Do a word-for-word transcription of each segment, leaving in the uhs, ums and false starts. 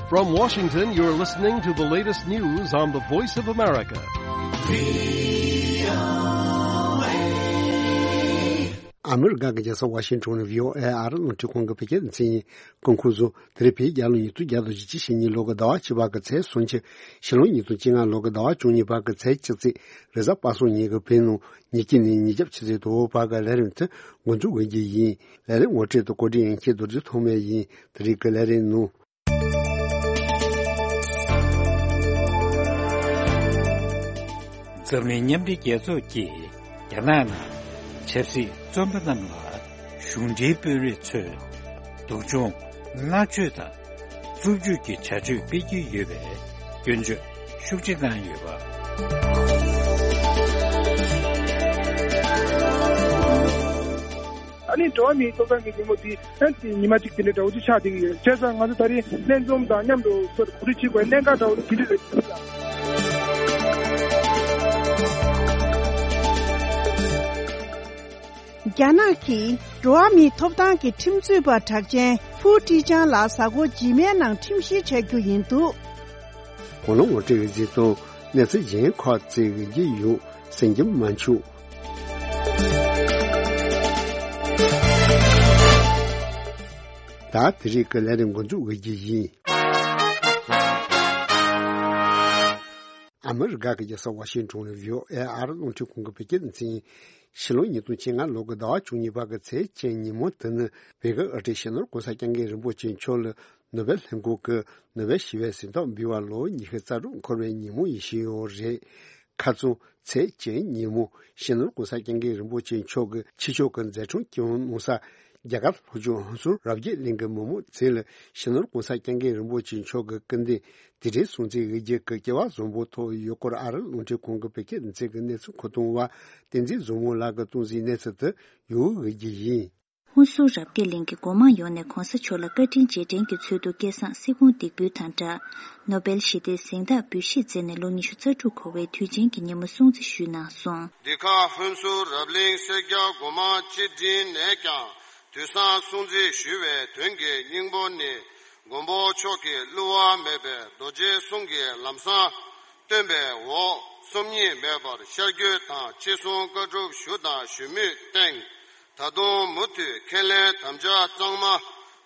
From Washington, you're listening to the latest news on the Voice of America. ཨ་མི་རི་ཀ་གི་རྒྱལ་ས་ཝ་ཤིང་ཊོན་ནས་བྷི་ཨོ་ཨེ་ཨ་རི་རླུང་འཕྲིན་ཁང་གི་བོད་སྐད་སྡེ་ཚན་ཡིན། སྐུ་ཁམས་བཟང་། དེ་རིང་བོད་རྒྱལ་ལོ་ཉིས་སྟོང་བརྒྱ་དང་བཞི་བཅུ་ཞེ་གཉིས་ལོ་གི་ཟླ་བ་བཅུ་པ་གི་ཚེས་སུམ་ཅུ། ཕྱི་ལོ་ཉིས་སྟོང་བཅོ་ལྔ་ལོ་གི་ཟླ་བ་བཅུ་གཉིས་པ་གི་ཚེས་བཅུ་གཅིག་རེས་གཟའ་པ་སངས་ཉིན་གྱི་བོད་ནང་ཉིན་གཅིག་ནས་ཉིན་རྒྱབ་ཆུ་ཚོད་དྲུག་པ་གི་ལས་རིམ་དེ་འགོ་འཛུགས་འོས་རྒྱུ་ཡིན། ལས་རིམ་ངོ་སྤྲོད་དང་བཀོད་སྒྲིག་ཡན་ཆད་རྡོ་རྗེ་ཐོགས་མེད་ཡིན། དེ་རིང་གི་ལས་རིམ་ནང་། འཛམ་གླིང་མཉམ་འབྲེལ་རྒྱལ་ཚོགས་ཀྱིས་རྒྱ་ནག་ནང་ཆབ་སྲིད་བཙོན་པ་རྣམས་ལ་གཞུང་འབྲེལ་དཔོན་རིགས་ཚོས་སྡུག་སྦྱོང་། མནར་གཅོད་དང་། རྩུབ་སྤྱོད་ཀྱི་བྱ་སྤྱོད་སྤེལ་གྱི་ཡོད་པའི་སྐྱོན་བརྗོད་ཤུགས་ཆེ་གནང་ཡོད་པ། ཨ་ནི་འགྲོ་བ་མིའི་ཐོབ་ཐང་གི་ཉིན་མོ་འདི་ཨ་ནི་ཉི་མ་གཅིག་དེ་འདྲ་འདྲ་བོ་ཅིག་ཆགས་བསྡད་ཀྱི་ཡོད། བྱས་ཙང་ང་ཚོ་ད་རེས་ལྷན་འཛོམས་དང་མཉམ་དུ་གོ་སྒྲིག་བྱེད་དགོས་གནད་འགག་འདྲ་བོ་དེ་འདྲ་རེད། རྒྱ་ནག་གིས་འགྲོ་བ་མིའི་ཐོབ་ཐང་གི་ཁྲིམས་རྩོད་པ་གྲགས་ཅན་ཧྥུའུ་ཀྲི་ཅང་ལ་གཟའ་འཁོར་རྗེས་མའི་ནང་ཁྲིམས་བཤེར་བྱ་རྒྱུ་ཡིན་འདུག་གོ་ལོང་ངོ་སྤྲོད་ཀྱི་གཟིགས་སྟངས། གནས་ཚུལ་གཞན་ཁག་བཅས་ཀྱི་རྒྱུ་ཡོད་གསན་རྒྱུ་མ་འཆུག་ད་དེ་རིང་གི་ལས་རིམ་འགོ་འཛུགས་འོས་རྒྱུ་ཡིན། ཨ་མི་རི་ཀ་གི་རྒྱལ་ས་ཝ་ཤིང་ཊོན་ནས་བྷི་ཨོ་ཨེ་ཨ་རི་རླུང་འཕྲིན་ཁང་གི་བོད་སྐད་སྡེ་ཚན་ཡིན། ཕྱི་ལོ་ཉིས་སྟོང་བཅོ་ལྔ་ལོ་གི་ཟླ་བ་བཅུ་གཉིས་པ་གི་ཚེས་བཅུ་ཉིན་མོ་དེ་ནི་བོད་ཀྱི་དབུ་ཁྲིད་སྤྱི་ནོར་༸གོང་ས་༸སྐྱབས་མགོན་རིན་པོ་ཆེ་མཆོག་ལ་ནོ་བེལ་ལྷན་ཁང་གིས་ནོ་བེལ་ཞི་བའི་གཟེངས་རྟགས་འབུལ་བ་ལོ་ཉི་ཤུ་རྩ་དྲུག་འཁོར་བའི་ཉིན་མོ་ཡིན་ཞུས་ཡོད་རེད། ཁ་རྩང་ཚེས་བཅུ་ཉིན་མོ་སྤྱི་ནོར་༸གོང་ས་༸སྐྱབས་མགོན་རིན་པོ་ཆེ་མཆོག་གིས་ཕྱི་ཕྱོགས་ཀྱི་མཛད་འཕྲིན་སྐྱོང་གནང་ས་རྒྱ་གར་ལྷོ་ཕྱོགས་ཧོན་སུར་རབ་རྒྱས་གླིང་གི་མི་མང་བཅས་ལ་སྤྱི་ནོར་༸གོང་ས་༸སྐྱབས་མགོན་རིན་པོ་ཆེ་མཆོག་གི་སྐུ་མདུན་དུས་དྲན་སྲུང་བརྩི་འོས་རྒྱུ་གི་སྐལ་བ་བཟང་པོ་ཐོབ་ཡོད་སྐོར་ཨ་རི་རླུང་འཕྲིན་ཁང་གི་བོད་སྐད་སྡེ་ཚན་གྱི་གནས་ཚུལ་མཁོ་གཏོང་བ་བསྟན་འཛིན་བཟང་མོ་ལགས་ཀྱིས་གཏོང་གཟིགས་གནས་ཚུལ་དེ་ཡོད་འོས་རྒྱུ་ཡིན། ཧུན་སུར་རབ་རྒྱས་གླིང་གི་སྒོ་མང་ཡོངས་ནས་གོང་ས་མཆོག་ལ་བཀའ་དྲིན་རྗེས་དྲན་གྱི་ཚུལ་དུ་སྐལ་བཟང་སེ་གོང་འདེགས་འབུལ་དང་སྦྲགས། ནོ་བེལ་ཞི་བདེའི་གཟེངས་རྟགས་འབུལ་བཞེས་མཛད་ནས་ལོ་ཉི་ཤུ་རྩ་དྲུག་འཁོར་བའི་དུས་ཆེན་གྱི་ཉིན་མོ་སྲུང་བརྩི་ཞུས་གནང་སོང་། འདི་ག་ཧུན་སུར་རབ་གླིང་སེར་སྐྱ་སྒོ་མང་སྤྱི་འབྲིང་ནས་ཀྱང་དུས་བཟང་སྲུང་བརྩི་ཞུ་བའི་དོན་གྱི་སྙིང་པོ་ནི། མགོན་པོ་མཆོག་གིས་བསླུ་བ་མེད་པའི་རྡོ་རྗེ་གསུང་གི་ལམ་བཟང་སྟོན་པའི་འོག་སོམ་ཉི་མེད་པར་ཤར་བསྐྱོད་དང་ཅི་གསུང་བཀའ་སྒྲུབ་ཞུ་དང་ཞུ་མུས་བསྟན། ད་དུང་མུ་མཐུད་ཁས་ལེན་དམ་བཅའ་གཙང་མ་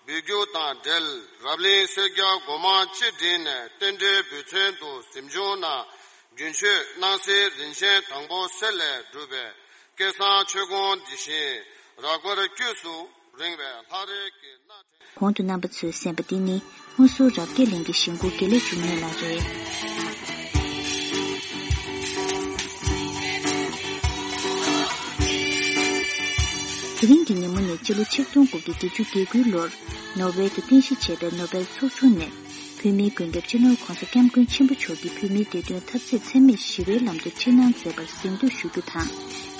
འབུལ་རྒྱུ་དང་འབྲེལ། རབ་གླིང་སེར་སྐྱ་སྒོ་མང་སྤྱི་འབྲིང་ནས་རྟེན་འབྲེལ་འབུལ་ཚན་དུ་གཟིམ་ཆུང་ནང་རྒྱུན་མཆོད་སྣང་སྲིད་རིན་ཆེན་དང་པོ་གསེར་ལས་གྲུབ་པའི་སྐལ་བཟང་མཆོད་ཀོང་འདི་བཞིན་རགས་པར་དཀྱུས་སུ་རིང་བའི་ལྷ་རས་ཀྱི་སྣ། གོང་དུ་རྣམ་པ་ཚོས་གསན་པ་འདི་ནི་ཧུན་སུར་རབ་རྒྱས་གླིང་གི་གཞིས་འགོ་དགེ་ལེགས་འབྱུང་གནས་ལགས་རེད། དེ་རིང་གི་ཉིན་མོ་ནི་སྤྱི་ལོ་ཆིག་སྟོང་དགུ་བརྒྱ་བརྒྱད་ཅུ་གྱ་དགུའི་ལོར་ནོར་ཝེ་དུ་རྟེན་གཞི་བྱས་པའི་ནོ་བེལ་ཚོགས་ཆུང་ནས་བོད་མིའི་མགོན་སྐྱབས་སྤྱི་ནོར་༸གོང་ས་༸སྐྱབས་མགོན་ཆེན་པོ་མཆོག་གིས་བོད་མིའི་བདེ་དོན་འཐབ་རྩོད་འཚེ་མེད་ཞི་བའི་ལམ་དུ་ཁྲིད་གནང་མཛད་པར་གཟེངས་བསྟོད་ཞུ་རྒྱུ་དང་།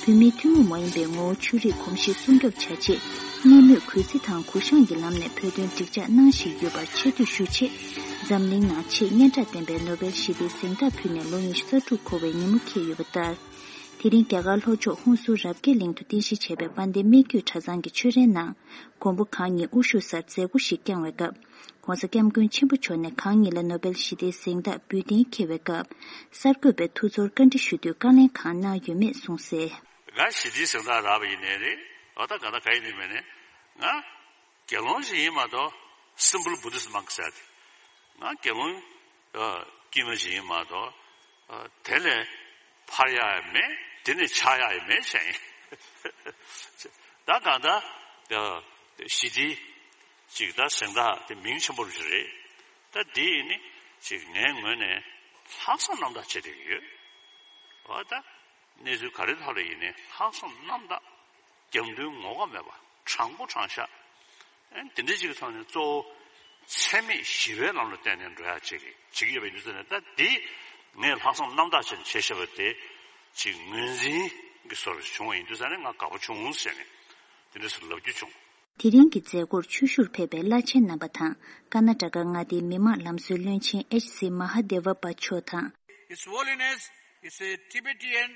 བོད་མིའི་ཐུན་མོང་མ་ཡིན་པའི་ངོ་བོ་ཆོས་རིག་གོམས་གཤིས་སྲུང་སྐྱོབ་བྱ་ཆེད། གཉིས་མོས་གུས་བརྩི་དང་གུ་བཤངས་ཀྱི་ལམ་ནས་བོད་དོན་འགྲིག་འཇགས་གནང་བཞིན་ཡོད་པར་ཆེ་བསྟོད་ཞུ་ཆེད། འཛམ་གླིང་ནང་ཆེས་སྙན་གྲགས་ལྡན་པའི་ནོ་བེལ་ཞི་བདེའི་གཟེངས་རྟགས་ཕུལ་ནས་ལོ་ཉི་ཤུ་རྩ་དྲུག་འཁོར་བའི་ཉིན་མོ་འཁེལ་ཡོད་པ་ལྟར། དེ་རིང་རྒྱ་གར་ལྷོ་ཕྱོགས་ཧུན་སུར་རབ་རྒྱས་གླིང་དུ་རྟེན་གཞི་བྱས་པའི་དཔལ་ལྡན་སྨད་རྒྱུད་གྲྭ་ཚང་གི་ཆོས་རའི་ནང་། མགོན་པོ་གང་ཉིད་དབུ་བཞུགས་སར་མཛད་སྒོ་ཞིག་བསྐྱངས་པའི་སྐབས། ༸གོང་ས་༸སྐྱབས་མགོན་ཆེན་པོ་མཆོག་ནས་གང་ཉིད་ལ་ནོ་བེལ་ཞི་བདེའི་གཟེངས་རྟགས་འབུལ་གཏན་འཁེལ་བའི་སྐབས། གསར་འགོད་པས་ཐུགས་ཚོར་བཀའ་འདྲི་ཞུ་དུས་བཀའ་ལན་གང་གནང་ཡོད་མེད་གསུངས་གསལ། ང་ཞི་བདེའི་གཟེངས་རྟགས་རག་པ་ཡིན་ནའི་རེད། འོ་ད་ག་ད་ག་ཡིན་ནའི་མིན་ནའི། ང་དགེ་སློང་ཞིག་ཡིན་མ་གཏོགས་simple Buddhist monk་ཟེར་ཏེ། ང་དགེ་སློང་ཨ་དཀྱུས་མ་ཞིག་ཡིན་མ་གཏོགས་ཨ་དེ་ལས་འཕར་ཡག་ཡང་མེད། དེ་ནས་ཆགས་ཡག་ཡང་མེད་བྱས་ཡིན། ད་གང་ལྟར་ཨ་ཞི་བདེའི་ཅིག་ད་གཟེངས་རྟགས་དེ་མིང་ཆེན་པོ་ཞིག་རེད། ད་འདི་ཡིན་ནི་ཅིག་ངའི་ངོས་ནས་ལྷག་བསམ་རྣམ་དག་བྱེད་བསྡད་ཀྱི་ཡོད། འོ་ད་གནས་ཚུལ་ག་རེ་ཐོག་ལ་ཡིན་ནའི་ལྷག་བསམ་རྣམ་དག་རྒྱབ་མདུན་ངོ་ཁ་མེད་པ། དྲང་པོ་དྲང་བཞག་ཨེ་འདི་འདྲ་ཅིག་གི་ཐོག་ནས་གཙོ་བོ་འཚེ་མེད་ཞི་བའི་ལམ་ལ་བརྟེན་ནས་འགྲོ་ཡག་ཅིག་གི་བྱེད་ཀྱི་ཡོད་པ་ཡིན་དུས་ཙང་ནས། ད་འདི་ངས་ལྷག་བསམ་རྣམ་དག་བྱས་ནས་བྱས་བཞག་པ་དེ་ཅིག་ངོས་འཛིན་གྱི་བཟོ་འདྲ་བྱུང་བ་ཡིན་དུས་ཙང་ནས་ང་དགའ་པོ་བྱུང་ཟེར་ནས་དེ་འདྲ་ཟེར་ལབ་རྒྱུ་བྱུང་། དེ་རིང་གི་མཛད་སྒོར་ཆོས་ཞུར་ཕེབས་པའི་བླ་ཆེན་རྣམ་པ་དང་། ཀར་ན་ཊ་ཀ་མངའ་སྡེའི་མི་དམངས་ལམ་བཟོའི་བློན་ཆེན་ཨེཆ་སི་མ་ཧ་དེ་ཝ་པ་མཆོག་དང་། His Holiness is a Tibetan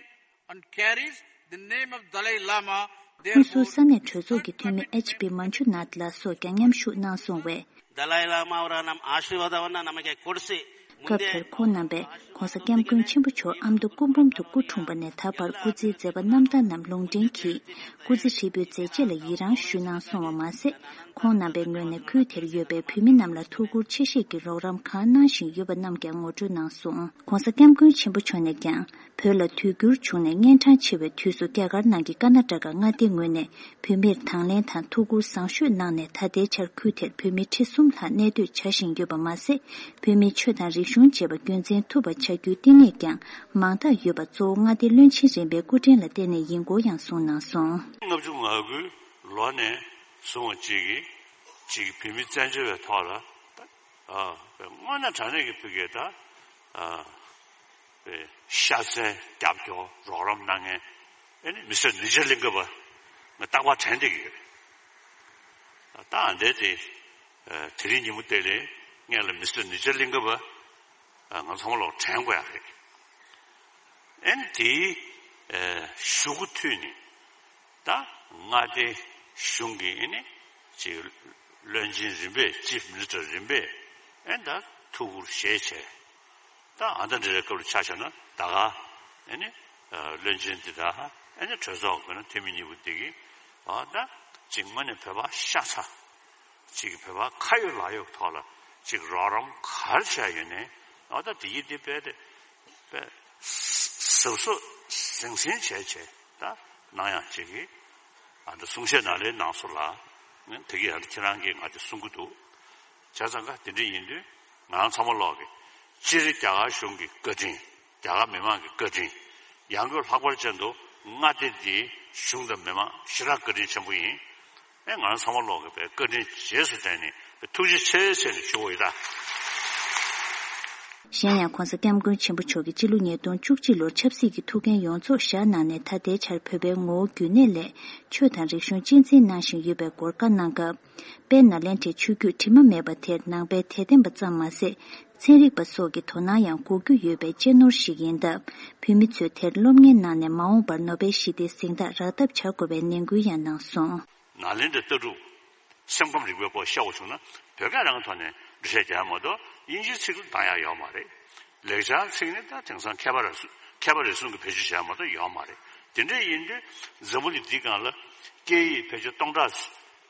and carries the name of Dalai Lama. ཧུན་སུར་ས་གནས་གྲོས་ཚོགས་ཀྱི་འཐུས་མི་ཨེཆ་པི་མན་ཆུ་ནཱཐ་ལགས་སོགས་ཀྱང་མཉམ་ཞུགས་གནང་སོང་བས། ダライ・ラマオラのアーシーバーダーはな、ナマケコルシ、 སྐབས་དེར་ཁོང་རྣམ་པས་༧གོང་ས་༧སྐྱབས་མགོན་ཆེན་པོ་མཆོག་ཨ་མདོ་སྐུ་འབུམ་དུ་སྐུ་འཁྲུངས་པ་ནས་ད་བར་སྐུ་ཚེའི་མཛད་པ་རྣམ་དག་རྣམས་ལུང་འདྲེན་གྱིས་སྐུ་ཚེ་ཧྲིལ་པོའི་མཛད་རྗེས་ལ་ཡི་རངས་ཞུས་གནང་སོང་བ་མ་ཟད། ཁོང་རྣམ་པའི་ངོས་ནས་ཁུལ་དེར་ཡོད་པའི་བོད་མི་རྣམས་ལ་ཐུགས་ཁུར་ཆེ་བཞེས་ཀྱི་རོགས་རམ་གང་གནང་བཞིན་ཡོད་པ་རྣམས་ཀྱང་ངོ་སྤྲོད་གནང་སོང་། ༧གོང་ས་༧སྐྱབས་མགོན་ཆེན་པོ་མཆོག་ནས་ཀྱང་བོད་ལ་དུས་འགྱུར་བྱུང་ནས་གཉན་འཕྲང་ཆེ་བའི་དུས་སུ་རྒྱ་གར་ནང་གི་ཀར་ན་ཊ་ཀ་མངའ་སྡེའི་ངོས་ནས་བོད་མིར་དང་ལེན་དང་ཐུགས་ཁུར་བཟང་ཤོས་གནང་ནས་ད་ལྟའི་ཆར་ཁུལ་དེར་བོད་མི་ཁྲི་གསུམ་ལྷག་གནས་སྡོད་བྱ་བཞིན་ཡོད་པ་མ་ཟད། བོད་མིའི་ཆོས་དང་རིག་གཞུང་བཅས་པ་རྒྱུན་འཛིན་ཐུབ་པ་བྱ་རྒྱུའི་བསྟི་གནས་ཀྱང་མང་དག་ཡོད་པ་གཙོ་བོ་མངའ་སྡེ་བློན་ཆེན་རིམ་པའི་སྐུ་དྲིན་ལ་བརྟེན་ནས་ཡིན་སྐོར་ཡང་གསུངས་གནང་སོང་། ལྔ་བཅུ་ང་དགུའི་ལོ་ནས་བཟུང་བ་གཅིག་གིས་གཅིག་གིས་བོད་མི་བཙན་བྱོལ་བའི་ཐོག་ལ་ད་ཨ་དངོས་གནས་དྲང་གནས་ཀྱི་ཕ་གིར་ད་ཨ་པའི་ཤ་ཚའི་རྒྱབ་སྐྱོར་རོགས་རམ་གནང་མཁན་ཨེ་ནི་མི་སེར་ནི་ཇ་གླིང་ཀ་པ་ང་རྟག་པར་དྲན་བསྡད་ཀྱི་ཡོད། ད་ཨ་འདྲས་དེ་དེ་རིང་ཉིན་མོ་དེ་ལས་ངས་ལ་མི་སེར་ནི་ཇ་གླིང་ཀ་པ་ང་ཚང་མ་ལོག་དྲན་དགོས་ཡ་རེད། ཨེ་ནི་དེའི་གཞུག་གུ་མཐུད་ནས་ད་མངའ་སྡེ་གཞུང་གི་ཨེ་ནི་ཅིག་བློན་ཆེན་རིམ་པས་ཅིབ་མི་ནི་སི་ཊར་རིམ་པས་ཨེ་ནི་ད་ཐུགས་ཁུར་བཞེས་བྱས། ད་ཨ་ད་འདྲ་རེ་སྐབས་ལ་ཆ་བཞག་ན་ད་ག་ཨེ་ནི་བློན་ཆེན་འདི་དང་ཨེ་ནི་གྲོས་ཚོགས་ཀྱི་ན་འཐུས་མི་གཉིས་པོ་འདི་གིས་ཨ་ད་ཅིག་དངོས་གནས་བོད་པ་ཤ་ཚ་ཅིག་བོད་པ་ཁ་ཡོད་ལག་ཡོད་ཐོག་ལ་ཅིག་རོགས་རམ་ག་རེ་བྱས་ཡོད་ནའི་ཨ་ད་དེ་ཡིན་དེ་དཔེ་དེ་དཔེ་གཟབ་གཟབ་ཟང་ཟིང་བྱས་བྱས་ད་གནང་ཡག་ཅིག་གིས་ཨ་ད་གསུང་བཤད་ནང་ལས་གནང་སོང་ལ་དེ་གིས་ཨ་ད་ཁྱེད་རང་གིས་ང་དེ་གསུང་གི་འདུག་བྱས་ཙང་ཀ་དེ་འདྲ་ཡིན་དུས་ང་རང་ཚང་མ་ལོག་གི་སྤྱིར་རྒྱ་གར་གཞུང་གི་བཀའ་དྲིན། རྒྱ་གར་མི་མང་གི་བཀའ་དྲིན། ཡང་སྒོས་ལྷག་པར་ཅན་དུ་མངའ་སྡེ་འདིའི་གཞུང་དང་མི་མང་ཞེ་དྲག་བཀའ་དྲིན་ཆེན་པོ་ཡིན། ཨེ་ང་རང་ཚང་མ་ལོག་གི་བཀའ་དྲིན་རྗེས་སུ་དྲན་ནས་ཐུགས་རྗེ་ཆེ་ཟེར་ནས་ཞུ་འོས་ད། གཞན་ཡང་༧གོང་ས་༧སྐྱབས་མགོན་ཆེན་པོ་མཆོག་གིས་སྤྱི་ལོ་ཉིས་སྟོང་བཅུ་གཅིག་ལོར་ཆབ་སྲིད་ཀྱི་ཐུགས་འགན་ཡོངས་རྫོགས་བཞག་གནང་ནས་ད་ལྟའི་ཆར་བོད་པའི་ངོ་བོ་རྒྱུན་གནས་སླད་ཆོས་དང་རིག་གཞུང་གཅེས་འཛིན་གནང་བཞིན་ཡོད་པའི་སྐོར་བཀའ་གནང་སྐབས། དཔལ་ནཱ་ལེནྡྲའི་ཆོས་བརྒྱུད་དྲི་མ་མེད་པ་དེར་ནང་པའི་དད་ལྡན་པ་ཙམ་མ་ཟད། ཚན་རིག་པ་སོགས་ཀྱི་དོ་སྣང་ཡང་དགོས་རྒྱུ་ཡོད་པའི་གཅེས་ནོར་ཞིག་ཡིན་སྟབས། བོད་མི་ཚོས་དེར་སློབ་གཉེར་གནང་ནས་མ་འོངས་པར་ནོ་བེལ་ཞི་བདེའི་གཟེངས་རྟགས་རག་ཐབས་བྱ་དགོས་པའི་ནན་སྐུལ་ཡང་གནང་སོང་། ནཱ་ལེནྡྲའི་ལྟ་གྲུབ་སེམས་ཁམས་རིག་པའི་སྐོར་བཤད་པ་བྱུང་ན་བོད་སྐད་རང་གི་ཐོག་ནས་འགྲེལ་བཤད་རྒྱག་ཡ་མ་གཏོགས་དབྱིན་ཇིའི་ཚིག་ལ་བཏང་ཡ་ཡོད་མ་རེད། ལེགས་སྦྱར་ཚིག་ནི་ད་དེང་སང་མཁས་པ་རེ་ཟུང་མཁས་པ་རེ་ཟུང་གིས་བེད་སྤྱོད་བྱས་མ་གཏོགས་ཡོད་མ་རེད། དེ་འདྲ་ཡིན་དུས་འཛམ་བུ་གླིང་འདིའི་སྒང་ལ་སྐད་ཡིག་ཕལ་ཆེར་སྟོང་ཕྲག་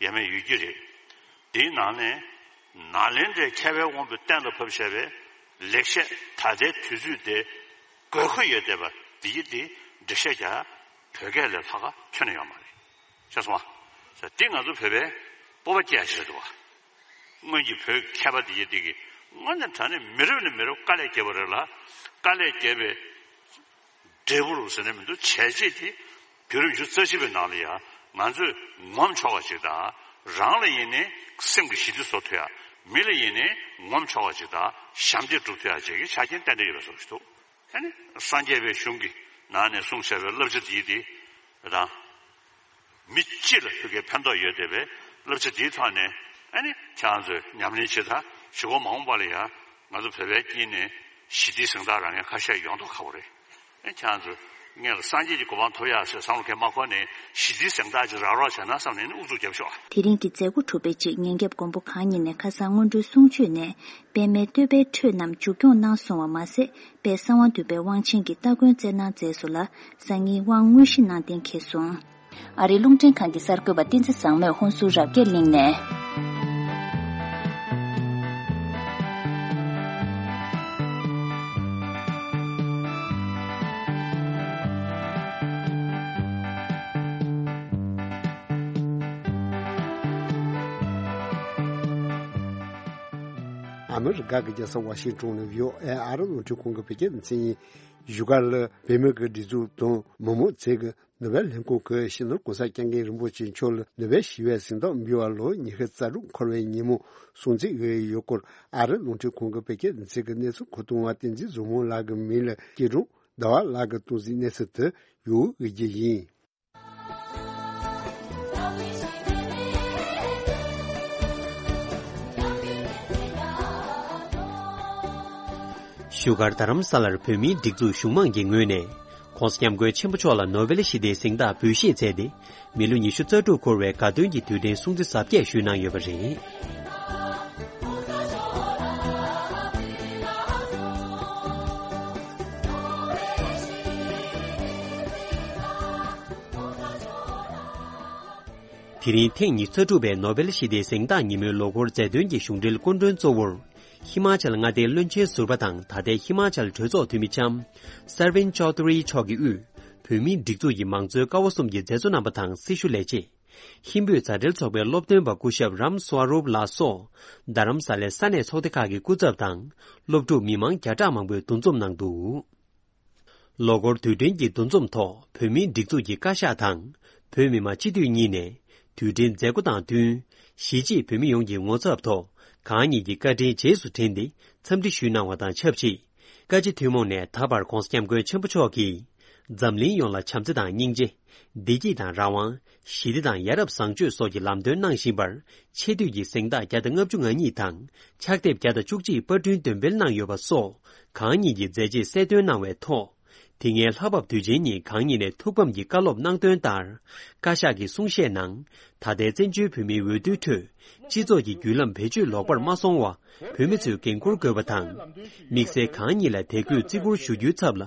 ཡས་མས་ཡོད་ཀྱི་རེད། དེའི་ནང་ནས་ནཱ་ལེནྡྲའི་མཁས་པའི་དབང་པོས་གཏན་ལ་ཕབ་བཞག་པའི་ལེགས་བཤད་ད་ལྟའི་དུས་ཚོད་དེ་དགོས་མཁོ་ཡོད་བསྡད་པ་འདི་ཡིན་ཏེ་འགྲེལ་བཤད་རྒྱག་བོད་སྐད་ལས་ལྷག་ག་ཁྱོན་ནས་ཡོད་མ་རེད། ཤེས་སོང་ཨ། འདི་ང་ཚོ་བོད་པའི་སྤོབས་པ་སྐྱེ་ཡ་ཞིག་རེད་འདུག་བ། སྔོན་གྱི་བོད་མཁས་པ་དེ་ཡིན་དེ་གི་དངོས་གནས་དྲང་གནས་མི་རབས་ནས་མི་རབས་དཀའ་ལས་བརྒྱབ་པ་རེད་ལ། དཀའ་ལས་བརྒྱབ་པའི་འབྲས་བུ་རུ་ཟེར་ནས་མི་འདུག་བྱས་རྗེས་དེ་བརྒྱུད་རིམ་བཅུ་རྩ་གཅིག་པའི་ནང་ལ་ཡང་ང་ཚོས་ངོམ་ཆོག་པ་ཞིག་དང་རང་ལ་ཡིན་ནའི་སེམས་ཀྱི་ཞི་བདེ་བཟོ་ཐུབ་ཡ། མི་ལ་ཡིན་ནའི་ངོམ་ཆོག་པ་ཞིག་དང་ཞབས་འདེགས་སྒྲུབ་ཐུབ་ཡ་བཅས་ཀྱི་ཆ་རྐྱེན་ཏན་ཏན་ཡོད་པའི་བཟོ་ཞིག་འདུག་ཨ་ནི་སངས་རྒྱས་པའི་གཞུང་གི་ནང་ནས་གསུངས་བཞག་པའི་བསླབ་བྱ་འདིའི་དེ་དང་། མི་སྤྱི་ལ་ཕ་གིའི་ཕན་ཐོགས་ཡོད་བསྡད་པའི་བསླབ་བྱ་འདིའི་ཐོག་ནས་ཨ་ནི་ཁྱེད་རང་ཚོས་ཉམས་ལེན་བྱེད་དང་གཞུག་གུ་མ་འོངས་པ་ལ་ཡང་ང་ཚོ་བོད་པའི་དཀྱིལ་ནས་ཞི་བདེའི་གཟེངས་རྟགས་རག་མཁན་ཁ་ཤས་ཡོང་མདོག་ཁ་པོ་རེད། ཨ་ཁྱེད་རང་ཚོས་སྔོན་ལ་སངས་རྒྱས་ཀྱི་གོ་འཕང་ཐོབ་ཡག་ཟེར་བསམ་བློ་གང་མ་འཁོར་ནས་ཞི་བདེའི་གཟེངས་རྟགས་ཅིག་རག་རོགས་བྱས་ན་བསམ་ནས་ཨ་ནི་ཨུ་ཚུགས་རྒྱབ་ཤོག་ཨ། དེ་རིང་གི་མཛད་སྒོ་གྲུབ་པའི་རྗེས་ཉིན་རྒྱབ་མགོན་པོ་གང་ཉིད་ནས་ཁ་སང་སྔོན་འགྲོའི་གསུང་ཆོས་ནས་པདྨའི་བསྟོད་པའི་འཕྲོས་རྣམས་མཇུག་སྐྱོང་གནང་སོང་བ་མ་ཟད། དཔལ་གསང་བ་འདུས་པའི་དབང་ཆེན་གྱི་སྟ་གོན་སྩལ་གནང་མཛད་སོང་ལ། སང་ཉིན་དབང་དངོས་གཞི་གནང་གཏན་འཁེལ་སོང་། ཨ་རིའི་རླུང་འཕྲིན་ཁང་གི་གསར་འགོད་པ་བསྟན་འཛིན་བཟང་མོས་ཧུན་སུར་རབ་རྒྱས་གླིང་ནས། ཨ་མི་རི་ཀ་གི་རྒྱལ་ས་ཝ་ཤིང་ཊོན་ནས་བྷི་ཨོ་ཨེ་ཨ་རི་རླུང་འཕྲིན་ཁང་གི་བོད་སྐད་སྡེ་ཚན་ཡིན། བཞུགས་སྒར་ལ་བོད་མི་གི་སྒྲིག་འཛུགས་དང་མི་མང་བཅས་ཀྱིས་ནོ་བེལ་ལྷན་ཁང་གི་སྤྱི་ནོར་༧གོང་ས་༧སྐྱབས་མགོན་རིན་པོ་ཆེ་མཆོག་ལ་ནོ་བེལ་ཞི་བའི་གཟེངས་རྟགས་འབུལ་བ་ལོ་ཉི་ཤུ་རྩ་དྲུག་འཁོར་བའི་ཉིན་མོ་སྲུང་བརྩི་ཡོད་སྐོར་ཨ་རི་རླུང་འཕྲིན་ཁང་གི་བོད་སྐད་སྡེ་ཚན་གྱི་གནས་ཚུལ་མཁོ་གཏོང་བ་བསྟན་འཛིན་བཟང་མོ་ལགས་ཀྱི་མིང་ལ་སྐྱིད་གྲོང་ཟླ་བ་ལགས་ཀྱིས་གཏོང་གཟིགས་གནས་ཚུལ་དུ་ཡོད་འོས་རྒྱུ་ཡིན། བཞུགས་སྒར་རྡ་རམ་ས་ལར་བོད་མིའི་སྒྲིག་འཛུགས་གཞུང་མང་གི་ངོས་ནས་༧གོང་ས་༧སྐྱབས་མགོན་ཆེན་པོ་མཆོག་ལ་ནོ་བེལ་ཞི་བདེའི་གཟེངས་རྟགས་འབུལ་བཞེས་མཛད་དེ། མི་ལོ་ཉི་ཤུ་རྩ་དྲུག་འཁོར་བའི་དགའ་སྟོན་གྱི་དུས་དྲན་སྲུང་བརྩི་གཟབ་རྒྱས་ཞུས་གནང་ཡོད་པ་རེད། དེ་རིང་ཐེངས་ཉི་ཤུ་རྩ་དྲུག་པའི་ནོ་བེལ་ཞི་བདེའི་གཟེངས་རྟགས་ཉིན་མོའི་ལོ་འཁོར་མཛད་དོན་གྱི་གཞུང་འབྲེལ་སྐུ་མགྲོན་གཙོ་བོར། ཧི་མ་ཅལ་མངའ་སྡེའི་བློན་ཆེན་ཟུར་པ་དང་ད་ལྟའི་ཧི་མ་ཅལ་གྲོས་ཚོགས་འཐུས་མི་ལྕམ་སར་ཝིན་ཅོ་དྷུ་རི་མཆོག་གིས་དབུས་བོད་མིའི་སྒྲིག་འཛུགས་ཀྱི་མང་གཙོའི་ཀ་བ་གསུམ་གྱི་མཛད་གཙོ་རྣམ་པ་དང་སྲི་ཞུ་ལས་བྱེད། ཧིན་བོད་མཛའ་འབྲེལ་ཚོགས་པའི་སློབ་སྟོན་པ་སྐུ་ཞབས་རམ་སྭ་རུབ་ལགས་སོགས། རྡ་རམ་ས་ལའི་ས་གནས་ཚོགས་སྡེ་ཁག་གི་སྐུ་ཚབ་དང་། སློབ་ཕྲུག་མི་མང་བརྒྱ་ཕྲག་མང་པོས་འདུ་འཛོམས་གནང་འདུག་ལོ་འཁོར་དུས་དྲན་གྱི་འདུ་འཛོམས་ཐོག་བོད་མིའི་སྒྲིག་འཛུགས་ཀྱི་བཀའ་ཤག་དང་། བོད་མི་མང་སྤྱི་འཐུས་གཉིས་ནས། དུས་དྲན་མཛད་སྒོ་དང་བསྟུན། གཞིས་བྱེས་བོད་མི་ཡོངས་ཀྱི་ངོ་ཚབ་ཐོག་གང་ཉིད་ཀྱི་བཀའ་དྲིན་རྗེས་སུ་དྲན་ཏེ། འཚམས་འདྲི་ཞུས་གནང་བ་དང་ཆབས་ཅིག་བཀའ་སྤྱི་ཐུན་མོང་ནས་ད་བར་༧གོང་ས་༧སྐྱབས་མགོན་ཆེན་པོ་མཆོག་གིས། འཛམ་གླིང་ཡོངས་ལ་བྱམས་བརྩེ་དང་སྙིང་རྗེ། བདེ་སྐྱིད་དང་རང་དབང་། ཞི་བདེ་དང་ཡ་རབས་བཟང་སྤྱོད་སོགས་ཀྱི་ལམ་སྟོན་གནང་བཞིན་པར། ཆེ་བསྟོད་ཀྱི་གཟེངས་རྟགས་བརྒྱ་དང་ལྔ་བཅུ་ང་གཉིས་དང་། ཕྱག་དེབ་བརྒྱ་དང་བཅུ་གཅིག་པར་སྐྲུན་འདོན་སྤེལ་གནང་ཡོད་པ་སོགས། གང་ཉིད་ཀྱི་མཛད་རྗེས་གསལ་སྟོན་གནང་བའི་ཐོག་དེ་སྔའི་ལྷག་བབས་དུས་ཆེན་ཉིན་གང་ཉིད་ནས་ཐུགས་ཕམ་གྱི་བཀའ་སློབ་གནང་དོན་ལྟར། བཀའ་ཤག་གི་གསུང་བཤད་ནང་། ད་ལྟའི་བཙན་བྱོལ་བོད་མིའི་འོས་བསྡུའི་ཁྲོད། སྤྱི་ཚོགས་ཀྱི་བརྒྱུད་ལམ་བེད་སྤྱོད་ལོག་པར་མ་སོང་བ། བོད་མི་ཚོས་འགན་འཁུར་དགོས་པ་དང་། དམིགས་བསལ་གང་ཉིད་ལ་དད་གུས་བརྩི་བཀུར་ཞུ་རྒྱུའི་ཚབ་ལ།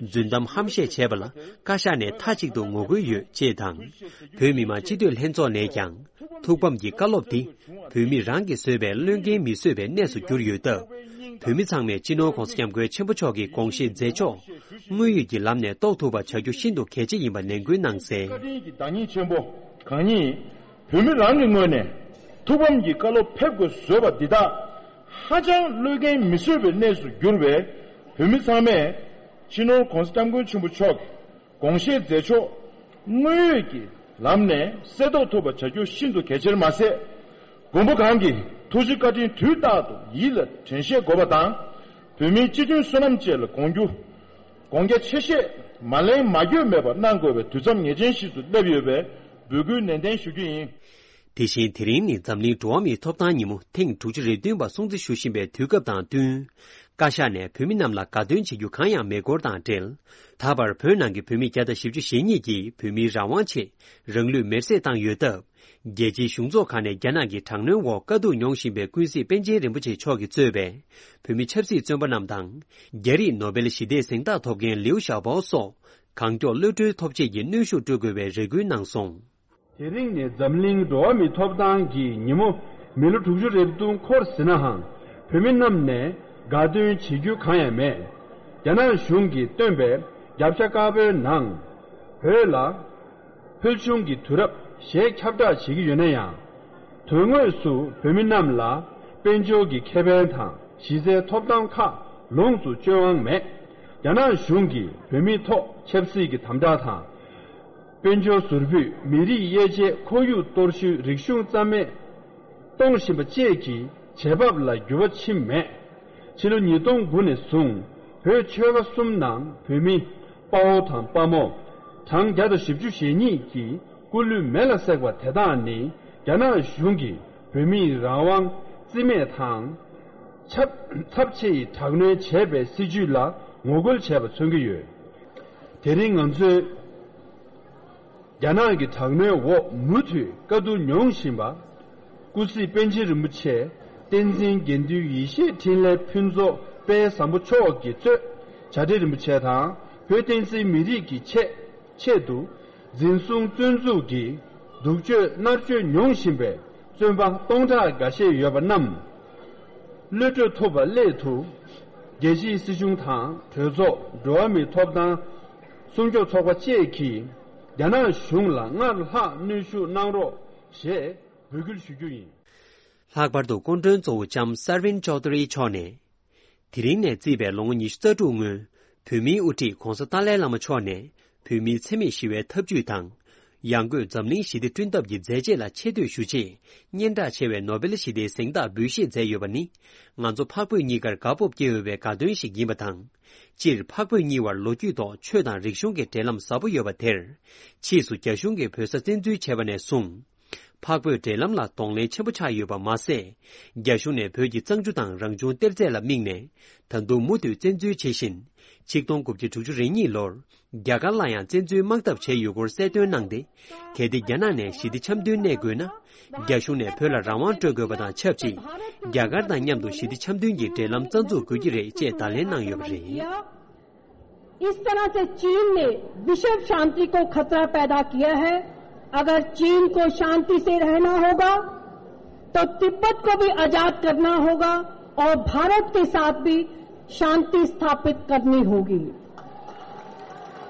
རྫུན་གཏམ་ཧམ་བཤད་བྱས་པ་ལ། བཀའ་ཤག་ནས་མཐའ་གཅིག་ཏུ་ངོ་རྒོལ་ཡོད་ཅེས་དང་། བོད་མི་མང་སྤྱི་འཐུས་ལྷན་ཚོགས་ནས་ཀྱང་། ཐུགས་ཕམ་གྱི་བཀའ་སློབ་དེ། བོད་མི་རང་གིས་བཟོས་པའི་བློས་འགེལ་མི་བཟོད་པའི་གནས་སུ་གྱུར་ཡོད་སྟབས། བོད་མི་ཚང་མས་སྤྱི་ནོར་༧གོང་ས་༧སྐྱབས་མགོན་ཆེན་པོ་མཆོག་གི་དགོངས་བཞེད་མཛད་ཕྱོགས། དངོས་ཡོད་ཀྱི་ལམ་ནས་རྟོགས་ཐུབ་པ་བྱ་རྒྱུ་ཤིན་ཏུ་གལ་ཆེ་ཡིན་པ་ནན་སྐུལ་གནང་གསལ། བཀའ་དྲིན་གྱི་བདག་ཉིད་ཆེན་པོ་གང་ཉིད། བོད་མི་རང་གི་ངོས་ནས་ཐུགས་ཕམ་གྱི་བཀའ་སློབ་ཕེབས་དགོས་བཟོས་པ་འདི་དག་ཧ་ཅང་བློས་འགེལ་མི་བཟོད་པའི་གནས་སུ་གྱུར་བས། བོད་མི་ཚང་མས་སྤྱི་ནོར་༧གོང་ས་༧སྐྱབས་མགོན་ཆེན་པོ་མཆོག་གི་དགོངས་བཞེད་མཛད་ཕྱོགས་དངོས་ཡོད་ཀྱི་ལམ་ནས་གསལ་རྟོགས་ཐུབ་པ་བྱ་རྒྱུ་ཤིན་ཏུ་གལ་ཆེར་མ་ཟད། མགོན་པོ་གང་གི་ཐུགས་རྗེ་བཀའ་དྲིན་དུས་རྟག་ཏུ་ཡིད་ལ་དྲན་ཤེས་དགོས་པ་དང་། བོད་མིའི་སྤྱི་མཐུན་བསོད་ནམས་བཅས་ལ་དགོངས་རྒྱུ། དགོངས་རྒྱ་ཆེ་བཞེས་མ་ལན་མ་འགྱོད་མེད་པར་གནང་དགོས་པའི་དུས་མཚམས་ངེས་ཅན་ཞིག་ཏུ་སླེབས་ཡོད་པས་འབོད་སྐུལ་ནན་ཏན་ཞུ་རྒྱུ་ཡིན། དེ་བཞིན་དེ་རིང་ནི་འཛམ་གླིང་འགྲོ་བ་མིའི་ཐོབ་ཐང་ཉིན་མོ་ཐེངས་དྲུག་ཅུ་རེ་བདུན་པ་སྲུང་བརྩི་ཞུ་བཞིན་པའི་དུས་སྐབས་དང་བསྟུན། བཀའ་ཤག་ནས་བོད་མི་རྣམས་ལ་དགའ་སྟོན་བྱེད་རྒྱུ་གང་ཡང་མེད་སྐོར་དང་འབྲེལ། ད་བར་བོད་ནང་གི་བོད་མི་བརྒྱ་དང་བཞི་བཅུ་ཞེ་གཉིས་ཀྱིས་བོད་མིའི་རང་དབང་ཆེད་རང་ལུས་མེར་སྲེག་བཏང་ཡོད་སྟབས། རྒྱལ་སྤྱིའི་གཞུང་ཚོགས་ཁག་ནས་རྒྱ་ནག་གི་དྲག་གནོན་འོག་དཀའ་སྡུག་མྱོང་བཞིན་པའི་ཀུན་གཟིགས་པཎ་ཆེན་རིན་པོ་ཆེ་མཆོག་གིས་གཙོས་པའི་བོད་མི་ཆབ་སྲིད་བཙོན་པ་རྣམས་དང་། རྒྱ་རིགས་ནོ་བེལ་ཞི་བདེའི་གཟེངས་རྟགས་ཐོབ་མཁན་ལིའུ་ཞའོ་པའོ་སོགས་གང་མགྱོགས་གློད་གྲོལ་ཐོབ་ཆེད་ཀྱི་གནོན་ཤུགས་སྤྲོད་དགོས་པའི་རེ་སྐུལ་གནང་སོང་། དེ་རིང་ནི་འཛམ་གླིང་འགྲོ་བ་མིའི་ཐོབ་ཐང་གི་ཉིན་མོ། མི་ལོ་དྲུག་ཅུ་རེ་བདུན་འཁོར་ཟིན་ནའང་། བོད་མི་རྣམས་ནས་དགའ་སྟོན་བྱེད་རྒྱུ་གང་ཡང་མེད། རྒྱ་ནག་གཞུང་གིས་བཏོན་པའི་རྒྱབ་ཤ་དཀར་པོའི་ནང་། བོད་ལ་ཕུལ་བྱུང་གི་དུས་རབས་ཞེས་ཁྱབ་བསྒྲགས་བྱེད་ཀྱི་ཡོད་ན་ཡང་། དོན་དངོས་སུ་བོད་མི་རྣམས་ལ་དཔལ་འབྱོར་གྱི་ཁེ་ཕན་དང་གཞི་རྩའི་ཐོབ་ཐང་ཁག་ལོངས་སུ་སྤྱོད་དབང་མེད། རྒྱ་ནག་གཞུང་གིས་བོད་མིའི་ཐོག་ཆབ་སྲིད་ཀྱི་དམ་དྲག་དང་། དཔལ་འབྱོར་ཟུར་ཕུད། མི་རིགས་དབྱེ་འབྱེད། ཁོར་ཡུག་གཏོར་བཤིག་རིག་གཞུང་རྩ་མེད་གཏོང་བཞིན་པ་བཅས་ཀྱི་བྱེད་བབ་ལ་འགྱུར་བ་ཕྱིན་མེད། ཕྱི་ལོ་ཉིས་སྟོང་དགུ་ནས་བཟུང་བོད་ཆོལ་ཁ་གསུམ་ནང་བོད་མི་དཔའ་བོ་དང་དཔའ་མོ་གྲངས་བརྒྱ་དང་བཞི་བཅུ་ཞེ་གཉིས་ཀྱི་སྐུ་ལུས་མེ་ལ་བསྲེགས་པ་དེ་དག་ནི་རྒྱ་ནག་གཞུང་གིས་བོད་མིའི་རང་དབང་རྩིས་མེད་དང་། ཚབས་ཚབས་ཆེ་ཡི་དྲག་གནོན་བྱས་པའི་སྲིད་བྱུས་ལ་ངོ་རྒོལ་བྱས་པ་མཚོན་གྱི་ཡོད། དེ་རིང་ང་ཚོས། རྒྱ་ནག་གི་དྲག་གནོན་འོག་མུ་མཐུད་དཀའ་སྡུག་མྱོང་བཞིན་པ། སྐུ་གཟིགས་པཎ་ཆེན་རིན་པོ་ཆེ། བསྟན་འཛིན་དགེ་འདུན་ཡེ་ཤེས་འཕྲིན་ལས་ཕུན་ཚོགས་དཔལ་བཟང་པོ་མཆོག་གིས་གཙོས་བྱ་བྲལ་རིན་པོ་ཆེ་དང་། བོད་བསྟན་སྲིད་མི་རིགས་ཀྱི་ཆེད་ཆེད་དུ། འཛིན་བཟུང་བཙོན་འཇུག་གིས་སྡུག་སྤྱོད་མནར་གཅོད་མྱོང་བཞིན་པའི་བཙོན་པ་སྟོང་ཕྲག་འགའ་ཤས་ཡོད་པ་རྣམས། གློད་གྲོལ་ཐུབ་པ་སླད་དུ། རྒྱལ་སྤྱིའི་སྲིད་གཞུང་དང་གྲོས་ཚོགས། འགྲོ་བ་མིའི་ཐོབ་ཐང་སྲུང་སྐྱོབ་ཚོགས་པ་བཅས་ཀྱིས་རྒྱ་ནག་གཞུང་ལ་སྔར་ལྷག་གནོན་ཤུགས་གནང་རོགས་ཞེས་འབོད་སྐུལ་ཞུ་རྒྱུ་ཡིན། ལྷག་པར་དུ་སྐུ་མགྲོན་གཙོ་བོ་ལྕམ་སར་ཝིན་ཅོ་དྷུ་རི་མཆོག་ནས། དེ་རིང་ནས་བརྩིས་པའི་ལོ་ངོ་ཉི་ཤུ་རྩ་དྲུག་སྔོན། བོད་མིའི་དབུ་ཁྲིད་༧གོང་ས་ཏཱ་ལའི་བླ་མ་མཆོག་ནས། བོད་མིའི་འཚེ་མེད་ཞི་བའི་ཐབས་ཇུས་དང་། ཡང་སྒོས་འཛམ་གླིང་ཞི་བདེ་བསྐྲུན་ཐབས་ཀྱི་མཛད་རྗེས་ལ་ཆེ་བསྟོད་ཞུ་ཆེད། སྙན་གྲགས་ཆེ་བའི་ནོ་བེལ་ཞི་བདེའི་གཟེངས་རྟགས་འབུལ་བཞེས་མཛད་ཡོད་པ་ནི། ང་ཚོ་འཕགས་བོད་གཉིས་ཀར་དགའ་སྤོབས་སྐྱེ་འོས་པའི་དགའ་སྟོན་ཞིག་ཡིན་པ་དང་། སྤྱིར་འཕགས་བོད་གཉིས་བར་ལོ་རྒྱུས་ཐོག་ཆོས་དང་རིག་གཞུང་གི་འབྲེལ་ལམ་ཟབ་པོ་ཡོད་པ་དེར། ཕྱིས་སུ་རྒྱ་གཞུང་གིས་བོད་ས་བཙན་འཛུལ་བྱས་པ་ནས་བཟུང་། འཕགས་བོད་འབྲེལ་ལམ་ལ་གདོང་ལེན་ཆེན་པོ་ཆགས་ཡོད་པ་མ་ཟད། རྒྱ་གཞུང་ནས་བོད་ཀྱི་གཙང་ཆུ་དང་རང་བྱུང་གཏེར་རྫས་ལ་དམིགས་ནས། ད་དུང་མུ་མཐུད་བཙན་འཛུལ་བྱེད་བཞིན། ཆིག་སྟོང་དགུ་བརྒྱ་དྲུག་ཅུ་རེ་གཉིས་ལོར། རྒྱ་གར་ལ་ཡང་བཙན་འཛུལ་དམག་འཐབ་བྱས་ཡོད་སྐོར་གསལ་སྟོན་གནང་སྟེ། གལ་ཏེ་རྒྱ་ནག་ནས་ཞི་བདེ་འཆམ་མཐུན་གནས་དགོས་ན། རྒྱ་གཞུང་ནས་བོད་ལ་རང་དབང་སྤྲོད་དགོས་པ་དང་ཆབས་ཅིག་རྒྱ་གར་དང་མཉམ་དུ་ཞི་བདེ་འཆམ་མཐུན་གྱི་འབྲེལ་ལམ་རྩ་འཛུགས་དགོས་ཀྱི་རེད་ཅེས་བརྡ་ལན་གནང་ཡོད་པ་རེད། इस तरह से चीन ने विश्व शांति को खतरा पैदा किया है। अगर चीन को शांति से रहना होगा, तो तिब्बत को भी आजाद करना होगा और भारत के साथ भी शांति स्थापित करनी होगी।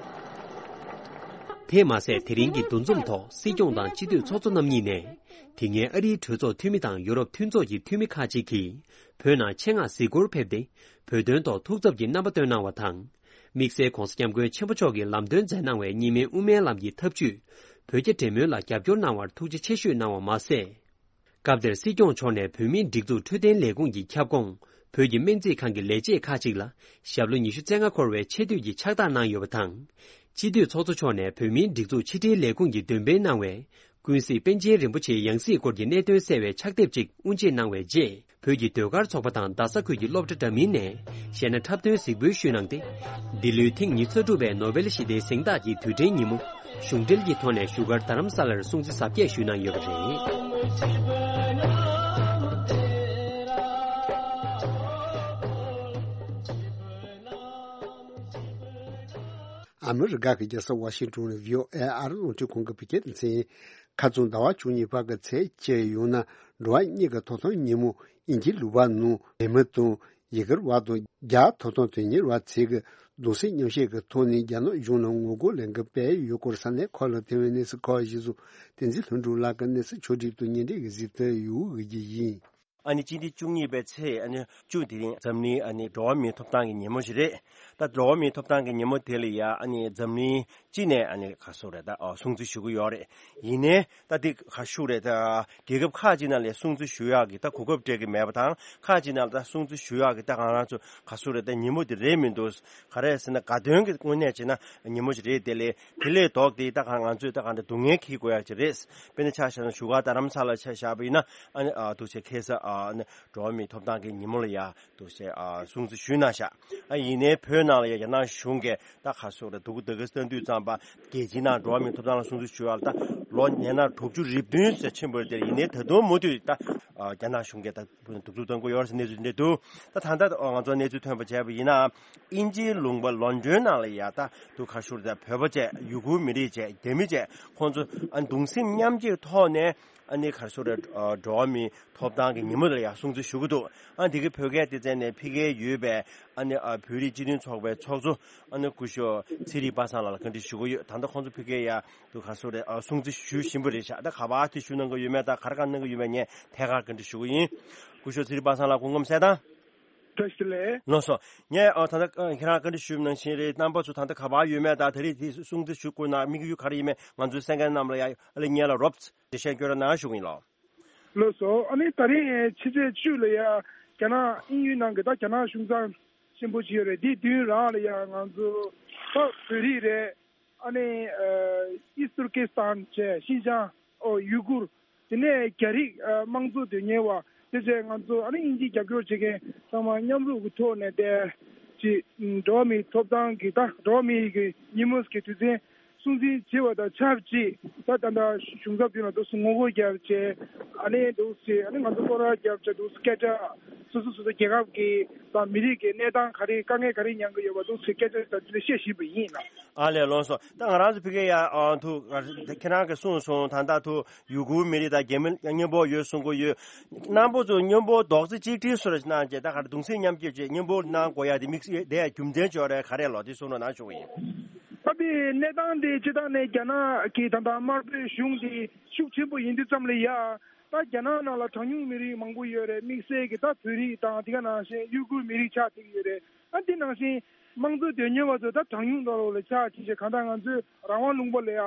དེས་མ་ཟད། དེ་རིང་གི་འདུ་འཛོམས་ཐོག་སྲིད་སྐྱོང་དང་སྤྱི་འཐུས་ཚོགས་གཙོ་རྣམ་གཉིས་ནས། དེ་སྔའི་ཨ་རིའི་གྲོས་ཚོགས་འཐུས་མི་དང་ཡོ་རོབ་མཐུན་ཚོགས་ཀྱི་འཐུས་མི་ཁག་ཅིག་གིས། བོད་ནང་ཆེད་མངགས་གཟིགས་སྐོར་ཕེབས་ཏེ། བོད་དོན་ཐོག་ཐུགས་འཚབ་ཀྱི་རྣམ་པ་བཏོན་གནང་བ་དང་། དམིགས་བསལ་༧གོང་ས་༧སྐྱབས་མགོན་ཆེན་པོ་མཆོག་གིས་ལམ་སྟོན་མཛད་གནང་བའི་གཉིས་སྨན་དབུ་མའི་ལམ་གྱི་ཐབས་ཇུས། བོད་རྒྱ་འབྲེལ་མོལ་ལ་རྒྱབ་སྐྱོར་གནང་བར་ཐུགས་རྗེ་ཆེ་ཞུས་གནང་བ་མ་ཟད། སྐབས་དེར་སྲིད་སྐྱོང་མཆོག་ནས་བོད་མིའི་སྒྲིག་འཛུགས་འཕྲོད་བསྟེན་ལས་ཁུངས་ཀྱི་ཁྱབ་ཁོངས། བོད་ཀྱི་སྨན་རྩིས་ཁང་གི་ལས་བྱེད་ཁག་ཅིག་ལ། ཞབས་ལོ་ཉི་ཤུ་རྩ་ལྔ་འཁོར་བའི་ཆེ་བསྟོད་ཀྱི་ཕྱག་རྟགས་གནང་ཡོད་པ་དང་། སྤྱི་འཐུས་ཚོགས་གཙོ་མཆོག་ནས་བོད་མིའི་སྒྲིག་འཛུགས་ཕྱི་དྲིལ་ལས་ཁུངས་ཀྱིས་འདོན་སྤེལ་གནང་བའི། ཀུན་གཟིགས་པཎ་ཆེན་རིན་པོ་ཆེའི་ཡང་སྲིད་སྐོར་གྱི་གནད་དོན་གསལ་བའི་ཕྱག་དེབ་ཅིག་དབུ་འབྱེད་གནང་བའི་རྗེས། བོད་ཀྱི་ཟློས་གར་ཚོགས་པ་དང་རྡ་ས་ཁུལ་གྱི་སློབ་གྲྭ་འདྲ་མིན་ནས། གཞས་སྣ་འཁྲབ་སྟོན་གཟིགས་འབུལ་ཞུས་གནང་སྟེ། འདི་ལོའི་ཐེངས་ཉི་ཤུ་རྩ་དྲུག་པའི་ནོ་བེལ་ཞི་བདེའི་གཟེངས་རྟགས་ཀྱི་དུས་དྲན་ཉིན་མོ། གཞུང་འབྲེལ་གྱི་ཐོག་ནས་བཞུགས་སྒར་རྡ་རམ་ས་ལར་སྲུང་བརྩི་གཟབ་རྒྱས་ཞུས་གནང་ཡོད་པ་རེད། ཨ་མི་རི་ཀ་གི་རྒྱལ་ས་ཝ་ཤིང་ཏོན་ནས་བྷི་ཨོ་ཨེ་ཨ་རི་རླུང་འཕྲིན་ཁང་གི་བོད་སྐད་སྡེ་ཚན། ཁ་རྩང་ཟླ་བ་བཅུ་གཉིས་པ་གི་ཚེས་བཅུ་ཡོང་ན་འགྲོ་བ་མིའི་ཐོབ་ཐང་ཉིན་མོ། དབྱིན་ཇིའི་ལུང་པ་ནང་འབྲེལ་མོལ་དང་ཡི་གེར་བ་དང་རྒྱ་ཐོབ་ཐང་དོན་གཉེར་བ་ཚོས་ཀྱི་གདུང་སེམས་མཉམ་བསྐྱེད་ཀྱི་ཐོག་ནས་རྒྱ་ནག་གཞུང་ལ་ངོ་རྒོལ་ལས་འགུལ་སྤེལ་ཡོད་སྐོར་ས་གནས་ཁག་ལ་ཐོན་པའི་གནས་ཚུལ་ཁག་གཞིར་བཟུང་བསྟན་འཛིན་ལྷུན་གྲུབ་ལགས་ཀྱིས་གནས་ཚུལ་ཕྱོགས་སྒྲིག་དང་སྙན་སྒྲོན་གྱིས་གཟིགས་ཏེ་ཡོང་བའི་གི་ཡིན། ཨ་ནི་སྤྱི་ཟླ་བཅུ་གཉིས་པའི་ཚེས་ཨ་ནི་བཅུ་དེ་རིང་འཛམ་གླིང་ཨ་ནི་འགྲོ་བ་མིའི་ཐོབ་ཐང་གི་ཉིན་མོ་ཞིག་རེད། ད་འགྲོ་བ་མིའི་ཐོབ་ཐང་གི་ཉིན་མོ་དེ་ལ་ཡ་ཨ་ནི་འཛམ་གླིང་སྤྱི་ནས་ཨ་ནི་ག་སོ་རེད་ད་ཨ་སྲུང་བརྩི་ཞུ་གི་ཡོད་རེད། ཡིན་ནའི་ད་དེ་ག་ཞུ་རེད་ད་རྒྱལ་ཁབ་ཁག་ཅིག་ནང་ལ་སྲུང་བརྩི་ཞུ་ཡག་གི་ད་གོ་སྐབས་སྤྲད་གི་མེད་པ་དང་ཁག་ཅིག་ནང་ལ་ད་སྲུང་བརྩི་ཞུ་ཡག་གི་ད་གང་རང་ཚོ་ག་སོ་རེད་ད་ཉིན་མོ་དེ་རེད་མི་འདུག་ག་རེ་ཟེར་ན་དགའ་སྟོན་གྱི་དངོས་གནས་བྱས་ན་ཉིན་མོ་ཞིག་རེད། དེ་ལས་དེ་ལས་ལྡོག་སྟེ་ད་གང་ང་ཚོས་ད་གང་ད་སྡུག་བསྔལ་འཁྱེར་དགོས་ཡག་ཅིག་རེད། དཔེར་ན་ཆ་བཞག་ན་བཞུགས་སྒར་རྡ་རམ་ས་ལ་ཆ་བཞག་པ་ཡིན་ན་ཨ་ནི་ཨ་འདུག་བྱས་ཁ་སང་ཨ་ནི་འགྲོ་བ་མིའི་ཐོབ་ཐང་གི་ཉིན་མོ་ལ་ཡ་འདུག་བྱས་ཨ་སྲུང་བརྩི་ཞུས་གནང་ཤག་ཨ་ཡིན་ནའི་བོད་ནང་ལ་ཡ་རྒྱ་ནག་གཞུང་གིས་ད་ག་སོ་རེད་འདུག་འདུག་གི་ལྟ་དུས་ཙམ་པ་རྒྱལ་སྤྱིའི་ནང་འགྲོ་བ་མིའི་ཐོབ་ཐང་ལ་སྲུང་བརྩི་ཞུ་ཡག་ལ་ད་ལོ་ཉེ་ན་དྲུག་ཅུ་རེ་བདུན་ཟེར་ཕྱིན་པ་རེད། དེ་ཡིན་ནའི་ད་དུང་མུ་མཐུད་ད་ཨ་རྒྱ་ནག་གཞུང་གིས་ད་གདུག་རྩུབ་གཏོང་གི་ཡོད་རེད་ཟེར་གནས་ཚུལ་འདི་འདུག་ད་ད་ལྟ་ང་ཚོ་གནས་ཚུལ་ཐོན་པ་བྱས་པ་ཡིན་ན། དབྱིན་ཇིའི་ལུང་པ་ལོན་ཌོན་ནང་ལ་ཡ་ད་དུ་ག་ཞུ་རེད་ད་བོད་པ་བཅས་ཡུ་གུར་མི་རིགས་བཅས་རྒྱ་མི་བཅས་ཁོང་ཚོ་ཨ་གདུང་སེམས་མཉམ་སྐྱེད་ཐོག་ནས་ཨ་ནི་ག་ཞུ་རེད་འགྲོ་བ་མིའི་ཐོབ་ཐང་གི་ཉིན་མོ་དེ་ལ་ཡ་སྲུང་བརྩི་ཞུ་གི་འདུག་ཨ་འདི་གི་བོད་སྐད་སྡེ་ཚན་ནས་ཕ་གིར་ཡོད་པའི་ཨ་ནི་ཨ་བོད་རིགས་སྤྱི་མཐུན་ཚོགས་པའི་ཚོགས་གཙོ་ཨ་ནི་སྐུ་ཞབས་ཚེ་རིང་པ་སངས་ལགས་ལ་བཀའ་འདྲི་ཞུ་གི་ཡོད། ད་ལྟ་ཁོང་ཚོ་ཕ་གིར་ཡ་དུ་ག་ཞུ་རེད་ཨ་སྲུང་བརྩི་ཞུ་བཞིན་པ་རེད་ཤག་ད་ག་པར་དེ་ཞུ་གནང་གི་ཡོད་མེད་ད་ག་རེ་ག་གནང་གི་ཡོད་མེད་ངས་ཐད་ཀར་བཀའ་འདྲི་ཞུ་གི་ཡིན། སྐུ་ཞབས་ཚེ་རིང་པ་སངས་ལགས་སྐུ་ཁམས་གསལ་ཐང་། བཀྲ་ཤིས་བདེ་ལེགས། ལགས་སོ། ངས་ཨ་ད་ལྟ་ཨ་ཁྱེད་རང་བཀའ་འདྲི་ཞུས་ནང་བཞིན་རེད། རྣམ་པ་ཚོ་ད་ལྟ་ག་པར་ཡོད་མེད་དང་ད་རེས་དེ་སྲུང་བརྩི་ཞུ་དགོས་ན་དམིགས་ཡུལ་ག་རེ་ཡིན་མེད་ང་ཚོའི་གསན་མཁན་རྣམས་ལ་ཡ་ཨ་ལེ་ཉན་ལ་རོབ་ཙམ་འགྲེལ་བཤད་སྐྱོན་རོགས་གནང་ཞུ་གི་ཡིན་ལགས། ལགས་སོ། ཨ་ནི་ད་རེས་ཕྱི་ཚེས་བཅུ་ལ་ཡ་རྒྱ་ནག་དབྱིན་ཡུལ་ནང་གི་ད་རྒྱ་ནག་གཞུང་ཚབ་ཆེན་པོ་ཅིག་ཡོད་རེད། དེའི་མདུན་རང་ལ་ཡ་ང་ཚོ་ད་བོད་རིགས་རེད། ཨ་ནི་ཨ་ཨིས་ཏུར་ཀི་སི་ཐན་བྱས་ཤིན་ཅང་ཨོ་ཡུ་གུར། དེ་ནས་རྒྱ་རིགས་ཨ་དམངས་གཙོ་དོན་གཉེར་བ་དེ་བྱས་ང་ཚོ་ཨ་ནི་དབྱིན་ཇིའི་རྒྱབ་སྐྱོར་བྱེད་མཁན་ཚང་མ་མཉམ་རུབ་ཀྱི་ཐོག་ནས་བསྡད་ཅིག་འགྲོ་བ་མིའི་ཐོབ་ཐང་གི་ད་འགྲོ་བ་མིའི་གི་ཉིན་མོ་གི་དུས་ཆེན་སྲུང་བརྩི་བྱེད་པ་དང་ཆབས་ཅིག་ད་ད་ལྟ་གཞུང་ཚབ་དེ་ལ་འདུག་སེ་ངོ་རྒོལ་རྒྱབ་བྱས་ཨ་ནི་འདུག་སེ་ཨ་ནི་ང་ཚོ་སྐོར་ར་རྒྱབ་བྱས་འདུག་སེ་སྐད་ཆ་སོ་སོ་སོ་སོ་རྒྱལ་ཁབ་ཀྱི་དང་མི་རིགས་ཀྱི་གནས་སྟངས་ག་རེ་དཀའ་ངལ་ག་རེ་མྱངས་ཀྱི་ཡོད་པ་འདུག་སེ་སྐད་ཆ་དང་དེ་ལ་བཤད་བཞིན་པ་ཡིན་ལགས། ཨ་ལས་ལགས་སོ། ད་ང་རང་ཚོ་ཕ་གི་ཡ་ཨ་ཐུ་ཁྱེད་རང་གིས་གསུངས་སོང་ད་ལྟ་ཐུ་ཡུ་གུར་མི་རིགས་དང་རྒྱ་མི་མཉམ་པོ་ཡོད་གསུང་གི་ཡོད། རྣམ་པ་ཚོ་མཉམ་པོ་རྡོག་རྩ་གཅིག་སྒྲིལ་སུ་རེ་གནང་བྱས་ད་ག་རེ་གདུང་སེམས་མཉམ་སྐྱེད་བྱས་མཉམ་པོ་གནང་དགོས་ཡ་དེ་དམིགས་བསལ་དེ་ཡ་རྒྱུ་མཚན་ཅིག་ཡོད་རེད་ག་རེ་ལོ་དེ་གསུང་རོགས་གནང་ཞུ་གི་ཡིན། ད་དེ་གནས་སྟངས་དེ་སྤྱིར་བཏང་ནས་རྒྱ་ནག་གི་ད་ལྟ་དམར་པོའི་གཞུང་དེ་ཤུགས་ཆེན་པོ་ཡིན་དུས་ཙམ་ལ་ཡ། ད་རྒྱ་ནག་ནང་ལ་གྲངས་ཉུང་མི་རིགས་མང་པོ་ཡོད་རེད། དམིགས་བསལ་གྱི་ད་བོད་རིགས་དང་དེ་ག་ནང་བཞིན་ཡུ་གུར་མི་རིགས་ཆགས་བསྡད་ཀྱི་ཡོད་རེད། ཨ་དེ་ནང་བཞིན་དམངས་གཙོ་དོན་གཉེར་བ་ཚོ་ད་གྲངས་ཉུང་འདྲ་བོ་ལ་ཆགས་ཅིག་བྱས་གང་ལྟར་ང་ཚོའི་རང་དབང་ལུང་པ་ལ་ཡ་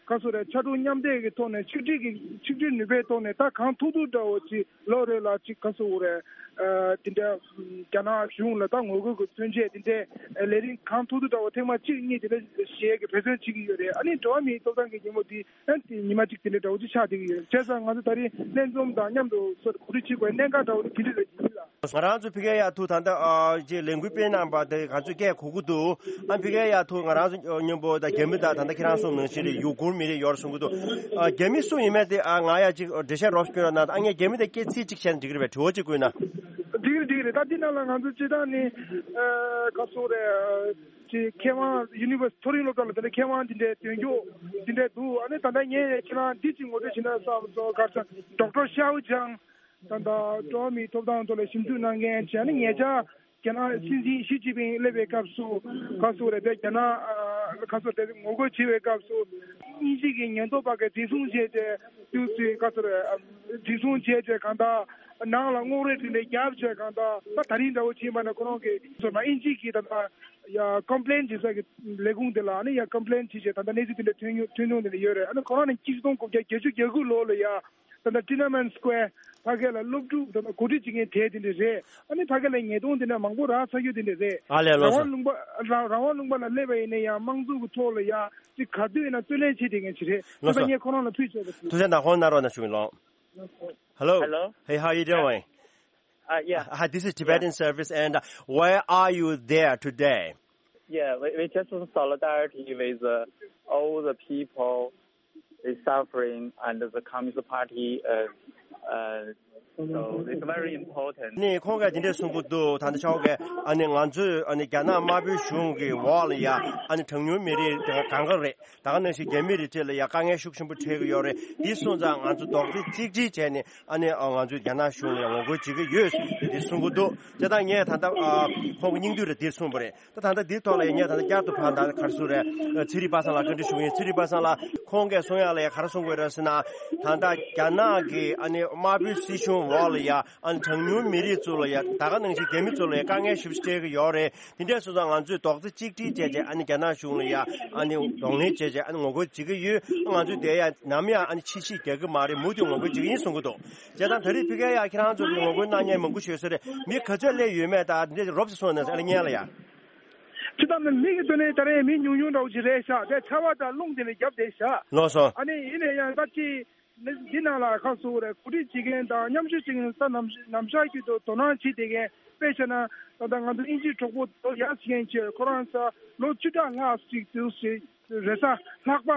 ག་ཚོད་རེད་ཕྱར་གྲུ་མཉམ་འདེགས་ཀྱི་ཐོག་ནས་ཆིག་སྒྲིལ་གྱི་ཆིག་སྒྲིལ་ནུས་པའི་ཐོག་ནས་ད་གང་ཐུབ་ཐུབ་འདྲ་བོ་ཅིག་ལོ་རེ་ལ་ཅིག་ག་ཚོད་རེད། ཨ་དེ་འདྲ་རྒྱ་ནག་གཞུང་ལ་ད་ངོ་རྒོལ་གྱི་མཚོན་ཆེད་དེ་འདྲའི་ལས་རིམ་གང་ཐུབ་ཐུབ་འདྲ་བོ་ཐེངས་མ་གཅིག་གཉིས་དེ་འདྲ་བྱས་ཀྱི་འབད་བརྩོན་བྱེད་ཀྱི་ཡོད་རེད། ཨ་ནི་འགྲོ་བ་མིའི་ཐོབ་ཐང་གི་ཉིན་མོ་དེ། ཨ་དེ་ཉི་མ་གཅིག་དེ་འདྲ་འདྲ་བོ་ཅིག་ཆགས་བསྡད་ཀྱི་ཡོད། བྱས་ཙང་ང་ཚོ་ད་རེས་ལྷན་འཛོམས་དང་མཉམ་དུ་སོ་གོ་སྒྲིག་བྱེད་དགོས་གནད་འགག་འདྲ་བོ་དེ་འདྲ་རེད་ཡིན་ལ། ང་རང་ཚོ་ཕ་གིར་ཡ་ཐུག་ད་ལྟ་ཨ་ཅེ་ལས་འགུལ་སྤེལ་གནང་པ་དེ་ང་ཚོས་སྐད་གོ་གི་འདུག་ཨ་ཕ་གིར་ཡ་ཐུག་ང་རང་ཚོ་མཉམ་པོ་ད་རྒྱ་མི་དང་ད་ལྟ་ཁྱེད་རང་གསུངས་ནང་བཞིན་རེད་ཡུ་གུར་མི་རིགས་ཡོད་གསུང་གི་འདུག་ཨ་རྒྱ་མི་སུ་ཡིན་མིན་དེ་ཨ་ང་ཡ་ཅིག་འགྲེལ་བཤད་རོབ་སྐྱོན་རོགས་གནང་ཨ་ངས་རྒྱ་མི་དང་སྐད་ཚིག་གཅིག་བཤད་ན་འགྲིག་གི་རེད་པས་དྲི་བ་གཅིག་བཀོད་ན། འགྲིག་རེད་འགྲིག་རེད། ད་འདི་ནང་ལ་ང་ཚོ་སྤྱི་བཏང་ནི་ཨ་ག་སོག་རེད། ཅི་མཁས་དབང་ཡུ་ནི་ཝར་སི་ཊི་མཐོ་རིམ་སློབ་གྲྭ་ལ་དེ་འདྲ་མཁས་དབང་འདི་འདྲའི་སྟོན་རྒྱུ་འདི་འདྲའི་འདུག་ཨ་ནི་ད་ལྟ་ངས་ཁྱེད་རང་འདི་ཅིག་ངོ་སྤྲོད་བྱེད་ན་བསམ་སོང་། ག་ཚོད་ཌོག་ཊར་ཤའོ་ཅང་ད་ལྟ་འགྲོ་བ་མིའི་ཐོབ་ཐང་ཐོག་ལ་ཞིབ་འཇུག་གནང་མཁན་བྱས་ནས་ཉེ་ཆར་རྒྱ་ནག་སྲིད་འཛིན་ཞི་ཅིན་ཕིང་སླེབས་པའི་སྐབས་སུ་ག་སོག་རེད་དེ་རྒྱ་ནག་ག་སོག་དེ་ངོ་རྒོལ་བྱེད་པའི་སྐབས་སུ་དབྱིན་ཇི་གི་ཉེན་རྟོག་པ་གིས་འཛིན་བཟུང་བྱས་ཏེ་དུས་ཚོད་ག་སོག་རེད། འཛིན་བཟུང་བྱས་ཏེ་གང་ལྟར་ནང་ལ་རྔོག་རེ་དེ་འདྲ་བརྒྱབ་བྱས་གང་ལྟར་ད་ད་རིང་འདྲ་བོ་ཕྱིན་པ་ན་ཁོ་རང་གིས་སོ་ན་དབྱིན་ཇི་གི་ད་ལྟ་ཡ་ཀོམ་པི་ལེན་བྱེད་ས་གི་ལས་ཁུངས་དེ་ལ་ཨ་ནི་ཡ་ཀོམ་པི་ལེན་བྱེད་བྱས་ད་ལྟ་གནས་ཚུལ་དེ་འདྲ་ཐོན་ཡོང་ཐོན་ཡོང་དེ་འདྲ་ཡོད་རེད། ཨ་ནི་ཁོ་རང་ནས་ཆིག་སྟོང་དགུ་བརྒྱ་བརྒྱད་ཅུ་གྱ་དགུ་ལོ་ལ་ཡ་ད་ལྟ་ཊི་ཨེན་ཨེན་མེན་སི་ཀོ་ཝེར་ཕ་གི་ལ་སློབ་ཕྲུག་ད་ལྟ་གོ་སྒྲིག་བྱེད་མཁན་གྲས་དེ་འདྲ་རེད། ཨ་ནི་ཕ་གི་ལ་ཉེས་རྡུང་དེ་འདྲ་མང་པོ་རག་ཚར་རྒྱུ་དེ་འདྲ་རེད། ཨ་ལས་ལགས་རང་སོ། དབང་ལུང་པ་རང་རང་དབང་ལུང་པ་ལ་སླེབས་པ་ཡིན་ན་ཡང་དམངས་གཙོ་གི་ཐོག་ལ་ཡང་ཅིག་ག་དུས་ཡིན་ན་རྩོད་ལེན་བྱེད་བསྡད་མཁན་ཅིག་རེད། ལགས་སོ། ད་ངས་ཁོ་རང་ལ་ཐུགས་རྗེ་ཆེ་ཞུ། ཐུགས་རྗེ་གནང་། ཧོན་ན་རོ་ན་ཞུ་ཡིན་ལོ། Hello. Hello. Hey, how you doing? Uh, yeah. Hi, this is Tibetan Service, and uh, why are you there today? Yeah, we, we just in solidarity with uh, all the people is suffering and the Communist Party. Uh, uh, so it's very important. ནི་ཁོང་གིས་དེ་འདྲས་གསུང་གི་འདུག་ད་ལྟ་ཆ་བོ་གིས་ཨ་ནི་ང་ཚོས་ཨ་ནི་རྒྱ་ནག་དམར་པོའི་གཞུང་གི་འོག་ལ་ཡ་ཨ་ནི་གྲངས་ཉུང་མི་རིགས་གང་ག་རེད། ད་ག་ནང་བཞིན་རྒྱ་མི་རིགས་གྲས་ལ་ཡ་དཀའ་ངལ་ཤུགས་ཆེན་པོ་འཕྲད་ཀྱི་ཡོད་རེད། འདི་སོང་ཙང་ང་ཚོ་རྡོག་རྩ་གཅིག་སྒྲིལ་བྱས་ནས་ཨ་ནི་ང་ཚོས་རྒྱ་ནག་གཞུང་ལ་ཡ་ངོ་རྒོལ་བྱེད་ཀྱི་ཡོད་ཟེར་འདི་གསུང་གི་འདུག་དེ་དང་ངས་ད་ལྟ་ཁོང་གི་སྙིང་བསྡུས་རེ་འདིར་གསུངས་པ་རེད། ད་ད་ལྟ་འདིའི་ཐོག་ལ་ཡ་ངས་ད་ལྟ་བསྐྱར་དུ་ཕར་ད་ག་རེ་ཟེར་རེད། ཚེ་རིང་པ་སངས་ལགས་བཀའ་འདྲི་ཞུ་གི་ཡིན། ཚེ་རིང་པ་སངས་ལགས་ཁོང་གིས་གསུང་ཡག་ལ་ཡ་ག་རེ་གསུང་གི་ཡོད་རེད་ཟེར་ན། ད་ལྟ་རྒྱ་ནག་གི་ཨ་ནི་དམར་པོའི་སྲིད་གཞུང་འོག་ལ་ཡ་ཨ་ནི་གྲངས་ཉུང་མི་རིགས་ཚོ་ལ་ཡ་ད་ག་ནང་བཞིན་རྒྱ་མི་ཚོ་ལ་ཡ་དཀའ་ངལ་ཞེ་པོ་ཅིག་འཕྲད་ཀྱི་ཡོད་རེད། དེ་འདྲས་སོང་ཙང་ང་ཚོས་རྡོག་རྩ་གཅིག་སྒྲིལ་བྱས་བྱས་ཨ་ནི་རྒྱ་ནག་གཞུང་ལ་ཡ་ཨ་ནི་གདོང་ལེན་བྱས་བྱས་ཨ་ནི་ངོ་རྒོལ་བྱེད་ཀྱི་ཡོད། ང་ཚོས་དེ་ཡ་ནམ་ཡང་ཨ་ནི་ཕྱི་བཤིག་རྒྱག་གི་མ་རེད། མུ་མཐུད་ངོ་རྒོལ་བྱེད་ཀྱི་ཡིན་གསུང་གི་འདུག་བྱས་ཙང་ད་རེས་ཕ་གིར་ཡ་ཁྱེད་རང་ཚོ་གིས་ངོ་རྒོལ་གནང་མཁན་མང་པོ་ཞིག་ཡོད་ས་རེད། མི་ག་ཚོད་སླེབས་ཡོད་མེད་དང་འདི་རོབ་ཙམ་གསུངས་ན་ཨ་ལས་ཉན་ལ་ཡ། ཅི་ལྟར་ན་མི་གི་ཐོག་ནས་ད་རེས་མི་ཉུང་ཉུང་འདྲ་བོ་ཞིག་རེད་ཤག་དེ་ཆར་པ་དང་རླུང་དེ་ནས་བརྒྱབ་བསྡད་ཤག་ལགས་སོ། ཨ་ནི་ཡིན་ན་ཡང་ད་ཅི་འདི་ནང་ལ་ཁ་གསོ་རེད། གོ་སྒྲིག་བྱེད་མཁན་དང་མཉམ་ཞུགས་བྱེད་མཁན་ས་ནམ་ནམ་ཞག་རྒྱུན་དུ་དོ་སྣང་བྱེད་བསྡད་མཁན་དཔེ་བྱས་ན་ད་ལྟ་ང་ཚོ་དབྱིན་ཇིའི་གྲོགས་པོ་དོ་ཡག་བྱེད་མཁན་ཆེ་ཁོ་རང་ས་ལོ་བཅུ་ཕྲག་ལྷག་ཅིག་དུས་ཞིག་རེས་གཟའ་ལྷག་པ་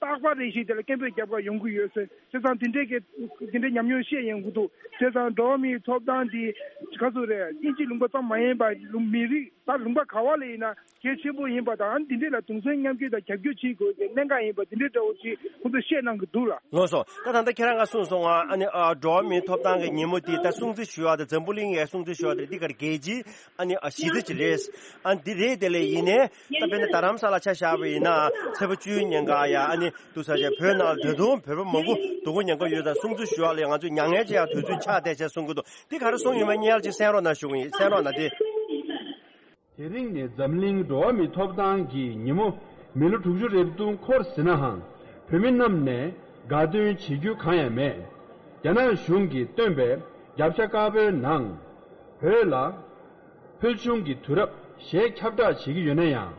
རྟག་པ་རེ་བཞིན་དེ་ལ་སྐད་འབོད་རྒྱབ་གར་ཡོང་གི་ཡོད་ཟེར། བྱས་ཙང་དེ་འདྲའི་གི་དེ་འདྲའི་ཉམས་མྱོང་བཤད་ཡོང་གི་འདུག་བྱས་ཙང་འགྲོ་བ་མིའི་ཐོབ་ཐང་འདི་ག་ཚོད་རེད། དབྱིན་ཇི་ལུང་པ་ཙམ་མ་ཡིན་པར་ལུང་མི་རིགས་ད་ལུང་པ་ག་བ་ལ་ཡིན་ན་གལ་ཆེན་པོ་ཡིན་པ་དང་འདི་འདྲའི་ལ་གདུང་སེམས་མཉམ་སྐྱེད་དང་རྒྱབ་སྐྱོར་བྱེད་དགོས་ཀྱི་གནད་འགག་ཡིན་པ་འདི་འདྲའི་འདྲ་བོ་ཅིག་ཁོང་ཚོས་བཤད་གནང་གི་འདུག་ལ། ལགས་སོ། ད་ད་ལྟ་ཁྱེད་རང་ང་གསུངས་སོང་ང་ཨ་ནི་ཨ་འགྲོ་བ་མིའི་ཐོབ་ཐང་གི་ཉིན་མོ་འདི་ད་སྲུང་བརྩི་ཞུ་བ་དང་འཛམ་བུ་གླིང་ཡའི་སྲུང་བརྩི་ཞུ་བ་དེ་འདི་གར་རྒྱལ་སྤྱིའི་ཨ་ནི་ཨ་གཞི་རྩ་ཅིག་རེད། ཨ་འདི་རེད། དེ་ལས་ཡིན་ནའི་ད་དཔེར་ན་རྡ་རམ་ས་ལ་ཆ་བཞག་པ་ཡིན་ན་ཚེས་པ་བཅུའི་ཉིན་ཀ་ཡ་ཨ་ནི་འདུག་ས་ཆ་བོད་ནང་ལ་ད་དུང་བོད་པ་མང་པོ་སྡུག་པོ་མྱངས་ཀྱི་ཡོད་ཙང་སྲུང་བརྩི་ཞུ་བ་ལ་ང་ཚོས་མྱ་ངན་ཅིག་ཡང་དུས་ཚོད་ཆགས་བསྡད་བྱས་གསུང་གི་འདུག་འདི་ག་རེ་གསུངས་ཡོད་མེད་སྙན་ལ་ཅིག་གསན་རོགས་གནང་ཞུ་གི་ཡིན། གསན་རོགས་གནང་སྟེ། དེ་རིང་ནི་འཛམ་གླིང་འགྲོ་བ་མིའི་ཐོབ་ཐང་གི་ཉིན་མོ་མི་ལོ་དྲུག་ཅུ་རེ་བདུན་འཁོར་ཟིན་ནའང་བོད་མི་རྣམས་ནས་དགའ་སྟོན་བྱེད་རྒྱུ་གང་ཡང་མེད། རྒྱ་ནག་གཞུང་གིས་བཏོན་པའི་རྒྱབ་ཤ་དཀར་པོའི་ནང་བོད་ལ་ཕུལ་བྱུང་གི་དུས་རབས་ཞེས་ཁྱབ་བསྒྲགས་བྱེད་ཀྱི་ཡོད་ན་ཡང་།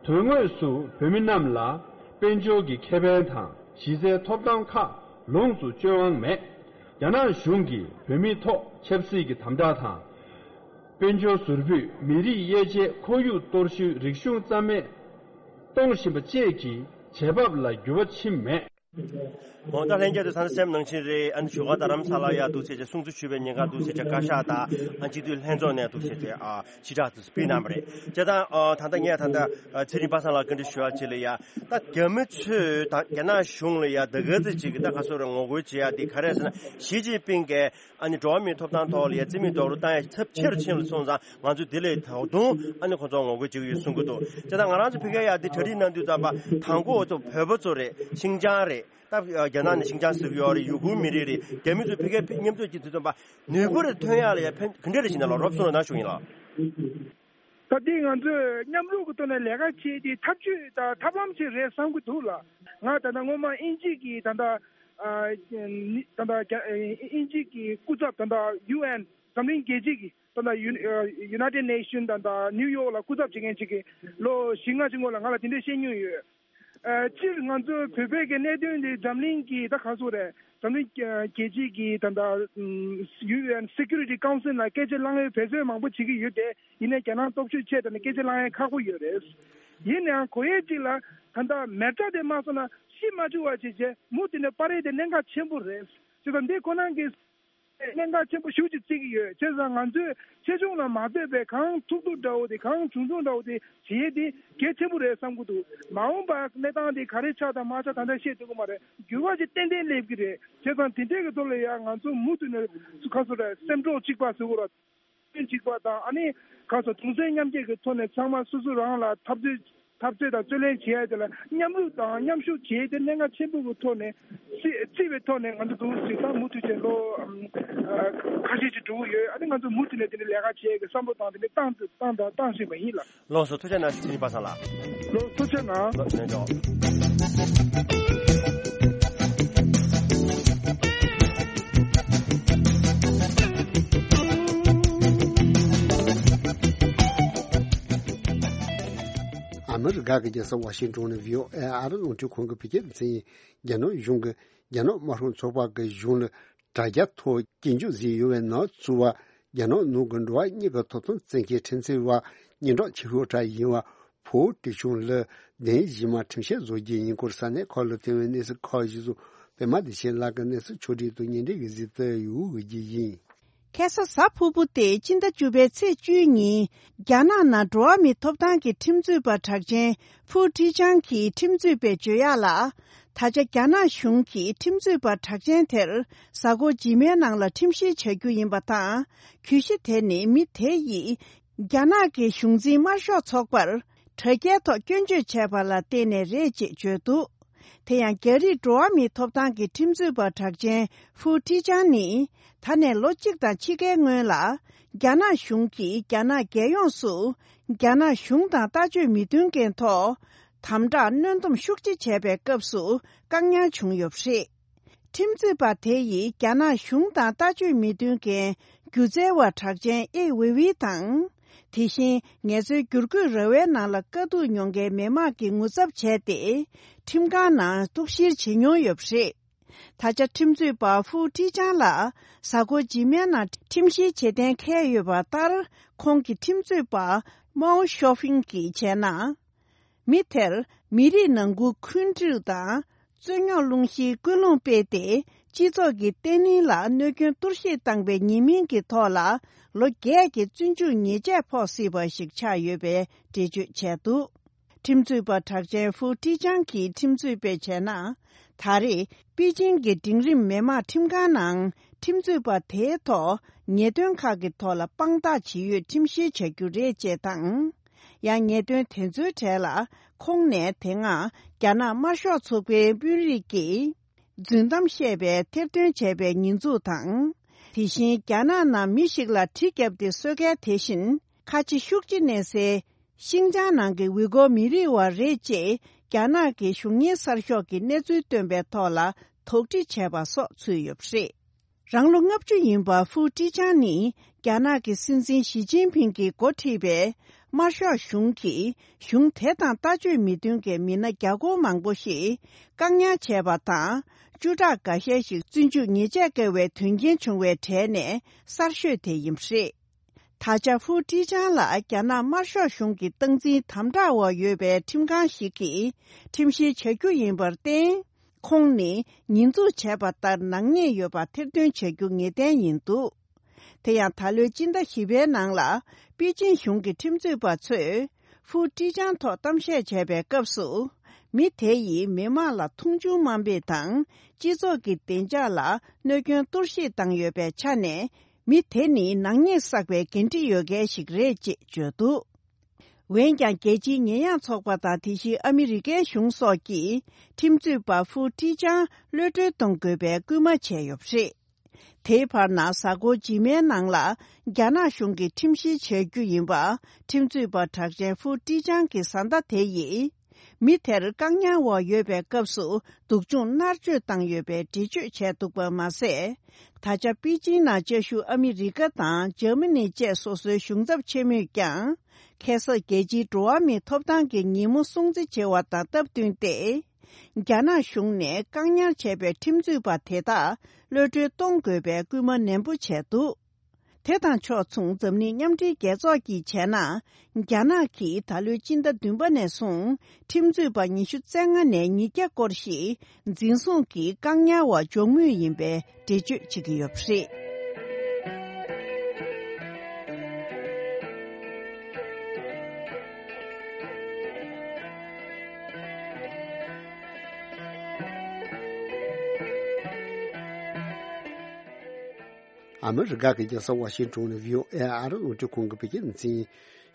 དོན་དངོས་སུ་བོད་མི་རྣམས་ལ་དཔལ་འབྱོར་གྱི་ཁེ་ཕན་དང་གཞི་རྩའི་ཐོབ་ཐང་ཁག་ལོངས་སུ་སྤྱོད་དབང་མེད། རྒྱ་ནག་གཞུང་གིས་བོད་མིའི་ཐོག་ཆབ་སྲིད་ཀྱི་དམ་དྲག་དང་། དཔལ་འབྱོར་ཟུར་ཕུད་མི་རིགས་དབྱེ་འབྱེད་ཁོར་ཡུག་གཏོར་བཤིག་རིག་གཞུང་རྩ་མེད་གཏོང་བཞིན་པ་བཅས་ཀྱི་བྱེད་བབ་ལ་འགྱུར་བ་ཕྱིན་མེད། འོ་ད་ལྷན་རྒྱས་ཚོ་ད་ལྟ་སེམས་ནང་བཞིན་རེད། ཨ་ནི་བཞུགས་སྒར་རྡ་རམ་ས་ལ་ཡ་འདུག་ཟེར་བྱས་སྲུང་བརྩི་ཞུས་པའི་ཉིན་ཀ་འདུག་ཟེར་བྱས་བཀའ་ཤག་དང་ཨ་སྤྱི་འཐུས་ལྷན་ཚོགས་ནས་འདུག་ཟེར་བྱས་ཨ་ཕྱིར་བསྒྲགས་དུ་སྤེལ་གནང་བ་རེད། བྱས་ཙང་ཨ་ད་ལྟ་ངས་ད་ལྟ་ཚེ་རིང་པ་སངས་ལགས་བཀའ་འདྲི་ཞུ་བ་ཅིག་ལ་ཡ་ད་རྒྱ་མི་ཚོས་ད་རྒྱ་ནག་གཞུང་ལ་ཡ་ད་ག་ཚོད་ཅིག་གི་ད་ག་སོ་རེ་ངོ་རྒོལ་བྱེད་ཡ་དེ་ག་རེ་ཟེར་ན་ཞི་ཅིན་ཕིང་གིས་ཨ་ནི་འགྲོ་བ་མིའི་ཐོབ་ཐང་ཐོག་ལ་ཡ་རྩིས་མེད་རྡོག་རོལ་བཏང་ཡ་ཚབས་ཆེ་རུ་ཕྱིན་པ་སོང་ཙང་ང་ཚོས་དེ་ལས་ད་དུང་ཨ་ནི་ཁོ་ཚོ་ངོ་རྒོལ་བྱེད་ཀྱི་ཡོད་གསུང་གི་འདུག་བྱས་ཙང་ང་རང་ཚོ་ཕ་གིར་ཡ་དེ་གྲ་སྒྲིག་གནང་དུས་ཙམ་པ་དང་པོ་ཚོ་བོད་པ་ཚོ་རེད། ཤིང་ཅང་རེད། ད་རྒྱ་ནག་ནས་ཤིང་ཅང་ཟེར་གྱི་ཡོད་རེད། ཡུ་གུར་མི་རིགས་རེད། རྒྱ་མི་ཚོས་ཕ་གིར་མཉམ་འཛོམས་ཀྱི་དུས་ཙམ་པ་ནུས་པ་རེ་ཐོན་ཡག་ལ་ཡ་ཕན་ག་འདྲ་རེ་བྱེད་ན་ལ་རོབ་གསུངས་རོགས་གནང་ཞུ་ཡིན་ལགས། ད་འདི་ང་ཚོས་མཉམ་རུབ་ཀྱི་ཐོག་ནས་ལས་ཀ་བྱེད་དེ་ཐབས་ཇུས་དང་ཐབས་ལམ་ཅིག་རེད་བསམ་གྱི་འདུག་ལ། ང་ད་ལྟ་སྔོན་མ་དབྱིན་ཇི་གི་ད་ལྟ་ཨ་ནི་ད་ལྟ་རྒྱ་ཨ་དབྱིན་ཇི་གི་སྐུ་ཚབ་ད་ལྟ་ཡུ་ཨེན་འཛམ་གླིང་རྒྱལ་སྤྱི་གི་ད་ལྟ་ཡུ་ཨ་United Nation ད་ལྟ་ནིའུ་ཡོག་ལ་སྐུ་ཚབ་བྱེད་མཁན་ཅིག་གིས་ལོ་བཞི་ལྔ་ཅིག་སྔོན་ལ་ང་ལ་དེ་འདྲས་བཤད་མྱོང་ཡོད། ཨ་སྤྱིར་ང་ཚོའི་བོད་པའི་གི་གནད་དོན་འདི་འཛམ་གླིང་གི་ད་ག་ཚོད་རེད། འཛམ་གླིང་རྒྱལ་སྤྱི་གི་ད་ལྟ་ཨམ་ཡུ་ཨེན་སི་ཀུ་རི་ཊི་ཀའུན་སིལ་ལ་སྐད་ཆ་གླེང་ཡས་འབད་བརྩོན་མང་པོ་བྱེད་ཀྱི་ཡོད་དེ། ཡིན་ནའི་རྒྱ་ནག་སྟོབས་ཤུགས་ཆེ་དྲགས་ནས་སྐད་ཆ་གླེང་ཡས་ཁག་པོ་ཡོད་རེད། ཡིན་ནའང་གོ་ཡས་གཅིག་ལ་ད་ལྟ་མེ་སྲེག་དེ་མ་སོང་ན་ཤི་མ་བཅུག་པ་བྱས་བྱས་མུ་མཐུད་ནས་སྤར་ཡས་དེ་གནད་འགག་ཆེན་པོ་རེད། བྱས་ཙང་འདི་ཁོ་རང་གི་ གནད་འགག་ཆེན་པོ་ཞེ་པོ་ཅིག་བརྩི་གི་ཡོད། བྱས་ཙང་ང་ཚོས་ཆེ་ཆུང་ལ་མ་ལྟོས་པའི་གང་ཐུབ་ཐུབ་འདྲ་བོ་དེ། གང་ཆུང་ཆུང་འདྲ་བོ་དེ་བྱེད་ཡས་དེ་གལ་ཆེན་པོ་རེད་བསམ་གྱི་འདུག། མ་འོངས་པར་གནས་སྟངས་དེ་ག་རེ་ཆགས་དང་མ་ཆགས་ད་ལྟ་བཤད་ཐུབ་ཀྱི་མ་རེད། འགྱུར་བ་ཞིག་ཏན་ཏན་སླེབས་ཀྱི་རེད། བྱས་ཙང་དེ་འདྲའི་གི་ཐོག་ལ་ཡང་ང་ཚོ་མུ་མཐུད་ནས་ཁ་སོ་ར་སེམས་གྲོགས་གཅིག་པ་ཟེར་དགོས་ར། གཅིག་པ་དང་། ཨ་ནི་ཁ་སོ་གདུང་སེམས་མཉམ་སྐྱེད་ཀྱི་ཐོག་ནས་ཚང་མ་སོ་སོ་རང་ལ་འཐབ་རྩོད་འཐབ་རྩོད་དང་རྩོད་ལེན་བྱེད་ཡ་དེ་ལ་མཉམ་རུབ་དང་མཉམ་ཞུགས་བྱེད་ཡ་དེ་གནད་འགག་ཆེན་པོ་གི་ཐོག་ནས་བརྩི་བརྩི་བའི་ཐོག་ནས། ང་ཚོ་འདུག་སེ་ད་མུ་མཐུད་བྱས་ལོ་ཨམ་ཁ་ཤས་ཅིག་འགྲོ་གི་ཡོད། ཨ་ནི་ང་ཚོ་མུ་མཐུད་ནས་དེ་འདྲའི་ལས་ཀ་བྱེད་ཡ་གི་བསམ་བློ་དང་དེ་འདྲ་བཏང་བཏང་དང་བཏང་བཞིན་པ་ཡིན་ལགས། ལགས་སོ། ཐུགས་རྗེ་གནང་། ཞུ་ཅིན་པ་སངས་ལགས། ལགས་སོ། ཐུགས་རྗེ་གནང་། ལགས་སོ། ལགས་སོ། ཨ་མི་རི་ཀ་གི་རྒྱལ་ས་ཝ་ཤིང་ཏོན་ནས་བྷི་ཨོ་ཨེ་ཨ་རི་རླུང་འཕྲིན་ཁང་གི་བོད་སྐད་སྡེ་ཚན་ཡིན། རྒྱ་ནག་གཞུང་གིས་རྒྱ་ནག་དམར་ཤོག་ཚོགས་པ་གི་གཞུང་ལ་དྲ་རྒྱ་ཐོག་སྐྱོན་བརྗོད་བཟོས་ཡོད་པའི་ནག་ཚུད་པ། རྒྱ་ནག་ནང་གི་འགྲོ་བ་མིའི་གི་ཐོབ་ཐང་བཙན་ཁྲིད་ཁྲིམས་འཛིན་པ་སྙན་གྲགས་ཆེ་ཤོས་དེ་ཡིན་པ་ཕུའུ་ཀྲི་ཆུང་ལ་བདེན་གཞི་མ་ཁྲིམས་ཆད་བཟོ་རྒྱུ་ཡིན་སྐོར་ས་གནས་ཁག་ལ་ཐོན་པའི་གནས་ཚུལ་ཁག་ཞིག་སོགས་པད་མ་བདེ་ཆེན་ལགས་ཀྱིས་གནས་ཚུལ་ཕྱོགས་སྒྲིག་དང་སྙན་སྒྲོན་གྱིས་གཟིགས་ཏེ་ཡོད་པ་ཞིག་ཡིན། ཁ་སང་གཟའ་ཕུར་བུ་སྟེ་སྤྱི་ཟླ་བཅུ་པའི་ཚེས་བཅུའི་ཉིན། རྒྱ་ནག་ནང་འགྲོ་བ་མིའི་ཐོབ་ཐང་གི་ཁྲིམས་རྩོད་པ་གྲགས་ཅན་ཧྥུའུ་ཁྲི་ཆང་གིས་ཁྲིམས་རྩོད་པས་བརྗོད་ཡག་ལ། ད་ཆ་རྒྱ་ནག་གཞུང་གིས་ཁྲིམས་རྩོད་པ་གྲགས་ཅན་དེར་གཟའ་འཁོར་རྗེས་མའི་ནང་ལ་ཁྲིམས་བཤེར་བྱ་རྒྱུ་ཡིན་པ་དང་། གྱོད་གཞི་དེ་ནི་མི་དེ་ཡིས་རྒྱ་ནག་གི་གཞུང་འཛིན་དམར་ཤོག་ཚོགས་པར་དྲ་རྒྱའི་ཐོག་སྐྱོན་བརྗོད་བྱས་པ་ལ་བརྟེན་ནས་རེད་ཅེས་བརྗོད་འདུག། དེ་ཡང་རྒྱ་རིགས་འགྲོ་བ་མིའི་ཐོབ་ཐང་གི་ཁྲིམས་རྩོད་པ་གྲགས་ཅན་ཧྥུའུ་ཁྲི་ཆང་ནི། ད་ནས་ལོ་གཅིག་དང་ཕྱེད་ཀའི་སྔོན་ལ། རྒྱ་ནག་གཞུང་གིས་རྒྱ་ནག་རྒྱལ་ཡོངས་སུ་རྒྱ་ནག་གཞུང་དང་ལྟ་སྤྱོད་མི་མཐུན་རྐྱེན་ཐོག་དམ་དྲག་གནོན་སྡོམ་ཤུགས་ཆེ་བྱས་པའི་སྐབས་སུ་བཀག་ཉར་བྱུང་ཡོད་པ་རེད། ཁྲིམས་རྩོད་པ་དེ་ཡིས་རྒྱ་ནག་གཞུང་དང་ལྟ་སྤྱོད་མི་མཐུན་རྐྱེན་སྒྱུ་རྩལ་བ་གྲགས་ཅན་ཨེ་ཝེ་ཝེ་དང་། དེ་བཞིན་ངལ་རྩོལ་བསྒྱུར་བཀོད་ར་བའི་ནང་ལ་དཀའ་སྡུག་མྱོང་མཁན་མི་མང་གི་ངོ་ཚབ་བྱས་ཏེ། ཁྲིམས་ཁང་ནང་གཏུག་བཤེར་བྱེད་མྱོང་ཡོད་པ་རེད། ད་ཆ་ཁྲིམས་རྩོད་པ་ཧྥུའུ་ཁྲི་ཆང་ལ་གཟའ་འཁོར་རྗེས་མའི་ནང་ཁྲིམས་བཤེར་བྱེད་གཏན་འཁེལ་ཡོད་པ་ལྟར། ཁོང་གི་ཁྲིམས་རྩོད་པ་མའོ་ཤོ་ཕིང་གིས་བྱས་ན། མི་དེར་མི་རིགས་ནང་ཁུལ་འཁོན་འགྲིག་དང་རྩོད་རྙོག་སློང་གཞིའི་ཀུན་སློང་སྤེལ་ཏེ། སྤྱི་ཚོགས་ཀྱི་བརྟན་ལྷིང་ལ་གནོད་སྐྱོན་གཏོར་བཤིག་བཏང་པའི་ཉེས་མིང་གི་ཐོག་ལ་ལོ་བརྒྱད་ཀྱི་བཙོན་འཇུག་ཉེས་ཆད་ཕོག་སྲིད་པ་ཞིག་ཆགས་ཡོད་པའི་འགྲེལ་བརྗོད་བྱས་འདུག། ཁྲིམས་རྩོད་པ་གྲགས་ཅན་ཧྥུའུ་ཁྲི་ཆང་གིས་ཁྲིམས་རྩོད་པས་བྱས་ན། ད་རེས་པེ་ཅིང་གི་འབྲིང་རིམ་མི་དམངས་ཁྲིམས་ཁང་ནང་ཁྲིམས་རྩོད་པ་དེའི་ཐོག་ཉེས་དོན་ཁག་གི་ཐོག་ལ་དཔང་རྟགས་ཇི་ཡོད་ཁྲིམས་བཤེར་བྱ་རྒྱུ་རེད་ཅེས་དང་། ཡང་ཉེས་དོན་དེ་ཚོའི་གྲས་ལ་ཁོང་ནས་དེ་སྔ་རྒྱ་ནག་དམར་ཤོག་ཚོགས་པའི་དཔོན་རིགས་ཀྱིས་རྫུན་གཏམ་བཤད་པའི་ཐེར་འདོན་བྱས་པའི་ཉེས་འཛུགས་དང་། དེ་བཞིན་རྒྱ་ནག་ནང་མི་ཞིག་ལ་གྲི་བརྒྱབ་སྟེ་གསོད་མཁན་དེ་བཞིན་ཁ་ཆེ་ཤུགས་ཆེ་གནས་སའི་ཤིང་ཅང་ནང་གི་ཝི་གོ་མི་རིགས་བ་རེད་ཅེས་རྒྱ་ནག་གི་གཞུང་གཉེར་གསར་ཤོག་གིས་གནས་ཚུལ་བཏོན་པའི་ཐོག་ལ་དོགས་འདྲི་བྱས་པ་སོགས་ཚུད་ཡོད་པ་རེད། རང་ལོ་ལྔ་བཅུ་ཡིན་པ་ཧྥུའུ་ཀྲི་ཅང་ནི་རྒྱ་ནག་གི་སྲིད་འཛིན་ཞི་ཅིན་ཕིང་གིས་འགོ་ཁྲིད་པའི་དམར་ཤོག་གཞུང་གིས་གཞུང་དེ་དང་ལྟ་སྤྱོད་མི་མཐུན་གྱི་མི་སྣ་བརྒྱ་སྐོར་མང་པོ་ཞིག་བཀག་ཉར་བྱས་པ་དང་། བཅུ་ཕྲག་འགའ་ཤས་ཤིག་བཙོན་འཇུག་ཉེས་ཆད་བཀལ་བའི་དོན་རྐྱེན་བྱུང་བའི་གྲས་ནས་གསར་ཤོས་དེ་ཡིན་པ་རེད། ད་ཆ་ཧྥུའུ་ཀྲི་ཅང་ལ་རྒྱ་ནག་དམར་ཤོག་གཞུང་གི་སྟངས་འཛིན་དམ་དྲག་འོག་ཡོད་པའི་ཁྲིམས་ཁང་ཞིག་གིས་ཁྲིམས་བཤེར་བྱ་རྒྱུ་ཡིན་པར་བརྟེན། ཁོང་ནི་ཉེས་འཛུགས་བྱས་པ་ལྟར་ནག་ཉེས་ཡོད་པ་ཐེར་འདོན་བྱ་རྒྱུ་ངེས་གཏན་ཡིན་འདུག། དེ་ཡང་ད་ལོའི་སྤྱི་ཟླ་བཞི་པའི་ནང་ལ་པེ་ཅིན་གཞུང་གི་ཁྲིམས་རྩོད་པ་ཚོས་ཧྥུའུ་ཀྲི་ཅང་ཐོག་གཏམ་བཤད་བྱས་པའི་སྐབས་སུ། མི་དེ་ཡིས་མི་མང་ལ་མཐོང་ཆུང་དམའ་འབེབས་དང་སྤྱི་ཚོགས་ཀྱི་བདེ་འཇགས་ལ་གནོད་སྐྱོན་གཏོར་བཤིག་བཏང་ཡོད་པའི་ཆ་ནས། མི་དེ་ནི་ནག་ཉེས་བསགས་པའི་འགན་འཁྲི་ཡོད་མཁན་ཞིག་རེད་ཅེས་བརྗོད་འདུག། འོན་ཀྱང་རྒྱལ་སྤྱིའི་ཉེས་ཡངས་ཚོགས་པ་དང་དེ་བཞིན་ཨ་མི་རི་ཀའི་གཞུང་སོགས་ཀྱིས་ཁྲིམས་རྩོད་པ་ཧྥུའུ་ཀྲི་ཅང་གློད་གྲོལ་གཏོང་དགོས་པའི་སྐུལ་མ་བྱས་ཡོད་པ་རེད། དེའི་བར་ན་གཟའ་འཁོར་རྗེས་མའི་ནང་ལ་རྒྱ་ནག་གཞུང་གིས་ཁྲིམས་བཤེར་བྱ་རྒྱུ་ཡིན་པ་ཁྲིམས་རྩོད་པ་གྲགས་ཅན་ཧྥུའུ་ཀྲི་ཅང་གི་བཟའ་ཟླ་དེ་ཡིས། མི་དེར་བཀག་ཉར་འོག་ཡོད་པའི་སྐབས་སུ་སྡུག་སྦྱོང་མནར་གཅོད་བཏང་ཡོད་པའི་འགྲེལ་བརྗོད་བྱས་འདུག་པ་མ་ཟད། ད་ཆ་པེ་ཅིང་ནང་བཅའ་བཞུགས་ཨ་མི་རི་ཀ་དང་འཇར་མ་ནི་བཅས་སོ་སོའི་གཞུང་ཚབ་ཆེན་མོས་ཀྱང་ཁ་སང་རྒྱལ་སྤྱིའི་འགྲོ་བ་མིའི་ཐོབ་ཐང་གི་ཉིན་མོ་སྲུང་བརྩི་བྱས་པ་དང་སྟབས་བསྟུན་ཏེ། རྒྱ་ནག་གཞུང་ནས་བཀག་ཉར་བྱས་པའི་ཁྲིམས་རྩོད་པ་དེ་དག་གློད་གྲོལ་གཏོང་དགོས་པའི་སྐུལ་མ་ནན་པོ་བྱས་འདུག། དེ་དང་ཕྱོགས་མཚུངས་འཛམ་གླིང་མཉམ་འབྲེལ་རྒྱལ་ཚོགས་ཀྱིས་བྱས་ན། རྒྱ་ནག་གིས་ད་ལོའི་སྤྱི་ཟླ་བདུན་པ་ནས་བཟུང་ཁྲིམས་རྩོད་པ་ཉི་ཤུ་རྩ་ལྔ་ནས་ཉིས་བརྒྱ་སྐོར་ཞིག་འཛིན་བཟུང་གིས་བཀག་ཉར་འོག་འཇོག་མུས་ཡིན་པའི་འགྲེལ་བརྗོད་བྱེད་ཀྱི་ཡོད་པ་རེད། ཨ་མི་རི་ཀ་གི་རྒྱལ་ས་ཝ་ཤིང་ཊོན་ནས་བྷི་ཨོ་ཨེ་ཨ་རི་རླུང་འཕྲིན་ཁང་གི་བོད་སྐད་སྡེ་ཚན།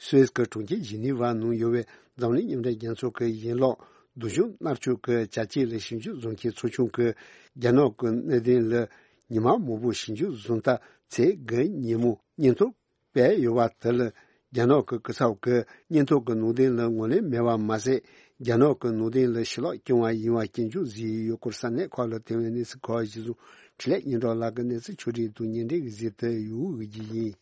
སུད་སི་གི་གྲོང་ཁྱེར་ཇི་ནི་ཝ་ནང་ཡོད་པའི་འཛམ་གླིང་མཉམ་འབྲེལ་རྒྱལ་ཚོགས་ཀྱི་ཡན་ལག་སྡུག་སྦྱོང་མནར་གཅོད་ཀྱི་བྱ་སྤྱོད་ལ་ཞིབ་འཇུག་བཟོ་མཁན་ཚོགས་ཆུང་གིས། རྒྱ་ནག་གི་གནད་དོན་ལ་ཉི་མ་མང་པོ་ཞིབ་འཇུག་བཟོ་ལྟ་ཚེས་དགུ་ཉིན་མོ་སྙན་ཐོ་སྤེལ་ཡོད་པ་དེ་ལ། རྒྱ་ནག་གི་སྐུ་ཚབ་ཀྱིས་སྙན་ཐོ་གི་ནང་དོན་ལ་ངོས་ལེན་མེད་པ་མ་ཟད། རྒྱ་ནག་གི་ནང་དོན་ལ་ཕྱི་ལོགས་རྐྱང་བ་ཡིན་པ་སྐྱོན་བརྗོད་བཟོས་ཡོད་སྐོར་ས་གནས་ཁག་ལ་ཐོན་པའི་གནས་ཚུལ་ཁག་གཞིར་བཟུང་། འཕྲིན་ལས་སྙན་གྲགས་ལགས་ཀྱིས་གནས་ཚུལ་ཕྱོགས་སྒྲིག་དང་སྙན་འགྲེལ་གྱི་གཟིགས་དེབ་ཡོད་ཀྱི་ཡིན།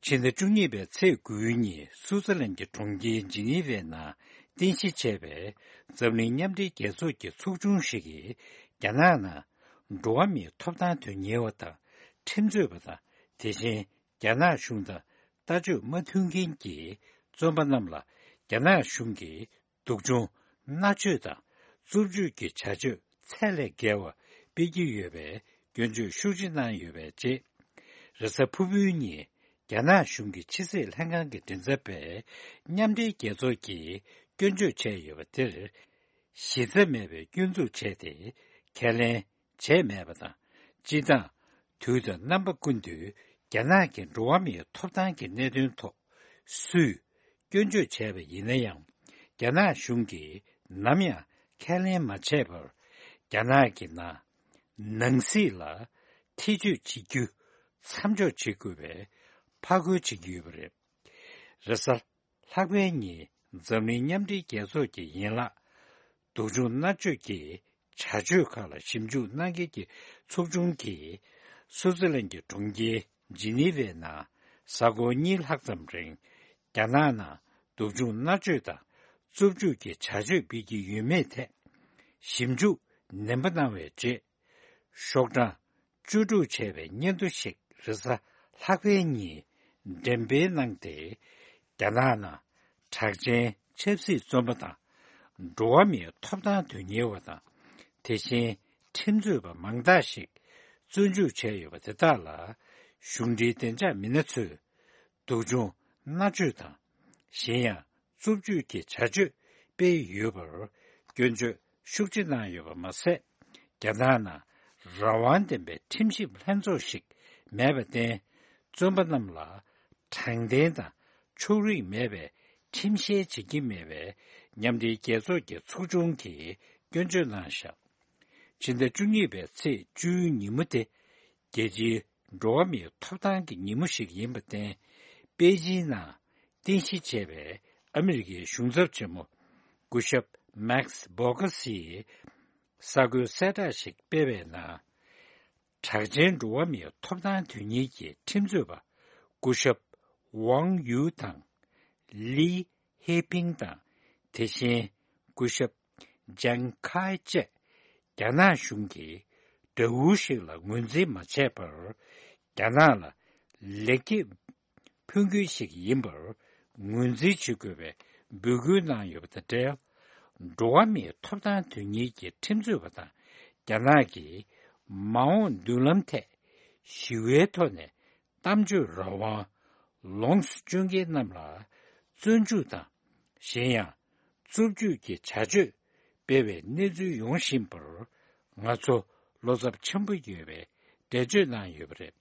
ཕྱི་ཟླ་བཅུ་གཉིས་པའི་ཚེས་དགུའི་ཉིན་སུའུ་ཙི་ལན་གྱི་གྲོང་ཁྱེར་ཇི་ནི་ཝའི་ནང་རྟེན་གཞི་བྱས་པའི་འཛམ་གླིང་མཉམ་འབྲེལ་རྒྱལ་ཚོགས་ཀྱི་ཚོགས་ཆུང་ཞིག་གིས། རྒྱ་ནག་ནང་འགྲོ་བ་མིའི་ཐོབ་ཐང་དོན་གཉེར་བ་དང་ཁྲིམས་རྩོད་པ་དང་། དེ་བཞིན། རྒྱ་ནག་གཞུང་དང་ལྟ་སྤྱོད་མ་མཐུན་མཁན་གྱི་བཙོན་པ་རྣམས་ལ། རྒྱ་ནག་གཞུང་གིས་སྡུག་སྦྱོང་མནར་གཅོད་དང་རྩུབ་སྤྱོད་ཀྱི་བྱ་སྤྱོད་ཚད་ལས་བརྒལ་བ་སྤེལ་གྱི་ཡོད་པའི་སྐྱོན་བརྗོད་ཤུགས་ཆེ་གནང་ཡོད་པའི་རྗེས། རེས་གཟའ་ཕུར་བུའི་ཉིན། རྒྱ་ནག་གཞུང་གི་ཕྱི་སྲིད་ལྷན་ཁང་གི་མགྲིན་ཚབ་པས་མཉམ་འབྲེལ་རྒྱལ་ཚོགས་ཀྱིས་སྐྱོན་བརྗོད་བྱས་ཡོད་པ་དེར། གཞི་རྩ་མེད་པའི་སྐྱོན་འཛུགས་བྱས་ཏེ། ཁས་ལེན་བྱས་མེད་པ་དང་། སྤྱིར་བཏང་། དུས་དང་རྣམ་པ་ཀུན་ཏུ་རྒྱ་ནག་གི་འགྲོ་བ་མིའི་ཐོབ་ཐང་གི་གནད་དོན་ཐོག་སུས་སྐྱོན་བརྗོད་བྱས་པ་ཡིན་ན་ཡང་། རྒྱ་ནག་གཞུང་གིས་ནམ་ཡང་ཁས་ལེན་མ་བྱས་པར། རྒྱ་ནག་གི་ནང་ནང་སྲིད་ལ་ཐེ་བྱུས་བྱེད་རྒྱུ་མཚམས་འཇོག་བྱེད་དགོས་པའི་ཕར་རྒོལ་བྱེད་ཀྱི་ཡོད་པ་རེད། རེས་གཟའ་ལྷག་པའི་ཉིན་འཛམ་གླིང་མཉམ་འབྲེལ་རྒྱལ་ཚོགས་ཀྱི་ཡན་ལག་སྡུག་སྦྱོང་མནར་གཅོད་ཀྱི་བྱ་སྤྱོད་ཁག་ལ་ཞིབ་འཇུག་གནང་མཁན་གྱི་ཚོགས་ཆུང་གིས། སུའུ་ཙི་ལན་གྱི་གྲོང་ཁྱེར་ཇི་ནི་ཝའི་ནང་གཟའ་འཁོར་གཉིས་ལྷག་ཙམ་རིང་། རྒྱ་ནག་ནང་སྡུག་སྦྱོང་མནར་གཅོད་དང་རྩུབ་སྤྱོད་ཀྱི་བྱ་སྤྱོད་སྤེལ་གྱི་ཡོད་མེད་ཐད་ཞིབ་འཇུག་ནན་པོ་གནང་བའི་རྗེས། ཤོག་གྲངས་བཅུ་དྲུག་བྱས་པའི་སྙན་ཐོ་ཞིག་རེས་གཟའ་ལྷག་པའི་ཉིན་འགྲེམས་སྤེལ་གནང་སྟེ། རྒྱ་ནག་ནང་གྲགས་ཅན་ཆབ་སྲིད་བཙོན་པ་དང་། འགྲོ་བ་མིའི་ཐོབ་ཐང་དོན་གཉེར་བ་དང་། དེ་བཞིན་ཁྲིམས་རྩོད་པ་མང་དག་ཞིག་བཙོན་འཇུག་བྱས་ཡོད་པ་དེ་དག་ལ། གཞུང་འབྲེལ་བདེ་འཇགས་མི་སྣ་ཚོས་སྡུག་སྦྱོང་མནར་གཅོད་དང་། གཞན་ཡང་། རྩུབ་སྤྱོད་ཀྱི་བྱ་སྤྱོད་སྤེལ་ཡོད་པར་སྐྱོན་བརྗོད་ཤུགས་ཆེ་གནང་ཡོད་པ་མ་ཟད། རྒྱ་ནག་ནང་རང་དབང་ལྡན་པའི་ཁྲིམས་ཞིབ་ལྷན་ཚོགས་ཤིག་མེད་པར་བརྟེན། བཙོན་པ་རྣམས་ལ་དྲང་བདེན་དང་ཕྱོགས་རིས་མེད་པའི་ཁྲིམས་བཤེར་བྱེད་ཀྱི་མེད་པའི་མཉམ་འབྲེལ་རྒྱལ་ཚོགས་ཀྱི་ཚོགས་ཆུང་གིས་སྐྱོན་བརྗོད་གནང་བཞག་ཕྱི་ཟླ་བཅུ་གཉིས་པའི་ཚེས་བཅུའི་ཉིན་མོ་དེ། རྒྱལ་སྤྱིའི་འགྲོ་བ་མིའི་ཐོབ་ཐང་གི་ཉིན་མོ་ཞིག་ཡིན་པར་བརྟེན། པེ་ཅིན་ནང་རྟེན་གཞི་བྱས་པའི་ཨ་མི་རི་ཀའི་གཞུང་ཚབ་ཆེན་མོ་སྐུ་ཞབས་མེག་སི་བྷོ་གྷ་སིས་གསར་འགོད་གསལ་བསྒྲགས་ཤིག་སྤེལ་བའི་ནང་། གྲགས་ཅན་འགྲོ་བ་མིའི་ཐོབ་ཐང་དོན་གཉེར་གྱི་ཁྲིམས་རྩོད་པ་སྐུ་ཞབས་ཝང་ཡུའུ་དང་། ལི་ཧེ་ཕིང་དང་། དེ་བཞིན་སྐུ་ཞབས་ཇང་ཁའེ་བཅས་རྒྱ་ནག་གཞུང་གིས་དགྲ་བོ་ཞིག་ལ་ངོས་འཛིན་མ་བྱས་པར། རྒྱ་ནག་ལ་ལེགས་སྐྱེས་ཕུལ་རྒྱུ་ཞིག་ཡིན་པར་ངོས་འཛིན་བྱེད་དགོས་པའི་འབོད་སྐུལ་གནང་ཡོད་པ་དང་འབྲེལ། འགྲོ་བ་མིའི་ཐོབ་ཐང་དོན་གཉེར་གྱི་ཁྲིམས་རྩོད་པ་དང་རྒྱ་ནག་གི་མ་འོངས་མདུན་ལམ་ཐད་ཞི་བའི་ཐོག་ནས་གཏམ་བརྗོད་རང་དབང་ལོངས་སུ་སྤྱོད་མཁན་རྣམས་ལ་བཙོན་འཇུག་དང་། གཞན་ཡང་། རྩུབ་སྤྱོད་ཀྱི་བྱ་སྤྱོད་སྤེལ་བའི་གནས་ཚུལ་ཡོང་བཞིན་པར། ང་ཚོ་བློ་འཚབ་ཆེན་པོ་ཡོད་པའི་འགྲེལ་བརྗོད་གནང་ཡོད་པ་རེད།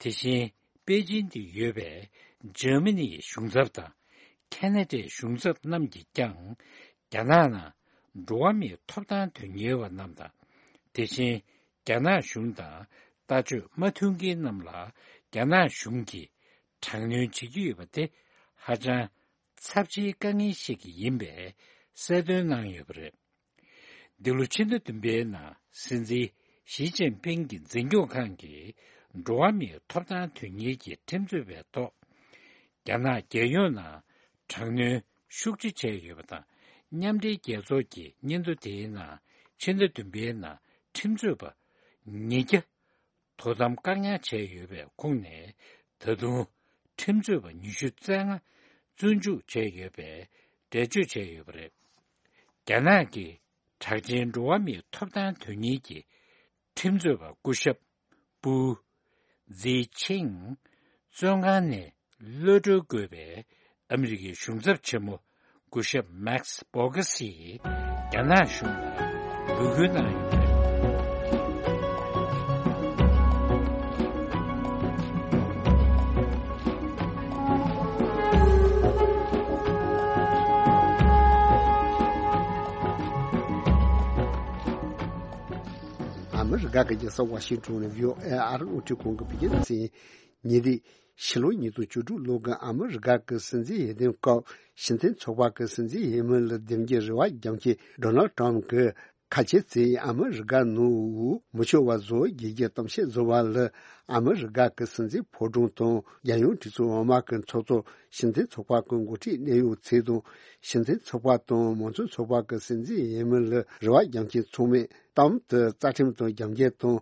དེ་བཞིན། པེ་ཅིན་དུ་ཡོད་པའི་འཇར་མ་ནིའི་གཞུང་ཚབ་དང་། ཁེ་ན་ཌའི་གཞུང་ཚབ་རྣམས་ཀྱིས་ཀྱང་། རྒྱ་ནག་ནང་འགྲོ་བ་མིའི་ཐོབ་ཐང་དོན་གཉེར་བ་རྣམས་དང་། དེ་བཞིན། རྒྱ་ནག་གཞུང་དང་ལྟ་སྤྱོད་མ་མཐུན་མཁན་རྣམས་ལ་རྒྱ་ནག་གཞུང་གིས་དྲག་གནོན་བྱེད་ཀྱི་ཡོད་པ་དེ་ཧ་ཅང་ཚབས་ཆེའི་དཀའ་ངལ་ཞིག་ཡིན་པའི་གསལ་སྟོན་གནང་ཡོད་པ་རེད། འདི་ལོ་ཕྱི་ཟླ་བདུན་པའི་ནང་སྲིད་འཛིན་ཞི་ཅིན་ཕིང་གི་འཛིན་སྐྱོང་ཁང་གིས་འགྲོ་བ་མིའི་ཐོབ་ཐང་དོན་གཉེར་གྱི་ཁྲིམས་རྩོད་པའི་ཐོག་རྒྱ་ནག་རྒྱལ་ཡོངས་ནང་དྲག་གནོན་ཤུགས་ཆེ་བྱས་ཡོད་པ་དང་། མཉམ་འབྲེལ་རྒྱལ་ཚོགས་ཀྱི་སྙན་ཐོ་དེའི་ནང་ཕྱི་ཟླ་བདུན་པའི་ནང་ཁྲིམས་རྩོད་པ་ཉིས་བརྒྱ་དོ་དམ་བཀག་ཉར་བྱས་ཡོད་པའི་ཁོངས་ནས་ད་དུང་ཁྲིམས་རྩོད་པ་ཉི་ཤུ་རྩ་ལྔ་བཙོན་འཇུག་བྱས་ཡོད་པའི་འགྲེལ་བརྗོད་བྱས་ཡོད་པ་རེད། རྒྱ་ནག་གི་གྲགས་ཅན་འགྲོ་བ་མིའི་ཐོབ་ཐང་དོན་གཉེར་གྱི་ཁྲིམས་རྩོད་པ་སྐུ་ཞབས་པུའུ་ཛི་ཆིང་བཙོན་ཁང་ནས་གློད་གྲོལ་དགོས་པའི་ཨ་མི་རི་ཀའི་གཞུང་ཚབ་ཆེན་མོ་སྐུ་ཞབས་མེག་སི་བྷོ་གྷ་སིས་རྒྱ་ནག་གཞུང་ལ་འབོད་སྐུལ་གནང་ཡོད་པ་རེད། རྒྱ་གར་རྒྱལ་ས་ཝ་ཤིང་ཏོན་ནས་བྷི་ཨོ་ཨེ་ཨ་རིའི་རླུང་འཕྲིན་ཁང་གི་བོད་སྐད་སྡེ་ཚན་ཡིན། ཉེ་དུས་ཕྱི་ལོ་ཉིས་སྟོང་བཅུ་དྲུག་ལོ་གི་ཨ་མི་རི་ཀ་གི་སྲིད་འཛིན་འོས་འདེམས་སྐབས་ཕྱི་འཐེན་ཚོགས་པ་གི་སྲིད་འཛིན་འོས་མི་ལ་འདེམས་རྒྱུའི་རེ་བ་རྒྱག་མཁན་ཌོ་ནལ་ཊམ་གྱིས། ཁ་ཆེ་ཚོས་ཨ་མི་རི་ཀ་ནང་འོས་མི་ཆོག་པ་བཟོ་རྒྱུའི་གཏམ་བཤད་བཟོ་བ་ལ། ཨ་མི་རི་ཀ་གི་སྲིད་འཛིན་ཕོ་བྲང་དང་རྒྱལ་ཡོངས་གྲོས་ཚོགས་འོག་མ་གི་ཚོགས་གཙོ། ཕྱི་འཐེན་ཚོགས་པ་གི་འགོ་ཁྲིད་གནད་ཡོད་ཚོ་དང་། ཕྱི་འཐེན་ཚོགས་པ་དང་མང་གཙོ་ཚོགས་པ་གི་སྲིད་འཛིན་འོས་མི་ལ་རེ་བ་རྒྱག་མཁན་ཚང་མས་གཏམ་དུ་རྩ་ཁྲིམས་དང་རྒྱབ་འགལ་དང་།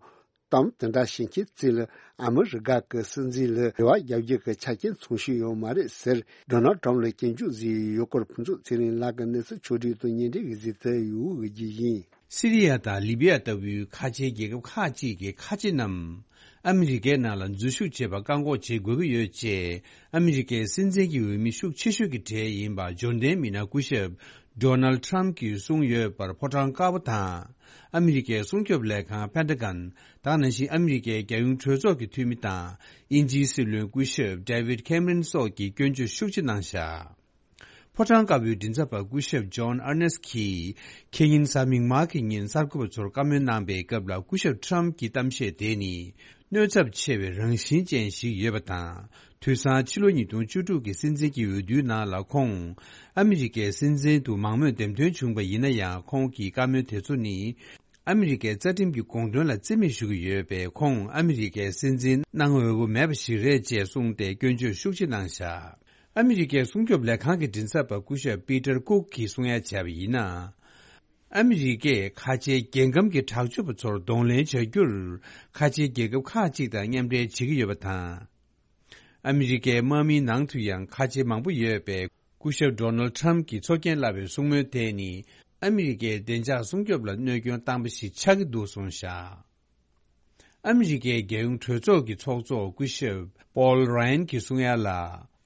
གཏམ་དེ་འདྲ་བཤད་མཁན་ཚོ་ལ་ཨ་མི་རི་ཀ་གི་སྲིད་འཛིན་ལ་རེ་བ་རྒྱག་རྒྱུ་གི་ཆ་རྐྱེན་ཚང་ཤོས་ཡོད་མ་རེད་ཟེར། ཌོ་ནལ་ཊམ་ལ་སྐྱོན་བརྗོད་བཟོས་ཡོད་སྐོར། ཕུན་ཚོགས་ཚེ་རིང་ལགས་ཀྱིས་གནས་ཚུལ་ཕྱོགས་བསྒྲིགས་དང་སྙན་སྒྲོན་གྱིས་གཟིགས་ཏེ་ཡོད་ཀྱི་ཡིན། སི་རི་ཡ་དང་ལི་བི་ཡ་ལྟ་བུའི་ཁ་ཆེའི་རྒྱལ་ཁབ་ཁག་ཅིག་གི་ཁ་ཆེ་རྣམས་ཨ་མི་རི་ཀའི་ནང་ལ་འཛུལ་ཞུགས་བྱེད་པར་བཀག་འགོག་བྱེད་དགོས་ཀྱི་ཡོད་ཅེས་ཨ་མི་རི་ཀའི་སྲིད་འཛིན་གྱི་འོས་མི་ཤུགས་ཆེ་ཤོས་ཀྱི་གྲས་ཡིན་པ་འབྱོར་ལྡན་མི་སྣ་སྐུ་ཞབས་ཌོ་ནལ་ཊམ་གྱིས་གསུངས་ཡོད་པར་ཕོ་བྲང་དཀར་པོ་དང་། ཨ་མི་རི་ཀའི་སྲུང་སྐྱོབ་ལས་ཁང་པེན་ཊ་གོན། དེ་ནང་བཞིན་ཨ་མི་རི་ཀའི་རྒྱལ་ཡོངས་གྲོས་ཚོགས་ཀྱི་འཐུས་མི་དང་། དབྱིན་ཇིའི་སྲིད་བློན་སྐུ་ཞབས་ཌེ་ཝིད་ཁེམ་རན་སོགས་ཀྱིས་སྐྱོན་བརྗོད་ཤུགས་ཆེ་གནང་བཞག་ཕོ་བྲང་དཀར་པོའི་མགྲིན་ཚབ་པ་སྐུ་ཞབས་ཇོན་ཨར་ནེ་སི་ཁིས་ཁེ་ཉིན་གཟའ་མིག་དམར་གྱི་ཉིན་གསར་འགོད་པ་ཚོར་བཀའ་མོལ་གནང་པའི་སྐབས་ལ། སྐུ་ཞབས་ཊམ་གྱི་གཏམ་བཤད་དེ་ནི་གནོད་ཚབས་ཆེ་བའི་རང་བཞིན་ཅན་ཞིག་ཡོད་པ་དང་། དུས་སང་ཕྱི་ལོ་ཉིས་སྟོང་བཅུ་དྲུག་གི་སྲིད་འཛིན་གྱི་འོས་བསྡུའི་ནང་ལ་ཁོང་ཨ་མི་རི་ཀའི་སྲིད་འཛིན་དུ་མང་མོས་འདེམས་ཐོན་བྱུང་བ་ཡིན་ན་ཡང་། ཁོང་གི་བཀའ་མོལ་དེ་ཚོ་ནི་ཨ་མི་རི་ཀའི་རྩ་ཁྲིམས་ཀྱི་དགོངས་དོན་ལ་རྩིས་མེད་ཞུ་གི་ཡོད་པས། ཁོང་ཨ་མི་རི་ཀའི་སྲིད་འཛིན་གནང་འོས་པོ་མེད་པ་ཞིག་རེད་ཅེས་གསུངས་ཏེ་སྐྱོན་བརྗོད་ཤུགས་ཆེ་གནང་བཞག་ཨ་མི་རི་ཀའི་སྲུང་སྐྱོབ་ལས་ཁང་གི་མགྲིན་ཚབ་པ་སྐུ་ཞབས་པི་ཏར་ཀུག་གིས་གསུང་ཡ་བྱས་པ་ཡིན་ན། ཨ་མི་རི་ཀས་ཁ་ཆེའི་རྒྱལ་ཁམས་ཀྱི་དྲག་སྤྱོད་པ་ཚོར་གདོང་ལེན་བྱ་རྒྱུར་ཁ་ཆེའི་རྒྱལ་ཁབ་ཁག་ཅིག་དང་མཉམ་འབྲེལ་བྱེད་ཀྱི་ཡོད་པ་དང་། ཨ་མི་རི་ཀའི་དམག་མིའི་ནང་དུ་ཡང་ཁ་ཆེ་མང་པོ་ཡོད་པས། སྐུ་ཞབས་ཌོ་ནལ་ཊམ་གྱིས་ཚོར་སྐྱེན་བསླབས་པའི་གསུང་མོལ་དེ་ནི་ཨ་མི་རི་ཀའི་བདེ་འཇགས་སྲུང་སྐྱོབ་ལ་གནོད་སྐྱོན་བཏང་པ་ཞིག་ཆགས་ཀྱི་འདུག་གསུངས་བཞག་ཨ་མི་རི་ཀའི་རྒྱལ་ཡོངས་གྲོས་ཚོགས་ཀྱི་ཚོགས་གཙོ་སྐུ་ཞབས་པོལ་རཱ་ཡན་གྱིས་གསུང་ཡ་ལ།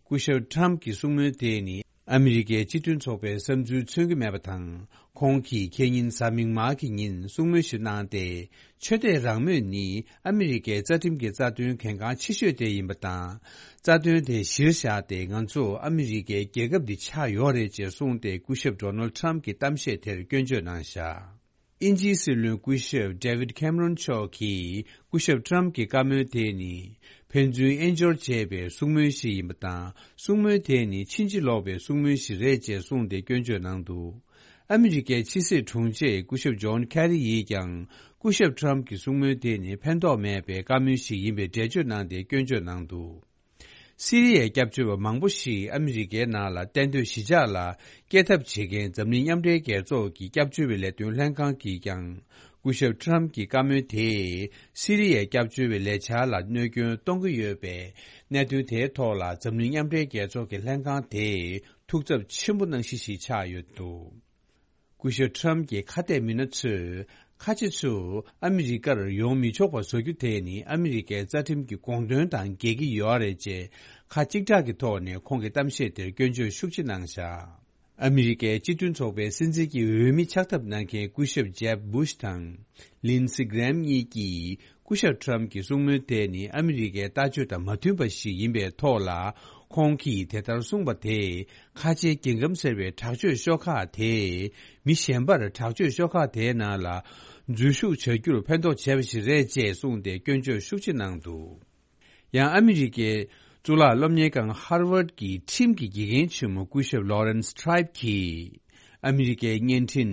སྐུ་ཞབས་ཊམ་གྱི་གསུང་མོལ་དེ་ནི་ཨ་མི་རི་ཀའི་སྤྱི་མཐུན་ཚོགས་པའི་བསམ་ཚུལ་མཚོན་གྱི་མེད་པ་དང་། ཁོང་གིས་ཁེ་ཉིན་གཟའ་མིག་དམར་གྱི་ཉིན་གསུང་མོལ་ཞིག་གནང་སྟེ། ཆོས་དད་རང་མོས་ནི་ཨ་མི་རི་ཀའི་རྩ་ཁྲིམས་ཀྱི་རྩ་དོན་གལ་འགངས་ཆེ་ཤོས་དེ་ཡིན་པ་དང་། རྩ་དོན་དེ་གཞིར་བཞག་སྟེ་ང་ཚོ་ཨ་མི་རི་ཀའི་རྒྱལ་ཁབ་འདི་ཆགས་ཡོད་རེད་ཅེས་གསུངས་ཏེ། སྐུ་ཞབས་ཌོ་ནལ་ཊམ་གྱི་གཏམ་བཤད་དེར་སྐྱོན་བརྗོད་གནང་བཞག་དབྱིན་ཇིའི་སྲིད་བློན་སྐུ་ཞབས་ཌེ་ཝིད་ཁེམ་རོན་མཆོག་གིས་སྐུ་ཞབས་ཊམ་གྱི་བཀའ་མོལ་དེ་ནི་ཕན་ཚུན་དབྱེན་སྦྱོར་བྱས་པའི་གསུང་མོལ་ཞིག་ཡིན་པ་དང་། གསུང་མོལ་དེ་ནི་ཕྱིན་ཅི་ལོག་པའི་གསུང་མོལ་ཞིག་རེད་ཅེས་གསུངས་ཏེ་སྐྱོན་བརྗོད་གནང་འདུག་ཨ་མི་རི་ཀའི་ཕྱི་སྲིད་དྲུང་ཆེ་སྐུ་ཞབས་ཇོན་ཁེ་རི་ཡིས་ཀྱང་སྐུ་ཞབས་ཊམ་གྱི་གསུང་མོལ་དེ་ནི་ཕན་ཐོགས་མེད་པའི་བཀའ་མོལ་ཞིག་ཡིན་པའི་འགྲེལ་བརྗོད་གནང་སྟེ་སྐྱོན་བརྗོད་གནང་འདུག་སི་རི་ཡའི་སྐྱབས་བཅོལ་བ་མང་པོ་ཞིག་ཨ་མི་རི་ཀའི་ནང་ལ་གཏན་སྡོད་གཞིས་ཆགས་ལ་སྐྱེལ་ཐབས་བྱེད་མཁན་འཛམ་གླིང་མཉམ་འབྲེལ་རྒྱལ་ཚོགས་ཀྱི་སྐྱབས་བཅོལ་བའི་ལས་དོན་ལྷན་ཁང་གིས་ཀྱང་སྐུ་ཞབས་ཊམ་གྱི་བཀའ་མོལ་དེས་སི་རི་ཡའི་སྐྱབས་བཅོལ་བའི་ལས་འཆར་ལ་གནོད་སྐྱོན་གཏོང་གི་ཡོད་པས། གནད་དོན་དེའི་ཐོག་ལ་འཛམ་གླིང་མཉམ་འབྲེལ་རྒྱལ་ཚོགས་ཀྱི་ལྷན་ཁང་དེས་ཐུགས་འཚབ་ཆེན་པོ་གནང་གཞི་ཞིག་ཆགས་ཡོད་འདུག་སྐུ་ཞབས་ཊམ་གྱི་ཁ་གཏད་མི་སྣ་ཚོས་ཁ་ཆེ་ཚོ་ཨ་མི་རི་ཀར་ཡོང་མི་ཆོག་པ་བཟོ་རྒྱུ་དེ་ནི་ཨ་མི་རི་ཀའི་རྩ་ཁྲིམས་ཀྱི་དགོངས་དོན་དང་འགལ་གྱི་ཡོད་རེད་ཅེས་ཁ་གཅིག་གྲགས་ཀྱི་ཐོག་ནས་ཁོང་གི་གཏམ་བཤད་དེར་སྐྱོན་བརྗོད་ཤུགས་ཆེ་གནང་བཞག་ཨ་མི་རི་ཀའི་སྤྱི་མཐུན་ཚོགས་པའི་སྲིད་འཛིན་གྱི་འོས་མི་ཆགས་ཐབས་གནང་མཁན་སྐུ་ཞབས་ཇེབ་བུཤ་དང་ལིན་སི་གྷེམ་གཉིས་ཀྱིས། སྐུ་ཞབས་ཊམ་གྱི་གསུང་མོལ་དེ་ནི་ཨ་མི་རི་ཀའི་ལྟ་སྤྱོད་དང་མ་མཐུན་པ་ཞིག་ཡིན་པའི་ཐོག་ལ། ཁོང་གིས་དེ་ལྟར་གསུངས་པ་དེས་ཁ་ཆེའི་རྒྱལ་ཁམས་ཟེར་བའི་དྲག་སྤྱོད་ཤོག་ཁག་དེས་མི་གཞན་པར་དྲག་སྤྱོད་ཤོག་ཁག་དེའི་ནང་ལ་འཛུལ་ཞུགས་བྱ་རྒྱུར་ཕན་ཐོགས་བྱས་པ་ཞིག་རེད་ཅེས་གསུངས་ཏེ་སྐྱོན་བརྗོད་ཤུགས་ཆེ་གནང་འདུག་ཡང་ཨ་མི་རི་ཀའི་གཙུག་ལག་སློབ་གཉེར་ཁང་ཧར་ཝརཌ་ཀྱི་ཁྲིམས་ཀྱི་དགེ་རྒན་ཆེན་མོ་སྐུ་ཞབས་ལོ་རན་སི་ཊི་རའིབ་ཀྱིས་ཨ་མི་རི་ཀའི་བརྙན་འཕྲིན་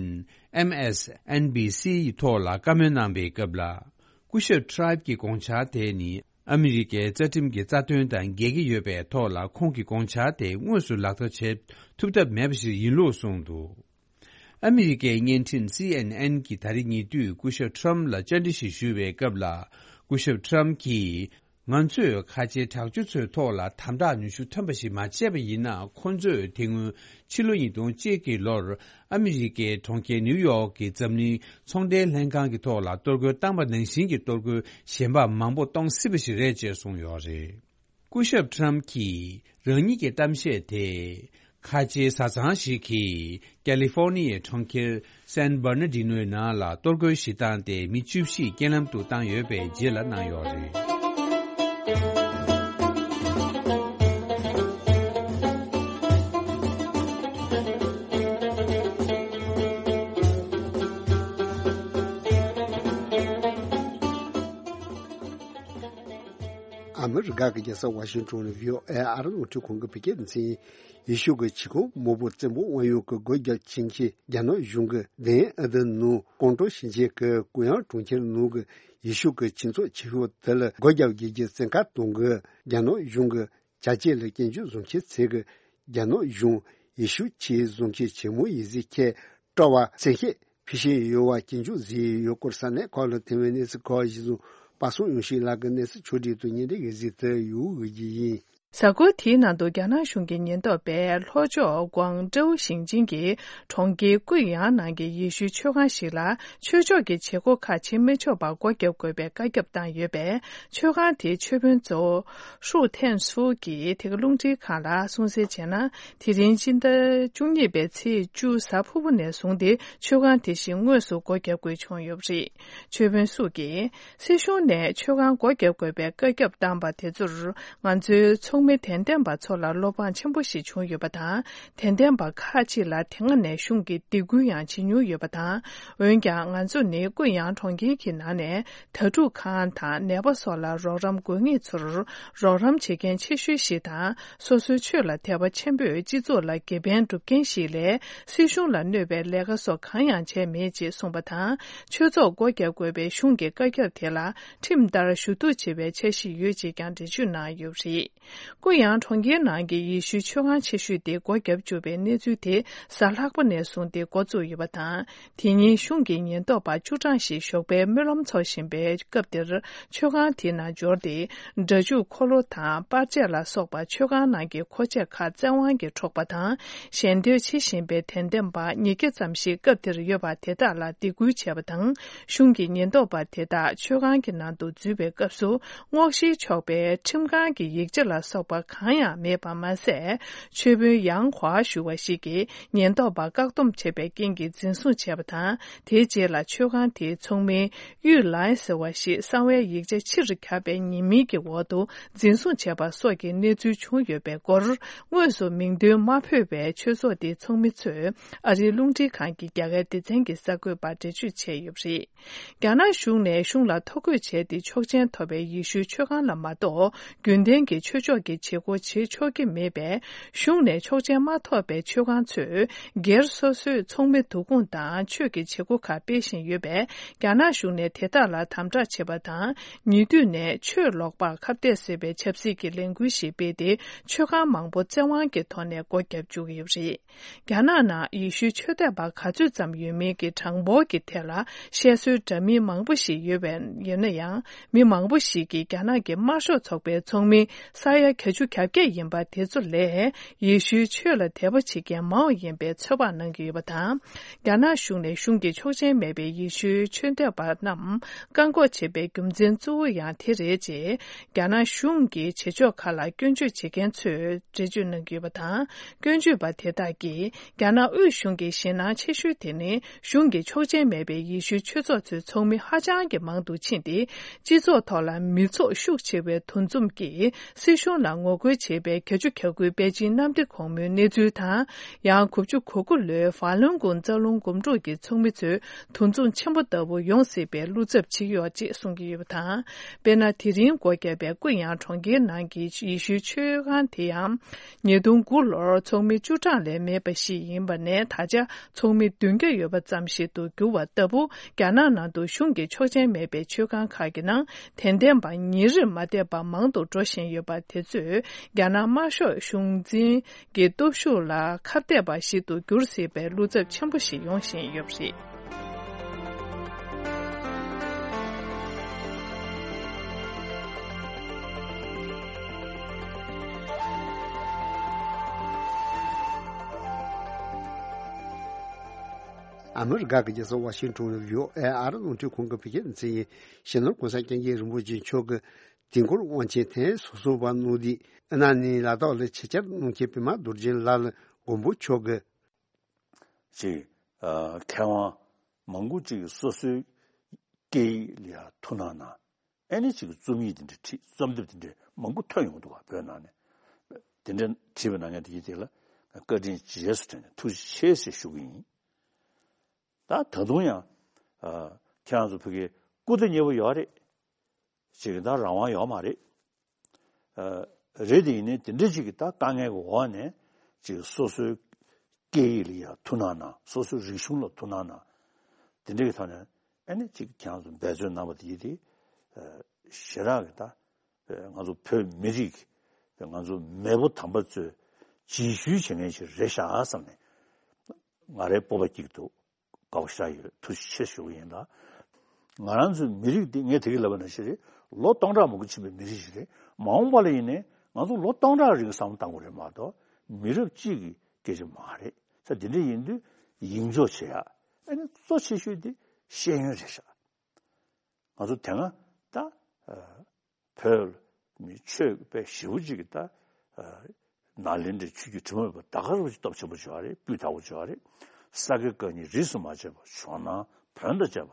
ཨེམ་ཨེས་ཨེན་བི་སི་ཡི་ཐོག་ལ་བཀའ་མོལ་གནང་པའི་སྐབས་ལ། སྐུ་ཞབས་ཊི་རའིབ་ཀྱི་དགོངས་འཆར་དེ་ནི་ཨ་མི་རི་ཀའི་རྩ་ཁྲིམས་ཀྱི་རྩ་དོན་དང་འགལ་གྱི་ཡོད་པའི་ཐོག་ལ། ཁོང་གི་དགོངས་འཆར་དེ་དངོས་སུ་ལག་བསྟར་བྱེད་ཐུབ་ཐབས་མེད་པ་ཞིག་ཡིན་ལུགས་གསུངས་འདུག་ཨ་མི་རི་ཀའི་བརྙན་འཕྲིན་སི་ཨེན་ཨེན་གྱིས་ད་རེས་ཉེ་དུས་སྐུ་ཞབས་ཊམ་ལ་བཅར་འདྲི་ཞིག་ཞུས་པའི་སྐབས་ལ། སྐུ་ཞབས་ཊམ་གྱིས། ང་ཚོས་ཁ་ཆེའི་དྲག་སྤྱོད་ཚོའི་ཐོག་ལ་དམ་དྲག་ནུས་ཤུགས་ཐོན་པ་ཞིག་མ་བྱས་པ་ཡིན་ན། ཁོང་ཚོས་དེ་སྔོན་ཕྱི་ལོ་ཉིས་སྟོང་གཅིག་གི་ལོར་ཨ་མི་རི་ཀའི་གྲོང་ཁྱེར་ནིའུ་ཡོག་གི་འཛམ་གླིང་ཚོང་འབྲེལ་ལྷན་ཁང་གི་ཐོག་ལ་གཏོར་རྒོལ་བཏང་པ་ནང་བཞིན་གྱི་གཏོར་རྒོལ་གཞན་པ་མང་པོ་གཏོང་སྲིད་པ་ཞིག་རེད་ཅེས་གསུངས་ཡོད་རེད། སྐུ་ཞབས་ཊམ་གྱིས་རང་ཉིད་ཀྱི་གཏམ་བཤད་དེ། ཁ་ཆེའི་བཟའ་ཚང་ཞིག་གིས་ཀ་ལི་ཧྥོར་ནི་ཡའི་གྲོང་ཁྱེར་སན་བར་ན་ཌི་ནོའི་ནང་ལ་གཏོར་རྒོལ་ཞིག་བཏང་སྟེ། མི་བཅུ་བཞི་རྐྱེན་ལམ་དུ་བཏང་ཡོད་པའི་རྗེས་ལ་གནང་ཡོད་རེད། ཨ་མི་རི་ཀ་གི་རྒྱལ་ས་ཝ་ཤིང་ཊོན་ནས་བྷི་ཨོ་ཨེ་ཨ་རི་རླུང་འཕྲིན་ཁང་གི་བོད་སྐད་སྡེ་ཚན་ཡིན། ཡེ་ཤུ་གི་ཆས་གོས་མང་པོ་བཙན་པོ་དབང་ཡོད་ཀྱི་སྒོ་བརྒྱབ་ཕྱིན་ཆད། རྒྱ་ནག་གཞུང་གི་དེང་ཨ་ཏི་ནང་ཀོང་ཀྲོའུ་ཞིང་ཆེན་གྱི་ཀུ་ཡང་གྲོང་ཁྱེར་ནང་གི་ཡེ་ཤུ་གི་ཆོས་ཚོགས་ཆེ་ཤོས་དེ་ལ་སྒོ་བརྒྱབ་རྒྱུ་གི་བཙན་བཀའ་གཏོང་གི། རྒྱ་ནག་གཞུང་གི་བྱ་སྤྱོད་ལ་སྐྱོན་བརྗོད་བཟོ་མཁན་ཚོས་གི། རྒྱ་ནག་གཞུང་ཡེ་ཤུ་ཆོས་བཟུང་མཁན་ཆེན་མོ་ཡིན་ཟེར་མཁན་སྤྲ་བ་བཙན་ཤེད་འཕེལ་བཞིན་ཡོད་པ་སྐྱོན་བརྗོད་བཟོས་ཡོད་སྐོར། ས་གནས་ཁག་ལ་ཐོན་པའི་གནས་ཚུལ་ཁག་གཞི་བཟུང་པ་སངས་ཡོང་ཤིང་ལགས་ཀྱིས་གནས་ཚུལ་ཕྱོགས་སྒྲིག་དང་སྙན་སྒྲོན་ཡིན་ཟེར་དུ་ཡོད་གི་ཡིན། གཟའ་འཁོར་དེའི་ནང་དུ་རྒྱ་ནག་གཞུང་གི་ཉེན་རྟོག་པས་ལྷོ་ཕྱོགས་ཀོང་ཀྲོའུ་ཞིང་ཆེན་གྱི་གྲོང་ཁྱེར་ཀུ་ཡང་ནང་གི་ཡེ་ཤུའི་ཆོས་ཁང་ཞིག་ལ་ཆོས་ཕྱོགས་ཀྱི་བྱེད་སྒོ་ཁག་བྱེད་མི་ཆོག་པར་སྒོ་བརྒྱབ་དགོས་པའི་བཀའ་ཁྱབ་བཏང་ཡོད་པས། ཆོས་ཁང་དེའི་ཆོས་དཔོན་གཙོ་བོ་ཧྲུའུ་ཐན་སུའུ་གྱིས་དེ་ག་རླུང་འཕྲིན་ཁང་ལ་གསུངས་གསལ་བྱས་ན། དེ་རིང་སྤྱི་ཟླ་བཅུ་གཉིས་པའི་ཚེས་བཅུ་གཟའ་ཕུར་བུ་ནས་བཟུང་སྟེ་ཆོས་ཁང་དེ་བཞིན་དངོས་སུ་སྒོ་བརྒྱབ་དགོས་བྱུང་ཡོད་པ་རེད། ཆོས་དཔོན་སུའུ་གྱིས། སྲིད་གཞུང་ནས་ཆོས་ཁང་སྒོ་བརྒྱབ་དགོས་པའི་བཀའ་ཁྱབ་བཏང་པ་དེ་ཚོར་ང་ཚོའི་ཚོགས་མི་དད་ལྡན་པ་ཚོ་ལ་བློ་ཕངས་ཆེན་པོ་ཞིག་བྱུང་ཡོད་པ་དང་། དད་ལྡན་པ་ཁག་ཅིག་ལ་དེ་སྔ་ནས་གཞུང་གིས་སྡིགས་སྐུལ་ཡང་བྱེད་མྱོང་ཡོད་པ་དང་། འོན་ཀྱང་ང་ཚོ་ནི་ཀུན་དབྱངས་གྲོང་ཁྱེར་གྱི་ནང་ནས་དྭ་ཕྲུག་ཁང་དང་ནད་པ་སོགས་ལ་རོགས་རམ་དགོས་ངེས་ཚོར་རོགས་རམ་བྱེད་མཁན་ཆེ་ཤོས་ཤིག་དང་། སོ་སོའི་ཆོས་ལ་དད་པ་ཆེན་པོས་སྤྱི་ཚོགས་ལ་དགེ་ཕན་སྒྲུབ་མཁན་ཞིག་ལས། སྲིད་གཞུང་ལ་གནོད་པའི་ལས་ཀ་སོགས་གང་ཡང་བྱས་མེད་ཅེས་གསུངས་པ་དང་། ཆོས་ཚོགས་སྒོ་བརྒྱབ་དགོས་པའི་གཞུང་གི་བཀའ་ཁྱབ་དེ་ལ་ཁྲིམས་ལྟར་ཞུ་གཏུག་བྱེད་པའི་འཆར་གཞི་ཡོད་ཅེས་ཀྱང་འགྲེལ་བརྗོད་གནང་ཡོད་པ་རེད། ཀུ་ཡང་གྲོང་ཁྱེར་ནང་གི་ཡེ་ཤུའི་ཆོས་ཁང་ཆེ་ཤོས་དེ་སྒོ་བརྒྱབ་བཅུག་པའི་གནས་ཚུལ་དེ་གཟའ་ལྷག་པ་ནས་བཟུང་སྟེ་འགོ་བཙུགས་ཡོད་པ་དང་། དེ་ཉིན་གཞུང་གི་ཉེན་རྟོག་པ་བཅུ་གྲངས་ཤིག་ཞོགས་པའི་སྨོན་ལམ་འཚོགས་བཞིན་པའི་སྐབས་དེར། ཆོས་ཁང་དེའི་ནང་འབྱོར་ཏེ། སྒྲ་འཇུག་འཁོར་ལོ་དང་པར་ཆས་ལ་སོགས་པ་ཆོས་ཁང་ནང་གི་མཁོ་ཆས་ཁག་བཙན་དབང་གིས་འཕྲོག་པ་དང་། ཞལ་འདེབས་བྱེད་བཞིན་པའི་དད་ལྡན་པ་ཉིས་བརྒྱ་ཙམ་ཞིག་སྐབས་དེར་ཡོད་པ་དེ་དག་ལ་སྡིགས་སྐུལ་བྱས་པ་དང་། གཞུང་གི་ཉེན་རྟོག་པ་དེ་དག་ཆོས་ཁང་གི་ནང་དུ་འཛུལ་བའི་སྐབས་སུ། སྔོག་བཤེར་ཆོག་པའི་ཁྲིམས་ཁང་གི་ཡིག་ཆ་ལ་སོགས་པ་གང་ཡང་མེད་པ་མ་ཟད། ཆོས་དཔོན་ཡང་ཧྭ་ཞུ་བ་ཞིག་གིས་ཉེན་རྟོག་པ་བཀག་སྡོམ་བྱས་པའི་རྐྱེན་གྱིས་འཛིན་བཟུང་བྱས་པ་དང་། དེའི་རྗེས་ལ་ཆོས་ཁང་དེའི་ཚོགས་མི་གཡུས་ལའེ་ཟེར་བ་ཞིག་གསང་བའི་ཡིག་ཆ་ཕྱིར་བཀྱགས་པའི་ཉེས་མིང་གི་འོག་ཏུ་འཛིན་བཟུང་བྱས་པ་སོགས་ཀྱི་གནས་ཚུལ་བྱུང་ཡོད་པའི་སྐོར། དངོས་སུ་མིང་འདོན་མ་ཕོད་པའི་ཆོས་ཚོགས་དེའི་ཚོགས་མི་ཚོས་ཨ་རིའི་རླུང་འཕྲིན་ཁང་གི་རྒྱ་གར་སྡེ་ཚན་གྱི་གསར་འགོད་པར་འགྲེལ་བརྗོད་བྱས་ཡོད་པ་རེད། རྒྱ་ནག་གཞུང་ནས་གཞུང་ལ་ཐོ་འགོད་བྱས་ཏེ་ཆོག་མཆན་ཐོབ་པའི་ཡེ་ཤུའི་ཆོས་ཁང་ལ་མ་གཏོགས། རྒྱུན་ལྡན་གྱི་ཆོས་ཕྱོགས་ཀྱི་བྱེད་སྒོ་བྱེད་ཆོག་གི་མེད་པས། གཞུང་ནས་ཆོག་མཆན་མ་ཐོབ་པའི་ཆོས་ཁང་ཚོས་སྒེར་སོ་སོའི་ཚོགས་མི་བསྡུ་སྐོང་དང་ཆོས་ཀྱི་བྱེད་སྒོ་ཁག་སྤེལ་བཞིན་ཡོད་པས། རྒྱ་ནག་གཞུང་ནས་དེ་དག་ལ་དམ་དྲག་བྱེད་པ་དང་། ཉེ་དུས་ནས་ཆོས་ལོག་པར་ཁ་གཏད་བཟོས་པའི་ཆབ་སྲིད་ཀྱི་ལས་འགུལ་ཞིག་སྤེལ་ཏེ། ཆོས་ཁང་མང་པོ་བཙན་དབང་གི་ཐོག་ནས་སྒོ་བརྒྱབ་བཅུག་ཡོད་པ་རེད། རྒྱ་ནག་ནང་ཡེ་ཤུའི་ཆོས་དད་པ་ག་ཚོད་ཙམ་ཡོད་མིན་གྱི་གྲངས་འབོར་གྱི་ཐད་ལ་བཤད་སྲོལ་འདྲ་མིན་མང་པོ་ཞིག་ཡོད་པ་ཡིན་ན་ཡང་། མི་མང་པོ་ཞིག་གིས་རྒྱ་ནག་གི་དམར་ཤོག་ཚོགས་པའི་ཚོགས་མི་ས་ཡ་བརྒྱད་ཅུ་གྱ་བརྒྱད་ཡིན་པ་དེ་ཚོ་ལས། ཡེ་ཤུའི་ཆོས་ལ་དད་པ་བྱེད་མཁན་མང་བ་ཡིན་པའི་ཚོད་དཔག་གནང་གི་ཡོད་པ་དང་། རྒྱ་ནག་གཞུང་ནས་གཞུང་གི་ཆོག་མཆན་མེད་པའི་ཡེ་ཤུའི་ཆོས་དད་པ་རྣམས་བཀག་འགོག་བྱེད་པའི་རྒྱུ་མཚན་གཙོ་བོ་ཡང་དེ་རེད་ཅེས། རྒྱ་ནག་གཞུང་གི་བྱེད་ཕྱོགས་ཁག་ལ་སྐྱོན་བརྗོད་བྱེད་མཁན་ཚོས་འགྲེལ་བརྗོད་གནང་གི་ཡོད་པ་དང་། སྐྱོན་བརྗོད་པ་དེ་དག་གིས། རྒྱ་ནག་དབུས་གཞུང་གི་ཞེད་སྣང་ཆེ་ཤོས་དེ་ནི། གཞུང་གི་ཆོག་མཆན་མེད་པའི་ཡེ་ཤུའི་ཆོས་ཚོགས་ཚོའི་ཚོགས་མི་ཧ་ཅང་གི་མང་དུ་ཕྱིན་ཏེ། སྤྱི་ཚོགས་ཐོག་ལ་མི་ཚོགས་ཤུགས་ཆེ་བའི་འདུ་འཛོམས་ཀྱིslag སྲིད་གཞུང་ལ་ངོ་རྒོལ་བྱེད་པའི་བརྒྱད་ཅུ་གྱ་དགུའི་པེ་ཅིན་གནམ་བདེ་གོང་མོའི་གནས་ཚུལ་དང་། ཡང་དགུ་བཅུ་གོ་དགུ་ལོའི་ཧྥ་ལུན་གུང་རྩ་རླུང་འགུམ་འགྲུལ་གྱི་ཚོགས་མི་ཚོའི་འདུ་འཛོམས་ཆེན་པོ་ལྟ་བུ་ཡོང་སྲིད་པའི་བློ་འཚབ་བྱེད་ཀྱི་ཡོད་ཅེས་གསུང་གི་ཡོད་པ་དང་། དཔེར་ན། དེ་རིང་སྒོ་བརྒྱབ་པའི་ཀུན་དབྱངས་གྲོང་ཁྱེར་ནང་གི་ཡེ་ཤུའི་ཆོས་ཁང་དེ་ཡང་། ཉིས་སྟོང་དགུ་ལོར་ཚོགས་མི་བཅུ་གྲངས་ལས་མེད་པ་ཞིག་ཡིན་པ་ནས། ད་ཆ་ཚོགས་མི་བདུན་བརྒྱ་ཡོད་པ་ཙམ་ཞིག་ཏུ་གྱུར་བ་ལྟ་བུ། རྒྱ་ནག་ནང་དུ་གཞུང་གི་ཆོག་མཆན་མེད་པའི་ཆོས་ཁང་ཁག་གི་ནང་དད་ལྡན་པ་ཉིན་རེར་མ་བསྡད་པར་མང་དུ་འགྲོ་བཞིན་ཡོད་པ་དེ་ཚོས། རྒྱ་ནག་དམར་ཤོག་གཞུང་འཛིན་གྱི་སྟོབས་ཤུགས་ལ་ཁ་གཏད་པ་ཞིག་ཏུ་འགྱུར་སྲིད་པའི་བློ་འཚབ་ཆེན་པོ་ཞིག་ཡོང་བཞིན་ཡོད་པ་རེད། ཨ་མི་རི་ཀ་གི་རྒྱལ་ས་ཝ་ཤིང་ཊོན་ནས་བྷི་ཨོ་ཨེ་ཨ་རི་རླུང་འཕྲིན་ཁང་གི་བོད་སྐད་སྡེ་ཚན་ཡིན། སྤྱི་ནོར་གོང་ས་སྐྱབས་མགོན་རིན་པོ་ཆེ་མཆོག་གིས་དུས་འཁོར་དབང་ཆེན་ཐེངས་སོ་གསུམ་པ་གནང་དུས། ཨ་ནི་ལ་དྭགས་ལ་ཆེད་བཅར་གནང་མཁན་པད་མ་རྡོ་རྗེ་ལགས་ལ་མགོན་པོ་མཆོག་གིས། ཅིག་ཨ། མཁས་དབང་མང་པོ་ཅིག་སོ་སོའི་སྐད་ཡིག་ལ་ཡང་ཐུགས་སྣང་གནང་། ཨ་ནི་ཅིག་རྩོམ་ཡིག་དེ་འདྲ་བྲིས། རྩོམ་དེབ་དེ་འདྲ་མང་པོ་ཐོན་ཡོང་འདུག་བ། བོད་ནང་ནས་དེ་འདྲ་བྲིས་པ་གནང་མཁན་དེ་ཡིན་དེ་ལ་བཀའ་དྲིན་རྗེས་སུ་དྲན་ནས་ཐུགས་རྗེ་ཆེ་ཞེས་ཞུ་གི་ཡིན། ད་ད་དུང་ཡང་། ཨ། ཁྱེད་རང་ཚོ་བོད་སྐད་སྐུ་ཚེ་མཉེས་པོ་ཡོད་རེད། ཅིག་ད་རང་དབང་ཡོད་མ་རེད། ཨ་རེད་དེ། ཡིན་ནའི་དེ་འདྲ་ཅིག་གི་ད་དཀའ་ངལ་གྱི་འོག་ནས་ཅིག་སོ་སོའི་སྐད་ཡིག་ལ་ཡང་ཐུགས་སྣང་གནང་། སོ་སོའི་རིག་གཞུང་ལ་ཐུགས་སྣང་གནང་། དེ་འདྲ་གི་ཐོག་ནས་ཨ་ནི་ཅིག་ཁྱེད་རང་ཚོ་འབད་བརྩོན་གནང་བ་དེ་ཡིན་ཏེ། ཨ་ཞེ་དྲག་གི་ད་ང་ཚོ་བོད་མི་རིགས་ང་ཚོ་མེས་པོ་དམ་པ་ཚོས་རྗེས་ཤུལ་བྱེད་མཁན་ཞིག་རེད་ཤག་བསམ་ནས་ང་རའི་སྤོབས་པ་སྐྱེ་གི་འདུག་དགའ་པོ་ཞེ་དྲག་ཡོད། ཐུགས་རྗེ་ཆེ་ཞུ་གི་ཡིན་ལ། ང་རང་ཚོའི་མི་རིགས་འདི་ངས་དེ་གི་ལབ་པ་ནང་བཞིན་རེད། ལོ་སྟོང་ཕྲག་མང་པོ་ཕྱིན་པའི་མི་རིགས་ཤིག་རེད། མ་འོངས་པ་ལ་ཡིན་ནའི་ང་ཚོ་ལོ་སྟོང་ཕྲག་རིང་བསམ་བློ་བཏང་དགོས་རེད་མ་གཏོགས་མི་རབས་གཅིག་གི་སྐད་ཆ་མ་རེད། ས་དེ་འདྲ་ཡིན་དུས་ཡིད་འཇོག་བྱེད་ཡ། ཨ་ནི་གཙོ་ཆེ་ཤོས་དེ་ཤེས་ཡོན་རེད་ཤག་ང་ཚོ་དེ་སྔ་ད་ཨ་བོད་མི་ཆོས་པའི་ཞེ་པོ་ཅིག་གི་ད་ཨ་ནཱ་ལེནྡྲའི་ཆོས་བརྒྱུད་དྲི་མ་མེད་པ་ད་ག་རང་ཅིག་སྟོབས་ཆེན་པོ་བྱུང་བ་རེད། སྤུས་དག་པོ་བྱུང་བ་རེད། ས་དགེ་བཀའ་རྙིང་རིས་སུ་མ་ཆད་པ། ཇོ་ནང་བོན་དང་བཅས་པ་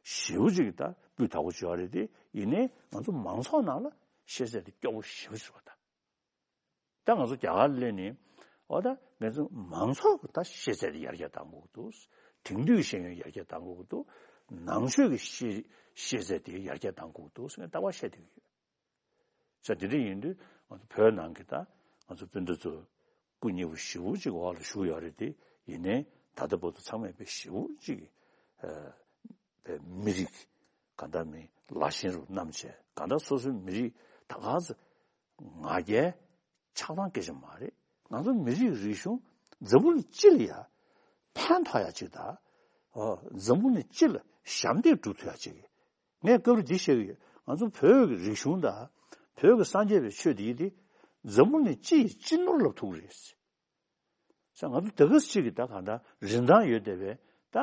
ཞེ་པོ་ཅིག་གི་ད་སྤུས་དག་པོ་བྱུང་བ་རེད་དེ། ཡིན་ནའི་ང་ཚོ་མང་ཚོགས་ནང་ལ་ཤེས་ཚད་དེ་སྐྱོ་པོ་ཞེ་པོ་ཅིག་རེད་པ། ད་ད་ང་ཚོ་རྒྱ་གར་སླེབས་ནས་འོ་ད་ང་ཚོ་མང་ཚོགས་ཀྱི་ད་ཤེས་ཚད་དེ་ཡར་རྒྱས་གཏང་དགོས་ཀྱི་འདུག་དེང་དུས་ཤེས་ཡོན་ཡར་རྒྱས་གཏང་དགོས་ཀྱི་འདུག་ནང་ཆོས་ཀྱི་ཤེས་ཤེས་ཚད་དེ་ཡར་རྒྱས་གཏང་དགོས་ཀྱི་འདུག་ཟེར་ནས་ལྟ་བ་བཤད་བསྡད་ཀྱི་ཡོད། ས་དེ་འདྲ་ཡིན་དུས་ང་ཚོ་བོད་ནང་གི་ད་ང་ཚོ་སྤུན་ཟླ་ཚོ་སྐུ་མཉེལ་པོ་ཞེ་པོ་ཅིག་འོག་ལ་བཞུགས་ཡོད་རེད་དེ། ཡིན་ནའི་ད་ལྟ་བར་དུ་ཚང་མས་དཔེ་ཞེ་པོ་ཅིག་ཨ་པའི་མི་རིགས་གང་ལྟར་མི་ལ་ཞེན་རུ་བསྣམས་བྱས། གང་ལྟར་སོ་སོའི་མི་རིགས་ད་ག་ཚོད་ང་རྒྱལ་ཆགས་སྡང་སྐད་ཆ་མ་རེད། ང་ཚོ་མི་རིགས་རིག་གཞུང་འཛམ་བུ་གླིང་སྤྱི་ལ་ཡ་ཕན་ཐོགས་ཡ་ཅིག་དང་། འཛམ་བུ་གླིང་སྤྱི་ལ་ཞབས་འདེགས་སྒྲུབ་ཐུབ་ཡ་ཅིག་ངས་སྐབས་རེ་འདི་བཤད་ཀྱི་ཡོད། ང་ཚོ་བོད་ཀྱི་རིག་གཞུང་དང་བོད་ཀྱི་སངས་རྒྱས་པའི་ཆོས་འདི་ཡིན་ཏེ། འཛམ་བུ་གླིང་སྤྱི་ཡི་སྤྱི་ནོར་ལབ་ཐུབ་ཀྱི་རེད། ས་ང་ཚོ་ད་ག་ཟེ་ཅིག་གི་ད་གང་ལྟར་རིན་ཐང་ཡོད་བསྡད་པའི་ད་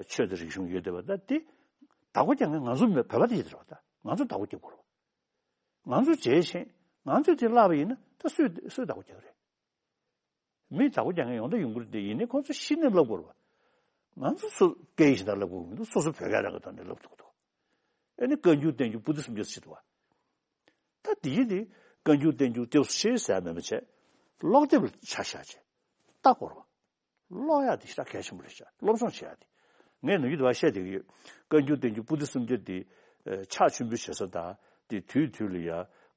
ཆོས་དང་རིག་གཞུང་ཡོད་བསྡད་པ་ད་དེ་བདག་པོ་རྒྱག་མཁན་ང་ཚོ་མི་བོད་པ་དེ་ཡིན་ད་རེད་པ། ད་ང་ཚོ་བདག་པོ་རྒྱག་དགོས་རེད་པ། ང་ཚོ་བྱས་ཤིང་ང་ཚོས་དེ་བརླག་པ་ཡིན་ན་ད་སུས་སུས་བདག་པོ་རྒྱག་རེད། མི་བདག་པོ་རྒྱག་མཁན་ཡོང་ད་ཡོང་གི་རེད་དེ། ཡིན་ནའི་ཁོང་ཚོ་གཞི་ནས་བསླབ་དགོས་རེད་པ། ང་ཚོ་སུ་སྐད་ཡིག་གཞན་དག་བསླབ་དགོས་མི་འདུག་སོ་སོ་བོད་སྐད་རང་གི་ཐོག་ནས་བསླབ་དགོས་འདུག་ཨ་ནི་བཀའ་འགྱུར་བསྟན་འགྱུར་པོ་ཏི་སུམ་བརྒྱ་ཟེར་འདུག་པ། ད་དེ་ཡིན་དེ་བཀའ་འགྱུར་བསྟན་འགྱུར་ཏེ་ཤེས་ཟེར་མེད་པ་བྱས། ཀློག་དེབ་ལ་ཆ་བཞག་བྱས་ལྟ་དགོས་རེད་པ། ཀློག་ཡག་དེ་ཞེ་དྲག་གལ་ཆེན་པོ་རེད་ཤག་སློབ་སྦྱོང་བྱེད་ཡག་དེ། ངས་ནམ་རྒྱུན་དུ་བ་བཤད་བསྡད་ཀྱི་ཡོད། བཀའ་འགྱུར་བསྟན་འགྱུར་པོ་ཏི་སུམ་བརྒྱ་དེ་ཨ་ཕྱག་མཆོད་འབུལ་བྱེད་ས་དང་དེ་དུས་དུས་ལ་ཡ་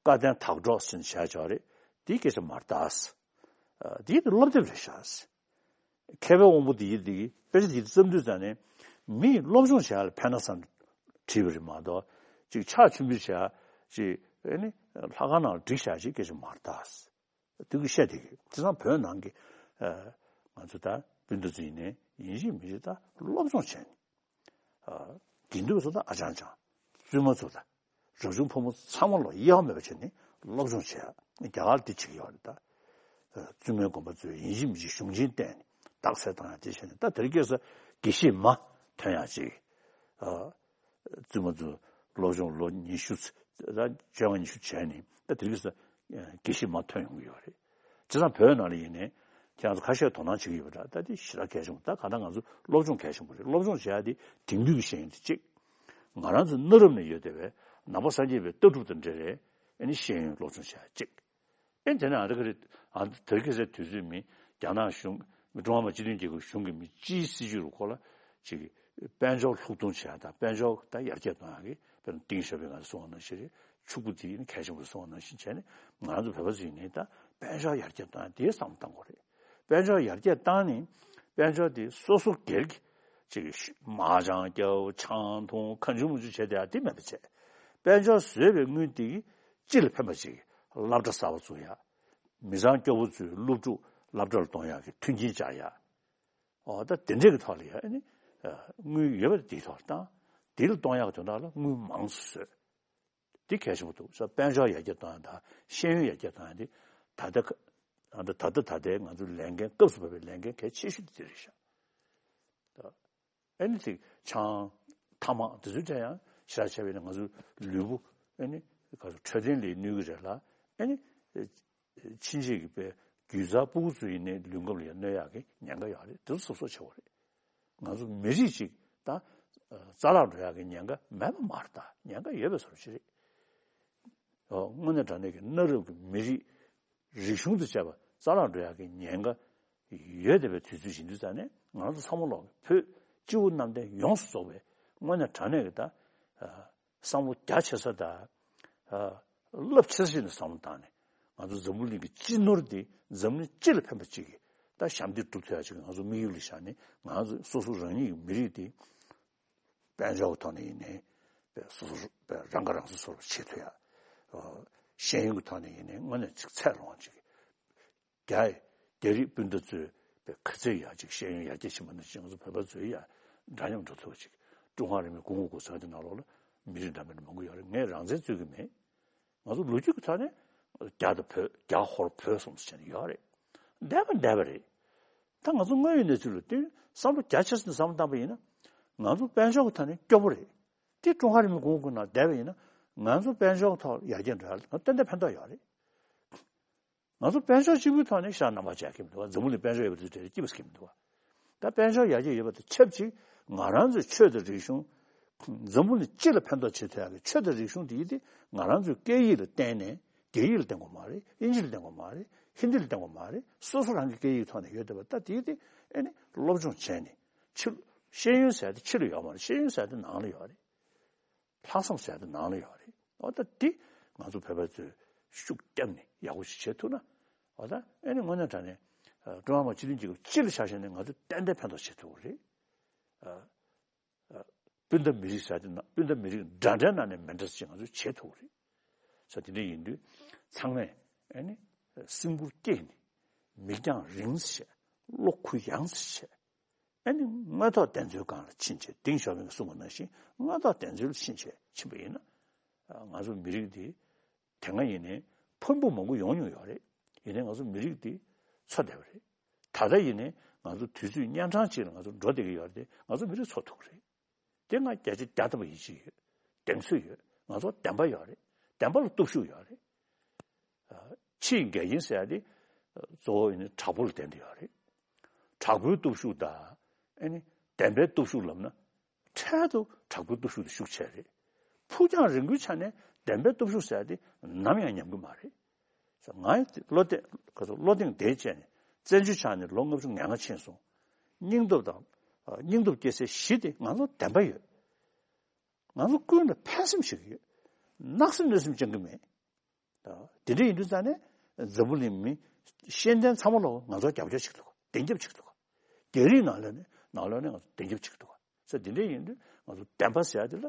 བཀའ་བསྟན་དག་སྒྲོག་ཟེར་ནས་བྱས་བྱས་རེད། དེའི་སྐད་ཆ་མ་རེད་ད། ཨ་དེ་ཡིན་དེ་སློབ་དེབ་རེད་ཤག་མཁས་པའི་དབང་པོ་དེ་ཡིན་དེ་དཔེ་ཆ་དེ་བརྩམས་དུས་ཙང་ནས་མིས་སློབ་སྦྱོང་བྱེད་ཡག་ལ་ཕན་ན་བསམ་བྲིས་པ་རེད་མ་གཏོགས་ཅིག་ཕྱག་མཆོད་འབུལ་བྱེད་ཡག་ཅིག་ཨ་ནི་ལྷ་ཁང་ནང་ལ་བསྒྲིགས་བཞག་ཅིག་སྐད་ཆ་མ་རེད་ད། དུས་ཀྱི་བཤད་དེ་གི་དེང་སང་བོད་ནང་གི་ཨ་ང་ཚོ་ད་སྤུན་ཟླ་ཚོ་ཡིན་ནའི་ཡིན་གཅིག་མིན་གཅིག་ད་སློབ་སྦྱོང་བྱས་ནས། ཨ་དགེ་འདུན་ཚོ་ད་ཨ་ཅང་ཅང་། བཙུན་མ་ཚོ་ད་རབ་བྱུང་ཕོ་མོ་ཚང་མ་ལོ་གཡེལ་མེད་པ་བྱས་ནས་སློབ་སྦྱོང་བྱེད་ཡ། རྒྱ་གར་འདི་བྱེད་ཀྱི་ཡོད་རེད་ད། ཨ་བཙུན་མའི་དགོན་པ་ཚོས་ཡིན་གཅིག་མིན་གཅིག་གཞུང་ཆེན་བསྟན་ནས་རྟགས་གསལ་བཏང་ཡ་དེ་བྱས་ནས། ད་དེ་རིང་ཁ་སང་དགེ་བཤེས་མ་ཐོན་ཡ་ཅིག་ཨ་བཙུན་མ་ཚོ་སློབ་སྦྱོང་ལོ་ཉི་ཤུ་ཙམ་ད་བཅོ་ལྔ་ཉི་ཤུ་བྱས་ནས་ད་དེ་རིང་ཁ་སང་དགེ་བཤེས་མ་ཐོན་ཡོང་གི་ཡོད་རེད། བྱས་ཙང་བོད་ནང་ལ་ཡིན་ནའི་ཁྱེད་རང་ཚོ་ཁ་ཤས་དོ་སྣང་བྱེད་ཀྱི་ཡོད་པ་འདྲ། ད་དེ་ཞེ་དྲག་གལ་ཆེན་པོ། ད་གང་ལྟར་ང་ཚོ་སློབ་སྦྱོང་གལ་ཆེན་པོ་རེད། སློབ་སྦྱོང་བྱེད་ཡ་དེ་དེང་དུས་ཀྱི་ཤེས་ཡོན་དེ་གཅིག་ང་རང་ཚོ་གནའ་རབས་ནས་ཡོད་བསྡད་པའི་ནང་པ་སངས་རྒྱས་པའི་ལྟ་གྲུབ་དང་འབྲེལ་བའི་ཨ་ནི་ཤེས་ཡོན་སློབ་སྦྱོང་བྱེད་ཡ་གཅིག་ཨེ་དེ་ནས་ཨ་རི་ཁ་རི་ཨ་དེ་རིང་ཁ་སང་དུས་ཚོད་མི་རྒྱ་ནག་གཞུང་མི་ཀྲུང་ཧྭ་མི་དམངས་སྤྱི་མཐུན་རྒྱལ་ཁབ་གཞུང་གི་མི་སྤྱིའི་སྲིད་ཇུས་རུ་ཁོ་ལ་ཅིག་དཔལ་འབྱོར་ལྷུག་གཏོང་བྱེད་ཡ་དང་དཔལ་འབྱོར་ད་ཡར་རྒྱས་གཏོང་ཡ་གི་དཔེར་ན་ཏིང་ཞའོ་ཕིང་ང་ཚོ་གསུངས་པ་ནང་བཞིན་རེད། ཕྱུག་པོ་དེ་ཡིན་གལ་ཆེན་པོ་གསུངས་པ་ནང་བཞིན་བྱས་ནས་ང་ཚོ་བོད་པ་ཚོ་ཡིན་ནའི་ད་དཔལ་འབྱོར་ཡར་རྒྱས་གཏོང་ཡ་དེའི་བསམ་བློ་གཏང་དགོས་རེད། དཔལ་འབྱོར་ཡར་རྒྱས་བཏང་ནས་དཔལ་འབྱོར་དེ་སོ་སོ་སྒེར་གྱི་ཅིག་མ་ཅང་རྒྱབ་ཆང་འཐུང་གང་བྱུང་མང་བྱུང་བྱས་བསྡད་ཡ་དེ་མེད་པ་བྱས། དཔལ་འབྱོར་བཟོས་པའི་དངུལ་དེ་གིས་སྤྱི་ལ་ཕན་པ་ཅིག་སློབ་གྲྭ་གསར་པ་བཙུགས་ཡ། མི་ཚང་སྐྱོ་པོ་ཚོའི་སློབ་ཕྲུག་སློབ་གྲྭ་ལ་གཏོང་ཡག་གི་མཐུན་རྐྱེན་སྦྱར་ཡ། འོ་ད་དེ་འདྲས་ཀྱི་ཐོག་ལ་ཡ་ཨ་ནི་དངུལ་ཡོད་པ་དེའི་ཐོག་ལ་བཏང་། དེ་ལ་གཏོང་ཡག་གི་དོན་དག་ལ་དངུལ་མང་ཙམ་བཟོས། དེ་གལ་ཆེན་པོ་འདུག་ས། དཔལ་འབྱོར་ཡར་རྒྱས་གཏོང་ཡག་དང་ཤེས་ཡོན་ཡར་རྒྱས་གཏོང་ཡག་དེ་ད་ལྟ་ད་ལྟ་ད་ལྟའི་ང་ཚོའི་ལས་འགན་སྐབས་སུ་བབས་པའི་ལས་འགན་གལ་ཆེ་ཤོས་དེ་རེད་ཤག་ཨ་ནི་དེ་ཆང་ཐ་མག་དེ་ཚོའི་གྲས་ཡང་ཞེ་དྲག་བྱས་པས་ན་ང་ཚོའི་ལུས་པོ་ཨ་ནི་ག་ཚོད་འཕྲོད་བསྟེན་ལ་གནོད་ཀྱི་རེད་ལ། ཨ་ནི་ཕྱིན་ཆད་ཀྱི་པའི་རྒྱུད་བཟའ་ཕྲུ་གུ་ཚོ་ཡིན་ནའི་ལུས་ཁམས་ལ་ཡང་གནོད་ཡག་གི་ཉེན་ཁ་ཡོད་རེད། དེ་ཚོ་གཟབ་གཟབ་བྱེད་དགོས་རེད། ང་ཚོ་མི་རིགས་གཅིག་ད་རྩ་བརླག་འགྲོ་ཡག་གི་ཉེན་ཁ་མེད་པ་མ་རེད། ད་ཉེན་ཁ་ཡོད་པའི་བཟོ་འདྲ་ཅིག་རེད། ཨོ་དངོས་གནས་དྲང་གནས་ཀྱི་གནའ་རབས་ཀྱི་མི་རིགས་རིག་གཞུང་དང་བཅས་པ་རྩ་བརླག་འགྲོ་ཡག་གི་ཉེན་ཁ་ཡོད་བསྡད་པའི་དུས་ཚོད་ཡིན་དུས་ཙང་ནས་ང་ཚོ་ཚང་མ་ལོག་བོད་སྤྱི་བོ་གནམ་བསྟན་ཡོངས་སུ་རྫོགས་པའི་དངོས་གནས་དྲང་གནས་ཀྱི་ད་བསམ་བློ་རྒྱ་ཆེ་ས་དང་། རླབས་ཆེ་ས་ཞིག་ནས་བསམ་བློ་བཏང་ནས། ང་ཚོ་འཛམ་བུ་གླིང་གི་སྤྱི་ནོར་འདི་འཛམ་གླིང་སྤྱི་ལ་ཕན་པ་ཅིག་གི་ད་ཞབས་འདེགས་སྒྲུབ་ཐུབ་ཡ་ཅིག་ང་ཚོ་དམིགས་ཡུལ་ལ་བཞག་ནས། ང་ཚོ་སོ་སོ་རང་ཉིད་ཀྱི་མི་རིགས་འདི་དཔལ་འབྱོར་གྱི་ཐོག་ནས་ཡིན་ནའི་སོ་སོ་རང་ཁ་རང་གསོ་སོ་སོར་བྱེད་ཐུབ་ཡ། ཤེས་ཡོན་གྱི་ཐོག་ནས་ཡིན་ནའི་དངོས་གནས་ཅིག་ཚད་ལོངས་ཅིག་རྒྱ་རྒྱ་རིགས་སྤུན་ཟླ་ཚོས་པའི་ག་ཚད་ཡག་ཅིག་ཤེས་ཡོན་ཡར་རྒྱས་ཕྱིན་པ་ནང་བཞིན་ང་ཚོ་བོད་པ་ཚོས་ཡང་འདྲ་མཉམ་འགྲོ་ཐུབ་པ་ཅིག་ཀྲུང་ཧྭ་རིང་ལུགས་གོང་འོག་གོང་ས་དེ་ནང་ལོགས་ལ་མི་རིགས་འདྲ་མིན་མང་པོ་ཡོད་རེད། ངས་རང་བཙན་རྩོད་ཀྱི་མེད། ང་ཚོ་ལོ་རྒྱུས་ཀྱི་ཐོག་ནས་རྒྱ་དང་བོད། རྒྱ་ཧོར་བོད་གསུམ་ཟེར་ནས་ཡོད་རེད། འདས་པ་འདས་པ་རེད། ད་ང་ཚོ་དངོས་ཡོད་གནས་ཚུལ་ལ་བསྟུན་བསམ་བློ་རྒྱ་ཆེ་ཙམ་བསམ་བློ་བཏང་པ་ཡིན་ན། ང་ཚོ་དཔལ་འབྱོར་གྱི་ཐོག་ནས་སྐྱོ་པོ་རེད། དེ་ཀྲུང་ཧྭ་རིང་ལུགས་གོང་འོག་གི་ནང་བསྡད་པ་ཡིན་ན། ང་ཚོ་དཔལ་འབྱོར་གྱི་ཐོག་ཡར་རྒྱས་འགྲོ་ཡ་ལ་ང་ཏན་ཏན་ཕན་ཐོགས་ཡོད་རེད། ང་ཚོ་དཔལ་འབྱོར་གཅིག་པུའི་ཐོག་ནས་ཤར་ནང་པ་བྱས་ཀྱི་མི་འདུག་བ། འཛམ་བུ་གླིང་དཔལ་འབྱོར་ཡོད་པ་དེ་འདྲ་སྐྱིད་པོ་སྐྱིད་མི་འདུག་བ། ད་དཔལ་འབྱོར་ཡར་རྒྱས་ཡོད་པ་དང་ཆབས་ཅིག་ང་རང་ཚོའི་ཆོས་དང་རིག་གཞུང་། འཛམ་བུ་གླིང་སྤྱི་ལ་ཕན་ཐོགས་བྱེད་ཐུབ་ཡག་གི་ཆོས་དང་རིག་གཞུང་དེ་ཡིན་ཏེ། ང་རང་ཚོའི་སྐད་ཡིག་ལ་བརྟེན་ནས། རྒྱ་ཡིག་ལ་བརྟེན་དགོས་མ་རེད། དབྱིན་ཇི་ལ་བརྟེན་དགོས་མ་རེད། ཧིན་དི་ལ་བརྟེན་དགོས་མ་རེད། སོ་སོ་རང་གི་སྐད་ཡིག་ཐོག་ནས་ཡོད་བསྡད་པ་ད་དེ་ཡིན་ཏེ། ཨེ་ནི་སློབ་སྦྱོང་བྱས་ནས། ཕྱི་ཤེས་ཡོན་ཟེར་ཡ་དེ་ཕྱི་ལ་ཡོད་མ་རེད། ཤེས་ཡོན་ཟེར་ཡ་དེ་ནང་ལ་ཡོད་རེད། ལྷག་བསམ་ཟེར་ཡ་དེ་ནང་ལ་ཡོད་རེད། འོ་ད་འདི་ང་ཚོ་བོད་པ་ཚོས་ཤུགས་བརྒྱབ་ནས་ཡག་པོ་ཞིག་བྱེད་ཐུབ་ན། འོ་ད་ཨེ་ནི་དངོས་གནས་དྲང་གནས་ཀྲུང་ཧྭ་མི་དམངས་སྤྱི་མཐུན་རྒྱལ་ཁབ་སྤྱི་ལ་ཆ་བཞག་ནས་ང་ཚོ་ཏན་ཏན་ཕན་ཐོགས་བྱེད་ཐུབ་ཀྱི་རེད། སྤུན་ཟླ་མི་རིགས་ཟེར་ཡ་དེ་ནང་སྤུན་ཟླ་མི་རིགས་འདྲ་འདྲའི་ནང་ནས་མི་འདྲ་ཅིག་ང་ཚོས་བྱེད་ཐུབ་ཀྱི་རེད། ས་དེ་འདྲ་ཡིན་དུས་ཚང་མས་ཨེ་ནི་སེམས་ཁུར་བསྐྱེད་ནས། མིག་རྒྱང་རིང་ཙམ་བྱས། བློ་གུ་ཡངས་ཙམ་བྱས། ཨ་ནི་དངོས་ཐོག་བདེན་འཚོལ་སྒང་ལ་ཕྱིན་བྱས། ཏེང་ཞའོ་ཕིང་གིས་གསུངས་པ་ནང་བཞིན་དངོས་ཐོག་བདེན་འཚོལ་ལ་ཕྱིན་བྱས་ཕྱིན་པ་ཡིན་ན། ང་ཚོ་མི་རིགས་འདི་དེ་སྔ་ཡིན་ནའི་ཕུང་པོ་མང་པོ་ཡོང་མྱོང་ཡོད་རེད། ཡིན་ནའི་ང་ཚོ་མི་རིགས་འདི་འཚོ་བསྡད་པ་རེད། ད་ལྟ་ཡིན་ནའི་ང་ཚོ་དུས་ཚོད་གཉན་འཕྲང་ཅིག་ལ་ང་ཚོ་འགྲོ་བསྡད་ཀྱི་ཡོད་རེད་དེ། ང་ཚོ་མི་རིགས་འཚོ་ཐུབ་ཀྱི་རེད། དེ་སྔ་བརྒྱ་ཆ་བརྒྱ་ཐམ་པ་ཡིད་ཆེས་ཡོད། གདེང་ཚོད་ཡོད། ང་ཚོ་བདེན་པ་ཡོད་རེད། བདེན་པ་ལ་སྟོབས་ཤུགས་ཡོད་རེད། ཕྱིའི་འགལ་རྐྱེན་ཟེར་ཡ་དེ་གཙོ་བོ་ཡིན་ན་དྲག་པོ་ལ་བརྟེན་ཏེ་ཡོད་རེད། དྲག་པོའི་སྟོབས་ཤུགས་དང་། ཨེ་ནི་བདེན་པའི་སྟོབས་ཤུགས་ལབ་ན། འཕྲལ་དུ་དྲག་པོའི་སྟོབས་ཤུགས་དེ་ཤུགས་ཆེ་རེད། ཕུགས་རྒྱང་རིང་པོའི་ཆ་ནས་བདེན་པའི་སྟོབས་ཤུགས་ཟེར་ཡ་དེ་ནམ་ཡང་ཉམས་ཀྱི་མ་རེད། ང་བློ་གཏད་ག་ཚོད་བློ་གདེང་བདེ་བྱས་ནས་བཙན་བྱོལ་ཆགས་ནས་ལོ་ལྔ་བཅུ་ང་ལྔ་ཕྱིན་སོང་། སྙིང་སྟོབས་དང་། སྙིང་སྟོབས་སྐྱེ་སའི་གཞི་དེ་ང་ཚོ་བདེན་པ་ཡོད། ང་ཚོ་ཀུན་ལ་ཕན་སེམས་ཤིག་ཡོད། གནག་སེམས་གནོད་སེམས་ཅང་གི་མེད། དེ་འདྲ་ཡིན་དུས་ཙང་ནས་འཛམ་བུ་གླིང་མི་ཤེས་ལྡན་ཚང་མ་ལོག་ང་ཚོ་རྒྱབ་སྐྱོར་བྱེད་ཀྱི་འདུག་ག་བདེན་རྒྱབ་བྱེད་ཀྱི་འདུག་ག་རྒྱ་རིགས་ནང་ལོགས་ནས་ནང་ལོགས་ནས་ང་ཚོ་བདེན་རྒྱབ་བྱེད་ཀྱི་འདུག་ག་ས་དེ་འདྲ་ཡིན་དུས་ང་ཚོ་བདེན་པ་ཟེར་ཡ་དེ་ལ་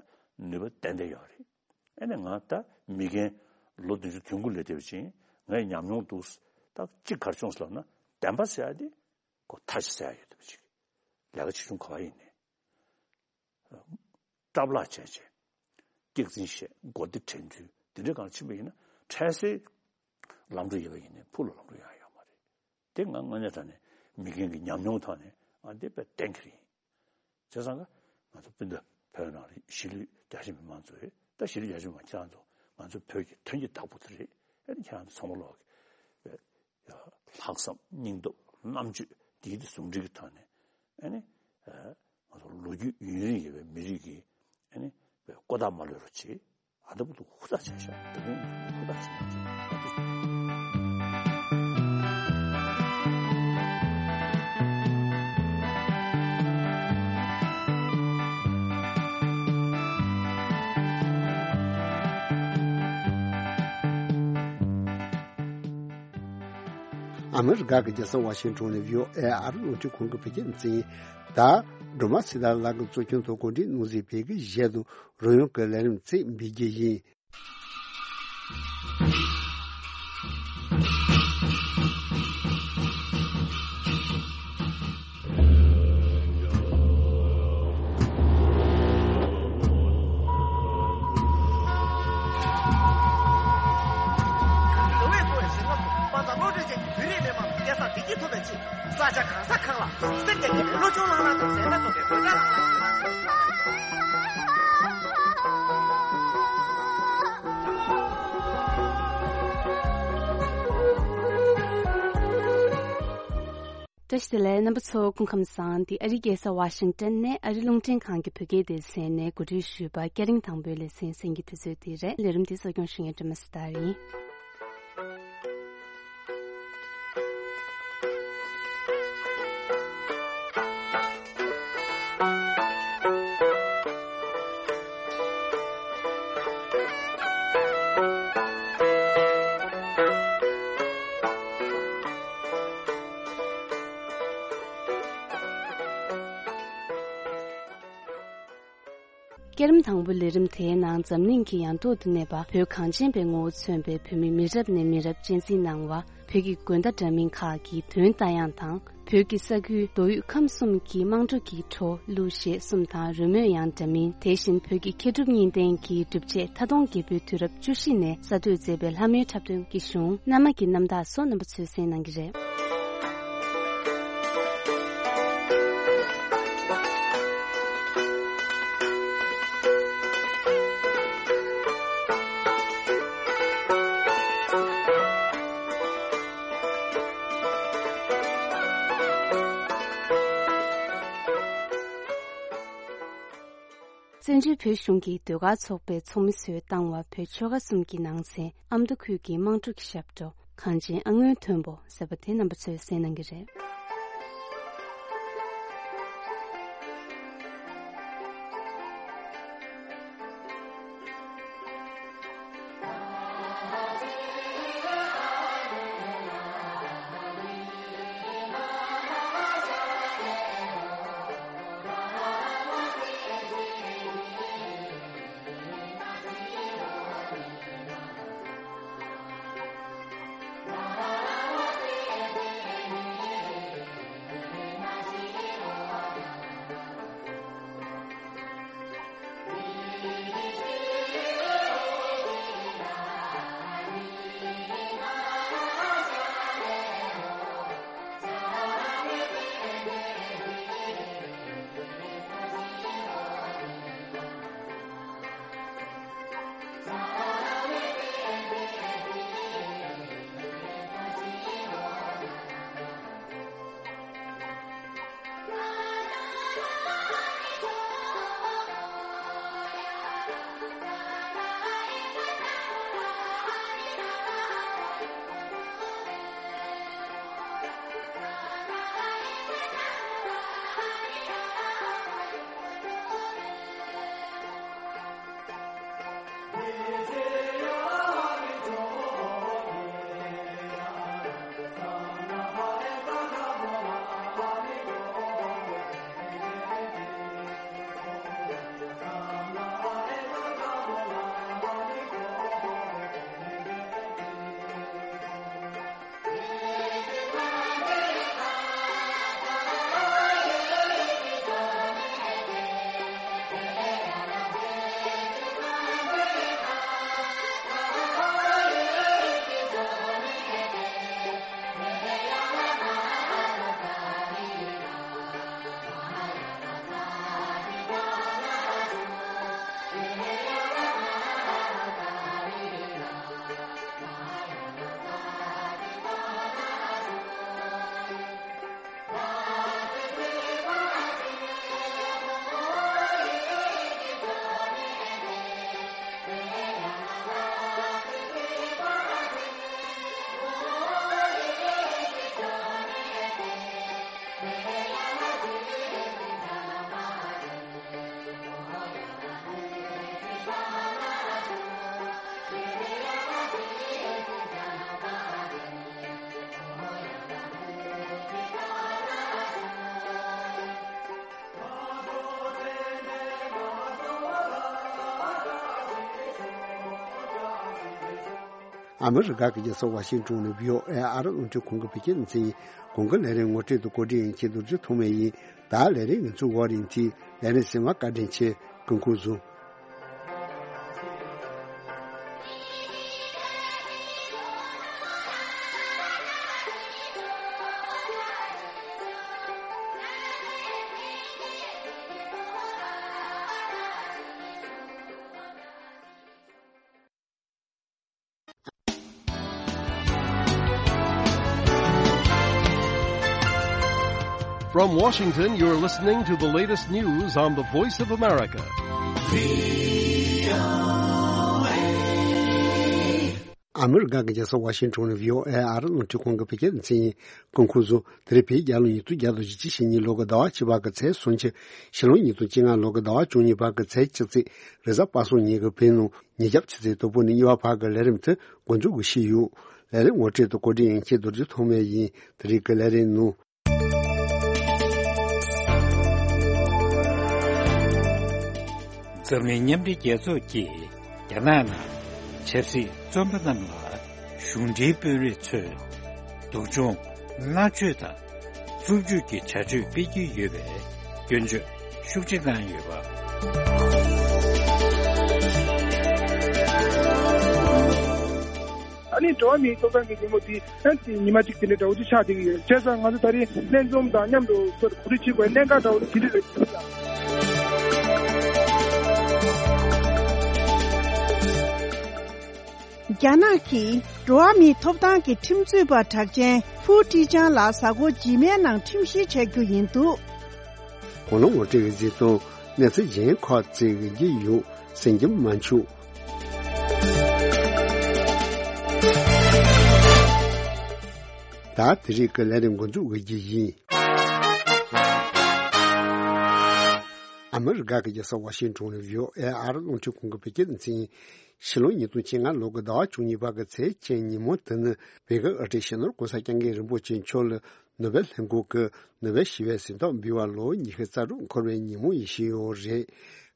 ནུས་པ་ཏན་ཏན་ཡོད་རེད། ཨ་ནི་ང་ད་མི་རྒན་ལོ་བདུན་ཅུ་དོན་དགུ་སླེབས་བསྡད་པ་ཅིག་ཡིན། ངས་ཉམས་མྱོང་འདུག་ད་གཅིག་ག་རེ་བྱུང་ཟེར་ལབ་ན། བདེན་པ་ཟེར་ཡ་དེ་ཁོ་མཐའ་ཞིག་གསལ་ཡ་ཡོད་བསྡད་པ་ཅིག་ལས་ཀ་ཆེ་ཆུང་ག་པར་ཡིན་ནའི། སྐྲག་ལྷག་བྱས་བྱས། སྐྱག་རྫུན་བཤད། མགོ་བདེ་དྲན་རྒྱུ་དེ་འདྲའི་སྒང་ཕྱིན་པ་ཡིན་ན། འཕྲལ་སེལ་ལམ་འགྲོ་ཡོད་པ་ཡིན་ནའི་ཕུགས་ལ་ལམ་འགྲོ་ཡོང་ཡ་ཡོད་མ་རེད། དེ་ང་དངོས་གནས་དྲང་གནས་མི་རྒན་གྱི་ཉམས་མྱོང་ཐོག་ནས་ང་འདི་དཔེ་གཏན་འཁེལ་ཡིན། བྱས་ཙང་ཀ་ང་ཚོ་སྤུན་ཟླ་བོད་ནང་ལ་གཞིས་ལུས་རྒྱ་ཆེ་མི་མང་ཚོ་རེད། ད་གཞིས་ལུས་རྒྱ་ཆེ་མི་མང་ཁྱེད་རང་ཚོ་ང་ཚོ་བོད་ཀྱི་དོན་གྱི་བདག་པོ་དེ་རེད། ཨ་ནི་ཁྱེད་རང་ཚོ་ཚང་མ་ལོག་གི་ལྷག་བསམ་སྙིང་སྟོབས་རྣམ་དཔྱོད་འདིའི་ཟུང་འབྲེལ་གྱི་ཐོག་ནས། ཨ་ནི་ང་ཚོ་ལོ་རྒྱུས་ཡུན་རིང་ཡོད་པའི་མི་རིགས་ཀྱི་ཨ་ནི་ཀོ་ཐག་མ་ལོན་རོགས་བྱེད། ཨ་ད་བུ་ཏུ་ཧུར་ཐག་བྱས་ཤག་ད་དུང་ཧུར་ཐག་བྱས་ཤག་ཨ་མི་རི་ཀ་གི་རྒྱལ་ས་ཝ་ཤིང་ཊོན་ནས་བྷི་ཨོ་ཨེ་ཨ་རི་རླུང་འཕྲིན་ཁང་གི་བོད་སྐད་སྡེ་ཚན་ཡིན། ད་སྒྲོལ་མ་ཚེ་བདག་ལགས་ཀྱིས་གཙོ་སྐྱོང་དུ་གོ་སྒྲིག་གནང་མཛད་པའི་གི་གཞས་དང་རོལ་དབྱངས་ཀྱི་ལས་རིམ་ཚིག་འབུལ་རྒྱུ་ཡིན། བོད་པའི་བསྟན་པ་བོད་རིགས་མི་མང་སྐལ་བཟང་བདེ་སྐྱིད་ཐོབ་པའི་ཆེད། ས་ཆ་གང་ས་གང་ལ་སེམས་རྒྱ་བསྐྱེད་ནས་བློ་ཆུང་བླངས་བླངས་དང་ཟས་མ་འཐུང་བའི་བོད་སྐད་བླངས་བླངས། བཀྲ་ཤིས་བདེ་ལེགས། རྣམ་པ་ཚོ་སྐུ་ཁམས་བཟང་། འདི་ཨ་རིའི་རྒྱལ་ས་ཝ་ཤིང་ཏོན་ནས་ཨ་རི་རླུང་འཕྲིན་ཁང་གི་བོད་སྐད་སྡེ་ཚན་ནས་གོ་སྒྲིག་ཞུས་པ་སྐད་རིང་དང་པོའི་ལེ་ཚན་གསན་གྱི་དུས་ཚོད་དེ་རེད། ལས་རིམ་འདི་གཙོ་སྐྱོང་ཞུ་མཁན་སྒྲོལ་མ་ཚེ་བདག་ཡིན། སྐྱེད་རིམ་དང་པོའི་ལས་རིམ་དེའི་ནང་འཛམ་གླིང་གི་ཡང་ཐོག་ཏུ་གནས་པ་བོད་གངས་ཅན་པའི་ངོ་བོ་མཚོན་པའི་བོད་མི་མི་རབས་ནས་མི་རབས་གཅེས་འཛིན་གནང་བ། བོད་ཀྱི་དགོན་སྡེ་འདྲ་མིན་ཁག་གི་དོན་ལྟ་ཡང་དང་། བོད་ཀྱི་ས་ཁུལ་མདོ་དབུས་ཁམས་གསུམ་གྱི་དམངས་ཁྲོད་ཀྱི་བྲོ་གླུ་གཞས་གསུམ་དང་རོལ་མོ་ཡང་འདྲ་མིན། དེ་བཞིན་བོད་ཀྱི་མཁས་གྲུབ་གཉིས་ལྡན་གྱི་སྒྲུབ་བྱེད་མཐའ་སྟོང་རྒྱལ་པོའི་དུས་རབས་བཅུ་བཞི་ནས་གསར་གཏོད་མཛད་པའི་ལྷ་མོའི་འཁྲབ་སྟོན་གྱི་གཞུང་རྣམ་མ་གི་རྣམ་ཐར་སོགས་རྣམ་པ་ཚོས་གསན་གནང་གི་རེད། བཙན་བྱོལ་བོད་གཞུང་གི་ཟློས་གར་ཚོགས་པའི་ཚོགས་མི་ཚོས་བཏང་བ། བོད་ཆོལ་ཁ་གསུམ་གྱི་ནང་ཚན་ཨ་མདོ་ཁུལ་གྱི་དམངས་ཁྲོད་ཀྱི་ཞབས་བྲོ་གངས་ཅན་ཨ་སྔོན་མཐོན་པོ་ཟེར་བ་དེ་རྣམ་པ་ཚོས་གསན་གནང་གི་རེད། ཨ་མི་རི་ཀ་གི་རྒྱལ་ས་ཝ་ཤིང་ཏོན་ནས་བྷི་ཨོ་ཨེ་ཨ་རི་རླུང་འཕྲིན་ཁང་གི་བོད་སྐད་སྡེ་ཚན་ཡིན། གོང་གི་ལས་རིམ་ངོ་སྤྲོད་དང་བཀོད་སྒྲིག་ཡིན་མཁན་རྡོ་རྗེ་ཐོགས་མེད་ཡིན། ད་ལས་རིམ་ངེད་ཚོའི་འོག་རིང་ཐིག་ལས་རིམ་གསན་པར་བཀའ་དྲིན་ཆེ། སྐུ་ཁམས་བཟང་། From Washington, you're listening to the latest news on the Voice of America. ཨ་མི་རི་ཀ་གི་རྒྱལ་ས་ཝ་ཤིང་ཏོན་ནས་བྷི་ཨོ་ཨེ་ཨ་རི་རླུང་འཕྲིན་ཁང་གི་བོད་སྐད་སྡེ་ཚན་ཡིན། སྐུ་ཁམས་བཟང་། དེ་རིང་བོད་རྒྱལ་ལོ་ཉིས་སྟོང་བརྒྱ་དང་བཞི་བཅུ་ཞེ་གཉིས་ལོ་གི་ཟླ་བ་བཅུ་པ་གི་ཚེས་སུམ་ཅུ། ཕྱི་ལོ་ཉིས་སྟོང་བཅོ་ལྔ་ལོ་གི་ཟླ་བ་བཅུ་གཉིས་པ་གི་ཚེས་བཅུ་ཚེས། རེས་གཟའ་པ་སངས་ཉིན་གྱི་བོད་ནང་ཉིན་རྒྱབ་ཆུ་ཚོད་དང་པོ་ནས་གཉིས་པ་བར་གྱི་ལས་རིམ་དེ་འགོ་འཛུགས་ཀྱི་ཞུས་ཡོད། ལས་རིམ་ངོ་སྤྲོད་དང་བཀོད་སྒྲིག་ཡིན་མཁན་རྡོ་རྗེ་ཐོགས་མེད་ཡིན། དེ་རིང་གི་ལས་རིམ་ནང་། འཛམ་གླིང་མཉམ་འབྲེལ་རྒྱལ་ཚོགས་ཀྱིས་རྒྱ་ནག་ནང་ཆབ་སྲིད་བཙོན་པ་རྣམས་ལ་གཞུང་འབྲེལ་དཔོན་རིགས་ཚོས་སྡུག་སྦྱོང་མནར་གཅོད་དང་རྩུབ་སྤྱོད་ཀྱི་བྱ་སྤྱོད་སྤེལ་གྱི་ཡོད་པའི་སྐྱོན་བརྗོད་ཤུགས་ཆེ་གནང་ཡོད་པ། ཨ་ནི་འགྲོ་བ་མིའི་ཐོབ་ཐང་གི་ཉིན་མོ་འདི་ཨ་ནི་ཉི་མ་གཅིག་དེ་འདྲ་འདྲ་བོ་ཅིག་ཆགས་བསྡད་ཀྱི་ཡོད། བྱས་ཙང་ང་ཚོ་ད་རེས་ལྷན་འཛོམས་དང་མཉམ་དུ་ཚོར་གོ་སྒྲིག་བྱེད་དགོས་གནད་འགག་འདྲ་བོ་དེ་འདྲ་རེད་ཟེར་ལ། རྒྱ་ནག་གིས་འགྲོ་བ་མིའི་ཐོབ་ཐང་གི་ཁྲིམས་རྩོད་པ་གྲགས་ཅན་ཧྥུའུ་ཀྲི་ཅང་ལ་གཟའ་འཁོར་རྗེས་མའི་ནང་ཁྲིམས་བཤེར་བྱ་རྒྱུ་ཡིན་འདུག། གོང་ལ་ངོ་སྤྲོད་ཀྱི་གཟིགས་མཐོང་། གནས་ཚུལ་གཞན་ཁག་ཅིག་ཡིན་གྱི་ཡོད། གསན་རྒྱུ་མ་འཆུག། ད་དེ་རིང་གི་ལས་རིམ་འགོ་འཛུགས་འོས་རྒྱུ་ཡིན། ཨ་མི་རི་ཀ་གི་རྒྱལ་ས་ཝ་ཤིང་ཊོན་ལ་ཝི་ཨོ་ཨེ་ཨར་རླུང་འཕྲིན་ཁང་གི་བོད་སྐད་སྡེ་ཚན་ཡིན། ཕྱི་ལོ་ཉིས་སྟོང་བཅོ་ལྔ་ལོ་གི་ཟླ་བ་བཅུ་གཉིས་པ་གི་ཚེས་བཅུ་ཉིན་མོ་དེ་ནི་བོད་ཀྱི་དབུ་ཁྲིད་སྤྱི་ནོར་༧གོང་ས་༧སྐྱབས་མགོན་རིན་པོ་ཆེ་མཆོག་ལ་ནོ་བེལ་ལྷན་ཁང་གི་ནོ་བེལ་ཞི་བའི་གཟེངས་རྟགས་འབུལ་བ་ལོ་ཉི་ཤུ་རྩ་དྲུག་འཁོར་བའི་ཉིན་མོ་ཡིན་བཞིན་ཡོད་རེད།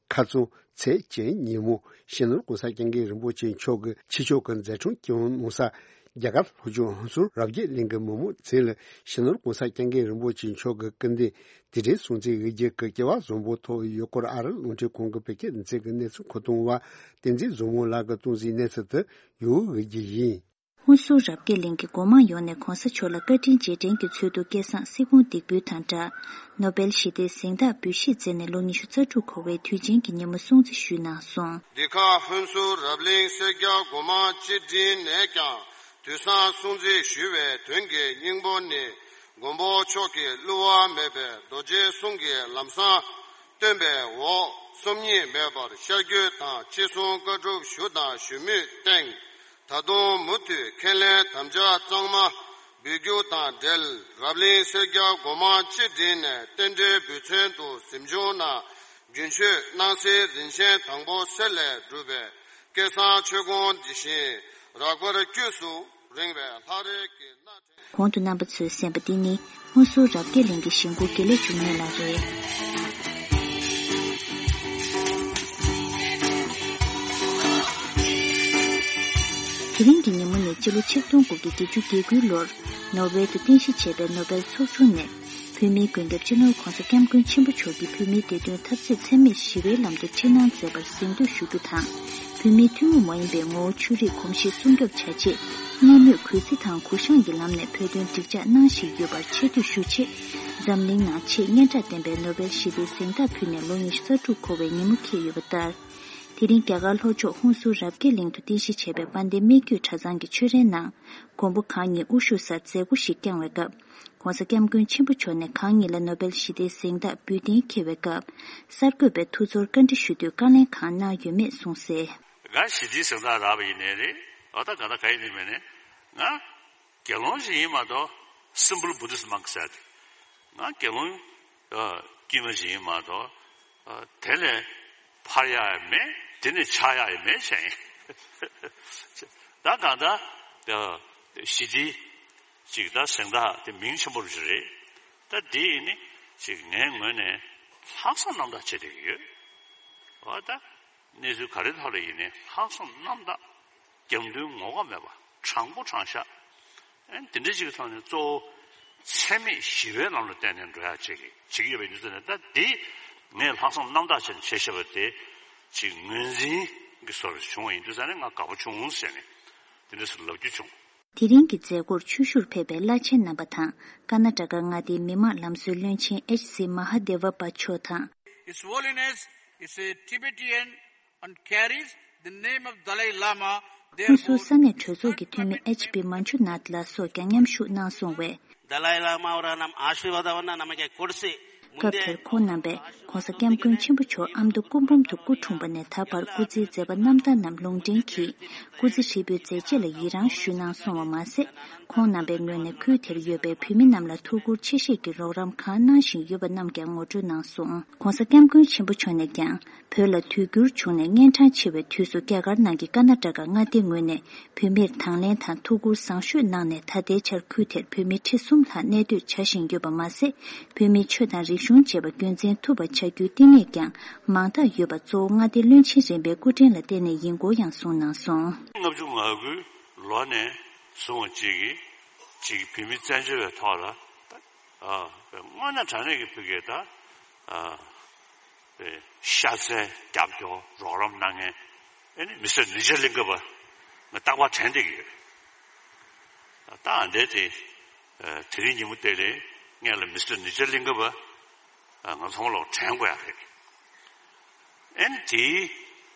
ཁ་རྩང་ཚེས་བཅུ་ཉིན་མོ་སྤྱི་ནོར་༧གོང་ས་༧སྐྱབས་མགོན་རིན་པོ་ཆེ་མཆོག་གིས་ཕྱི་ཕྱོགས་ཀྱི་མཛད་འཕྲིན་སྐྱོང་བའི་གནང་ས་རྒྱ་གར་ལྷོ་ཕྱོགས་ཧུན་སུར་རབ་རྒྱས་གླིང་གི་མི་མང་ཚོ་ལ་སྤྱི་ནོར་༧གོང་ས་༧སྐྱབས་མགོན་རིན་པོ་ཆེ་མཆོག་གི་སྐུ་མདུན་དེ་འདྲའི་སྲུང་བརྩི་འོས་རྒྱུ་གི་སྐྱེ་བ་བཟང་པོ་ཐོབ་ཡོད་སྐོར་ཨ་རི་རླུང་འཕྲིན་ཁང་གི་བོད་སྐད་སྡེ་ཚན་གྱི་གནས་ཚུལ་མཁོ་གཏོང་བ་བསྟན་འཛིན་བཟང་མོ་ལགས་ཀྱིས་གཏོང་གཟིགས་གནས་ཚུལ་དེ་ཡོད་འོས་རྒྱུ་ཡིན། ཧུན་སུར་རབ་རྒྱས་གླིང་གི་སྒོ་མང་ཡོངས་ནས་༧གོང་ས་མཆོག་ལ་བཀའ་དྲིན་རྗེས་དྲན་གྱི་ཚུལ་དུ་སྐལ་བཟང་སྲིད་སྐྱོང་འདེགས་འབུལ་དང་སྦྲགས། ནོ་བེལ་ཞི་བདེའི་གཟེངས་རྟགས་འབུལ་བཞེས་མཛད་ནས་ལོ་ཉི་ཤུ་རྩ་དྲུག་འཁོར་བའི་དུས་ཆེན་གྱི་ཉིན་མོ་སྲུང་བརྩི་ཞུས་གནང་སོང་། འདི་ག་ཧུན་སུར་རབ་གླིང་སེར་སྐྱ་སྒོ་མང་སྤྱི་འགྲིམ་ནས་ཀྱང་དུས་བཟང་སྲུང་བརྩི་ཞུ་བའི་དོན་གྱི་སྙིང་པོ་ནི། མགོན་པོ་མཆོག་གིས་བསླུ་བ་མེད་པའི་རྡོ་རྗེའི་གསུང་གི་ལམ་བཟང་སྟོན་པའི་འོག་སོམ་ཉི་མེད་པར་ཤར་བསྐྱོད་དང་ཅི་གསུང་བཀའ་སྒྲུབ་ཞུ་དང་ཞུ་མུས་བསྟན། ད་དུང་མུ་མཐུད་ཁས་ལེན་དམ་བཅའ་གཙང་མ་འབུལ་རྒྱུ་དང་འབྲེལ། རབ་གླིང་སེར་སྐྱ་སྒོ་མང་སྤྱི་འགྲིམ་ནས་རྟེན་འབྲེལ་འབུལ་ཚན་དུ་གཟིམ་ཆུང་ནང་རྒྱུན་མཆོད་སྣང་གསལ་རིན་ཆེན་དང་པོ་གསེར་ལས་གྲུབ་པའི་སྐལ་བཟང་མཆོད་ཀོང་འདི་བཞིན་རགས་པར་དཀྱུས་སུ་རིང་བའི་ལྷ་རས་ཀྱི་སྣ་གོང་དུ་རྣམ་པ་ཚོས་གསན་པ་འདི་ནི་ཧུན་སུར་རབ་རྒྱས་གླིང་གི་གཞིས་འགོ་དགེ་ལེགས་འབྱུང་གནས་ལགས་རེད། དེ་རིང་གི་ཉིན་མོ་ནི་སྤྱི་ལོ་ཆིག་སྟོང་དགུ་བརྒྱ་བརྒྱད་ཅུ་གྱ་དགུའི་ལོར་ནོར་ཝེ་དུ་རྟེན་གཞི་བྱས་པའི་ནོ་བེལ་ཚོགས་ཆུང་ནས། བོད་མིའི་མགོན་སྐྱབས་སྤྱི་ནོར་༧གོང་ས་༧སྐྱབས་མགོན་ཆེན་པོ་མཆོག་གིས་བོད་མིའི་བདེ་དོན་འཐབ་རྩོད་འཚེ་མེད་ཞི་བའི་ལམ་དུ་ཁྲིད་གནང་མཛད་པར་གཟེངས་བསྟོད་ཞུ་རྒྱུ་དང་། བོད་མིའི་ཐུན་མོང་མ་ཡིན་པའི་ངོ་བོ་ཆོས་རིག་གོམས་གཤིས་སྲུང་སྐྱོབ་བྱ་ཆེད། སྔར་མུས་གུས་བརྩི་དང་གུ་བཤངས་ཀྱི་ལམ་ནས་བོད་དོན་འགྲིག་འཇགས་གནང་བཞིན་ཡོད་པར་ཆེ་བསྟོད་ཞུ་ཆེད། འཛམ་གླིང་ནང་ཆེས་སྙན་གྲགས་ལྡན་པའི་ནོ་བེལ་ཞི་བདེའི་གཟེངས་རྟགས་ཕུལ་ནས་ལོ་ཉི་ཤུ་རྩ་དྲུག་འཁོར་བའི་ཉིན་མོ་འཁེལ་ཡོད་པ་ལྟར། དེ་རིང་རྒྱ་གར་ལྷོ་ཕྱོགས་ཧུན་སུར་རབ་རྒྱས་གླིང་དུ་རྟེན་གཞི་བྱས་པའི་དཔལ་ལྡན་སྨད་རྒྱུད་གྲྭ་ཚང་གི་ཆོས་རའི་ནང་། མགོན་པོ་གང་ཉིད་དབུ་བཞུགས་སར་མཛད་སྒོ་ཞིག་བསྐྱངས་པའི་སྐབས། ༧གོང་ས་༧སྐྱབས་མགོན་ཆེན་པོ་མཆོག་ནས་གང་ཉིད་ལ་ནོ་བེལ་ཞི་བདེའི་གཟེངས་རྟགས་འབུལ་གཏན་འཁེལ་བའི་སྐབས། གསར་འགོད་པའི་ཐུགས་ཚོར་བཀའ་འདྲི་ཞུ་དུས་བཀའ་ལན་གང་གནང་ཡོད་མེད་གསུངས་གསལ། ང་ཞི་བདེའི་གཟེངས་རྟགས་རག་པ་ཡིན་ནའི་རེད། འོ་ད་ག་ད་ག་ཡིན་ནའི་མིན་ནའི། ང་དགེ་སློང་ཞིག་ཡིན་མ་གཏོགས་simple Buddhist monk ཟེར་ཏེ། ང་དགེ་སློང་ཨ་དཀྱུས་མ་ཞིག་ཡིན་མ་གཏོགས་ཨ་དེ་ལས་འཕར་ཡག་ཡང་མེད། དེ་ནས་ཆགས་ཡག་ཡང་མེད་བྱས་ཡིན། ད་གང་ལྟར་ཨ་ཞི་བདེའི་ཅིག་ད་གཟེངས་རྟགས་དེ་མིང་ཆེན་པོ་ཞིག་རེད། ད་འདི་ཡིན་ནི་ཅིག་ངའི་ངོས་ནས་ལྷག་བསམ་རྣམ་དག་བྱེད་བསྡད་ཀྱི་ཡོད། འོ་ད། གནས་ཚུལ་ག་རེ་ཐོག་ལ་ཡིན་ནའི་ལྷག་བསམ་རྣམ་དག་རྒྱབ་མདུན་ངོ་ལྐོག་མེད་པ་དྲང་པོ་དྲང་བཞག་ཨེ་འདི་འདྲ་ཅིག་གི་ཐོག་ནས་གཙོ་བོ་འཚེ་མེད་ཞི་བའི་ལམ་ལ་བརྟེན་ནས་འགྲོ་ཡག་ཅིག་བྱེད་ཀྱི་ཡོད་པའི་ཡུལ་ཚོ་ནས། ད་འདི་ངས་ལྷག་བསམ་རྣམ་དག་བྱས་ནས་བྱས་བཞག་པ་དེ་ཅིག་ངོས་འཛིན་གྱི་བཟོ་འདྲ་བྱུང་བ་ཡིན་དུས་ཙང་ནས་ང་དགའ་པོ་བྱུང་ཟེར་ནས་འདི་འདྲ་ཞིག་ལབ་རྒྱུ་བྱུང་། དེ་རིང་གི་མཛད་སྒོར་ཆོས་ཞུར་ཕེབས་པའི་བླ་ཆེན་རྣམ་པ་དང་། ཀར་ན་ཊ་ཀ་མངའ་སྡེའི་མི་དམངས་ལམ་སྲོལ་བློན་ཆེན་ཨེཆ་སི་མ་ཧ་དེ་ཝ་པ་མཆོག་དང་། His Holiness is a Tibetan and carries the name of Dalai Lama. ཧུན་སུར་ས་གནས་གྲོས་ཚོགས་ཀྱི་འཐུས་མི་ཨེཆ་པི་མན་ཇུ་ནཱཐ་ལགས་སོགས་ཀྱང་མཉམ་ཞུགས་གནང་སོང་བས། ダライ・ラマオラナマアーシーバダワナナマケコルセ སྐབས་དེར་ཁོང་རྣམ་པས་༧གོང་ས་༧སྐྱབས་མགོན་ཆེན་པོ་མཆོག་ཨ་མདོ་སྐུ་འབུམ་དུ་སྐུ་འཁྲུངས་པ་ནས་ད་བར་སྐུ་ཚེའི་མཛད་པ་རྣམ་ཐར་རྣམས་ལུང་འདྲེན་གྱིས་སྐུ་ཚེ་ཧྲིལ་པོའི་མཛད་རྗེས་ལ་ཡི་རངས་ཞུས་གནང་སོང་བ་མ་ཟད། ཁོང་རྣམ་པའི་ངོས་ནས་ཁུལ་དེར་ཡོད་པའི་བོད་མི་རྣམས་ལ་ཐུགས་ཁུར་ཆེ་བཞེས་ཀྱི་རོགས་རམ་གང་གནང་བཞིན་ཡོད་པ་རྣམས་ཀྱང་ངོ་སྤྲོད་གནང་སོང་། ༧གོང་ས་༧སྐྱབས་མགོན་ཆེན་པོ་མཆོག་ནས་ཀྱང་། བོད་ལ་དུས་འགྱུར་བྱུང་ནས་གཉན་འཕྲང་ཆེ་བའི་དུས་སུ་རྒྱ་གར་ནང་གི་ཀར་ན་ཊ་ཀ་མངའ་སྡེའི་ངོས་ནས་བོད་མིར་དང་ལེན་དང་ཐུགས་ཁུར་བཟང་ཤོས་གནང་ནས། ད་ལྟའི་ཆར་ཁུལ་དེར་བོད་མི་ཁྲི་གསུམ་ལྷག་གནས་སྡོད་བྱ་བཞིན་ཡོད་པ་མ་ཟད། བོད་མིའི་ཆོས་དང་རིག་ གཞུང་བྱས་པ་རྒྱུན་འཛིན་ཐུབ་པ་བྱ་རྒྱུའི་བསྟི་གནས་ཀྱང་མང་དག་ཡོད་པ་གཙོ་བོ་མངའ་སྡེ་བློན་ཆེན་རིམ་པའི་སྐུ་ཕྲེང་ལ་བརྟེན་ནས་ཡིན་སྐོར་ཡང་གསུངས་གནང་སོང་། ལྔ་བཅུ་ང་དགུའི་ལོ་ནས་བཟུང་བ་གཅིག་གིས་གཅིག་བོད་མི་བཙན་བྱོལ་བའི་ཐོག་ལ་ཨ་དངོས་གནས་དྲང་གནས་ཀྱི་བོད་སྐད་ད་ཨ་ཤ་ཚ་རྒྱབ་སྐྱོར་རོགས་རམ་གནང་མཁན་ཨ་ནི་མི་སེར་ནི་ཇ་གླིང་ཀ་པ་ང་རྟག་པར་དྲན་བསྡད་ཀྱི་ཡོད། ད་ཨ་འདྲས་དེ་དེ་རིང་ཉིན་མོ་དེ་ལས་ངས་ལ་མི་སེར་ནི་ཇ་གླིང་ཀ་པ། ང་ཚང་མ་ལོག་དྲན་དགོས་ཡ་རེད། ཨེ་ནི་དེའི་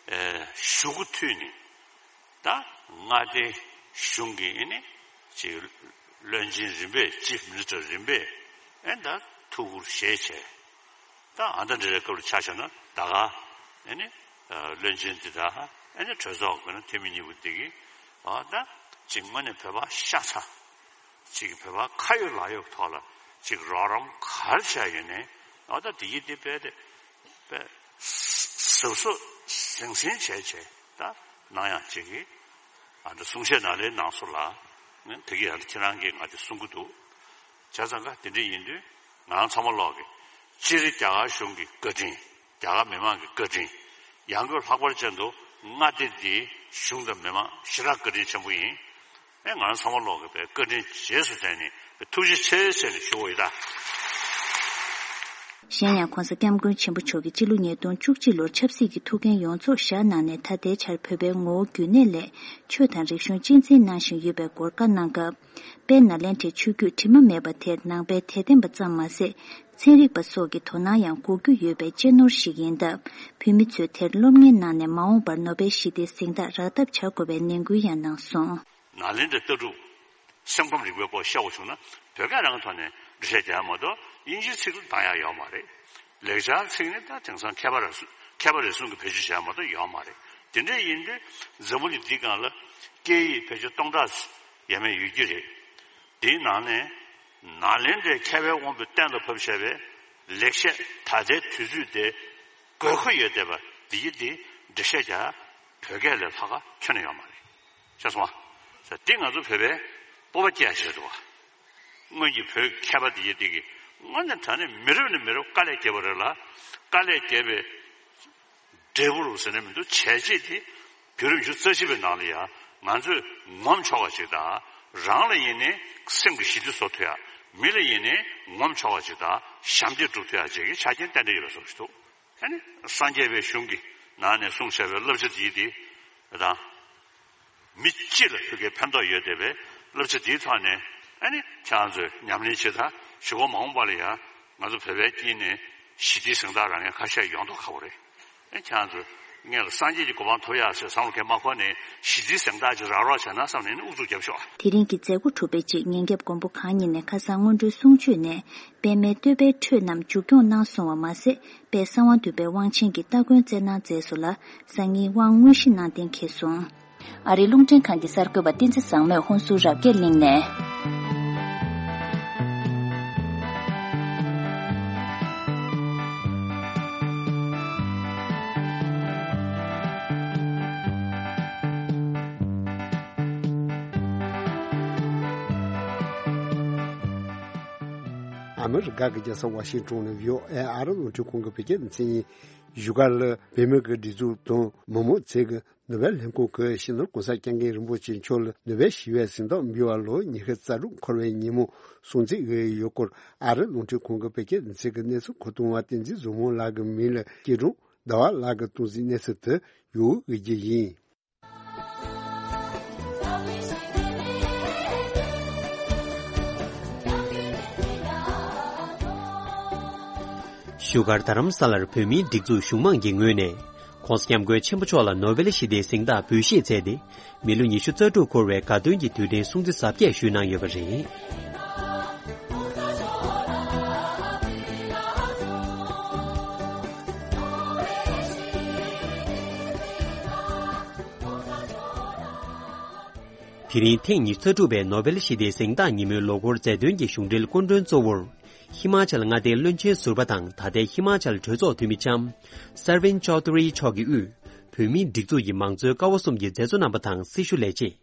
གཞུག་གུ་མཐུད་ནས་ད་མངའ་སྡེ་གཞུང་གི་ཨེ་ནི་ཅིག་བློན་ཆེན་རིམ་པས་ཅིབ་མི་ནི་སི་ཊར་རིམ་པས་ཨེ་ནི་ད་ཐུགས་ཁུར་བཞེས་བྱས་ད་ཨ་ད་འདྲ་རེ་སྐབས་ལ་ཆ་བཞག་ན་ད་ག་ཨེ་ནི་བློན་ཆེན་འདི་དག་ཨེ་ནི་གྲོས་ཚོགས་ཀྱི་ན་འཐུས་མི་གཉིས་པོ་འདི་གི་ཨ་ད་ཅིག་དངོས་གནས་བོད་པ་ཤ་ཚ། ཅིག་བོད་པ་ཁ་ཡོད་ལག་ཡོད་ཐོག་ལ་ཅིག་རོགས་རམ་ག་རེ་བྱས་ཡོད་ནའི་ཨ་ད་དེ་ཡི་དེ་དཔེ་དེ་དཔེ་གཟབ་གཟབ་ཟང་ཟིང་བྱས་བྱས་ད་གནང་ཡག་ཅིག་གི་ཨ་ད་གསུང་བཤད་ནང་ལའི་གནང་སོང་ལ་ངས་དེ་གི་ཡང་ཁྱེད་རང་གིས་ང་དེ་གསུང་གི་འདུག་བྱས་ཙང་ཀ་དེ་འདྲ་ཡིན་དུས་ང་རང་ཚང་མ་ལོག་གི་སྤྱིར་རྒྱ་གར་གཞུང་གི་བཀའ་དྲིན། རྒྱ་གར་མི་མང་གི་བཀའ་དྲིན། ཡང་སྒོས་ལྷག་པར་ཅན་དུ་མངའ་སྡེ་འདིའི་གཞུང་དང་མི་མང་ཞེ་དྲག་བཀའ་དྲིན་ཆེན་པོ་ཡིན། ཨེ་ང་རང་ཚང་མ་ལོག་གི་བའི་བཀའ་དྲིན་རྗེས་སུ་དྲན་ནས་ཐུགས་རྗེ་ཆེ་ཟེར་ནས་ཞུ་བ་ཡིན་ད། གཞན་ཡང་༧གོང་ས་༧སྐྱབས་མགོན་ཆེན་པོ་མཆོག་གིས་སྤྱི་ལོ་ཉིས་སྟོང་བཅུ་གཅིག་ལོར་ཆབ་སྲིད་ཀྱི་ཐུགས་འགན་ཡོངས་རྫོགས་བཞག་གནང་ནས་ད་ལྟའི་ཆར་བོད་པའི་ངོ་བོ་རྒྱུན་གནས་ལས་ཆོས་དང་རིག་གཞུང་གཅེས་འཛིན་གནང་བཞིན་ཡོད་པའི་སྐོར་བཀའ་གནང་སྐབས། དཔལ་ནཱ་ལེནྡྲའི་ཆོས་བརྒྱུད་དྲི་མ་མེད་པ་དེར་ནང་པའི་དད་ལྡན་པ་ཙམ་མ་ཟད། ཚན་རིག་པ་སོགས་ཀྱི་དོ་སྣང་ཡང་དགོས་རྒྱུ་ཡོད་པའི་གཅེས་ནོར་ཞིག་ཡིན་སྟབས། བོད་མི་ཚོས་དེར་སློབ་གཉེར་གནང་ནས་མ་འོངས་པར་ནོ་བེལ་ཞི་བདེའི་གཟེངས་རྟགས་རག་ཐབས་བྱ་དགོས་པའི་ནན་སྐུལ་ཡང་གནང་སོང་། ནཱ་ལེནྡྲའི་ལྟ་གྲུབ་སེམས་ཁམས་རིག་པའི་སྐོར་བཤད་དགོས་བྱུང་ན་བོད་སྐད་རང་གི་ཐོག་ནས་འགྲེལ་བཤད་རྒྱག་ཡ་མ་གཏོགས་དབྱིན་ཇིའི་ཚིག་བཏང་ཡ་ཡོད་མ་རེད། ལེགས་སྦྱར་ཚིག་ནི་ད་དེང་སང་མཁས་པ་རེ་ཟུང་མཁས་པ་རེ་ཟུང་གིས་བེད་སྤྱོད་བྱས་མ་གཏོགས་ཡོད་མ་རེད། དེ་འདྲ་ཡིན་དུས་འཛམ་བུ་གླིང་འདིའི་སྒང་ལ་སྐད་ཡིག་བེད་སྤྱོད་སྟོང་ཕྲག་ཡས་མས་ཡོད་ཀྱི་རེད། དེའི་ནང་ནས་ནཱ་ལེནྡྲའི་མཁས་པའི་དབང་པོས་གཏན་ལ་ཕབ་བྱས་པའི་ལེགས་བཤད་ད་ལྟའི་དུས་ཚོད་དེ་དགོས་མཁོ་ཡོད་བསྡད་པ་འདི་ཡི་འདི་འགྲེལ་བཤད་རྒྱག་བོད་སྐད་ལས་ལྷག་ག་ཁྱོན་ནས་ཡོད་མ་རེད། ཤེས་སོང་ཨ། ས་འདི་ང་ཚོ་བོད་པའི་སྤོབས་པ་སྐྱེ་ཡ་ཞིག་རེད་འདུག་བ། སྔོན་གྱི་བོད་མཁས་པ་དེ་ཡི་དེ་གི་དངོས་གནས་དྲང་གནས་མི་རབས་ནས་མི་རབས་དཀའ་ལས་བརྒྱབ་པ་རེད་ལ། དཀའ་ལས་བརྒྱབ་པའི་འབྲས་བུ་རུ་ཟེར་ནས་མི་འདུག་བྱས་རྗེས་དེ་བརྒྱུད་རིམ་བཞི་རྩ་བཞི་པའི་ནང་ལ་ཡང་ང་ཚོས་ངོམ་ཆོག་པ་ཞིག་དང་རང་ལ་ཡིན་ནའི་སེམས་ཀྱི་ཞི་བདེ་བཟོ་ཐུབ་ཡ། མི་ལ་ཡིན་ནའི་ངོམ་ཆོག་པ་ཞིག་དང་ཞབས་འདེགས་སྒྲུབ་ཐུབ་ཡ་བཅས་ཀྱི་ཆ་རྐྱེན་ཏན་ཏན་ཡོད་པའི་བཟོ་ཞིག་འདུག་ཨ་ནི་སངས་རྒྱས་པའི་གཞུང་གི་ནང་ནས་གསུངས་བཞག་པའི་བསླབ་བྱ་དེ་ཡི་དེ་དང་། མི་སྤྱི་ལ་ཐུགས་ཀའི་ཕན་ཐོགས་ཡོད་བསྡད་པའི་བསླབ་བྱ་འདིའི་ཐོག་ནས་ཨ་ནི་ཁྱེད་རང་ཚོས་ཉམས་ལེན་བྱེད་དང་གཞུག་གུ་མ་འོངས་པ་ལ་ཡང་ང་ཚོ་བོད་པའི་དཀྱིལ་ནས་ཞི་བདེའི་གཟེངས་རྟགས་རག་མཁན་ཁ་ཤས་ཡོང་མདོག་ཁ་པོ་རེད། ཨ་ཁྱེད་རང་ཚོས་སྔོན་ལ་སངས་རྒྱས་ཀྱི་གོ་འཕང་ཐོབ་ཡག་ཟེར་བསམ་བློ་གས་མ་འཁོར་ནས་ཞི་བདེའི་གཟེངས་རྟགས་ཅིག་རག་རོགས་བྱས་ན་བསམ་ནས་ནི་དབུ་འཛུགས་རྒྱབ་ཤོག་དེ་རིང་གི་མཛད་སྒོ་གྲུབ་པའི་རྗེས་ཉིན་རྒྱབ་མགོན་པོ་གང་ཉིད་ནས་ཁ་སང་སྔོན་འགྲོའི་གསུང་ཆོས་ནས་པདྨའི་བསྟོད་པའི་འཕྲོས་རྣམས་མཇུག་སྐྱོང་གནང་སོང་བ་མ་ཟད། དཔལ་གསང་བ་འདུས་པའི་དབང་ཆེན་གྱི་སྟ་གོན་སྩལ་གནང་མཛད་སོང་ལ། སང་ཉིན་དབང་དངོས་གཞི་གནང་གཏན་འཁེལ་སོང་། ཨ་རིའི་རླུང་འཕྲིན་ཁང་གི་གསར་འགོད་པ་བསྟན་འཛིན་བཟང་མོས་ཧུན་སུར་རབ་རྒྱས་གླིང་ནས། ཨ་མི་རི་ཀ་གི་རྒྱལ་ས་ཝ་ཤིང་ཏོན་ནས་བྷི་ཨོ་ཨེ་ཨ་རི་རླུང་འཕྲིན་ཁང་གི་བོད་སྐད་སྡེ་ཚན་ཡིན། བཞུགས་སྒར་ལ་བོད་མི་གི་སྒྲིག་འཛུགས་དང་མི་མང་བཅས་ཀྱིས་ནོ་བེལ་ལྷན་ཁང་གི་སྤྱི་ནོར་༧གོང་ས་༧སྐྱབས་མགོན་རིན་པོ་ཆེ་མཆོག་ལ་ནོ་བེལ་ཞི་བའི་གཟེངས་རྟགས་འབུལ་བ་ལོ་ཉི་ཤུ་རྩ་དྲུག་འཁོར་བའི་ཉིན་མོ་སྲུང་བརྩི་ཡོད་སྐོར་ཨ་རི་རླུང་འཕྲིན་ཁང་གི་བོད་སྐད་སྡེ་ཚན་གྱི་གནས་ཚུལ་མཁོ་གཏོང་བ་བསྟན་འཛིན་བཟང་མོ་ལགས་ཀྱི་མིང་ལ་སྐྱིད་གྲོང་ཟླ་བ་ལགས་ཀྱིས་གཏོང་གཟིགས་གནས་ཚུལ་དུ་ཡོད་འོས་ཀྱི་ཡིན། བཞུགས་སྒར་རྡ་རམ་ས་ལར་བོད་མིའི་སྒྲིག་འཛུགས་གཞུང་མང་གི་ངོས་ནས་༧གོང་ས་༧སྐྱབས་མགོན་ཆེན་པོ་མཆོག་ལ་ནོ་བེལ་ཞི་བདེའི་གཟེངས་རྟགས་འབུལ་བཞེས་མཛད་དེ། མི་ལོ་ཉི་ཤུ་རྩ་དྲུག་འཁོར་བའི་དགའ་སྟོན་གྱི་དུས་དྲན་སྲུང་བརྩི་གཟབ་རྒྱས་ཞུས་གནང་ཡོད་པ་རེད། དེ་རིང་ཐེངས་ཉི་ཤུ་རྩ་དྲུག་པའི་ནོ་བེལ་ཞི་བདེའི་གཟེངས་རྟགས་ཉིན་མོའི་ལོ་འཁོར་མཛད་དོན་གྱི་གཞུང་འབྲེལ་སྐུ་མགྲོན་གཙོ་བོར། ཧི་མ་ཅལ་མངའ་སྡེའི་བློན་ཆེན་ཟུར་པ་དང་ད་ལྟའི་ཧི་མ་ཅལ་གྲོས་ཚོགས་འཐུས་མི་ལྕམ་སར་ཝིན་ཅོ་དྷུ་རི་མཆོག་གིས་དབུས་བོད་མིའི་སྒྲིག་འཛུགས་ཀྱི་མང་གཙོའི་ཀ་བ་གསུམ་གྱི་མཛད་གཙོ་རྣམ་པ་དང་སྲི་ཞུ་ལས་བྱེད།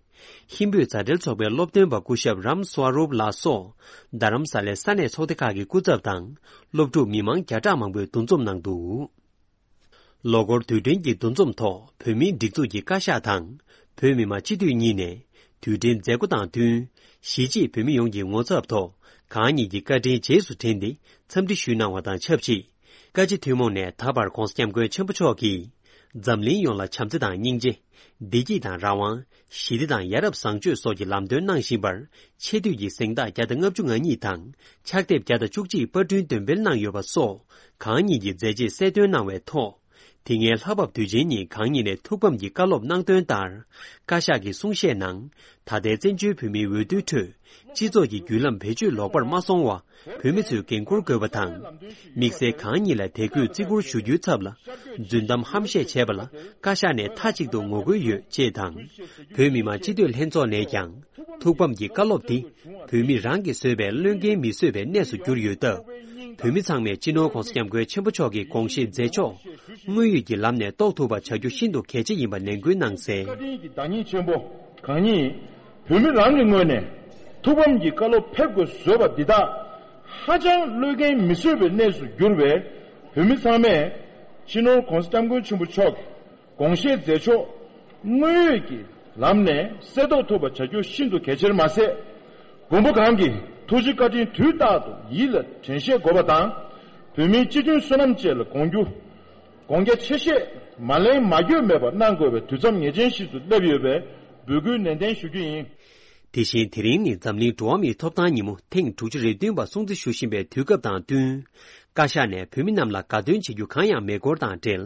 ཧིན་བོད་མཛའ་འབྲེལ་ཚོགས་པའི་སློབ་སྟོན་པ་སྐུ་ཞབས་རམ་སྭ་རུབ་ལགས་སོགས་རྡ་རམ་ས་ལའི་ས་གནས་ཚོགས་སྡེ་ཁག་གི་སྐུ་ཚབ་དང་སློབ་ཕྲུག་མི་མང་བརྒྱ་ཕྲག་མང་པོས་འདུ་འཛོམས་གནང་འདུག་ལོ་འཁོར་དུས་དྲན་གྱི་འདུ་འཛོམས་ཐོག་བོད་མིའི་སྒྲིག་འཛུགས་ཀྱི་བཀའ་ཤག་དང་བོད་མི་མང་སྤྱི་འཐུས་གཉིས་ནས་དུས་དྲན་མཛད་སྒོ་དང་བསྟུན་གཞིས་བྱེས་བོད་མི་ཡོངས་ཀྱི་ངོ་ཚབ་ཐོག་གང་ཉིད་ཀྱི་བཀའ་དྲིན་རྗེས་སུ་དྲན་ཏེ་འཚམས་འདྲི་ཞུས་གནང་བ་དང་ཆབས་ཅིག་བཀའ་སྤྱི་ཐུན་མོང་ནས་ད་བར་༧གོང་ས་༧སྐྱབས་མགོན་ཆེན་པོ་མཆོག་གིས་འཛམ་གླིང་ཡོངས་ལ་བྱམས་བརྩེ་དང་སྙིང་རྗེ། བདེ་སྐྱིད་དང་རང་དབང་། ཞི་བདེ་དང་ཡ་རབས་བཟང་སྤྱོད་སོགས་ཀྱི་ལམ་སྟོན་གནང་བཞིན་པར་ཆེ་བསྟོད་ཀྱི་གཟེངས་རྟགས་བརྒྱ་དང་ལྔ་བཅུ་ང་གཉིས་དང་ཕྱག་དེབ་བརྒྱ་དང་བཅུ་གཅིག་པར་སྐྲུན་འདོན་སྤེལ་གནང་ཡོད་པ་སོགས་གང་ཉིད་ཀྱི་མཛད་རྗེས་གསལ་སྟོན་གནང་བའི་ཐོག་དེ་སྔའི་ལྷ་བབས་དུས་ཆེན་ཉིན་གང་ཉིད་ནས་ཐུགས་ཕམ་གྱི་བཀའ་སློབ་གནང་དོན་ལྟར། བཀའ་ཤག་གི་གསུང་བཤད་ནང་། ད་ལྟའི་བཙན་བྱོལ་བོད་མིའི་འོས་བསྡུའི་ཁྲོད། སྤྱི་ཚོགས་ཀྱི་བརྒྱུད་ལམ་བེད་སྤྱོད་ལོག་པར་མ་སོང་བ། བོད་མི་ཚོས་འགན་འཁུར་དགོས་པ་དང་། དམིགས་བསལ་གང་ཉིད་ལ་དད་གུས་བརྩི་བཀུར་ཞུ་རྒྱུའི་ཚབ་ལ། རྫུན་གཏམ་ཧམ་བཤད་བྱས་པ་ལ་བཀའ་ཤག་ནས་མཐའ་གཅིག་ཏུ་ངོ་རྒོལ་ཡོད་ཅེས་དང་། བོད་མི་མང་སྤྱི་འཐུས་ལྷན་ཚོགས་ནས་ཀྱང་། ཐུགས་ཕམ་གྱི་བཀའ་སློབ་འདི། བོད་མི་རང་གིས་བཟོས་པའི་བློས་འགེལ་མི་བཟོད་པའི་གནས་སུ་གྱུར་ཡོད་སྟབས། བོད་མི་ཚང་མས་སྤྱི་ནོར་༧གོང་ས་༧སྐྱབས་མགོན་ཆེན་པོ་མཆོག་གི་དགོངས་བཞེད་མཛད་ཕྱོགས་དངོས་ཡོད་ཀྱི་ལམ་ནས་རྟོགས་ཐུབ་པ་བྱ་རྒྱུ་ཤིན་ཏུ་གལ་ཆེ་ཡིན་པ་ནན་སྐུལ་གནང་གསལ། བཀའ་དྲིན་གྱི་བདག་ཉིད་ཆེན་པོ་གང་ཉིད། བོད་མི་རང་གི་ངོས་ནས་ཐུགས་ཕམ་གྱི་བཀའ་སློབ་ཕེབས་དགོས་བཟོས་པ་འདི་དག་ཧ་ཅང་བློས་འགེལ་མི་བཟོད་པའི་གནས་སུ་གྱུར་བས། བོད་མི་ཚང་མས་སྤྱི་ནོར་༧གོང་ས་༧སྐྱབས་མགོན་ཆེན་པོ་མཆོག་གི་དགོངས་བཞེད་མཛད་ཕྱོགས་དངོས་ཡོད་ཀྱི་ལམ་ནས་གསལ་རྟོགས་ཐུབ་པ་བྱ་རྒྱུ་ཤིན་ཏུ་གལ་ཆེར་མ་ཟད། མགོན་པོ་གང་གི་ཐུགས་རྗེ་བཀའ་དྲིན་དུས་རྟག་ཏུ་ཡིད་ལ་དྲན་ཤེས་དགོས་པ་དང་། བོད་མིའི་སྤྱི་མཐུན་བསོད་ནམས་བཅས་ལ་དགོངས་རྒྱུ། དགོངས་རྒྱ་ཆེ་བཞེས་མ་ལེན་མ་འགྱོད་མེད་པར་གནང་དགོས་པའི་དུས་མཚམས་ངེས་ཅན་ཞིག་ཏུ་སླེབས་ཡོད་པས་འབོད་སྐུལ་ནན་ཏན་ཞུ་རྒྱུ་ཡིན། དེ་བཞིན་དེ་རིང་ནི་འཛམ་གླིང་འགྲོ་བ་མིའི་ཐོབ་ཐང་ཉིན་མོ་ཐེངས་དྲུག་ཅུ་རེ་བདུན་པ་སྲུང་བརྩི་ཞུ་བཞིན་པའི་དུས་སྐབས་དང་བསྟུན། བཀའ་ཤག་ནས་བོད་མི་རྣམས་ལ་དགའ་སྟོན་བྱེད་རྒྱུ་གང་ཡང་མེད་སྐོར་དང་འབྲེལ།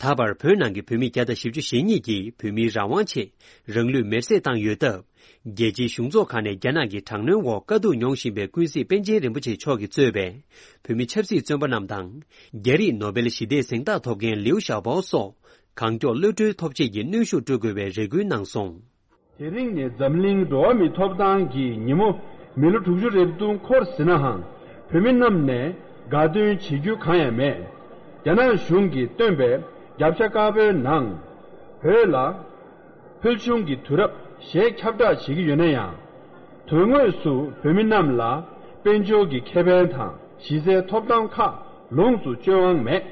ད་བར་བོད་ནང་གི་བོད་མི་བརྒྱ་དང་བཞི་བཅུ་ཞེ་གཉིས་ཀྱིས་བོད་མིའི་རང་དབང་ཆེད་རང་ལུས་མེར་སྲེག་བཏང་ཡོད་སྟབས། རྒྱལ་སྤྱིའི་གཞུང་ཚོགས་ཁག་ནས་རྒྱ་ནག་གི་དྲག་གནོན་འོག་དཀའ་སྡུག་མྱོང་བཞིན་པའི་ཀུན་གཟིགས་པཎ་ཆེན་རིན་པོ་ཆེ་མཆོག་གིས་གཙོས་པའི་བོད་མི་ཆབ་སྲིད་བཙོན་པ་རྣམས་དང་། རྒྱ་རིགས་ནོ་བེལ་ཞི་བདེའི་གཟེངས་རྟགས་ཐོབ་མཁན་ལིའུ་ཞའོ་པའོ་སོགས་གང་མགྱོགས་གློད་གྲོལ་ཐོབ་ཆེད་ཀྱི་གནོན་ཤུགས་སྤྲོད་དགོས་པའི་རེ་སྐུལ་གནང་སོང་། དེ་རིང་ནི་འཛམ་གླིང་འགྲོ་བ་མིའི་ཐོབ་ཐང་གི་ཉིན་མོ་མི་ལོ་དྲུག་ཅུ་རེ་བདུན་འཁོར་ཟིན་ནའང་། བོད་མི་རྣམས་ནས་དགའ་སྟོན་བྱེད་རྒྱུ་གང་ཡང་མེད། རྒྱ་ནག་གཞུང་གིས་བཏོན་པའི་རྒྱབ་ཤ་དཀར་པོའི་ནང་། བོད་ལ་ཕུལ་བྱུང་གི་དུས་རབས་གཞན་ཁྱབ་བསྒྲགས་བྱེད་ཀྱི་ཡོད་ན་ཡང་། དོན་དངོས་སུ་བོད་མི་རྣམས་ལ་དཔལ་འབྱོར་གྱི་ཁེ་ཕན་དང་གཞི་རྩའི་ཐོབ་ཐང་ཁག་ལོངས་སུ་སྤྱོད་དབང་མེད།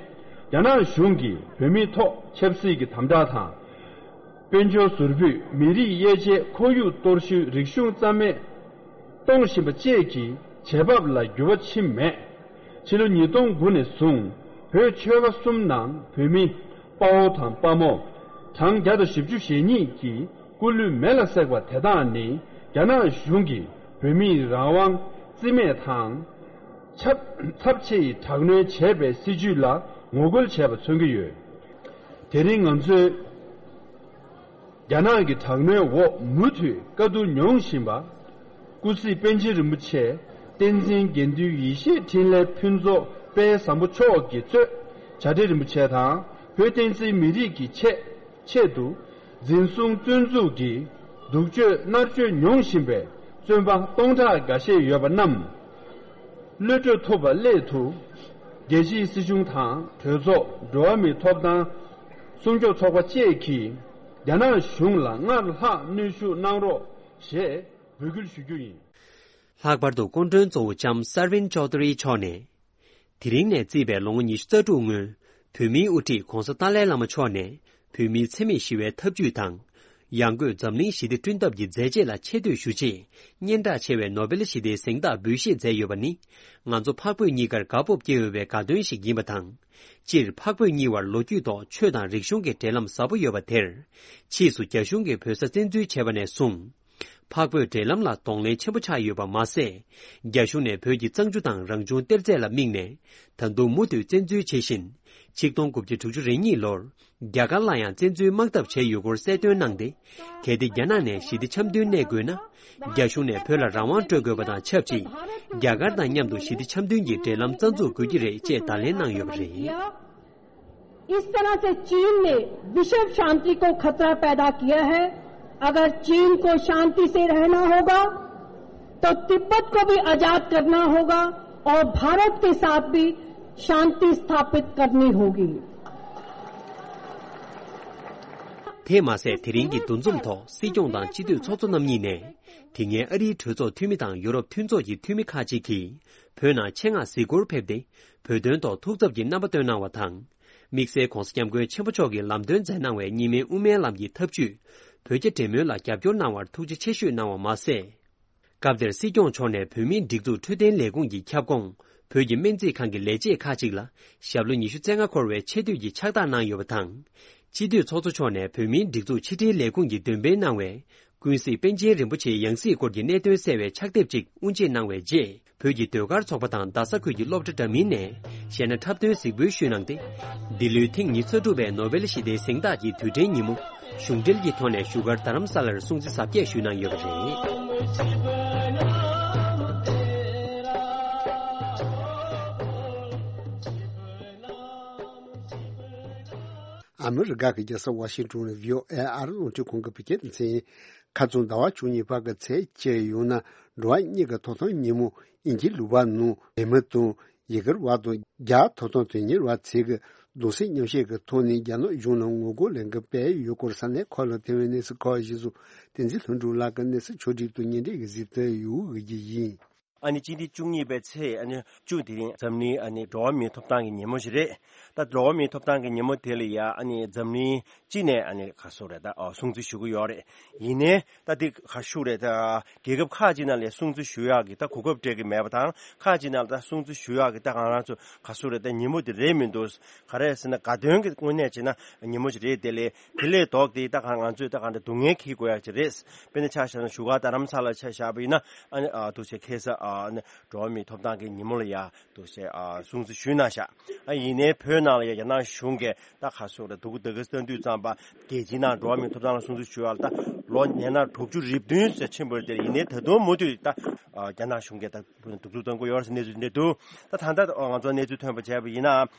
རྒྱ་ནག་གཞུང་གིས་བོད་མིའི་ཐོག་ཆབ་སྲིད་ཀྱི་དམ་དྲག་དང་། དཔལ་འབྱོར་ཟུར་ཕུད། མི་རིགས་དབྱེ་འབྱེད། ཁོར་ཡུག་གཏོར་བཤིག། རིག་གཞུང་རྩ་མེད་གཏོང་བཞིན་པ་བཅས་ཀྱི་བྱེད་བབ་ལ་འགྱུར་བ་ཕྱིན་མེད། ཕྱི་ལོ་ཉིས་སྟོང་དགུ་ནས་བཟུང་བོད་ཆོལ་ཁ་གསུམ་ནང་བོད་མི་དཔའ་བོ་དང་དཔའ་མོ་གྲངས་བརྒྱ་དང་བཞི་བཅུ་ཞེ་གཉིས་ཀྱི་སྐུ་ལུས་མེ་ལ་བསྲེགས་པ་དེ་དག་ནི་རྒྱ་ནག་གཞུང་གིས་བོད་མིའི་རང་དབང་རྩིས་མེད་དང་། ཚབས་ཚབས་ཆེ་ཡི་དྲག་གནོན་བྱས་པའི་སྲིད་བྱུས་ལ་ངོ་རྒོལ་བྱས་པ་མཚོན་གྱི་ཡོད། དེ་རིང་ང་ཚོས་རྒྱ་ནག་གི་དྲག་གནོན་འོག་མུ་མཐུད་དཀའ་སྡུག་མྱོང་བཞིན་པ། སྐུ་གཟིགས་པཎ་ཆེན་རིན་པོ་ཆེ། བསྟན་འཛིན་དགེ་འདུན་ཡེ་ཤེས་འཕྲིན་ལས་ཕུན་ཚོགས་དཔལ་བཟང་པོ་མཆོག་གིས་གཙོས་བྱ་བྲལ་རིན་པོ་ཆེ་དང་བོད་བསྟན་སྲིད་མི་རིགས་ཀྱི་ཆེད་ཆེད་དུ། འཛིན་བཟུང་བཙོན་འཛུགས་ཀྱིས་སྡུག་སྤྱོད་མནར་གཅོད་མྱོང་བཞིན་པའི་བཙོན་པ་སྟོང་ཕྲག་འགའ་ཤས་ཡོད་པ་རྣམས། གློད་གྲོལ་ཐུབ་པ་སླད་དུ། རྒྱལ་སྤྱིའི་སྲིད་གཞུང་དང་གྲོས་ཚོགས། འགྲོ་བ་མིའི་ཐོབ་ཐང་སྲུང་སྐྱོབ་ཚོགས་པ་བཅས་ཀྱིས། རྒྱ་ནག་གཞུང་ལ་སྔར་ལྷག་གནོན་ཤུགས་གནང་རོགས་ཞེས་འབོད་སྐུལ་ཞུ་རྒྱུ་ཡིན། ལྷག་པར་དུ་སྐུ་མགྲོན་གཙོ་བོ་ལྕམ་སར་ཝིན་ཅོ་དྷ་རི་མཆོག་ནས། དེ་རིང་ནས་བརྩིས་པའི་ལོ་ངོ་ཉི་ཤུ་རྩ་དྲུག་སྔོན། བོད་མིའི་དབུ་ཁྲིད་༧གོང་ས་ཏཱ་ལའི་བླ་མ་མཆོག་ནས། བོད་མིའི་འཚེ་མེད་ཞི་བའི་ཐབས་ཇུས་དང་། ཡང་སྒོས་འཛམ་གླིང་ཞི་བདེ་བསྐྲུན་ཐབས་ཀྱི་མཛད་རྗེས་ལ་ཆེ་བསྟོད་ཞུ་ཆེད། སྙན་གྲགས་ཆེ་བའི་ནོ་བེལ་ཞི་བདེའི་གཟེངས་རྟགས་འབུལ་བཞེས་མཛད་ཡོད་པ་ནི། ང་ཚོ་འཕགས་བོད་གཉིས་ཀར་དགའ་སྤོབས་སྐྱེ་འོས་པའི་དགའ་སྟོན་ཞིག་ཡིན་པ་དང་། སྤྱིར་འཕགས་བོད་གཉིས་བར་ལོ་རྒྱུས་ཐོག་ཆོས་དང་རིག་གཞུང་གི་འབྲེལ་ལམ་ཟབ་པོ་ཡོད་པ་དེར། ཕྱིས་སུ་རྒྱ་གཞུང་གིས་བོད་ས་བཙན་འཛུལ་བྱས་པ་ནས་བཟུང་། འཕགས་བོད་འབྲེལ་ལམ་ལ་གདོང་ལེན་ཆེན་པོ་ཆགས་ཡོད་པ་མ་ཟད། རྒྱ་གཞུང་ནས་བོད་ཀྱི་གཙང་ཆུ་དང་རང་བྱུང་གཏེར་རྫས་ལ་དམིགས་ནས། ད་དུང་མུ་མཐུད་བཙན་འཛུལ་བྱེད་བཞིན། ཆིག་སྟོང་དགུ་བརྒྱ་དྲུག་ཅུ་རེ་གཉིས་ལོར། རྒྱ་གར་ལ་ཡང་བཙན་འཛུལ་དམག་འཐབ་བྱས་ཡོད་སྐོར་གསལ་སྟོན་གནང་སྟེ། གལ་ཏེ་རྒྱ་ནག་ནས་ཞི་བདེ་འཆམ་མཐུན་གནས་དགོས་ན། རྒྱ་གཞུང་ནས་བོད་ལ་རང་དབང་སྤྲོད་དགོས་པ་དང་ཆབས་ཅིག་རྒྱ་གར་དང་མཉམ་དུ་ཞི་བདེ་འཆམ་མཐུན་གྱི་འབྲེལ་ལམ་རྩ་འཛུགས་དགོས་ཀྱི་རེད་ཅེས་བརྡ་ལན་གནང་ཡོད་པ་རེད། इस तरह से चीन ने विश्व शांति को खतरा पैदा किया है। अगर चीन को शांति से रहना होगा, तो तिब्बत को भी आजाद करना होगा और भारत के साथ भी शांति स्थापित करनी होगी। དེས་མ་ཟད། དེ་རིང་གི་འདུ་འཛོམས་ཐོག་སྲིད་སྐྱོང་དང་སྤྱི་འཐུས་ཚོགས་གཙོ་རྣམ་གཉིས་ནས། དེ་སྔའི་ཨ་རིའི་གྲོས་ཚོགས་འཐུས་མི་དང་ཡུ་རོབ་མཐུན་ཚོགས་ཀྱི་འཐུས་མི་ཁག་ཅིག་གིས། བོད་ནང་ཆེད་མངགས་གཟིགས་སྐོར་ཕེབས་ཏེ། བོད་དོན་ཐོག་ཐུགས་འཚབ་ཀྱི་རྣམ་པ་བཏོན་གནང་བ་དང་། དམིགས་བསལ་༧གོང་ས་༧སྐྱབས་མགོན་ཆེན་པོ་མཆོག་གིས་ལམ་སྟོན་མཛད་གནང་བའི་གཉིས་སྨན་དབུ་མའི་ལམ་གྱི་ཐབས་ཇུས། བོད་རྒྱ་འབྲེལ་མོལ་ལ་རྒྱབ་སྐྱོར་གནང་བར་ཐུགས་རྗེ་ཆེ་ཞུས་གནང་བ་མ་ཟད། སྐབས་དེར་སྲིད་སྐྱོང་མཆོག་ནས་བོད་མིའི་སྒྲིག་འཛུགས་འཕྲོད་བསྟེན་ལས་ཁུངས་ཀྱི་ཁྱབ་ཁོངས་བོད་ཀྱི་སྨན་རྩིས་ཁང་གི་ལས་བྱེད་ཁག་ཅིག་ལ་ཞབས་ལོ་ཉི་ཤུ་རྩ་ལྔ་འཁོར་བའི་ཆེ་བསྟོད་ཀྱི་ཕྱག་རྟགས་གནང་ཡོད་པ་དང་། སྤྱི་འཐུས་ཚོགས་གཙོ་མཆོག་ནས་བོད་མིའི་སྒྲིག་འཛུགས་ཕྱི་དྲིལ་ལས་ཁུངས་ཀྱིས་འདོན་སྤེལ་གནང་བའི་ཀུན་གཟིགས་པཎ་ཆེན་རིན་པོ་ཆེའི་ཡང་སྲིད་སྐོར་གྱི་གནད་དོན་གསལ་བའི་ཕྱག་དེབ་ཅིག་དབུ་འབྱེད་གནང་བའི་རྗེས། བོད་ཀྱི་ཟློས་གར་ཚོགས་པ་དང་རྡ་ས་ཁུལ་གྱི་སློབ་གྲྭ་འདྲ་མིན་ནས་གཞས་སྣ་འཁྲབ་སྟོན་གཟིགས་འབུལ་ཞུས་གནང་སྟེ། འདི་ལོའི་ཐེངས་ཉི་ཤུ་རྩ་དྲུག་པའི་ནོ་བེལ་ཞི་བདེའི་གཟེངས་རྟགས་ཀྱི་དུས་དྲན་ཉིན་མོ་གཞུང་འབྲེལ་གྱི་ཐོག་ནས་བཞུགས་སྒར་རྡ་རམ་ས་ལར་སྲུང་བརྩི་གཟབ་རྒྱས་ཞུས་གནང་ཡོད་པ་རེད། ཨ་མི་རི་ཀ་གི་རྒྱལ་ས་ཝ་ཤིང་ཊོན་ནས་བྷི་ཨོ་ཨེ་ཨ་རི་རླུང་འཕྲིན་ཁང་གི་བོད་སྐད་སྡེ་ཚན། ཁ་རྩང་ཟླ་བ་བཅུ་གཉིས་བར་གྱི་ཚེས་བཅད་ཡོང་ན་འགྲོ་བ་མིའི་ཐོབ་ཐང་ཉིན་མོ་དབྱིན་ཇིའི་ལུང་པ་ནང་བོད་མི་དང་ཡུ་གུར་བ་དང་རྒྱ་ཐོབ་ཐང་དོན་གཉེར་བ་ཚོས་གདུང་སེམས་མཉམ་བསྐྱེད་ཀྱི་ཐོག་ནས་རྒྱ་ནག་གཞུང་ལ་ངོ་རྒོལ་ལས་འགུལ་སྤེལ་ཡོད་སྐོར་ས་གནས་ཁག་ལ་ཐོན་པའི་གནས་ཚུལ་ཁག་གཞིར་བཟུང་བསྟན་འཛིན་ལྷུན་གྲུབ་ལགས་ཀྱིས་གནས་ཚུལ་ཕྱོགས་སྒྲིག་དང་སྙན་སྒྲོན་གྱིས་གཟིགས་ཐོན་ཡོད་ཀྱི་ཡིན། ཨ་ནི་སྤྱི་ཟླ་བཅུ་གཉིས་པའི་ཚེས་ཨ་ནི་བཅུ་དེ་རིང་འཛམ་གླིང་ཨ་ནི་འགྲོ་བ་མིའི་ཐོབ་ཐང་གི་ཉིན་མོ་ཞིག་རེད། ད་འགྲོ་བ་མིའི་ཐོབ་ཐང་གི་ཉིན་མོ་དེ་ལ་ཡ་ཨ་ནི་འཛམ་གླིང་སྤྱི་ནས་ཨ་ནི་ག་སོ་རེད་ད་ཨ་སྲུང་བརྩི་ཞུ་གི་ཡོད་རེད། ཡིན་ནའི་ད་དེ་ག་ཞུ་རེད་ད་རྒྱལ་ཁབ་ཁག་ཅིག་ནང་ལ་སྲུང་བརྩི་ཞུ་ཡག་གི་ད་གོ་སྐབས་སྤྲད་གི་མེད་པ་དང་ཁག་ཅིག་ནང་ལ་ད་སྲུང་བརྩི་ཞུ་ཡག་གི་ད་ང་རང་ཚོ་ག་སོ་རེད་ད་ཉིན་མོ་དེ་རེད་མི་འདུག་ག་རེ་ཟེར་ན་དགའ་སྟོན་གྱི་དངོས་གནས་བྱས་ན་ཉིན་མོ་ཞིག་རེད། དེ་ལས་དེ་ལས་ལྡོག་སྟེ་ད་ག་ང་ཚོས་ད་ག་འདྲ་སྡུག་བསྔལ་འཁྱེར་དགོས་ཡག་ཅིག་རེད། དཔེར་ན་ཆ་བཞག་ན་བཞུགས་སྒར་རྡ་རམ་ས་ལ་ཆ་བཞག་པ་ཡིན་ན་ཨ་ནི་ཨ་འདུག་སེ་ཁ་སང་ཨ་ནི་འགྲོ་བ་མིའི་ཐོབ་ཐང་གི་ཉིན་མོ་ལ་ཡ་འདུག་སེ་ཨ་སྲུང་བརྩི་ཞུས་གནང་ཤག་ཨ་ཡིན་ནའི་བོད་ནང་ལ་ཡ་རྒྱ་ནག་གཞུང་གིས་ད་ག་སོ་རེད་འདུག་ད་ག་སང་དུས་ཙམ་པ་རྒྱལ་སྤྱིའི་ནང་འགྲོ་བ་མིའི་ཐོབ་ཐང་ལ་སྲུང་བརྩི་ཞུ་ཡག་ལ་ད་ལོ་ཉེར་ལྔ་དྲུག་ཅུ་རེ་བདུན་ཙམ་ཕྱིན་པ་རེད། དེ་ཡིན་ནའི་ད་དུང་མུ་མཐུད་ད་ཨ་རྒྱ་ནག་གཞུང་གིས་ད་གདུག་རྩུབ་གཏོང་གི་ཡོད་རེད་ཟེར་གནས་ཚུལ་འདི་འདུག་ད་ད་ལྟ་ང་ཚོ་གནས་ཚུལ་ཐོན་པ་བྱས་པ་ཡིན་ན།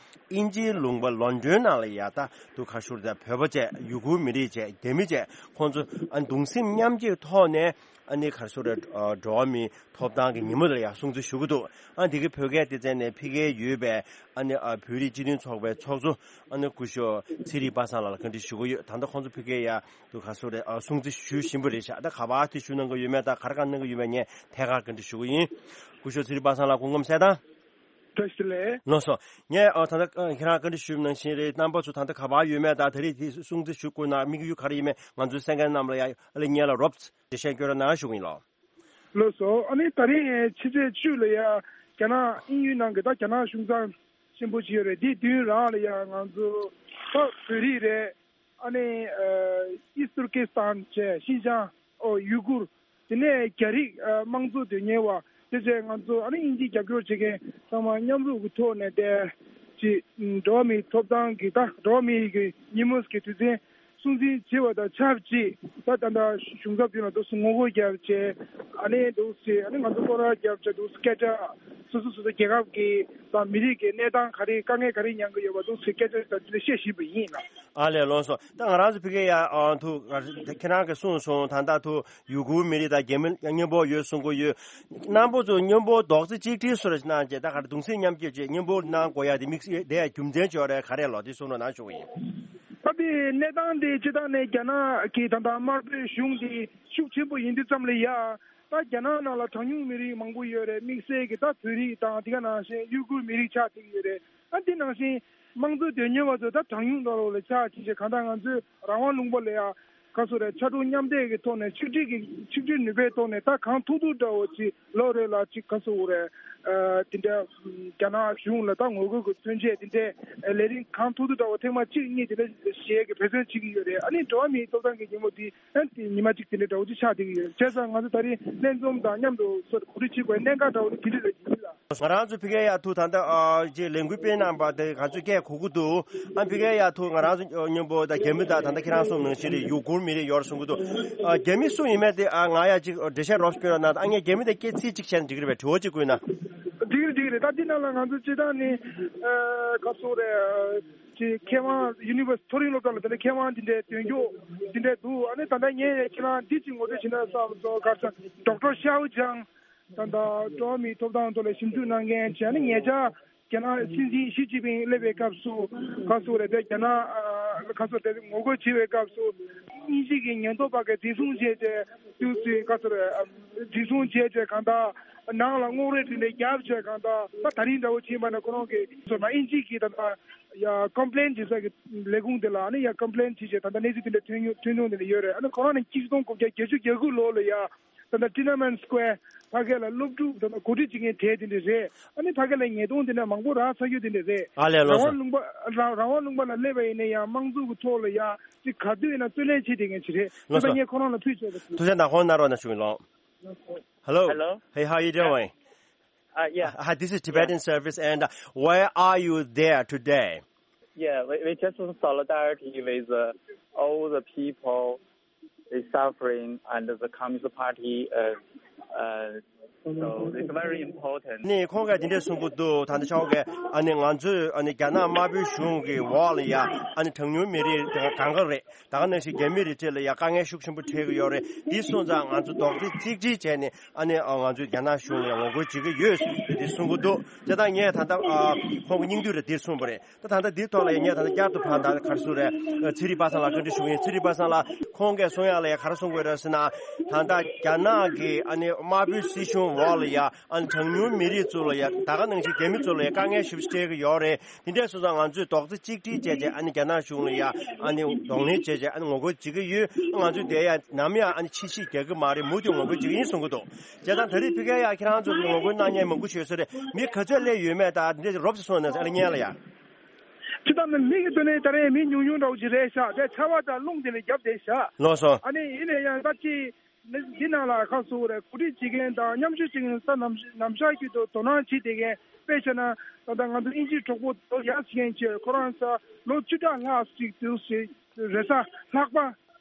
དབྱིན་ཇིའི་ལུང་པ་ལོན་ཌོན་ནང་ལ་ཡ་ད་དུ་ག་ཞུ་རེད་ད་བོད་པ་བཅས་ཡུ་གུར་མི་རིགས་བཅས་རྒྱ་མི་བཅས་ཁོང་ཚོ་ཨ་གདུང་སེམས་མཉམ་སྐྱེད་ཐོག་ནས་ཨ་ནི་ག་ཞུ་རེད་འགྲོ་བ་མིའི་ཐོབ་ཐང་གི་ཉིན་མོ་ལ་ཡ་སྲུང་བརྩི་ཞུ་གི་འདུག་ཨ་འདི་གི་བོད་སྐད་སྡེ་ཚན་ནས་ཕ་གིར་ཡོད་པའི་ཨ་ནི་ཨ་བོད་རིགས་སྤྱི་མཐུན་ཚོགས་པའི་ཚོགས་གཙོ་ཨ་ནི་སྐུ་ཞབས་ཚེ་རིང་པ་སངས་ལགས་ལ་བཀའ་འདྲི་ཞུ་གི་ཡོད། ད་ལྟ་ཁོང་ཚོ་ཕ་གིར་ཡ་དུ་ག་ཞུ་རེད་ཨ་སྲུང་བརྩི་ཞུ་བཞིན་པ་རེད་ཤག་ད་ག་པར་དེ་ཞུ་གནང་གི་ཡོད་མེད་ད་ག་རེ་ག་གནང་གི་ཡོད་མེད་ངས་ཐད་ཀར་བཀའ་འདྲི་ཞུ་གི་ཡིན། སྐུ་ཞབས་ཚེ་རིང་པ་སངས་ལགས་སྐུ་ཁམས་གསལ་ཐང་། བཀྲ་ཤིས་བདེ་ལེགས། ལགས་སོ། ངས་ཨ་ད་ལྟ་ཨ་ཁྱེད་རང་བཀའ་འདྲི་ཞུས་པ་ནང་བཞིན་རེད། རྣམ་པ་ཚོ་ད་ལྟ་ག་པར་ཡོད་མེད་དང་ད་རེས་དེ་སྲུང་བརྩི་ཞུ་དགོས་ན་དམིགས་ཡུལ་ག་རེ་ཡིན་མེད་ང་ཚོའི་གསན་མཁན་རྣམས་ལ་ཡ་ཨ་ལེ་སྙན་ལ་རོབ་ཙམ་འགྲེལ་བཤད་སྐྱོན་རོགས་གནང་ཞུ་གི་ཡིན་ལགས། ལགས་སོ། ཨ་ནི་ད་རེས་ཕྱི་ཚེས་བཅུ་ལ་ཡ་རྒྱ་ནག་དབྱིན་ཡུལ་ནང་གི་ད་རྒྱ་ནག་གཞུང་ཚབ་ཆེན་པོ་ཅིག་ཡོད་རེད། དེའི་མདུན་རང་ལ་ཡ་ང་ཚོ་ད་བོད་རིགས་རེད། ཨ་ནི་ཨ་ཨིསྟ་ཏུར་ཀི་སི་ཐན་བཅས་ཤིན་ཅང་ཨོ་ཡུ་གུར། དེ་ནས་རྒྱ་རིགས་ཨ་དམངས་གཙོ་དོན་གཉེར་བ་དེ་བཅས་ང་ཚོ་ཨ་ནི་དབྱིན་ཇིའི་རྒྱབ་སྐྱོར་བྱེད་མཁན་ཚང་མ་མཉམ་རུབ་ཀྱི་ཐོག་ནས་དེ་ཅིག་འགྲོ་བ་མིའི་ཐོབ་ཐང་གི་ད་འགྲོ་བ་མིའི་གི་ཉིན་མོ་གི་དུས་ཆེན་སྲུང་བརྩི་བྱེད་པ་དང་ཆབས་ཅིག་ད་ད་ལྟ་གཞུང་ཚབ་མདུན་ལ་འདུག་སེ་ངོ་རྒོལ་རྒྱབ་བྱས་ཨ་ནི་འདུག་སེ་ཨ་ནི་ང་ཚོ་སྐོར་ར་རྒྱབ་བྱས་འདུག་སེ་སྐད་ཆ་སོ་སོ་སོ་སོ་རྒྱལ་ཁབ་ཀྱི་དང་མི་རིགས་ཀྱི་གནས་སྟངས་ག་རེ་དཀའ་ངལ་ག་རེ་མྱངས་ཀྱི་ཡོད་པ་འདུག་སེ་སྐད་ཆ་དང་དེ་འདྲ་བཤད་བཞིན་པ་ཡིན་ལགས། ཨ་ལས་ལགས་སོ། ད་ང་རང་ཚོ་ཕ་གིར་ཡ་ཨ་ཐུག་ཁྱེད་རང་གིས་གསུངས་སོང་། ད་ལྟ་ཐུག་ཡུ་གུར་མི་རིགས་དང་རྒྱ་མི་མཉམ་པོ་ཡོད་གསུང་གི་ཡོད། རྣམ་པ་ཚོ་མཉམ་པོ་རྡོག་རྩ་གཅིག་སྒྲིལ་བཟོ་འདྲ་གནང་བྱས་ད་ག་རེ་གདུང་སེམས་མཉམ་སྐྱེད་བྱས་མཉམ་པོ་གནང་དགོས་ཡ་དེ་དམིགས་བསལ་དེ་ཡ་རྒྱུ་མཚན་ཅིག་ཡོད་རེད་ག་རེ་ལགས་དེ་གསུང་རོགས་གནང་ཞུ་གི་ཡིན། ད་དེ་གནས་སྟངས་དེ་སྤྱིར་བཏང་ནས་རྒྱ་ནག་གི་ད་ལྟ་དམར་པོའི་གཞུང་དེ་ཤུགས་ཆེན་པོ་ཡིན་དུས་ཙམ་ལ་ཡ་ད་རྒྱ་ནག་ནང་ལ་གྲངས་ཉུང་མི་རིགས་མང་པོ་ཡོད་རེད། དམིགས་བསལ་གྱི་ད་བོད་རིགས་དང་དེ་ག་ནང་བཞིན་ཡུ་གུར་མི་རིགས་ཆགས་བསྡད་ཀྱི་ཡོད་རེད། ཨ་འདི་ནང་བཞིན་དམངས་གཙོ་དོན་གཉེར་བ་ཚོ་ད་གྲངས་ཉུང་འདྲ་བོ་ལ་ཆགས་ཕྱིན་བྱས་གང་ལྟར་ང་ཚོའི་རང་དབང་ལུང་པ་ལ་ཡ་ག་སོ་རེད་ཕྱར་གྲུ་མཉམ་འདེགས་ཀྱི་ཐོག་ནས་ཆིག་སྒྲིལ་གྱི་ཆིག་སྒྲིལ་ནུས་པའི་ཐོག་ནས་ད་གང་ཐུབ་ཐུབ་འདྲ་བོ་ཅིག་ལོ་རེ་ལ་ཅིག་ག་སོ་རེད་དེ་འདྲ་རྒྱ་ནག་གཞུང་ལ་ད་ངོ་རྒོལ་གྱི་མཚོན་ཆས་དེ་འདྲའི་ལས་རིམ་གང་ཐུབ་ཐུབ་འདྲ་བོ་ཐེངས་མ་གཅིག་གཉིས་དེ་འདྲ་ཞིག་གི་འབད་བརྩོན་བྱེད་ཀྱི་ཡོད་རེད། ཨ་ནི་འགྲོ་བ་མིའི་ཐོབ་ཐང་གི་ཉིན་མོ་འདི་ཨ་ནི་ཉི་མ་གཅིག་དེ་འདྲའི་འདྲ་བོ་ཅིག་ཆགས་བསྡད་ཀྱི་ཡོད་རེད། བྱས་ཙང་ང་ཚོ་ད་རིང་ལྷན་འཛོམས་དང་མཉམ་དུ་སོ་སོ་གོ་སྒྲིག་བྱེད་དགོས་གནད་འགག་འདྲ་བོ་ནི་དེ་འདྲ་རེད་ཅེས་ལ། ང་རང་ཚོ་ཕ་གིར་ཡ་ཐུག་ད་ལྟ་ཨ་ཅེ་ལས་འགུལ་སྤེལ་གནང་པ་དེ་ང་ཚོས་སྐད་གོ་གི་འདུག་ཨ་ཕ་གིར་ཡ་ཐུག་ང་རང་ཚོ་མཉམ་པོ་ད་རྒྱ་མི་དང་ད་ལྟ་ཁྱེད་རང་གསུངས་ནང་བཞིན་རེད། ཡུ་གུར་མི་རིགས་ཡོད་རེད་གསུང་གི་འདུག་ཨ་རྒྱ་མི་སུ་ཡིན་མིན་དེ་ཨ་ང་ཡ་ཅིག་འགྲེལ་བཤད་རོབ་སྐྱོན་རོགས་གནང་། ཨ་ངས་རྒྱ་མི་དང་སྐད་ཚིག་གཅིག་བཤད་ན་འགྲིག་གི་རེད་པས། དྲི་བ་གཅིག་བཀོད་ན། འགྲིག་གི་རེད་འགྲིག་གི་རེད། ད་འདི་ནང་ལ་ང་ཚོ་སྤྱིར་བཏང་ནི་ཨ་ག་སོ་རེད་ཅིག་མཁས་དབང་ཡུ་ནི་ཝར་སི་མཐོ་རིམ་སློབ་གྲྭ་ལ་དེ་འདྲ་མཁས་དབང་འདི་འདྲའི་འདོན་རྒྱུ་འདི་འདྲའི་འདུག་ཨ་ནི་ད་ལྟ་ངས་ཁྱེད་རང་འདི་ཅིག་ངོ་སྤྲོད་བྱེད་ན་བསམ་སོང་། ག་ས་ཌོག་ཊར་ཤའོ་ཅང་། ད་ལྟ་འགྲོ་བ་མིའི་ཐོབ་ཐང་ཐོག་ལ་ཞིབ་འཇུག་གནང་མཁན་བྱས་ནས་ཉེ་ཆར་རྒྱ་ནག་སྲིད་འཛིན་ཞི་ཅིན་ཕིང་སླེབས་པའི་སྐབས་སུ་ག་སོ་རེད་དེ་རྒྱ་ནག་ཨ་ ཁ་སོ་དེ་ངོ་རྒོལ་བྱེད་པའི་སྐབས་སུ་དབྱིན་ཇི་གི་ཉེན་རྟོག་པ་གིས་འཛིན་བཟུང་བྱས་ཏེ་དུས་ཚོད་ཁ་སོ་རེ་འཛིན་བཟུང་བྱས་ཏེ་གང་ལྟར་ནང་ལ་རྔོག་རེ་བྲིས་ནས་རྒྱབ་བྱས་གང་ལྟར་ད་ད་རིང་འདྲ་བོ་བྱས་པ་ན་ཁོ་རང་གིས་སོ་མ་དབྱིན་ཇི་གི་ད་ལྟ་ཡ་ཀོམ་པི་ལེན་བྱེད་ས་གི་ལས་ཁུངས་དེ་ལ་ཨ་ནི་ཡ་ཀོམ་པི་ལེན་བྱེད་བྱས་ད་ལྟ་གནས་ཚུལ་དེ་འདྲ་ཐོན་མྱོང་ཐོན་མྱོང་དེ་འདྲ་ཡོད་རེད། ཨ་ནི་ཁོ་རང་ནི་གཅིག་སྟོང་དགུ་བརྒྱ་བརྒྱད་ཅུ་གྱ་དགུ་ལོ་ལ་ཡ། ད་ལྟ་ཊི་ཨེན་ཨེན་སི་ཀོ་ཝེར་ཕ་གི་ལ་སློབ་ཕྲུག་ད་ལྟ་གོ་སྒྲིག་བྱེད་མཁན་གྲས་དེ་འདྲ་རེད། ཨ་ནི་ཕ་གི་ལ་ཉེས་རྡུང་དེ་འདྲ་མང་པོ་རག་ཚར་རྒྱུ་དེ་འདྲ་རེད། ཨ་ལས་ལགས་རང་སོ། དབང་ལུང་པ་རང་རང་དབང་ལུང་པ་ལ་སླེབས་པ་ཡིན་ན་ཡང་དམངས་གཙོ་གི་ཐོག་ལ་ཡང་ཅིག་ག་དུས་ཡིན་ན་རྩོད་ལེན་བྱེད་བསྡད་མཁན་ཅིག་རེད། ལགས་སོ། ད་ལྟ་ངས་ཁོ་རང་ལ་ཕུལ་ཆོག་པ་ཞུ། ཐུགས་རྗེ་གནང་། ཁོང་ནང་རོགས་གནང་ཞུ་ཡིན་ལགས། Hello. Hello. Hey, how you doing? Uh, yeah. Uh, hi, this is Tibetan Service, and uh, why are you there today? Yeah, we, we just in solidarity with uh, all the people is suffering and the Communist Party. Uh, uh, so it's very important. ནི་ཁོང་གིས་འདི་འདྲས་གསུང་གི་འདུག་ད་ནི་ཆོག་གི། ཨ་ནི་ང་ཚོས་ཨ་ནི་རྒྱ་ནག་དམར་པོའི་གཞུང་གི་འོག་ལ་ཡ་ཨ་ནི་གྲངས་ཉུང་མི་རིགས་གང་ག་རེད། ད་ག་ནང་བཞིན་རྒྱ་མི་རིགས་གྲས་ལ་ཡ་དཀའ་ངལ་ཤུགས་ཆེན་པོ་འཕྲད་ཀྱི་ཡོད་རེད། འདི་སོང་ཙང་ང་ཚོ་རྡོག་རྩ་གཅིག་སྒྲིལ་བྱས་ནས་ཨ་ནི་ང་ཚོས་རྒྱ་ནག་གཞུང་ལ་ཡ་ངོ་རྒོལ་བྱེད་ཀྱི་ཡོད་ཟེར་འདི་གསུང་གི་འདུག་བྱས་ཙང་ངས་ད་ལྟ་ཁོང་གི་སྙིང་བསྡུས་རེ་འདིར་གསུངས་པ་རེད། ད་ད་ལྟ་འདིའི་ཐོག་ལ་ཡང་ངས་ད་ལྟ་བསྐྱར་དུ་ཕར་ད་ག་རེ་ཟེར་རེད། ཚེ་རིང་པ་སངས་ལགས་བཀའ་འདྲི་ཞུ་གི་ཡིན། ཚེ་རིང་པ་སངས་ལགས། ཁོང་གིས་གསུང་ཡག་ལ་ཡང་ག་རེ་གསུང་དགོས་རེད་ཟེར་ན། ད་ལྟ་རྒྱ་ནག་གི་ཨ་ནི་དམར་པོའི་སྲིད་གཞུང་འོག་ལ་ཡ་ཨ་ནི་གྲངས་ཉུང་མི་རིགས་ཚོ་ལ་ཡ་ད་ག་ནང་བཞིན་རྒྱ་མི་ཚོ་ལ་ཡ་དཀའ་ངལ་ཞེ་པོ་ཅིག་འཕྲད་ཀྱི་ཡོད་རེད། དེ་འདྲས་སོང་ཙང་ང་ཚོས་རྡོག་རྩ་གཅིག་སྒྲིལ་བྱས་བྱས་ཨ་ནི་རྒྱ་ནག་གཞུང་ལ་ཡ་ཨ་ནི་གདོང་ལེན་བྱས་བྱས་ཨ་ནི་ངོ་རྒོལ་བྱེད་ཀྱི་ཡོད། ང་ཚོས་དེ་ཡ་ནམ་ཡང་ཨ་ནི་ཕྱི་བཤིག་རྒྱག་གི་མ་རེད། མུ་མཐུད་ངོ་རྒོལ་བྱེད་ཀྱི་ཡིན་གསུང་གི་འདུག་བྱས་ཙང་ད་རེས་ཕ་གིར་ཡ་ཁྱེད་རང་ཚོ་ངོ་རྒོལ་གནང་མཁན་མང་པོ་ཞིག་ཡོད་ས་རེད། མི་ག་ཚོད་སླེབས་ཡོད་མེད་དང་འདི་རོབ་ཙམ་གསུངས་ན་ཨ་ལེ་སྙན་ལ་ཡ། སྤྱིར་བཏང་ནི་མི་གི་ཐོག་ནས་ད་རེས་མི་ཉུང་ཉུང་འདྲ་བོ་ཞིག་རེད་ཤག་དེ་ཆར་པ་དང་རླུང་དེ་ནས་བརྒྱབ་བསྡད་ཤག་ལགས་སོ། ཨ་ནི་ཡིན་ན་ཡང་ད་ཅི་འདི་ནང་ལ་ཁ་གསོ་བ་རེད། གོ་སྒྲིག་བྱེད་མཁན་དང་མཉམ་ཞུགས་བྱེད་མཁན་ས་ནམ་ནམ་ཞག་རྒྱུན་དུ་དོ་སྣང་བྱེད་བསྡད་མཁན་དཔེ་བྱས་ན་ད་ལྟ་ང་ཚོ་དབྱིན་ཇིའི་གྲོགས་པོ་དོ་ཡག་བྱེད་མཁན་ཆེ་ཁོ་རང་ས་ལོ་བཅུ་ཕྲག་ལྷག་ཅིག་དུས་ཞིག་རེས་གཟའ་ལྷག་པ་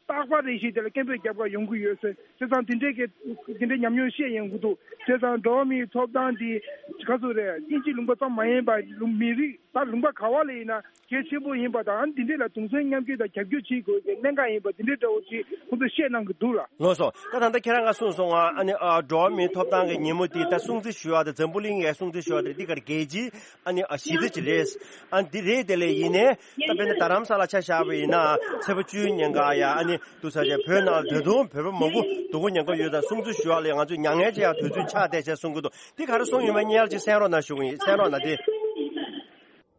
རྟག་པ་རེ་བཞིན་དེ་ལ་སྐད་འབོད་རྒྱབ་གར་ཡོང་གི་ཡོད་ཟེར། བྱས་ཙང་དེ་འདྲའི་གི་དེ་འདྲའི་ཉམས་མྱོང་བཤད་ཡོང་གི་འདུག་བྱས་ཙང་འགྲོ་བ་མིའི་ཐོབ་ཐང་འདི་ག་ཚོད་རེད། དབྱིན་ཇི་ལུང་པ་ཙམ་མ་ཡིན་པ་ལུང་མི་རིགས་ད་ལུང་པ་ག་བ་ལ་ཡིན་ན་གལ་ཆེན་པོ་ཡིན་པ་དང་འདི་འདྲའི་ལ་གདུང་སེམས་མཉམ་སྐྱེད་དང་རྒྱབ་སྐྱོར་བྱེད་དགོས་ཀྱི་གནད་འགག་ཡིན་པ་འདི་འདྲའི་འདྲ་བོ་ཅིག་ཁོང་ཚོས་བཤད་གནང་གི་འདུག་ལ། ལགས་སོ། ད་ད་ལྟ་ཁྱེད་རང་ག་གསུངས་སོང་ང་། ཨ་ནི་ཨ་འགྲོ་བ་མིའི་ཐོབ་ཐང་གི་ཉིན་མོ་འདི་ད་སྲུང་བརྩི་ཞུ་བ་དང་འཛམ་བུ་གླིང་ཡའི་སྲུང་བརྩི་ཞུ་བ་དེ་འདི་གར་རྒྱལ་སྤྱིའི་ཨ་ནི་ཨ་གཞི་རྩ་ཅིག་རེད། ཨ་འདི་རེད། དེ་ལས་ཡིན་ནའི་ད་དཔེར་ན་རྡ་རམ་ས་ལ་ཆ་བཞག་པ་ཡིན་ན་ཚེས་པ་བཅུའི་ཉིན་ཀ་ཡ་ཨ་ནི་འདུག་ས་ཆ་བོད་ནང་ད་དུང་བོད་པ་མང་པོ་སྡུག་པོ་ཉེན་ཁ་ཡོད་ཙང་སྲུང་བརྩི་ཞུ་བ་ལས་ང་ཚོས་མྱ་ངན་ཅིག་ཡང་དུས་ཚོད་ཆགས་བསྡད་བྱས་གསུང་གི་འདུག་འདི་ག་རེ་གསུངས་ཡོད་མེད་སྙན་ཅིག་གསན་རོགས་གནང་ཞུ་གི་ཡིན། གསན་རོགས་གནང་སྟེ།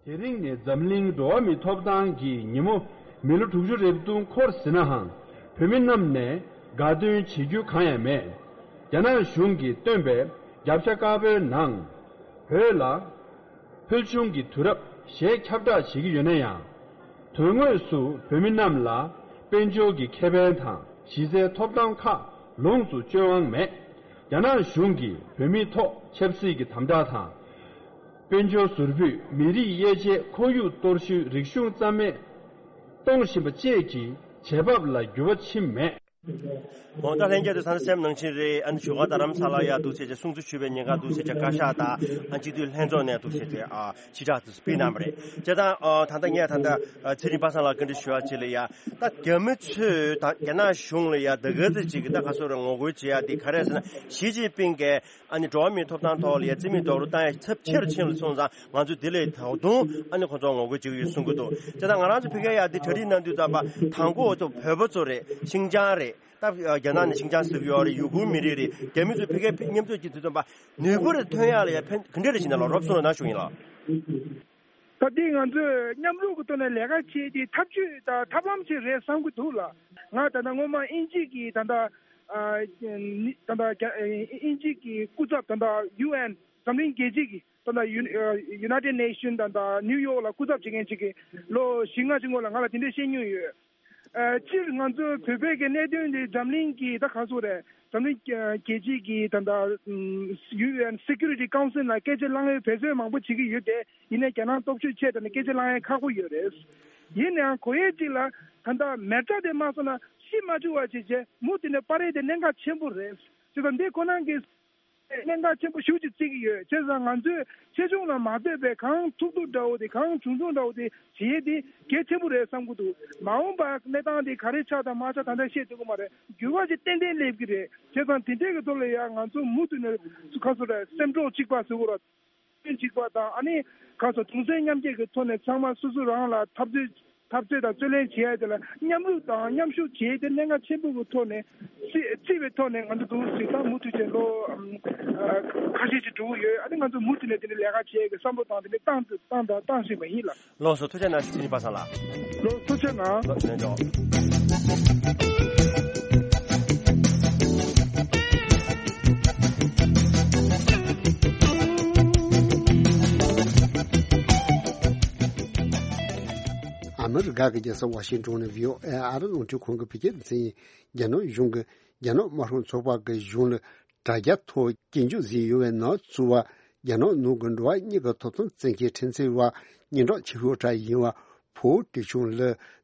དེ་རིང་ནི་འཛམ་གླིང་འགྲོ་བ་མིའི་ཐོབ་ཐང་གི་ཉིན་མོ་མི་ལོ་དྲུག་ཅུ་རེ་བདུན་འཁོར་ཟིན་ནའང་བོད་མི་རྣམས་ནས་དགའ་སྟོན་བྱེད་རྒྱུ་གང་ཡང་མེད། རྒྱ་ནག་གཞུང་གིས་བཏོན་པའི་རྒྱབ་ཤ་དཀར་པོའི་ནང་བོད་ལ་ཕུལ་བྱུང་གི་དུས་རབས་ཞེས་ཁྱབ་བསྒྲགས་བྱེད་ཀྱི་ཡོད་ན་ཡང་། དོན་དངོས་སུ་བོད་མི་རྣམས་ལ་དཔལ་འབྱོར་གྱི་ཁེ་ཕན་དང་གཞི་རྩའི་ཐོབ་ཐང་ཁག་ལོངས་སུ་སྤྱོད་དབང་མེད། རྒྱ་ནག་གཞུང་གིས་བོད་མིའི་ཐོག་ཆབ་སྲིད་ཀྱི་དམ་དྲག་དང་། དཔལ་འབྱོར་ཟུར་ཕུད། མི་རིགས་དབྱེ་འབྱེད། ཁོར་ཡུག་གཏོར་བཤིག་རིག་གཞུང་རྩ་མེད་གཏོང་བཞིན་པ་བཅས་ཀྱི་བྱེད་བབ་ལ་འགྱུར་བ་ཕྱིན་མེད། འོ་ད་ལྷན་རྒྱས་ཚོས་ད་ལྟ་སེམས་ནང་བཞིན་རེད། ཨ་ནི་བཞུགས་སྒར་རྡ་རམ་ས་ལ་ཡ་འདུག་བྱས་བྱས་སྲུང་བརྩི་ཞུ་བའི་ཉེན་ཁ་འདུག་བྱས་བྱས་བཀའ་ཤག་དང་ཨ་སྤྱི་འཐུས་ལྷན་ཚོགས་ནས་འདུག་བྱས་བྱས་ཨ་ཕྱི་བསྒྲགས་དེ་ཚོ་སྤེལ་གནང་བ་རེད། བྱས་ཙང་ཨ་ད་ལྟ་ངས་ད་ལྟ་ཚེ་རིང་པ་སངས་ལ་བཀའ་འདྲི་ཞུ་བ་ཅིག་ལ་ཡ། ད་རྒྱ་མི་ཚོས་ད་རྒྱ་ནག་གཞུང་ལ་ཡ་ད་ག་ཚོད་ཅིག་གི་ད་ག་ཚོད་རེ་ངོ་རྒོལ་བྱེད་ཡ་དེ་ག་རེ་ཟེར་ན། ཞི་ཅིན་ཕིང་གིས་ཨ་ནི་འགྲོ་བ་མིའི་ཐོབ་ཐང་ཐོག་ལ་ཡ་རྩིས་མེད་རྡོག་རོལ་བཏང་ཡ་ཚབས་ཆེ་རུ་ཕྱིན་པ་སོང་ཙང་ང་ཚོས་དེ་ལས་ད་དུང་ཨ་ནི་ཁོ་ཚོ་ངོ་རྒོལ་བྱེད་ཀྱི་ཡོད་གསུང་གི་འདུག་བྱས་ཙང་ང་རང་ཚོ་ཕ་གིར་ཡ་དེ་གྲ་སྒྲིག་གནང་དུས་ཙམ་པ་དང་པོ་ཚོ་བོད་པ་ཚོ་རེད། ཤིང་ཅང་རེད། ད་རྒྱ་ནག་ནས་ཤིང་ཅང་ཟེར་གྱི་ཡོད་རེད། ཡུ་གུར་མི་རིགས་རེད། རྒྱ་མི་ཚོས་ཕ་གིར་མཉམ་འཛོམས་ཀྱི་དུས་ཙམ་པ་ནུས་པ་རེ་ཐོན་ཡག་ལ་ཡ་ཕན་ག་འདྲ་རེ་བྱེད་ན་ལ་རོབ་གསུངས་རོགས་གནང་ཞུ་ཡིན་ལགས། ད་ལྟའི་ང་ཚོས་མཉམ་རུབ་ཀྱི་ཐོག་ནས་ལས་ཀ་བྱས་ཏེ་ཐབས་ཇུས་དང་ཐབས་ལམ་ཅིག་རེད་བསམ་གྱི་འདུག་ལགས། ང་ད་ལྟ་སྔོན་མ་དབྱིན་ཇི་གི་ད་ལྟ་ཨ་ནི་ད་ལྟ་རྒྱ་ཨ་དབྱིན་ཇི་གི་སྐུ་ཚབ་ད་ལྟ་ཡུ་ཨེན་འཛམ་གླིང་རྒྱལ་སྤྱི་གི་ད་ལྟ་ཡུ་ཨ་United Nations་ད་ལྟ་ནིའུ་ཡོག་ལ་སྐུ་ཚབ་བྱེད་མཁན་ཅིག་གིས་ལོ་བཞི་ལྔ་ཅིག་སྔོན་ལ་ང་ལ་དེ་འདྲས་བཤད་མྱོང་ཡོད། ཨ་སྤྱིར་ང་ཚོའི་བོད་པའི་གི་གནད་དོན་འདི་འཛམ་གླིང་གི་ད་ག་ཚོད་རེད། འཛམ་གླིང་རྒྱལ་སྤྱི་གི་ད་ལྟ་ཡུ་ཨེན་Security Council་ལ་སྐད་ཆ་གླེང་ཡའི་འབད་བརྩོན་མང་པོ་བྱེད་ཀྱི་ཡོད་དེ། ཡིན་ནའི་རྒྱ་ནག་སྟོབས་ཤུགས་ཆེ་དྲགས་ནས་སྐད་ཆ་གླེང་ཡ་ཁག་པོ་ཡོད་རེད། ཡིན་ནའང་གོ་ཡས་གཅིག་ལ་ད་ལྟ་མེ་སྲེག་དེ་མ་སོང་ན་ཤི་མ་བཅུག་པ་བྱས་བྱས་མུ་མཐུད་ནས་སྤར་ཡས་དེ་གནད་འགག་ཆེན་པོ་རེད། བྱས་ཙང་འདི་ཁོ་ན་གི་གནད་འགག་ཆེན་པོ་ཞེ་པོ་ཅིག་བརྩི་གི་ཡོད། བྱས་ཙང་ང་ཚོས་ཆེ་ཆུང་ལ་མ་ལྟོས་པའི་གང་ཐུབ་ཐུབ་འདྲ་བོ་དེ་གང་བྱུང་བྱུང་འདྲ་བོ་དེ་བྱེད་ཡས་དེ་གལ་ཆེན་པོ་རེད་བསམ་གྱི་འདུག་མ་འོངས་པ་གནས་སྟངས་དེ་ག་རེ་ཆགས་དང་མ་ཆགས་ད་ལྟ་བཤད་ཐུབ་ཀྱི་མ་རེད། འགྱུར་བ་ཅིག་ཏན་ཏན་སླེབས་ཀྱི་རེད། བྱས་ཙང་དེ་འདྲའི་གི་ཐོག་ལ་ཡང་ང་ཚོ་མུ་མཐུད་ནས་ཁ་སོ་ར་སེམས་གྲོགས་གཅིག་པ་ཟེར་དགོས་ར། གཅིག་པ་དང་ཨ་ནི་ཁ་སོ་གདུང་སེམས་མཉམ་སྐྱེད་ཀྱི་ཐོག་ནས་ཚང་མ་སོ་སོ་རང་ལ་འཐབ་རྩོད་ འཐབ་རྩོད་དང་རྩོད་ལེན་བྱེད་ཡ་དེ་ལ་མཉམ་རུབ་དང་མཉམ་ཞུགས་བྱེད་ཡ་དེ་གནད་འགག་ཆེན་པོ་གི་ཐོག་ནས་རྩི་རྩིས་པའི་ཐོག་ནས་ང་ཚོ་འདུག་ཟེར་ད་མུ་མཐུད་བྱས་ལོ་ཨམ་ཨ་ཁ་ཤས་ཅིག་འགྲོ་གི་ཡོད། ཨ་ནི་ང་ཚོ་མུ་མཐུད་ནས་དེ་འདྲའི་ལས་ཀ་བྱེད་ཡ་གི་བསམ་བློ་བཏང་དེ་འདྲའི་བཏང་བཏང་དང་བཏང་བཞིན་པ་ཡིན་ལགས། ལགས་སོ། ཐུགས་རྗེ་གནང་། སྲིད་སྐྱོང་པ་སངས་ལགས། ལགས་ཐུགས་རྗེ་གནང་། ལགས་ལན་འཇོག། ཨ་མི་རི་ཀ་གི་རྒྱལ་ས་ཝ་ཤིང་ཏོན་ནས་བྷི་ཨོ་ཨེ་ཨ་རི་རླུང་འཕྲིན་ཁང་གི་བོད་སྐད་སྡེ་ཚན་ཡིན། རྒྱ་ནག་གཞུང་གིས་རྒྱ་ནག་དམར་ཤོག་ཚོགས་པ་གི་གཞུང་ལ་དྲ་རྒྱ་ཐོག་སྐྱོན་བརྗོད་བཟོས་ཡོད་པའི་ནང་ཚུད་པ། རྒྱ་ནག་ནང་གི་འགྲོ་བ་མིའི་ཐོབ་ཐང་བཙན་ཁྱབ་ཁྲིམས་རྩོད་པ་སྙན་གྲགས་ཆེ་ཤོས་དག་ཡིན་པ་ཕུའུ་ཀྲི་ཆུང་ལ་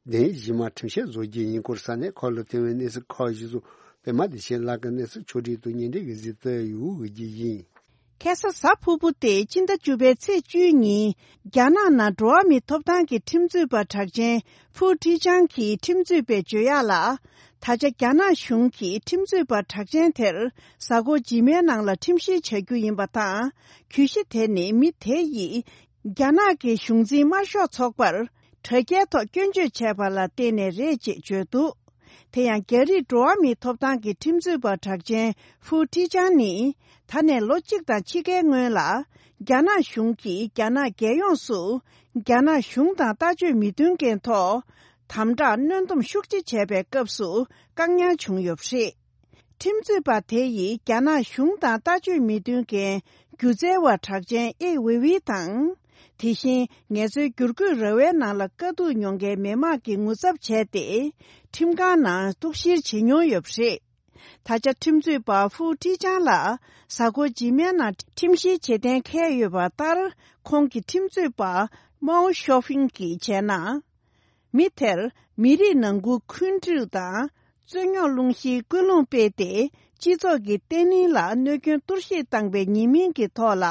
གདན་ཞུས་མ་ཁྲིམས་བཤེར་བཟོ་རྒྱུ་ཡིན་སྐོར་ས་གནས་ཁག་ལ་ཐོན་པའི་གནས་ཚུལ་ཁག་ཅིག་སོགས་པད་མ་བདེ་ཆེན་ལགས་ཀྱིས་གནས་ཚུལ་ཕྱོགས་སྒྲིག་ཏུ་སྙན་སྒྲོན་གྱིས་གཟིགས་ཏེ་ཡོད་རྒྱུ་ཡིན། ཁ་སང་གཟའ་ཕུར་བུ་སྟེ་སྤྱི་ཟླ་བཅུ་པའི་ཚེས་བཅུའི་ཉིན་རྒྱ་ནག་ནང་འགྲོ་བ་མིའི་ཐོབ་ཐང་གི་ཁྲིམས་རྩོད་པ་གྲགས་ཅན་ཧྥུའུ་ཁྲི་ཅང་གིས་ཁྲིམས་རྩོད་པའི་བརྗོད་ཡག་ལ། ད་ཆ་རྒྱ་ནག་གཞུང་གིས་ཁྲིམས་རྩོད་པ་གྲགས་ཅན་དེར་གཟའ་འཁོར་རྗེས་མའི་ནང་ལ་ཁྲིམས་བཤེར་བྱ་རྒྱུ་ཡིན་པ་དང་། གྱོད་གཞི་དེ་ནི་མི་དེ་ཡིས་རྒྱ་ནག་གི་གཞུང་འཛིན་དམར་ཤོག་ཚོགས་པར་དྲ་རྒྱའི་ཐོག་སྐྱོན་བརྗོད་བྱས་པ་ལ་བརྟེན་ནས་རེད་ཅེས་བརྗོད་འདུག། དེ་ཡང་རྒྱ་རིགས་འགྲོ་བ་མིའི་ཐོབ་ཐང་གི་ཁྲིམས་རྩོད་པ་གྲགས་ཅན་ཧྥུའུ་ཁྲི་ཅང་ནི། ད་ནས་ལོ་གཅིག་དང་ཕྱེད་ཀའི་སྔོན་ལ། རྒྱ་ནག་གཞུང་གིས་རྒྱ་ནག་རྒྱལ་ཡོངས་སུ། རྒྱ་ནག་གཞུང་དང་ལྟ་སྤྱོད་མི་མཐུན་རྐྱེན་ཐོག་དམ་དྲག་གནོན་སྡོམ་ཤུགས་ཆེ་བྱས་པའི་སྐབས་སུ། བཀག་ཉར་བྱུང་ཡོད་པ་རེད། ཁྲིམས་རྩོད་པ་དེ་ཡིས་རྒྱ་ནག་གཞུང་དང་ལྟ་སྤྱོད་མི་མཐུན་རྐྱེན་སྒྱུ་རྩལ་བ་གྲགས་ཅན་ཨེ་ཝེ་ཝེ་དང་། དེ་བཞིན་ངལ་རྩོལ་བསྒྱུར་བཀོད་ར་བའི་ནང་ལ་དཀའ་སྡུག་མྱོང་མཁན་མི་མང་གི་ངོ་ཚབ་བྱས་ཏེ། ཁྲིམས་ཁང་ནང་གཏུག་བཤེར་བྱེད་མྱོང་ཡོད་པ་རེད། ད་ཆ་ཁྲིམས་རྩོད་པ་ཧྥུའུ་ཁྲི་ཅང་ལ་གཟའ་འཁོར་རྗེས་མའི་ནང་ཁྲིམས་བཤེར་བྱེད་གཏན་འཁེལ་ཡོད་པ་ལྟར། ཁོང་གི་ཁྲིམས་རྩོད་པ་མའོ་ཤོ་ཧྥིང་གིས་བྱས་ན། མི་དེར་མི་རིགས་ནང་ཁུལ་འཁོན་འཁྲུག་དང་རྩོད་རྙོག་སློང་གཞིའི་ཀུན་སློང་སྤེལ་ཏེ། སྤྱི་ཚོགས་ཀྱི་བརྟན་ལྷིང་ལ་གནོད་སྐྱོན་གཏོར་བཤིག་བཏང་པའི་ཉེས་མིང་གི་ཐོག་ལ་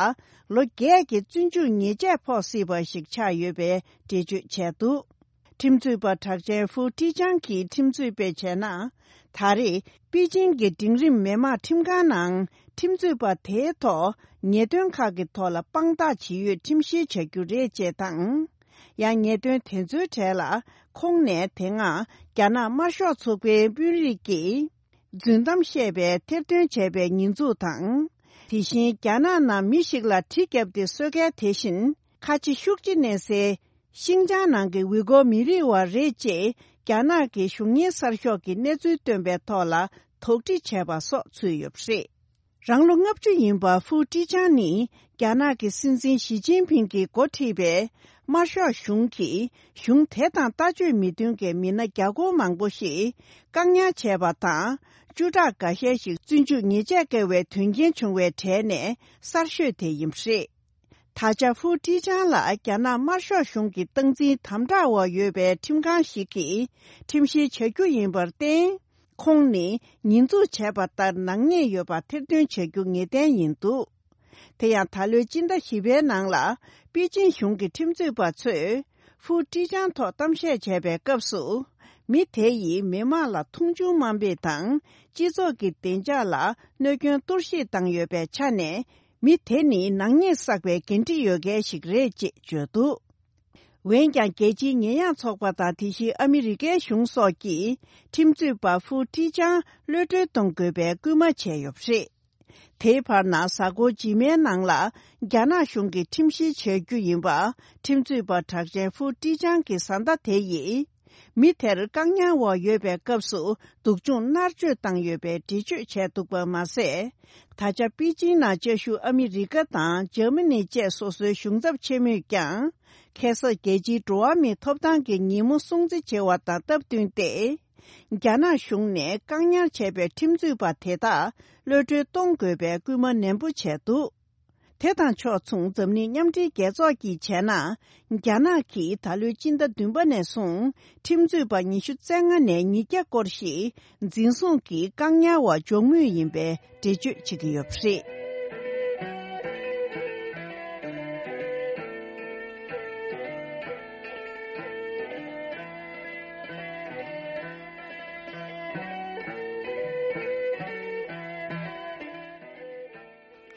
ལོ་བརྒྱད་ཀྱི་བཙོན་འཇུག་ཉེས་ཆད་ཕོག་སྲིད་པ་ཞིག་ཆགས་ཡོད་པའི་འགྲེལ་བརྗོད་བྱས་འདུག། ཁྲིམས་རྩོད་པ་གྲགས་ཅན་ཧྥུའུ་ཁྲི་ཅང་གིས་ཁྲིམས་རྩོད་པས་བྱས་ན། ད་རེས་པེ་ཅིང་གི་འབྲིང་རིམ་མི་དམངས་ཁྲིམས་ཁང་ནང་ཁྲིམས་རྩོད་པ་དེའི་ཐོག་ཉེས་དོན་ཁག་གི་ཐོག་ལ་དཔང་རྟགས་ཇི་ཡོད་ཁྲིམས་བཤེར་བྱ་རྒྱུ་རེད་ཅེས་དང་། ཡང་ཉེས་དོན་དེ་ཚོའི་གྲས་ལ་ཁོང་ནས་དེ་སྔ་རྒྱ་ནག་དམར་ཤོག་ཚོགས་པའི་དཔོན་རིགས་ཀྱིས་རྫུན་གཏམ་བཤད་པའི་ཐེར་འདོན་བྱས་པའི་ཉེས་འཛུགས་དང་། དེ་བཞིན་རྒྱ་ནག་ནང་མི་ཞིག་ལ་གྲི་བརྒྱབ་སྟེ་གསོད་མཁན་དེ་བཞིན་ཁ་ཆེ་ཤུགས་ཆེ་གནས་སའི་ཤིང་ཅང་ནང་གི་ཝི་གོ་མི་རིགས་བ་རེད་ཅེས་རྒྱ་ནག་གི་གཞུང་གཉེར་གསར་ཤོག་གིས་གནས་ཚུལ་བཏོན་པའི་ཐོག་ལ་དོགས་འདྲི་བྱས་པ་སོགས་ཚུད་ཡོད་པ་རེད། རང་ལོ་ལྔ་བཅུ་ཡིན་པ་ཧྥུའུ་ཀྲི་ཅང་ནི་རྒྱ་ནག་གི་སྲིད་འཛིན་ཞི་ཅིན་ཕིང་གིས་འགོ་ཁྲིད་པའི་དམར་ཤོག་གཞུང་གིས་གཞུང་དེ་དང་ལྟ་སྤྱོད་མི་མཐུན་གྱི་མི་སྣ་བརྒྱ་སྐོར་མང་པོ་ཞིག་བཀག་ཉར་བྱས་པ་དང་། བཅུ་ཕྲག་འགའ་ཤས་ཤིག་བཙོན་འཇུག་ཉེས་ཆད་བཀལ་བའི་དོན་རྐྱེན་བྱུང་བའི་གྲས་ནས་གསར་ཤོས་དེ་ཡིན་པ་རེད། ད་ཆ་ཧྥུའུ་ཀྲི་ཅང་ལ་རྒྱ་ནག་དམར་ཤོག་གཞུང་གི་སྟངས་འཛིན་དམ་དྲག་འོག་ཡོད་པའི་ཁྲིམས་ཁང་ཞིག་གིས་ཁྲིམས་བཤེར་བྱ་རྒྱུ་ཡིན་པར་བརྟེན། ཁོང་ནི་ཉེས་འཛུགས་བྱས་པ་ལྟར་ནག་ཉེས་ཡོད་པ་ཐེར་འདོན་བྱ་རྒྱུ་ངེས་གཏན་ཡིན་འདུག། དེ་ཡང་ད་ལོའི་སྤྱི་ཟླ་བཞི་པའི་ནང་ལ་པེ་ཅིན་གཞུང་གི་ཁྲིམས་རྩོད་པ་ཚོས་ཧྥུའུ་ཀྲི་ཅང་ཐོག་གཏམ་བཤད་བྱས་པའི་སྐབས་སུ། མི་དེ་ཡིས་མི་དམངས་ལ་མཐོང་ཆུང་དམའ་འབེབས་དང་སྤྱི་ཚོགས་ཀྱི་བདེ་འཇགས་ལ་གནོད་སྐྱོན་གཏོར་བཤིག་བཏང་ཡོད་པའི་ཆ་ནས། མི་དེ་ནི་ནག་ཉེས་བསགས་པའི་འགན་འཁྲི་ཡོད་མཁན་ཞིག་རེད་ཅེས་བརྗོད་འདུག། འོན་ཀྱང་རྒྱལ་སྤྱིའི་ཉེས་ཡངས་ཚོགས་པ་དང་དེ་བཞིན་ཨ་མི་རི་ཀའི་གཞུང་སོགས་ཀྱིས་ཁྲིམས་རྩོད་པ་ཧྥུའུ་ཀྲི་ཅང་གློད་གྲོལ་གཏོང་དགོས་པའི་སྐུལ་མ་བྱས་ཡོད་པ་རེད། དེའི་བར་ན་གཟའ་འཁོར་རྗེས་མའི་ནང་ལ་རྒྱ་ནག་གཞུང་གིས་ཁྲིམས་བཤེར་བྱ་རྒྱུ་ཡིན་པ་ཁྲིམས་རྩོད་པ་གྲགས་ཅན་ཧྥུའུ་ཀྲི་ཅང་གི་བཟའ་ཟླ་དེ་ཡིས། མི་དེར་བཀག་ཉར་འོག་ཡོད་པའི་སྐབས་སུ་སྡུག་སྦྱོང་མནར་གཅོད་བཏང་ཡོད་པའི་འགྲེལ་བརྗོད་བྱས་འདུག་པ་མ་ཟད། ད་ཆ་པེ་ཅིང་ནང་བཅའ་བཞུགས་ཨ་མི་རི་ཀ་དང་འཇར་མ་ནི་བཅས་སོ་སོའི་གཞུང་ཚབ་ཆེན་མོས་ཀྱང་ཁ་སང་རྒྱལ་སྤྱིའི་འགྲོ་བ་མིའི་ཐོབ་ཐང་གི་ཉིན་མོ་སྲུང་བརྩི་བྱེད་པ་དང་སྟབས་བསྟུན་ཏེ། རྒྱ་ནག་གཞུང་ནས་བཀག་ཉར་བྱས་པའི་ཁྲིམས་རྩོད་པ་དེ་དག་གློད་གྲོལ་གཏོང་དགོས་པའི་སྐུལ་མ་ནན་པོ་བྱས་འདུག། དེ་དང་ཕྱོགས་མཚུངས་འཛམ་གླིང་མཉམ་འབྲེལ་རྒྱལ་ཚོགས་ཀྱིས་བྱས་ན། རྒྱ་ནག་གིས་ད་ལོའི་སྤྱི་ཟླ་བདུན་པ་ནས་བཟུང་ཁྲིམས་རྩོད་པ་ཉི་ཤུ་རྩ་ལྔ་ནས་ཉིས་བརྒྱ་སྐོར་ཞིག་འཛིན་བཟུང་གིས་བཀག་ཉར་འོག་འཇོག་མུས་ཡིན་པའི་འགྲེལ་བརྗོད་བྱེད་ཀྱི་ཡོད་པ་རེད།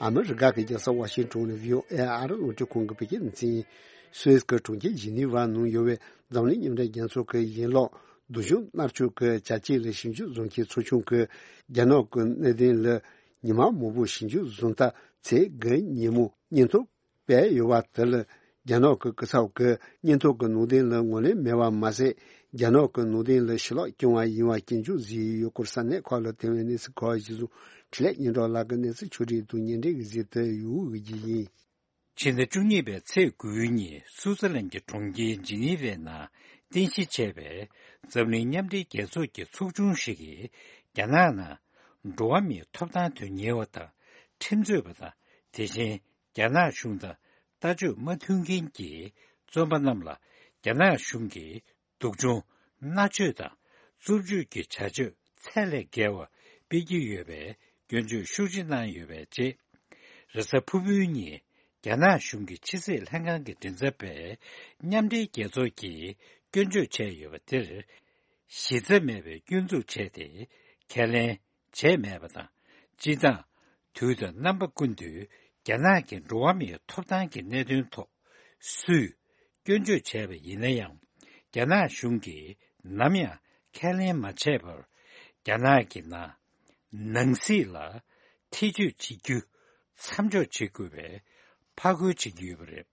ཨ་མི་རི་ཀ་གི་རྒྱལ་ས་ཝ་ཤིང་ཏོན་ནས་བྷི་ཨོ་ཨེ་ཨ་རི་རླུང་འཕྲིན་ཁང་གི་བོད་སྐད་སྡེ་ཚན། སུད་སི་གི་གྲོང་ཁྱེར་ཇི་ནི་ཝ་ནང་ཡོད་པའི་འཛམ་གླིང་མཉམ་འབྲེལ་རྒྱལ་ཚོགས་ཀྱི་ཡན་ལག་སྡུག་སྦྱོང་མནར་གཅོད་ཀྱི་བྱ་སྤྱོད་ལ་ཞིབ་འཇུག་བཟོ་མཁན་ཚོགས་ཆུང་གིས་རྒྱ་ནག་གི་གནད་དོན་ལ་ཉི་མ་མང་པོ་ཞིབ་འཇུག་བཟོ་མཐར་ཚེས་དགུ་ཉིན་མོ་སྙན་ཐོ་སྤེལ་ཡོད་པ་དེ་ལ། རྒྱ་ནག་གི་སྐུ་ཚབ་ཀྱིས་སྙན་ཐོ་གི་ནང་དོན་ལ་ངོས་ལེན་མེད་པ་མ་ཟད། རྒྱ་ནག་གི་ནང་དོན་ལ་ཕྱི་ལོགས་སྐྱོང་བ་ཡིན་པ་སྐྱོན་བརྗོད་བཟོས་ཡོད་སྐོར་ས་གནས་ཁག་ལ་ཐོན་པའི་གནས་ཚུལ་ཁག་གཞིར་བཟུང་། འཕྲིན་ལས་སྙན་གྲགས་ལགས་ཀྱིས་གནས་ཚུལ་ཕྱོགས་སྒྲིག་དང་སྙན་སྒྲོན་གྱི་གཟིགས་དུ་ཡོད་ཀྱི་ཡིན། ཕྱི་ཟླ་བཅུ་གཉིས་པའི་ཚེས་དགུའི་ཉིན་སུའུ་ཙི་ལན་གྱི་གྲོང་ཁྱེར་ཇི་ནི་ཝའི་ནང་རྟེན་གཞི་བྱས་པའི་འཛམ་གླིང་མཉམ་འབྲེལ་རྒྱལ་ཚོགས་ཀྱི་ཚོགས་ཆུང་ཞིག་གིས། རྒྱ་ནག་ནང་འགྲོ་བ་མིའི་ཐོབ་ཐང་དོན་གཉེར་བ་དང་། ཁྲིམས་རྩོད་པ་དང་། དེ་བཞིན་རྒྱ་ནག་གཞུང་དང་ལྟ་སྤྱོད་མ་མཐུན་མཁན་གྱི་བཙོན་པ་རྣམས་ལ། རྒྱ་ནག་གཞུང་གིས་སྡུག་སྦྱོང་མནར་གཅོད་དང་། རྩུབ་སྤྱོད་ཀྱི་བྱ་སྤྱོད་ཚད་ལས་བརྒལ་བ་སྤེལ་གྱི་ཡོད་པའི་སྐྱོན་བརྗོད་ཤུགས་ཆེ་གནང་ཡོད་པའི་རྗེས། རེས་གཟའ་ཕུར་བུའི་ཉིན། རྒྱ་ནག་གཞུང་གི་ཕྱི་སྲིད་ལྷན་ཁང་གི་མགྲིན་ཚབ་པས་མཉམ་འབྲེལ་རྒྱལ་ཚོགས་ཀྱིས་སྐྱོན་བརྗོད་བྱས་ཡོད་པ་དེར། གཞི་རྩ་མེད་པའི་སྐྱོན་འཛུགས་བྱས་ཏེ། ཁས་ལེན་བྱས་མེད་པ་དང་། སྤྱིར་བཏང་། དུས་དང་རྣམ་པ་ཀུན་ཏུ་རྒྱ་ནག་གི་འགྲོ་བ་མིའི་ཐོབ་ཐང་གི་གནད་དོན་ཐོག་སུས་སྐྱོན་བརྗོད་བྱས་པ་ཡིན་ན་ཡང་། རྒྱ་ནག་གཞུང་གིས་ནམ་ཡང་ཁས་ལེན་མ་བྱས་པར། རྒྱ་ནག་གི་ནང་ནང་སྲིད་ལ་ཐེ་བྱུས་བྱེད་རྒྱུ་མཚམས་འཇོག་བྱེད་དགོས་པའི་ཕར་རྒོལ་བྱེད་ཀྱི་ཡོད་པ་རེད།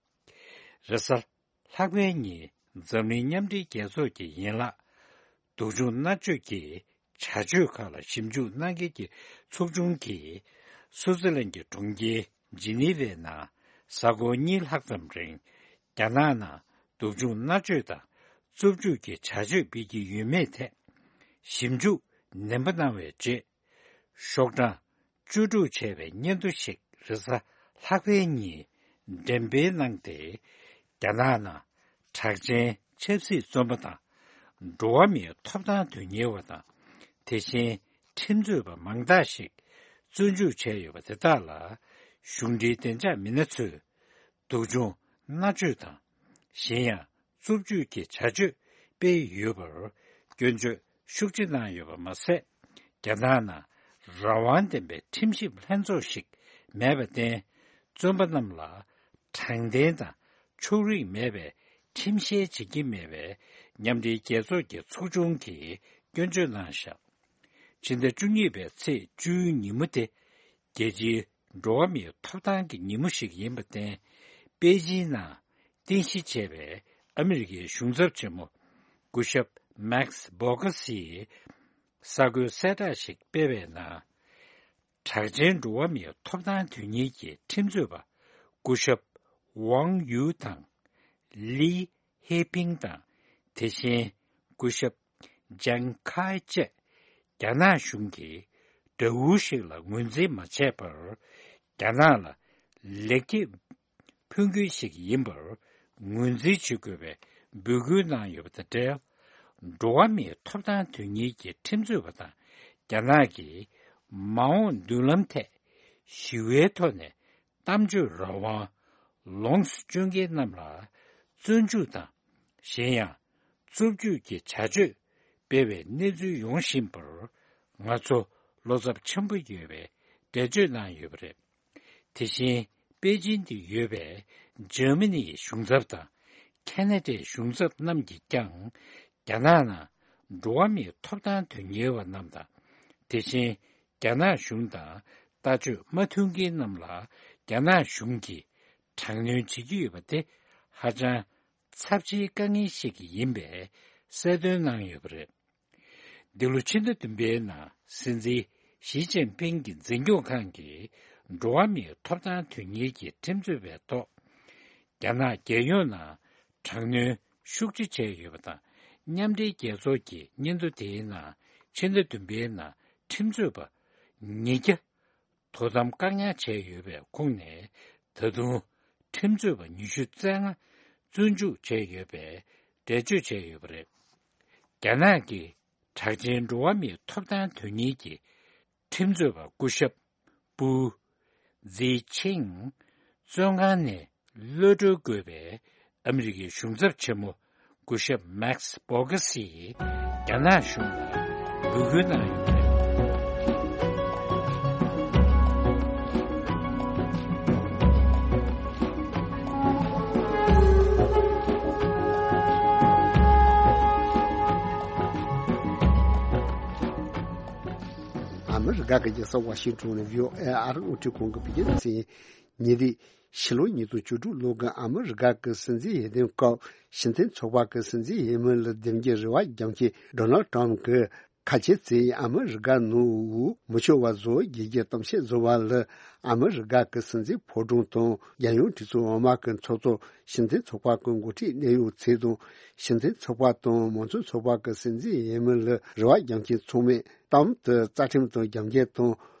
རེས་གཟའ་ལྷག་པའི་ཉིན་འཛམ་གླིང་མཉམ་འབྲེལ་རྒྱལ་ཚོགས་ཀྱི་ཡན་ལག་སྡུག་སྦྱོང་མནར་གཅོད་ཀྱི་བྱ་སྤྱོད་ཁག་ལ་ཞིབ་འཇུག་གནང་མཁན་གྱི་ཚོགས་ཆུང་གིས། སུའུ་ཙི་ལན་གྱི་གྲོང་ཁྱེར་ཇི་ནི་ཝའི་ནང་གཟའ་འཁོར་གཉིས་ལྷག་ཙམ་རིང་། རྒྱ་ནག་ནང་སྡུག་སྦྱོང་མནར་གཅོད་དང་རྩུབ་སྤྱོད་ཀྱི་བྱ་སྤྱོད་སྤེལ་གྱི་ཡོད་མེད་ཐད་ཞིབ་འཇུག་ནན་པོ་གནང་བའི་རྗེས། ཤོག་གྲངས་བཅུ་དྲུག་བྱས་པའི་སྙན་ཐོ་ཞིག་རེས་གཟའ་ལྷག་པའི་ཉིན་འགྲེམས་སྤེལ་གནང་སྟེ། རྒྱ་ནག་ནང་གྲགས་ཅན་ཆབ་སྲིད་བཙོན་པ་དང་། འགྲོ་བ་མིའི་ཐོབ་ཐང་དོན་གཉེར་བ་དང་། དེ་བཞིན་ཁྲིམས་རྩོད་པ་མང་དག་ཞིག་བཙོན་འཇུག་བྱས་ཡོད་པ་དེ་དག་ལ། གཞུང་འབྲེལ་བདེ་འཇགས་མི་སྣ་ཚོས་སྡུག་སྦྱོང་མནར་གཅོད་དང་། གཞན་ཡང་། རྩུབ་སྤྱོད་ཀྱི་བྱ་སྤྱོད་སྤེལ་ཡོད་པར་སྐྱོན་བརྗོད་ཤུགས་ཆེ་གནང་ཡོད་པ་མ་ཟད། རྒྱ་ནག་ནང་རང་དབང་ལྡན་པའི་ཁྲིམས་ཞིབ་ལྷན་ཚོགས་ཤིག་མེད་པར་བརྟེན། བཙོན་པ་རྣམས་ལ་དྲང་བདེན་དང་ཕྱོགས་རིས་མེད་པའི་ཁྲིམས་བཤེར་བྱེད་ཀྱི་མེད་པའི་མཉམ་འབྲེལ་རྒྱལ་ཚོགས་ཀྱི་ཚོགས་ཆུང་གིས་སྐྱོན་བརྗོད་གནང་བཞག་ཕྱི་ཟླ་བཅུ་གཉིས་པའི་ཚེས་བཅུའི་ཉིན་མོ་དེ། རྒྱལ་སྤྱིའི་འགྲོ་བ་མིའི་ཐོབ་ཐང་གི་ཉིན་མོ་ཞིག་ཡིན་པར་བརྟེན། པེ་ཅིན་ནང་རྟེན་གཞི་བྱས་པའི་ཨ་མི་རི་ཀའི་གཞུང་ཚབ་ཆེན་མོ་སྐུ་ཞབས་མེག་སི་བྷོ་གྷ་སིས་གསར་འགོད་གསལ་བསྒྲགས་ཤིག་སྤེལ་བའི་ནང་། གྲགས་ཅན་འགྲོ་བ་མིའི་ཐོབ་ཐང་དོན་གཉེར་གྱི་ཁྲིམས་རྩོད་པ་སྐུ་ཞབས་ཝང་ཡུའུ་དང་། ལི་ཧེ་ཕིང་དང་། དེ་བཞིན་སྐུ་ཞབས་ཇང་ཁའེ་བཅས་རྒྱ་ནག་གཞུང་གིས་དགྲ་འུར་ཞིག་ལ་ངོས་འཛིན་མ་བྱས་པར། རྒྱ་ནག་ལ་ལེགས་སྐྱེས་ཕུལ་མཁན་ཞིག་ཡིན་པར་ངོས་འཛིན་བྱེད་དགོས་པའི་འབོད་སྐུལ་གནང་ཡོད་པ་དང་འབྲེལ། འགྲོ་བ་མིའི་ཐོབ་ཐང་དོན་གཉེར་གྱི་ཁྲིམས་རྩོད་པ་དང་། རྒྱ་ནག་གི་མ་འོངས་མདུན་ལམ་ཐད་ཞི་བའི་ཐོག་ནས་གཏམ་བརྗོད་རང་དབང་ལོངས་སུ་སྤྱོད་མཁན་རྣམས་ལ་བཙོན་འཇུག་དང་། གཞན་ཡང་། རྩུབ་སྤྱོད་ཀྱི་བྱ་སྤྱོད་སྤེལ་བའི་གནས་ཚུལ་ཡོང་བཞིན་པར། ང་ཚོ་བློ་འཚབ་ཆེན་པོ་ཡོད་པའི་འགྲེལ་བརྗོད་གནང་ཡོད་པ་རེད། དེ་བཞིན། པེ་ཅིན་དུ་ཡོད་པའི་འཇར་མ་ནིའི་གཞུང་ཚབ་དང་། ཁེ་ན་ཌའི་གཞུང་ཚབ་རྣམས་ཀྱིས་ཀྱང་། རྒྱ་ནག་ནང་འགྲོ་བ་མིའི་ཐོབ་ཐང་དོན་གཉེར་བ་རྣམས་དང་། དེ་བཞིན། རྒྱ་ནག་གཞུང་དང་ལྟ་སྤྱོད་མ་མཐུན་རྐྱེན་རྣམས་ལ་རྒྱ་ནག་གཞུང་གིས་དྲག་གནོན་བྱེད་ཀྱི་ཡོད་པ་དེ་ཧ་ཅང་ཚབས་ཆེའི་དཀའ་ངལ་ཞིག་ཡིན་པའི་གསལ་སྟོན་གནང་ཡོད་པ་རེད། འདི་ལོ་ཕྱི་ཟླ་བདུན་པའི་ནང་སྲིད་འཛིན་ཞི་ཅིན་ཕིང་གི་འཛིན་སྐྱོང་ཁང་གིས་འགྲོ་བ་མིའི་ཐོབ་ཐང་དོན་གཉེར་གྱི་ཁྲིམས་རྩོད་པའི་ཐོག་རྒྱ་ནག་རྒྱལ་ཡོངས་ནང་དྲག་གནོན་ཤུགས་ཆེ་བྱས་ཡོད་པ་དང་། མཉམ་འབྲེལ་རྒྱལ་ཚོགས་ཀྱི་སྙན་ཐོ་དེའི་ནང་ཕྱི་ཟླ་བདུན་པའི་ནང་ཁྲིམས་རྩོད་པ་ཉིས་བརྒྱ་དོ་དམ་བཀག་ཉར་བྱས་ཡོད་པའི་ཁོངས་ནས། ད་དུང་ཁྲིམས་རྩོད་པ་ཉི་ཤུ་རྩ་ལྔ་བཙོན་འཇུག་བྱས་ཡོད་པའི་འགྲེལ་བརྗོད་བྱས་ཡོད་པ་རེད། རྒྱ་ནག་གི་གྲགས་ཅན་འགྲོ་བ་མིའི་ཐོབ་ཐང་དོན་གཉེར་གྱི་ཁྲིམས་རྩོད་པ་སྐུ་ཞབས་པུའུ་ཛི་ཆིང་བཙོན་ཁང་ནས་གློད་གྲོལ་དགོས་པའི་ཨ་མི་རི་ཀའི་གཞུང་ཚབ་ཆེན་མོ་སྐུ་ཞབས་མེག་སི་བྷོ་གྷ་སིས་རྒྱ་ནག་གཞུང་ལ་འབོད་སྐུལ་གནང་ཡོད་པ་རེད། ག་གི་རྒྱལ་ས་ཝ་ཤིང་ཊོན་ནས་བྷི་ཨོ་ཨེ་ཨ་རི་རླུང་འཕྲིན་ཁང་གི་བོད་སྐད་སྡེ་ཚན་ཡིན། ཉེ་དུས་ཕྱི་ལོ་ཉིས་སྟོང་བཅུ་དྲུག་ལོ་གི་ཨ་མི་རི་ཀ་གི་སྲིད་འཛིན་འོས་བསྡུའི་སྐབས་ཤིན་ཐན་ཚོགས་པ་གི་སྲིད་འཛིན་འོས་མི་ལ་འདེམས་རྒྱུའི་རེ་བ་རྒྱག་མཁན་ཌོ་ནལ་ཊམ་གྱིས། ཁ་ཆེ་ཚོས་ཨ་མི་རི་ཀ་ནང་འོས་མི་ཆོག་པ་བཟོ་རྒྱུའི་གཏམ་བཤད་བཟོ་བ་ལ། ཨ་མི་རི་ཀ་གི་སྲིད་འཛིན་ཕོ་བྲང་དང་རྒྱལ་ཡོངས་གྲོས་ཚོགས་འོག་མ་གི་ཚོགས་གཙོ་ཤིན་ཐན་ཚོགས་པ་གི་འགོ་ཁྲིད་གནད་ཡོད་ཚོ་དང་། ཤིན་ཐན་ཚོགས་པ་དང་མང་གཙོ་ཚོགས་པ་གི་སྲིད་འཛིན་འོས་མི་ལ་རེ་བ་རྒྱག་མཁན་ཚང་མས་གཏམ་དུ་རྩ་ཁྲིམས་དང་རྒྱབ་འགལ་དང་།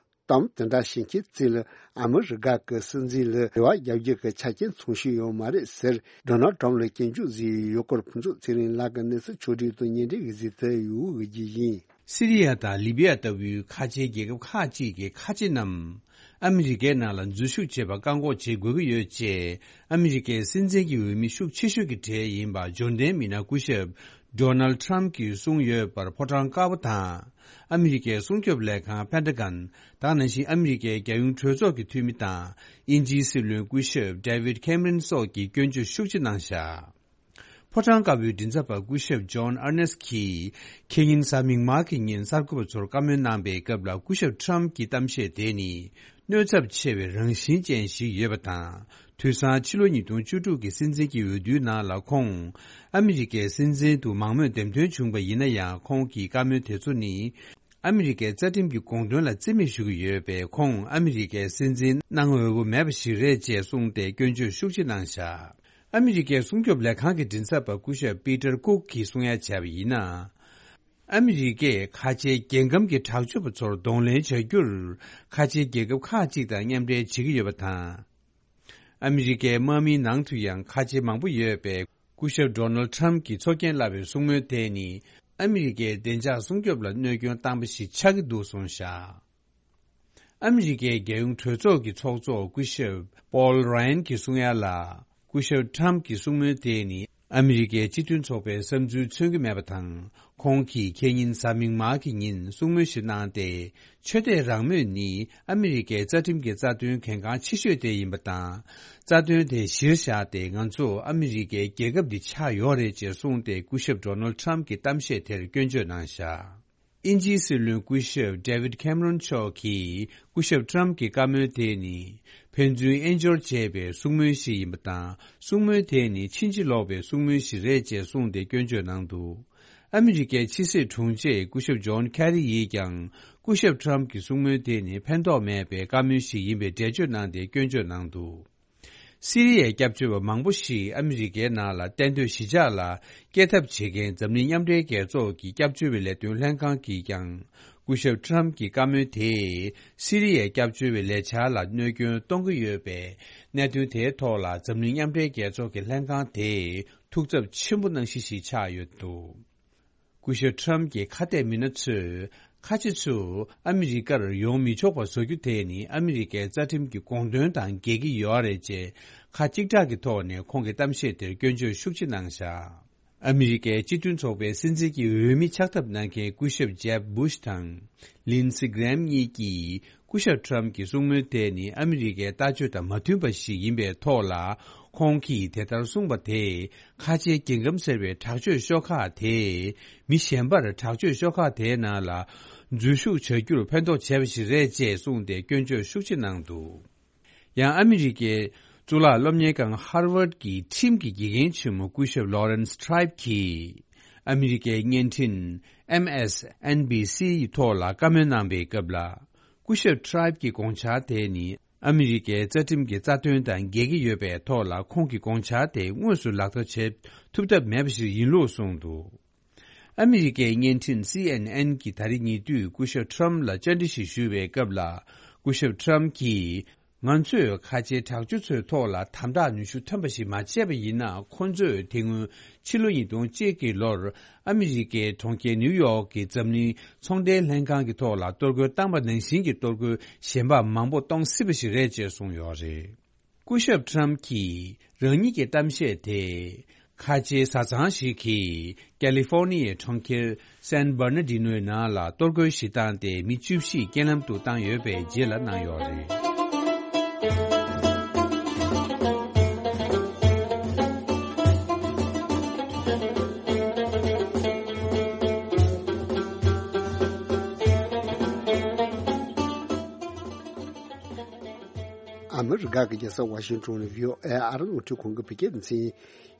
གཏམ་དེ་འདྲ་བཤད་མཁན་ཚོ་ལ་ཨ་མི་རི་ཀ་གི་སྲིད་འཛིན་ལ་རེ་བ་རྒྱག་རྒྱུ་གི་ཆ་རྐྱེན་ཚང་ཤོས་ཡོད་མ་རེད་ཟེར་ཌོ་ནལ་ཊམ་ལ་སྐྱོན་བརྗོད་བཟོས་ཡོད་སྐོར་ཕུན་ཚོགས་ཚེ་རིང་ལགས་ཀྱིས་གནས་ཚུལ་ཕྱོགས་བསྒྲིགས་དང་སྙན་སྒྲོན་གྱིས་གཟིགས་ཏེ་ཡོད་ཀྱི་ཡིན། སི་རི་ཡ་དང་ལི་བི་ཡ་ལྟ་བུའི་ཁ་ཆེའི་རྒྱལ་ཁབ་ཁག་ཅིག་གི་ཁ་ཆེ་རྣམས་ཨ་མི་རི་ཀའི་ནང་ལ་འཛུལ་ཞུགས་བྱེད་པར་བཀག་འགོག་བྱེད་དགོས་ཀྱི་ཡོད་ཅེས་ཨ་མི་རི་ཀའི་སྲིད་འཛིན་གྱི་འོས་མི་ཤུགས་ཆེ་ཤོས་ཀྱི་གྲས་ཡིན་པ་འབྱོར་ལྡན་མི་སྣ་སྐུ་ཞབས་ཌོ་ནལ་ཊམ་གྱིས་གསུངས་ཡོད་པར་ཕོ་བྲང་དཀར་པོ་དང་། ཨ་མི་རི་ཀའི་སྲུང་སྐྱོབ་ལས་ཁང་པེན་ཊ་གན། དེ་ནང་བཞིན་ཨ་མི་རི་ཀའི་རྒྱལ་ཡོངས་གྲོས་ཚོགས་ཀྱི་འཐུས་མི་དང་། དབྱིན་ཇིའི་སྲིད་བློན་སྐུ་ཞབས་ཌེ་བིད་ཁེམ་རན་སོགས་ཀྱིས་སྐྱོན་བརྗོད་ཤུགས་ཆེ་གནང་བཞག་ཕོ་བྲང་དཀར་པོའི་མགྲིན་ཚབ་པ་སྐུ་ཞབས་ཇོན་ཨར་ནེ་སི་གིས་ཁེ་ཉིན་གཟའ་མིག་དམར་གྱི་ཉིན་གསར་འགོད་པ་ཚོར་བཀའ་མོལ་གནང་པའི་སྐབས་ལ། སྐུ་ཞབས་ཊམ་གྱི་གཏམ་བཤད་དེ་ནི་གནོད་ཚབས་ཆེ་བའི་རང་བཞིན་ཅན་ཞིག་ཡོད་པ་དང་། དུས་སང་ཕྱི་ལོ་ཉིས་སྟོང་བཅུ་དྲུག་གི་སྲིད་འཛིན་གྱི་འོས་བསྡུའི་ནང་ལ་ཁོང་ཨ་མི་རི་ཀའི་སྲིད་འཛིན་དུ་མང་མོས་འདེམས་ཐོན་བྱུང་པ་ཡིན་ན་ཡང་། ཁོང་གི་བཀའ་མོལ་དེ་ཚོ་ནི་ཨ་མི་རི་ཀའི་རྩ་ཁྲིམས་ཀྱི་དགོངས་དོན་ལ་རྩིས་མེད་ཞུ་གི་ཡོད་པས། ཁོང་ཨ་མི་རི་ཀའི་སྲིད་འཛིན་གནང་འོས་པོ་མེད་པ་ཞིག་རེད་ཅེས་གསུངས་ཏེ་སྐྱོན་བརྗོད་ཤུགས་ཆེ་གནང་བཞག་ཨ་མི་རི་ཀའི་སྲུང་སྐྱོབ་ལས་ཁང་གི་མགྲིན་ཚབ་པ་སྐུ་ཞབས་པི་ཏར་ཀུག་གིས་གསུང་ཡ་བྱས་པ་ཡིན་ན། ཨ་མི་རི་ཀས་ཁ་ཆེའི་རྒྱལ་ཁམས་ཀྱི་དྲག་སྤྱོད་པ་ཚོར་གདོང་ལེན་བྱ་རྒྱུར་ཁ་ཆེའི་རྒྱལ་ཁབ་ཁག་ཅིག་དང་མཉམ་འབྲེལ་བྱེད་ཀྱི་ཡོད་པ་དང་། ཨ་མི་རི་ཀའི་དམག་མིའི་ནང་དུ་ཡང་ཁ་ཆེ་མང་པོ་ཡོད་པས། སྐུ་ཞབས་ཌོ་ནལ་ཊམ་གྱིས་ཚོགས་རྒྱན་བསླབས་པའི་གསུང་མོལ་དེ་ནི་ཨ་མི་རི་ཀའི་བདེ་འཇགས་སྲུང་སྐྱོབ་ལ་གནོད་སྐྱོན་བཏང་པ་ཞིག་ཆགས་ཀྱི་འདུག་གསུངས་བཞག་ཨ་མི་རི་ཀའི་རྒྱལ་ཡོངས་གྲོས་ཚོགས་ཀྱི་ཚོགས་གཙོ་སྐུ་ཞབས་པོལ་ར་ཡན་གྱིས་གསུང་ཡ་ལ། སྐུ་ཞབས་ཊམ་གྱི་གསུང་མོལ་དེ་ནི་ཨ་མི་རི་ཀའི་སྤྱི་མཐུན་ཚོགས་པའི་བསམ་ཚུལ་མཚོན་གྱི་མེད་པ་དང་། ཁོང་གིས་ཁེ་ཉིན་གཟའ་མིག་དམར་གྱི་ཉིན་གསུང་མོལ་ཞིག་གནང་སྟེ། ཆོས་དད་རང་མོས་ནི་ཨ་མི་རི་ཀའི་རྩ་ཁྲིམས་ཀྱི་རྩ་དོན་གལ་འགངས་ཆེ་ཤོས་དེ་ཡིན་པ་དང་། རྩ་དོན་དེ་གཞིར་བཞག་སྟེ་ང་ཚོ་ཨ་མི་རི་ཀའི་རྒྱལ་ཁབ་འདི་ཆགས་ཡོད་རེད་ཅེས་གསུངས་ཏེ། སྐུ་ཞབས་ཌོ་ནལ་ཊམ་གྱི་གཏམ་བཤད་དེར་སྐྱོན་བརྗོད་གནང་བཞག་དབྱིན་ཇིའི་སྲིད་བློན་སྐུ་ཞབས་ཌེ་བིད་ཁེམ་རོན་མཆོག་གིས་སྐུ་ཞབས་ཊམ་གྱི་བཀའ་མོལ་དེ་ནི་ཕན་ཚུན་དབྱེན་སྦྱོར་བྱས་པའི་གསུང་མོལ་ཞིག་ཡིན་པ་དང་། གསུང་མོལ་དེ་ནི་ཕྱིན་ཅི་ལོག་པའི་གསུང་མོལ་ཞིག་རེད་ཅེས་གསུངས་ཏེ་སྐྱོན་བརྗོད་གནང་འདུག་ཨ་མི་རི་ཀའི་ཕྱི་སྲིད་དྲུང་ཆེ་སྐུ་ཞབས་ཇོན་ཁེ་རི་ཡིས་ཀྱང་སྐུ་ཞབས་ཊམ་གྱི་གསུང་མོལ་དེ་ནི་ཕན་ཐོགས་མེད་པའི་བཀའ་མོལ་ཞིག་ཡིན་པའི་འགྲེལ་བརྗོད་གནང་སྟེ་སྐྱོན་བརྗོད་གནང་འདུག་སི་རི་ཡའི་སྐྱབས་བཅོལ་བ་མང་པོ་ཞིག་ཨ་མི་རི་ཀའི་ནང་ལ་གཏན་སྡོད་གཞིས་ཆགས་ལ་སྐྱེལ་ཐབས་བྱེད་མཁན་འཛམ་གླིང་མཉམ་འབྲེལ་རྒྱལ་ཚོགས་ཀྱི་སྐྱབས་བཅོལ་བའི་ལས་དོན་ལྷན་ཁང་གིས་ཀྱང་སྐུ་ཞབས་ཊམ་གྱི་བཀའ་མོལ་དེས་སི་རི་ཡའི་སྐྱབས་བཅོལ་བའི་ལས་འཆར་ལ་གནོད་སྐྱོན་གཏོང་གི་ཡོད་པས། གནད་དོན་དེའི་ཐོག་ལ་འཛམ་གླིང་མཉམ་འབྲེལ་རྒྱལ་ཚོགས་ཀྱི་ལྷན་ཁང་དེས་ཐུགས་འཚབ་ཆེན་པོ་གནང་གཞི་ཞིག་ཆགས་ཡོད་འདུག་སྐུ་ཞབས་ཊམ་གྱི་ཁ་གཏད་མི་སྣ་ཚོས་ཁ་ཆེ་ཚོ་ཨ་མི་རི་ཀར་ཡོང་མི་ཆོག་པ་བཟོ་རྒྱུ་དེ་ནི་ཨ་མི་རི་ཀའི་རྩ་ཁྲིམས་ཀྱི་དགོངས་དོན་དང་འགལ་གྱི་ཡོད་རེད་ཅེས་ཁ་གཅིག་གྲགས་ཀྱི་ཐོག་ནས་ཁོང་གི་གཏམ་བཤད་དེར་སྐྱོན་བརྗོད་ཤུགས་ཆེ་གནང་བཞག་ཨ་མི་རི་ཀའི་སྤྱི་མཐུན་ཚོགས་པའི་སྲིད་འཛིན་གྱི་འོས་མི་ཆགས་ཐབས་གནང་མཁན་སྐུ་ཞབས་ཇེབ་བུ་ཤ་དང་ལིན་སི་གྷི་རེམ་གཉིས་ཀྱིས། སྐུ་ཞབས་ཊམ་གྱི་གསུང་མོལ་དེ་ནི་ཨ་མི་རི་ཀའི་ལྟ་སྤྱོད་དང་མ་མཐུན་པ་ཞིག་ཡིན་པའི་ཐོག་ལ། ཁོང་གིས་དེ་ལྟར་གསུངས་པ་དེས་ཁ་ཆེའི་རྒྱལ་ཁམས་ཟེར་བའི་དྲག་སྤྱོད་ཤོག་ཁག་དེས་མི་གཞན་པར་དྲག་སྤྱོད་ཤོག་ཁག་དེའི་ནང་ལ་འཛུལ་ཞུགས་བྱ་རྒྱུར་ཕན་ཐོགས་བྱས་པ་ཞིག་རེད་ཅེས་གསུངས་ཏེ་སྐྱོན་བརྗོད་ཤུགས་ཆེ་གནང་འདུག་ཡང་ཨ་མི་རི་ཀའི་གཙུག་ལག་སློབ་གཉེར་ཁང་ཧར་ཝརཌ་ཀྱི་ཁྲིམས་ཀྱི་དགེ་རྒན་ཆེན་མོ་སྐུ་ཞབས་ལོ་རན་སི་ཊི་རའིབ་ཀྱིས་ཨ་མི་རི་ཀའི་བརྙན་འཕྲིན་ཨེམ་ཨེས་ཨེན་བི་སི་ཡི་ཐོག་ལ་བཀའ་མོལ་གནང་པའི་སྐབས་ལ། སྐུ་ཞབས་ཊི་རའིབ་ཀྱི་དགོངས་འཆར་དེ་ནི་ཨ་མི་རི་ཀའི་རྩ་ཁྲིམས་ཀྱི་རྩ་དོན་དང་འགལ་གྱི་ཡོད་པའི་ཐོག་ལ། ཁོང་གི་དགོངས་འཆར་དེ་དངོས་སུ་ལག་བསྟར་བྱེད་ཐུབ་ཐབས་མེད་པ་ཞིག་ཡིན་ལུགས་གསུངས་འདུག་ཨ་མི་རི་ཀའི་བརྙན་འཕྲིན་སི་ཨེན་ཨེན་གྱིས་ད་རེས་ཉེ་དུས་སྐུ་ཞབས་ཊམ་ལ་བཅར་འདྲི་ཞིག་ཞུས་པའི་སྐབས་ལ། སྐུ་ཞབས་ཊམ་གྱིས། ང་ཚོས་ཁ་ཆེའི་དྲག་སྤྱོད་ཚོའི་ཐོག་ལ་དམ་དྲག་ནུས་ཤུགས་ཐོན་པ་ཞིག་མ་བྱས་པ་ཡིན་ན། ཁོ་ཚོས་དེ་སྔོན་ཕྱི་ལོ་ཉིས་སྟོང་གཅིག་གི་ལོར་ཨ་མི་རི་ཀའི་གྲོང་ཁྱེར་ནིའུ་ཡོག་གི་འཛམ་གླིང་ཚོང་འབྲེལ་ལྷན་ཁང་གི་ཐོག་ལ་གཏོར་རྒོལ་བཏང་པ་ནང་བཞིན་གྱི་གཏོར་རྒོལ་གཞན་པ་མང་པོ་གཏོང་སྲིད་པ་ཞིག་རེད་ཅེས་གསུངས་ཡོད་རེད། སྐུ་ཞབས་ཊམ་གྱིས་རང་ཉིད་ཀྱི་གཏམ་བཤད་དེ། ཁ་ཆེའི་བཟའ་ཚང་ཞིག་གིས་ཀ་ལི་ཧྥོར་ནི་ཡའི་གྲོང་ཁྱེར་སན་བར་ན་ཌི་ནོའི་ནང་ལ་གཏོར་རྒོལ་ཞིག་བཏང་སྟེ་མི་བཅུ་བཞི་རྐྱེན་ལམ་དུ་བཏང་ཡོད་པའི་རྗེས་ལ་གནང་ཡོད་རེད། ཨ་མི་རི་ཀ་གི་རྒྱལ་ས་ཝ་ཤིང་ཊོན་ནས་བྷི་ཨོ་ཨེ་ཨ་རི་རླུང་འཕྲིན་ཁང་གི་བོད་སྐད་སྡེ་ཚན་ཡིན།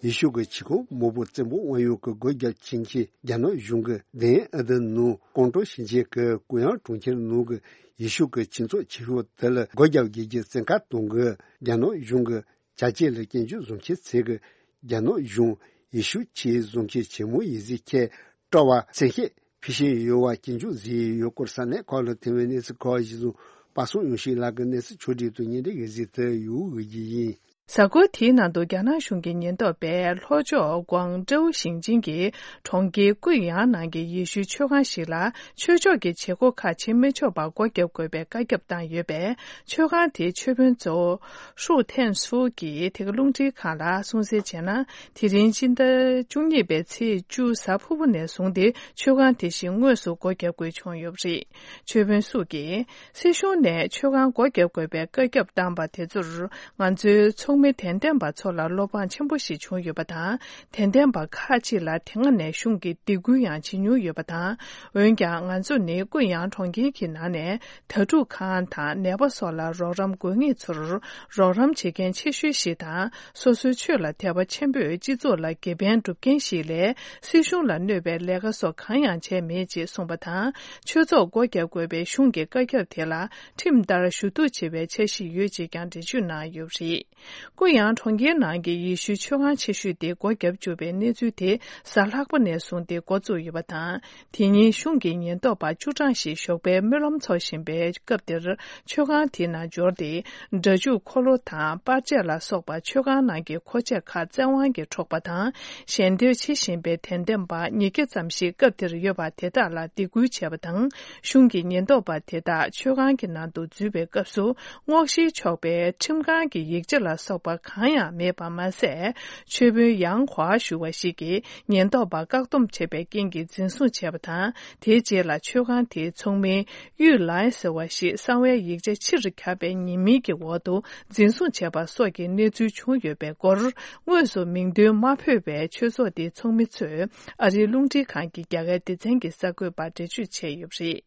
ཡེ་ཤུ་གི་ཆིས་ཁོངས་མི་བུ་བཙན་པོ་དབང་ཡོད་ཀྱི་སྒོ་བརྒྱབ་ཕྱིན་ཆད། རྒྱ་ནག་གཞུང་གི་དེ་ཨ་དི་ནང་ཀོང་ཀྲོའུ་ཞིང་ཆེན་གྱི་ཀུ་ཡང་གྲོང་ཁྱེར་ནང་གི་ཡེ་ཤུ་གི་སྤྱི་ཚོགས་ཆེ་ཤོས་དེ་ལ་སྒོ་བརྒྱབ་དགོས་ཀྱི་བཙན་བཀའ་གཏོང་གི། རྒྱ་ནག་གཞུང་གི་བྱ་སྤྱོད་ལ་སྐྱོན་བརྗོད་བཟོ་མཁན་ཚོས་གི། རྒྱ་ནག་གཞུང་ཡེ་ཤུ་ཆོས་བཟོ་མཁན་ཆེན་མོ་ཡིན་ཟེར་ཁྱེད་སྤྲོ་བ་སེམས་ཤེས་ཕུལ་བཞིན་ཡོད་པ་སྐྱོན་བརྗོད་བཟོས་ཡོད་སྐོར། ས་གནས་ཁག་ལ་ཐོན་པའི་གནས་ཚུལ་ཁག་གཞི་བཟུང་པ་སངས་ཡོང་ཤིང་ལགས་ཀྱི་གནས་ཚུལ་ཕྱོགས་སྒྲིག་ཏུ་སྙན་སྒྲོན་ཞུ་གཟིགས་དུ་ཡོད་ཀྱི་ཡིན། གཟའ་འཁོར་དེའི་ནང་དུ་རྒྱ་ནག་གཞུང་གི་ཉེན་རྟོག་པས་ལྷོ་ཕྱོགས་ཀོང་ཀྲོའུ་ཞིང་ཆེན་གྱི་གྲོང་ཁྱེར་ཀུ་ཡང་ནང་གི་ཡེ་ཤུའི་ཆོས་ཁང་ཞིག་ལ་ཆོས་ཕྱོགས་ཀྱི་བྱེད་སྒོ་ཁག་བྱེད་མི་ཆོག་པར་སྒོ་བརྒྱབ་དགོས་པའི་བཀའ་ཁྱབ་བཏང་ཡོད་པས། ཆོས་ཁང་དེའི་ཆོས་དཔོན་ཙོ་ཧྲུའུ་ཐན་སུའུ་གིས་དེ་ག་རླུང་འཕྲིན་ཁང་ལ་གསུངས་གསལ་བྱས་ན། དེ་རིང་སྤྱི་ཟླ་བཅུ་གཉིས་པའི་ཚེས་བཅུ་གཟའ་ཕུར་བུ་ནས་བཟུང་སྟེ་ཆོས་ཁང་དེ་བཞིན་དངོས་སུ་སྒོ་བརྒྱབ་དགོས་བྱུང་ཡོད་པ་རེད། ཆོས་དཔོན་སུའུ་གིས། སྲིད་གཞུང་ནས་ཆོས་ཁང་སྒོ་བརྒྱབ་དགོས་པའི་བཀའ་ཁྱབ་བཏང་པ་དེ་ཚོར་ང་ཚོའི་ཚོགས་མི་དད་ལྡན་པ་ཚོ་ལ་བློ་ཕངས་ཆེན་པོ་ཞིག་བྱུང་ཡོད་པ་དང་། དད་ལྡན་པ་ཁག་ཅིག་ལ་དེ་སྔ་ནས་གཞུང་གིས་སྡིགས་སྐུལ་ཡང་བྱེད་མྱོང་ཡོད་པ་དང་། འོན་ཀྱང་ང་ཚོ་ནི་ཀུ་ཡང་གྲོང་ཁྱེར་གྱི་ནང་ནས་དྭ་ཕྲུག་ཁང་དང་ནད་པ་སོགས་ལ་རོགས་རམ་དགོས་ངེས་ཚོར་རོགས་རམ་བྱེད་མཁན་ཆེ་ཤོས་ཤིག་དང་། སོ་སོའི་ཆོས་ལ་དད་པ་ཆེན་པོས་སྤྱི་ཚོགས་ལ་དགེ་ཕན་སྒྲུབ་མཁན་ཞིག་ལས། སྲིད་གཞུང་ལ་གནོད་པའི་ལས་ཀ་སོགས་གང་ཡང་བྱས་མེད་ཅེས་གསུངས་པ་དང་། ཆོས་ཚོགས་སྒོ་བརྒྱབ་དགོས་པའི་གཞུང་གི་བཀའ་ཁྱབ་དེ་ལ་ཁྲིམས་ལྟར་ཞུ་གཏུག་བྱེད་པའི་འཆར་གཞི་ཡོད་ཅེས་ཀྱང་འགྲེལ་བརྗོད་གནང་ཡོད་པ་རེད། ཀུ་ཡང་གྲོང་ཁྱེར་ནང་གི་ཡེ་ཤུའི་ཆོས་ཁང་ཆེ་ཤོས་དེ་སྒོ་བརྒྱབ་བཅུག་པའི་གནས་ཚུལ་དེ་གཟའ་ལྷག་པ་ནས་བཟུང་སྟེ་འགོ་བཙུགས་ཡོད་པ་དང་། དེ་ཉིན་གཞུང་གི་ཉེན་རྟོག་པ་བཅུ་གྲངས་ཤིག་ཞོགས་པའི་སྨོན་ལམ་འཚོགས་བཞིན་པའི་སྐབས་དེར། ཆོས་ཁང་དེའི་ནང་འབྱོར་ཏེ། སྒྲ་འཇུག་འཁོར་ལོ་དང་པར་ཆས་ལ་སོགས་པ་ཆོས་ཁང་ནང་གི་མཁོ་ཆས་ཁག་བཙན་དབང་གིས་འཕྲོག་པ་དང་། ཞལ་འདེབས་བྱེད་བཞིན་པའི་དད་ལྡན་པ་ཉིས་བརྒྱ་ཙམ་ཞིག་སྐབས་དེར་ཡོད་པ་དེ་དག་ལ་སྡིགས་སྐུལ་བྱས་པ་དང་། གཞུང་གི་ཉེན་རྟོག་པ་དེ་དག་ཆོས་ཁང་གི་ནང་དུ་འཛུལ་བའི་སྐབས་སུ། སྔོག་བཤེར་ཆོག་པའི་ཁྲིམས་ཁང་གི་ཡིག་ཆ་ལ་སོགས་པ་གང་ཡང་མེད་པ་མ་ཟད། ཆོས་དཔོན་ཡང་ཧྭ་ཞུ་བ་ཞིག་གིས་ཉེན་རྟོག་པ་བཀག་སྡོམ་བྱས་པའི་རྐྱེན་གྱིས་འཛིན་བཟུང་བྱས་པ་དང་། དེའི་རྗེས་ལ་ཆོས་ཁང་དེའི་ཚོགས་མི་གཡུས་ལའེ་ཟེར་བ་ཞིག་གསང་བའི་ཡིག་ཆ་ཕྱིར་ཁྱབ་པའི་ཉེས་མིང་གི་འོག་ཏུ་འཛིན་བཟུང་བྱས་པ་སོགས་ཀྱི་གནས་ཚུལ་བྱུང་ཡོད་པའི་སྐོར། དངོས་སུ་མིང་འདོན་མ་ཕོད་པའི་ཆོས་ཚོགས་དེའི་ཚོགས་མི་ཚོས་ཨ་རིའི་རླུང་འཕྲིན་ཁང་གི་རྒྱ་གར་སྡེ་ཚན་གྱི་གསར་འགོད་པར་འགྲེལ་བརྗོད་བྱས་ཡོད་པ་རེད།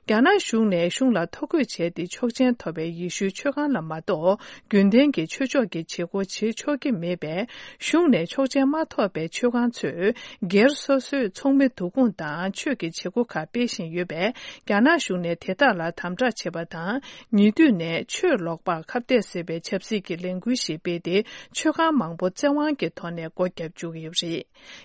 རྒྱ་ནག་གཞུང་ནས་གཞུང་ལ་ཐོ་འགོད་བྱས་ཏེ་ཆོག་མཆན་ཐོབ་པའི་ཡེ་ཤུའི་ཆོས་ཁང་ལ་མ་གཏོགས། རྒྱུན་ལྡན་གྱི་ཆོས་ཕྱོགས་ཀྱི་བྱེད་སྒོ་བྱེད་ཆོག་གི་མེད་པས། གཞུང་ནས་ཆོག་མཆན་མ་ཐོབ་པའི་ཆོས་ཁང་ཚོས་སྒེར་སོ་སོའི་ཚོགས་མི་བསྡུ་སྐོང་དང་ཆོས་ཀྱི་བྱེད་སྒོ་ཁག་སྤེལ་བཞིན་ཡོད་པས། རྒྱ་ནག་གཞུང་ནས་དེ་དག་ལ་དམ་དྲག་བྱེད་པ་དང་། ཉེ་དུས་ནས་ཆོས་ལོག་པར་ཁ་གཏད་བཟོས་པའི་ཆབ་སྲིད་ཀྱི་ལས་འགུལ་ཞིག་སྤེལ་ཏེ། ཆོས་ཁང་མང་པོ་བཙན་དབང་གི་ཐོག་ནས་སྒོ་བརྒྱབ་བཅུག་གི་ཡོད་པ་རེད།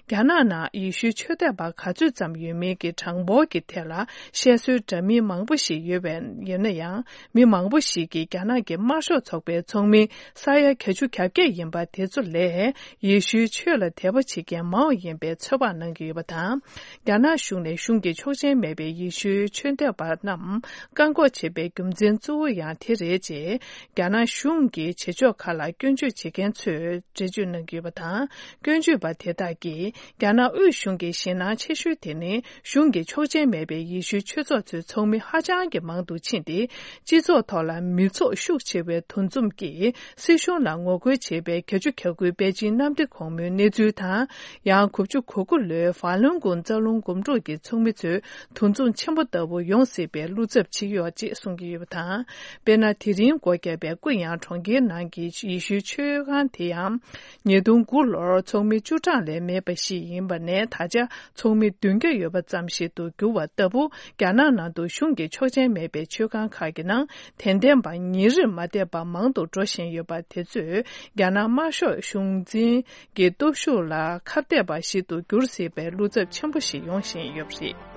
རྒྱ་ནག་ནང་ཡེ་ཤུའི་ཆོས་དད་པ་ག་ཚོད་ཙམ་ཡོད་མིན་གྱི་གྲངས་འབོར་གྱི་ཐད་ལ་བཤད་སྲོལ་འདྲ་མིན་མང་པོ་ཞིག་ཡོད་པ་ཡིན་ན་ཡང་། མི་མང་པོ་ཞིག་གིས་རྒྱ་ནག་གི་དམར་ཤོག་ཚོགས་པའི་ཚོགས་མི་ས་ཡ་བརྒྱད་ཅུ་གྱ་བརྒྱད་ཡིན་པ་དེ་ཚོ་ལས། ཡེ་ཤུའི་ཆོས་ལ་དད་པ་བྱེད་མཁན་མང་བ་ཡིན་པའི་ཚོད་དཔག་གནང་གི་ཡོད་པ་དང་། རྒྱ་ནག་གཞུང་ནས་གཞུང་གི་ཆོག་མཆན་མེད་པའི་ཡེ་ཤུའི་ཆོས་དད་པ་རྣམས་བཀག་འགོག་བྱེད་པའི་རྒྱུ་མཚན་གཙོ་བོ་ཡང་དེ་རེད་ཅེས། རྒྱ་ནག་གཞུང་གི་བྱེད་ཕྱོགས་ཁག་ལ་སྐྱོན་བརྗོད་བྱེད་མཁན་ཚོས་འགྲེལ་བརྗོད་གནང་གི་ཡོད་པ་དང་། སྐྱོན་བརྗོད་པ་དེ་དག་གིས། རྒྱ་ནག་དབུས་གཞུང་གི་ཞེད་སྣང་ཆེ་ཤོས་དེ་ནི། གཞུང་གི་ཆོག་མཆན་མེད་པའི་ཡེ་ཤུའི་ཆོས་ཚོགས་ཚོའི་ཚོགས་མི་ཧ་ཅང་གི་མང་དུ་ཕྱིན་ཏེ། སྤྱི་ཚོགས་ཐོག་ལ་མི་ཚོགས་ཤུགས་ཆེ་བའི་འདུ་འཛོམས་ཀྱིས། སྲིད་གཞུང་ལ་ངོ་རྒོལ་བྱེད་པའི་བརྒྱད་ཅུ་གྱ་དགུའི་པེ་ཅིན་གནམ་བདེ་གོང་མོའི་གནས་ཚུལ་དང་། ཡང་དགུ་བཅུ་གོ་དགུ་ལོའི་ཧྥ་ལུན་གུང་རྩ་རླུང་འགུམ་འགྲུལ་གྱི་ཚོགས་མི་ཚོའི་འདུ་འཛོམས་ཆེན་པོ་ལྟ་བུ་ཡོང་སྲིད་པའི་བློ་འཚབ་བྱེད་ཀྱི་ཡོད་ཅེས་གསུང་གི་ཡོད་པ་དང་། དཔེར་ན། དེ་རིང་སྒོ་བརྒྱབ་པའི་ཀུ་ཡང་གྲོང་ཁྱེར་ནང་གི་ཡེ་ཤུའི་ཆོས་ཁང་དེ་ཡང་། ཉིས་སྟོང་དགུ་ལོར་ཚོགས་མི་བཅུ་གྲངས་ལས་མེད་པ་ཞིག་ཡིན་པ་ནས། ད་ཆ་ཚོགས་མི་བདུན་བརྒྱ་ཡོད་པ་ཙམ་ཞིག་ཏུ་གྱུར་བ་ལྟ་བུ། རྒྱ་ནག་ནང་དུ་གཞུང་གི་ཆོག་མཆན་མེད་པའི་ཆོས་ཁང་ཁག་གི་ནང་། དད་ལྡན་པ་ཉིན་རེར་མ་བསྡད་པར་མང་དུ་འགྲོ་བཞིན་ཡོད་པ་དེ་ཚོས། རྒྱ་ནག་དམར་ཤོག་གཞུང་འཛིན་གྱི་སྟོབས་ཤུགས་ལ་ཁ་གཏད་པ་ཞིག་ཏུ་འགྱུར་སྲིད་པའི་བློ་འཚབ་ཆེན་པོ་ཞིག་ཡོང་བཞིན་ཡོད་པ་རེད།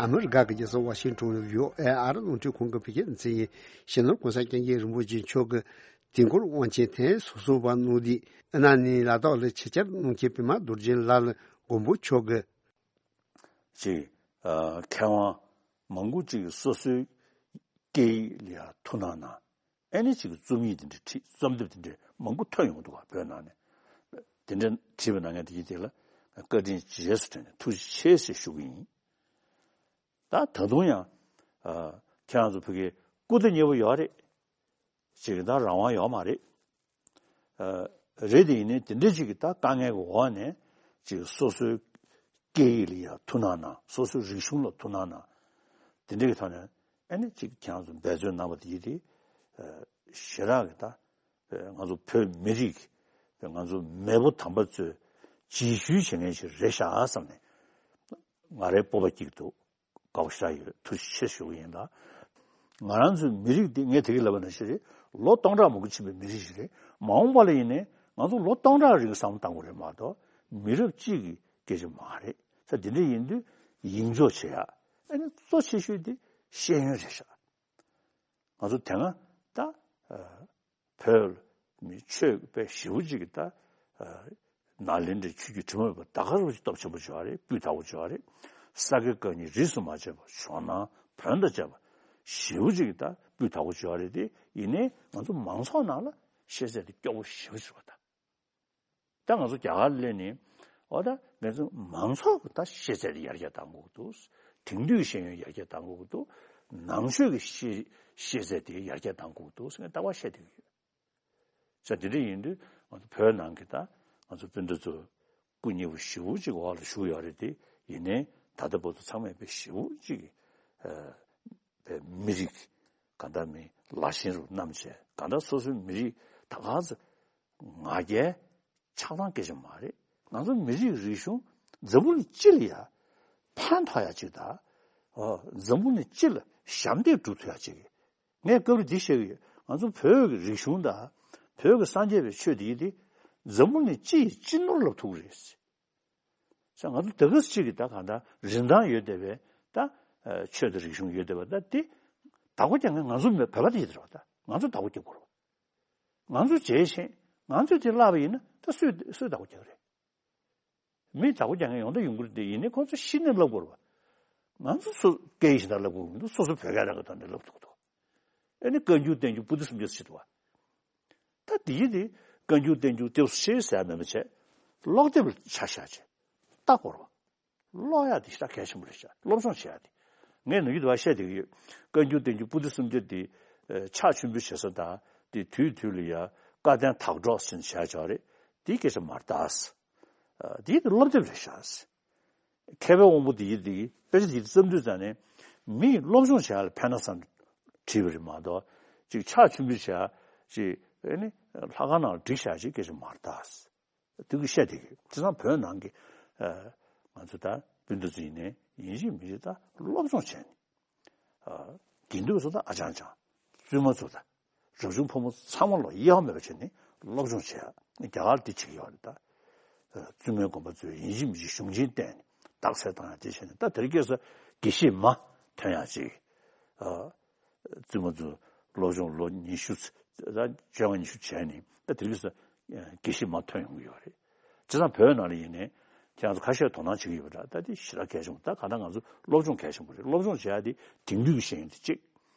ཨ་མི་རི་ཀ་གི་རྒྱལ་ས་ཝ་ཤིང་ཊོན་ནས་བྷི་ཨོ་ཨེ་ཨ་རི་རླུང་འཕྲིན་ཁང་གི་བོད་སྐད་སྡེ་ཚན་ཡིན། སྤྱི་ནོར་༸གོང་ས་༸སྐྱབས་མགོན་རིན་པོ་ཆེ་མཆོག་གི་དུས་འཁོར་དབང་ཆེན་ཐེངས་སོ་གསུམ་པ་གནང་དུས། ཨ་ནི་ལ་དྭགས་ལ་ཆེད་བཅར་གནང་མཁན་པད་མ་རྡོ་རྗེ་ལགས་ལ་མགོན་པོ་མཆོག་གིས། ཅིག་ཨ། མཁས་དབང་མང་པོ་ཅིག་སོ་སོའི་སྐད་ཡིག་ལ་ཡང་ཐུགས་སྣང་གནང་། ཨ་ནི་ཅིག་རྩོམ་ཡིག་དེ་འདྲ་བྲིས། རྩོམ་དེབ་དེ་འདྲ་མང་པོ་ཐོན་ཡོང་འདུག་བ། བོད་ནང་ནས་དེ་འདྲ་བྲིས་པ་གནང་མཁན་དེ་གྱིས་དེ་ལ་བཀའ་དྲིན་རྗེས་སུ་དྲན་ནས་ཐུགས་རྗེ་ཆེ་ཟེར་ཞུ་གི་ཡིན། ད་ད་དུང་ཡང་། ཨ། ཁྱེད་རང་ཚོ་བོད་སྐད་སྐུ་ཚེ་མཉེས་པོ་ཡོད་རེད། ཅིག་ད་རང་དབང་ཡོད་མ་རེད། རེད་དེ་ཡིན་ནའི་དེ་འདྲ་ཅིག་གི་ད་དཀའ་ངལ་གྱི་འོག་ནས་ཅིག་སོ་སོའི་སྐད་ཡིག་ལ་ཡང་ཐུགས་སྣང་གནང་། སོ་སོའི་རིག་གཞུང་ལ་ཐུགས་སྣང་གནང་། དེ་འདྲ་གི་ཐོག་ནས་ཨ་ནི་ཅིག་ཁྱེད་རང་ཚོ་འབད་བརྩོན་གནང་བ་དེ་ཡིན་དེ་ཞེ་དྲག་གི་ད་ང་ཚོ་བོད་མི་རིགས་ང་ཚོ་མེས་པོ་དམ་པ་ཚོས་རྗེས་ཤུལ་བྱེད་མཁན་ཞིག་རེད་ཤག་བསམ་ནས་ང་རའི་སྤོབས་པ་སྐྱེ་གི་འདུག་དགའ་པོ་ཞེ་དྲག་ཡོད། ཐུགས་རྗེ་ཆེ་ཞུ་གི་ཡིན་ད། ང་རང་ཚོའི་མི་རིགས་འདི་ངས་དེ་གི་ལབ་པ་ནང་བཞིན་རེད། ལོ་སྟོང་ཕྲག་མང་པོ་ཕྱིན་པའི་མི་རིགས་ཤིག་རེད། མ་འོངས་པ་ལ་ཡིན་ནའི་ང་ཚོ་ལོ་སྟོང་ཕྲག་རིང་བསམ་བློ་གཏང་དགོས་རེད་མ་གཏོགས་མི་རབས་གཅིག་གི་སྐད་ཆ་མ་རེད། ས་འདི་འདྲ་ཡིན་དུས་ཡིག་འཇོག་བྱེད་ཡ། ཨ་ནི་གཙོ་ཆེ་ཤོས་འདི་ཤེས་ཡོན་རེད་ཤག་ང་ཚོ་དེ་སྔ་ད་བོད་མི་ཆོས་པའི་ཞེ་པོ་ཅིག་གི་ད་ནཱ་ལེནྡྲའི་ཆོས་བརྒྱུད་དྲི་མ་མེད་པ་ད་ག་རང་ཅིག་སྟོབས་ཆེན་པོ་བྱུང་བ་རེད། སྤུས་དག་པོ་བྱུང་བ་རེད། ས་དགེ་བཀའ་རྙིང་རིས་སུ་མ་ཆད་པ་ཇོ་ནང་བོན་དང་བཅས་པ་ཞེ་པོ་ཅིག་གི་ད་སྤུས་དག་པོ་བྱུང་བ་རེད་དེ། ཡིན་ནའི་ང་ཚོ་མང་ཚོགས་ནང་ལ་ཤེས་ཚད་དེ་སྐྱོ་པོ་ཞེ་པོ་ཅིག་རེད་པ། ད་ད་ང་ཚོ་རྒྱ་གར་སླེབས་ནས་འོ་ད་ང་ཚོ་མང་ཚོགས་ཀྱི་ད་ཤེས་ཚད་དེ་ཡར་རྒྱས་གཏང་དགོས་ཀྱི་འདུག་དེང་དུས་ཤེས་ཡོན་ཡར་རྒྱས་གཏང་དགོས་ཀྱི་འདུག་ནང་ཆོས་ཀྱི་ཤེས་ཤེས་ཚད་དེ་ཡར་རྒྱས་གཏང་དགོས་ཀྱི་འདུག་ཟེར་ནས་ལྟ་བ་བཤད་བསྡད་ཀྱི་ཡོད། ས་དེ་འདྲ་ཡིན་དུས་ང་ཚོ་བོད་ནང་གི་ད་ང་ཚོ་སྤུན་ཟླ་ཚོ་སྐུ་ཉེ་བོ་ཞེ་པོ་ཅིག་འོག་ལ་བཞུགས་ཡོད་རེད་དེ། ཡིན་ནའི་ད་ལྟ་བར་དུ་ཚང་མས་དཔེ་ཞེ་པོ་ཅིག་ཨ་པའི་མི་རིགས་གང་ལྟར་མི་ལ་ཞེན་རུ་བསྣམས་བྱས། གང་ལྟར་སོ་སོའི་མི་རིགས་ད་ག་ཚོད་ང་རྒྱལ་ཆགས་སྡང་སྐད་ཆ་མ་རེད། ང་ཚོ་མི་རིགས་རིག་གཞུང་འཛམ་བུ་གླིང་སྤྱི་ལ་ཡ་ཕན་ཐོགས་ཡ་ཅིག་དང་། འཛམ་བུ་གླིང་སྤྱི་ལ་ཞབས་འདེགས་སྒྲུབ་ཐུབ་ཡ་ཅིག་ངས་སྐབས་རེ་འདི་བཤད་ཀྱི་ཡོད། ང་ཚོ་བོད་ཀྱི་རིག་གཞུང་དང་བོད་ཀྱི་སངས་རྒྱས་པའི་ཆོས་འདི་ཡིན་ཏེ། འཛམ་བུ་གླིང་སྤྱི་ཡི་སྤྱི་ནོར་ལབ་ཐུབ་ཀྱི་རེད། ས་ང་ཚོ་ད་ག་ཟེ་གཅིག་གི་ད་གང་ལྟར་རིན་ཐང་ཡོད་བསྡད་པའི་ད་ཆོས་དང་རིག་གཞུང་ཡོད་བསྡད་པ་ད་འདི་བདག་པོ་རྒྱག་མཁན་ང་ཚོ་མེད། བོད་པ་དེ་ཡིན་ད་རེད་པ། ད་ང་ཚོ་བདག་པོ་རྒྱག་དགོས་རེད་པ། ང་ཚོ་བྱས་ཤེས། ང་ཚོས་དེ་བརླག་པ་ཡིན་ན་ད་སུས་སུས་བདག་པོ་རྒྱག་རེད། མི་བདག་པོ་རྒྱག་མཁན་ཡོང་ད་ཡོང་གི་རེད་དེ། ཡིན་ནའི་ཁོང་ཚོ་ཤི་ནས་བརླག་དགོས་རེད་པ། ང་ཚོ་སོ་སྐད་ཡིག་གཞན་དག་བརླག་དགོས་མི་འདུག་སོ་སོ་བོད་སྐད་རང་གི་ཐོག་ནས་བརླག་ཐུབ་ཀྱི་འདུག་ཨ་ནི་བཀའ་འགྱུར་བསྟན་འགྱུར་པོ་ཏི་སུམ་བརྒྱ་ཟེར་བ། ད་དེ་ཡིན་དེ་བཀའ་འགྱུར་བསྟན་འགྱུར་ཏེ་ཤེས་ཟེར་མེད་པ་བྱས། ཀློག་དེབ་ལ་ཆ་བཞག་བྱས་ལྟ་དགོས་རེད་པ། ཀློག་ཡག་དེ་ཞེ་དྲག་གལ་ཆེན་པོ་རེད་ཤག་སློབ་སྦྱོང་བྱེད་ཡག་དེ། ངས་ནམ་རྒྱུན་དུ་བ་བཤད་བསྡད་ཀྱི་ཡོད། བཀའ་འགྱུར་བསྟན་འགྱུར་པོ་ཏི་སུམ་བརྒྱ་དེ་ཕྱག་མཆོད་འབུལ་བྱེད་ས་དང་དེ་དུས་དུས་ལ་ཡ་བཀའ་བསྟན་དག་སྒྲོག་ཟེར་ནས་བྱས་ཡོད་རེད། དེའི་སྐད་ཆ་མ་རེད་ད། དེ་ཡིན་དེ་སློབ་དེབ་རེད་ཤག་མཁས་པའི་དབང་པོ་དེ་ཡིན་དེ་དཔེ་ཆ་དེ་བརྩམས་དུས་ཙང་ནས་མིས་སློབ་སྦྱོང་བྱེད་ཡག་ལ་ཕན་ན་བསམ་བྲིས་པ་རེད་མ་གཏོགས་ཅིག་ཕྱག་མཆོད་འབུལ་བྱེད་ཡག་ཅིག་ཨ་ནི་ལྷ་ཁང་ནང་བསྒྲིགས་བཞག་ཅིག་སྐད་ཆ་མ་རེད་ད། དེ་གི་བཤད་དེ་གི་བྱས་ཙང་བོད་ནང་གི་ཨ་ང་ཚོ་ད་སྤུན་ཟླ་ཚོ་ཡིན་ནའི་ཡིན་གཅིག་མིན་གཅིག་ད་སློབ་སྦྱོང་བྱས་ནས། ཨ་དགེ་འདུན་ཚོ་ད་ཨ་ཅང་ཅང་བཙུན་མ་ཚོ་ད་རབ་བྱུང་ཕོ་མོ་ཚང་མ་ལོ་གཡེལ་བ་མེད་པ་བྱས་ནས་སློབ་སྦྱོང་བྱས་ཡ། རྒྱ་གར་དེ་བྱེད་ཀྱི་ཡོད་རེད་ད། ཨ་བཙུན་མའི་དགོན་པ་ཚོས་ཡིན་གཅིག་མིན་གཅིག་གཞུང་ཆེན་བསྟན་ནས་རྟགས་གསལ་བཏང་ཡ་དེ་བྱས་ནས། ད་དེ་རིང་ཁ་སང་དགེ་བཤེས་མ་ཐོན་ཡ་ཅིག་ཨ་བཙུན་མ་ཚོ་སློབ་སྦྱོང་ལོ་ཉི་ཤུ་ཙ་བཅོ་ལྔ་ཉི་ཤུ་བྱས་ནས་ད་དེ་རིང་ཁ་སང་དགེ་བཤེས་མ་ཐོན་ཡོང་གི་ཡོད་རེད། བྱས་ཙང་བོད་ནང་ལ་ཡིན་ནའི་ཁྱེད་རང་ཚོ་ཁ་ཤས་དོ་སྣང་བྱེད་ཀྱི་ཡོད་པ་འདྲ། ད་དེ་ཞེ་དྲག་གལ་ཆེན་པོ། ད་གང་ལྟར་ང་ཚོ་སློབ་སྦྱོང་གལ་ཆེན་པོ་རེད། སློབ་སྦྱོང་བྱེད་ཡ་དེ་དེང་དུས་ཀྱི་ཤེས་ཡོན་དེ་གཅིག་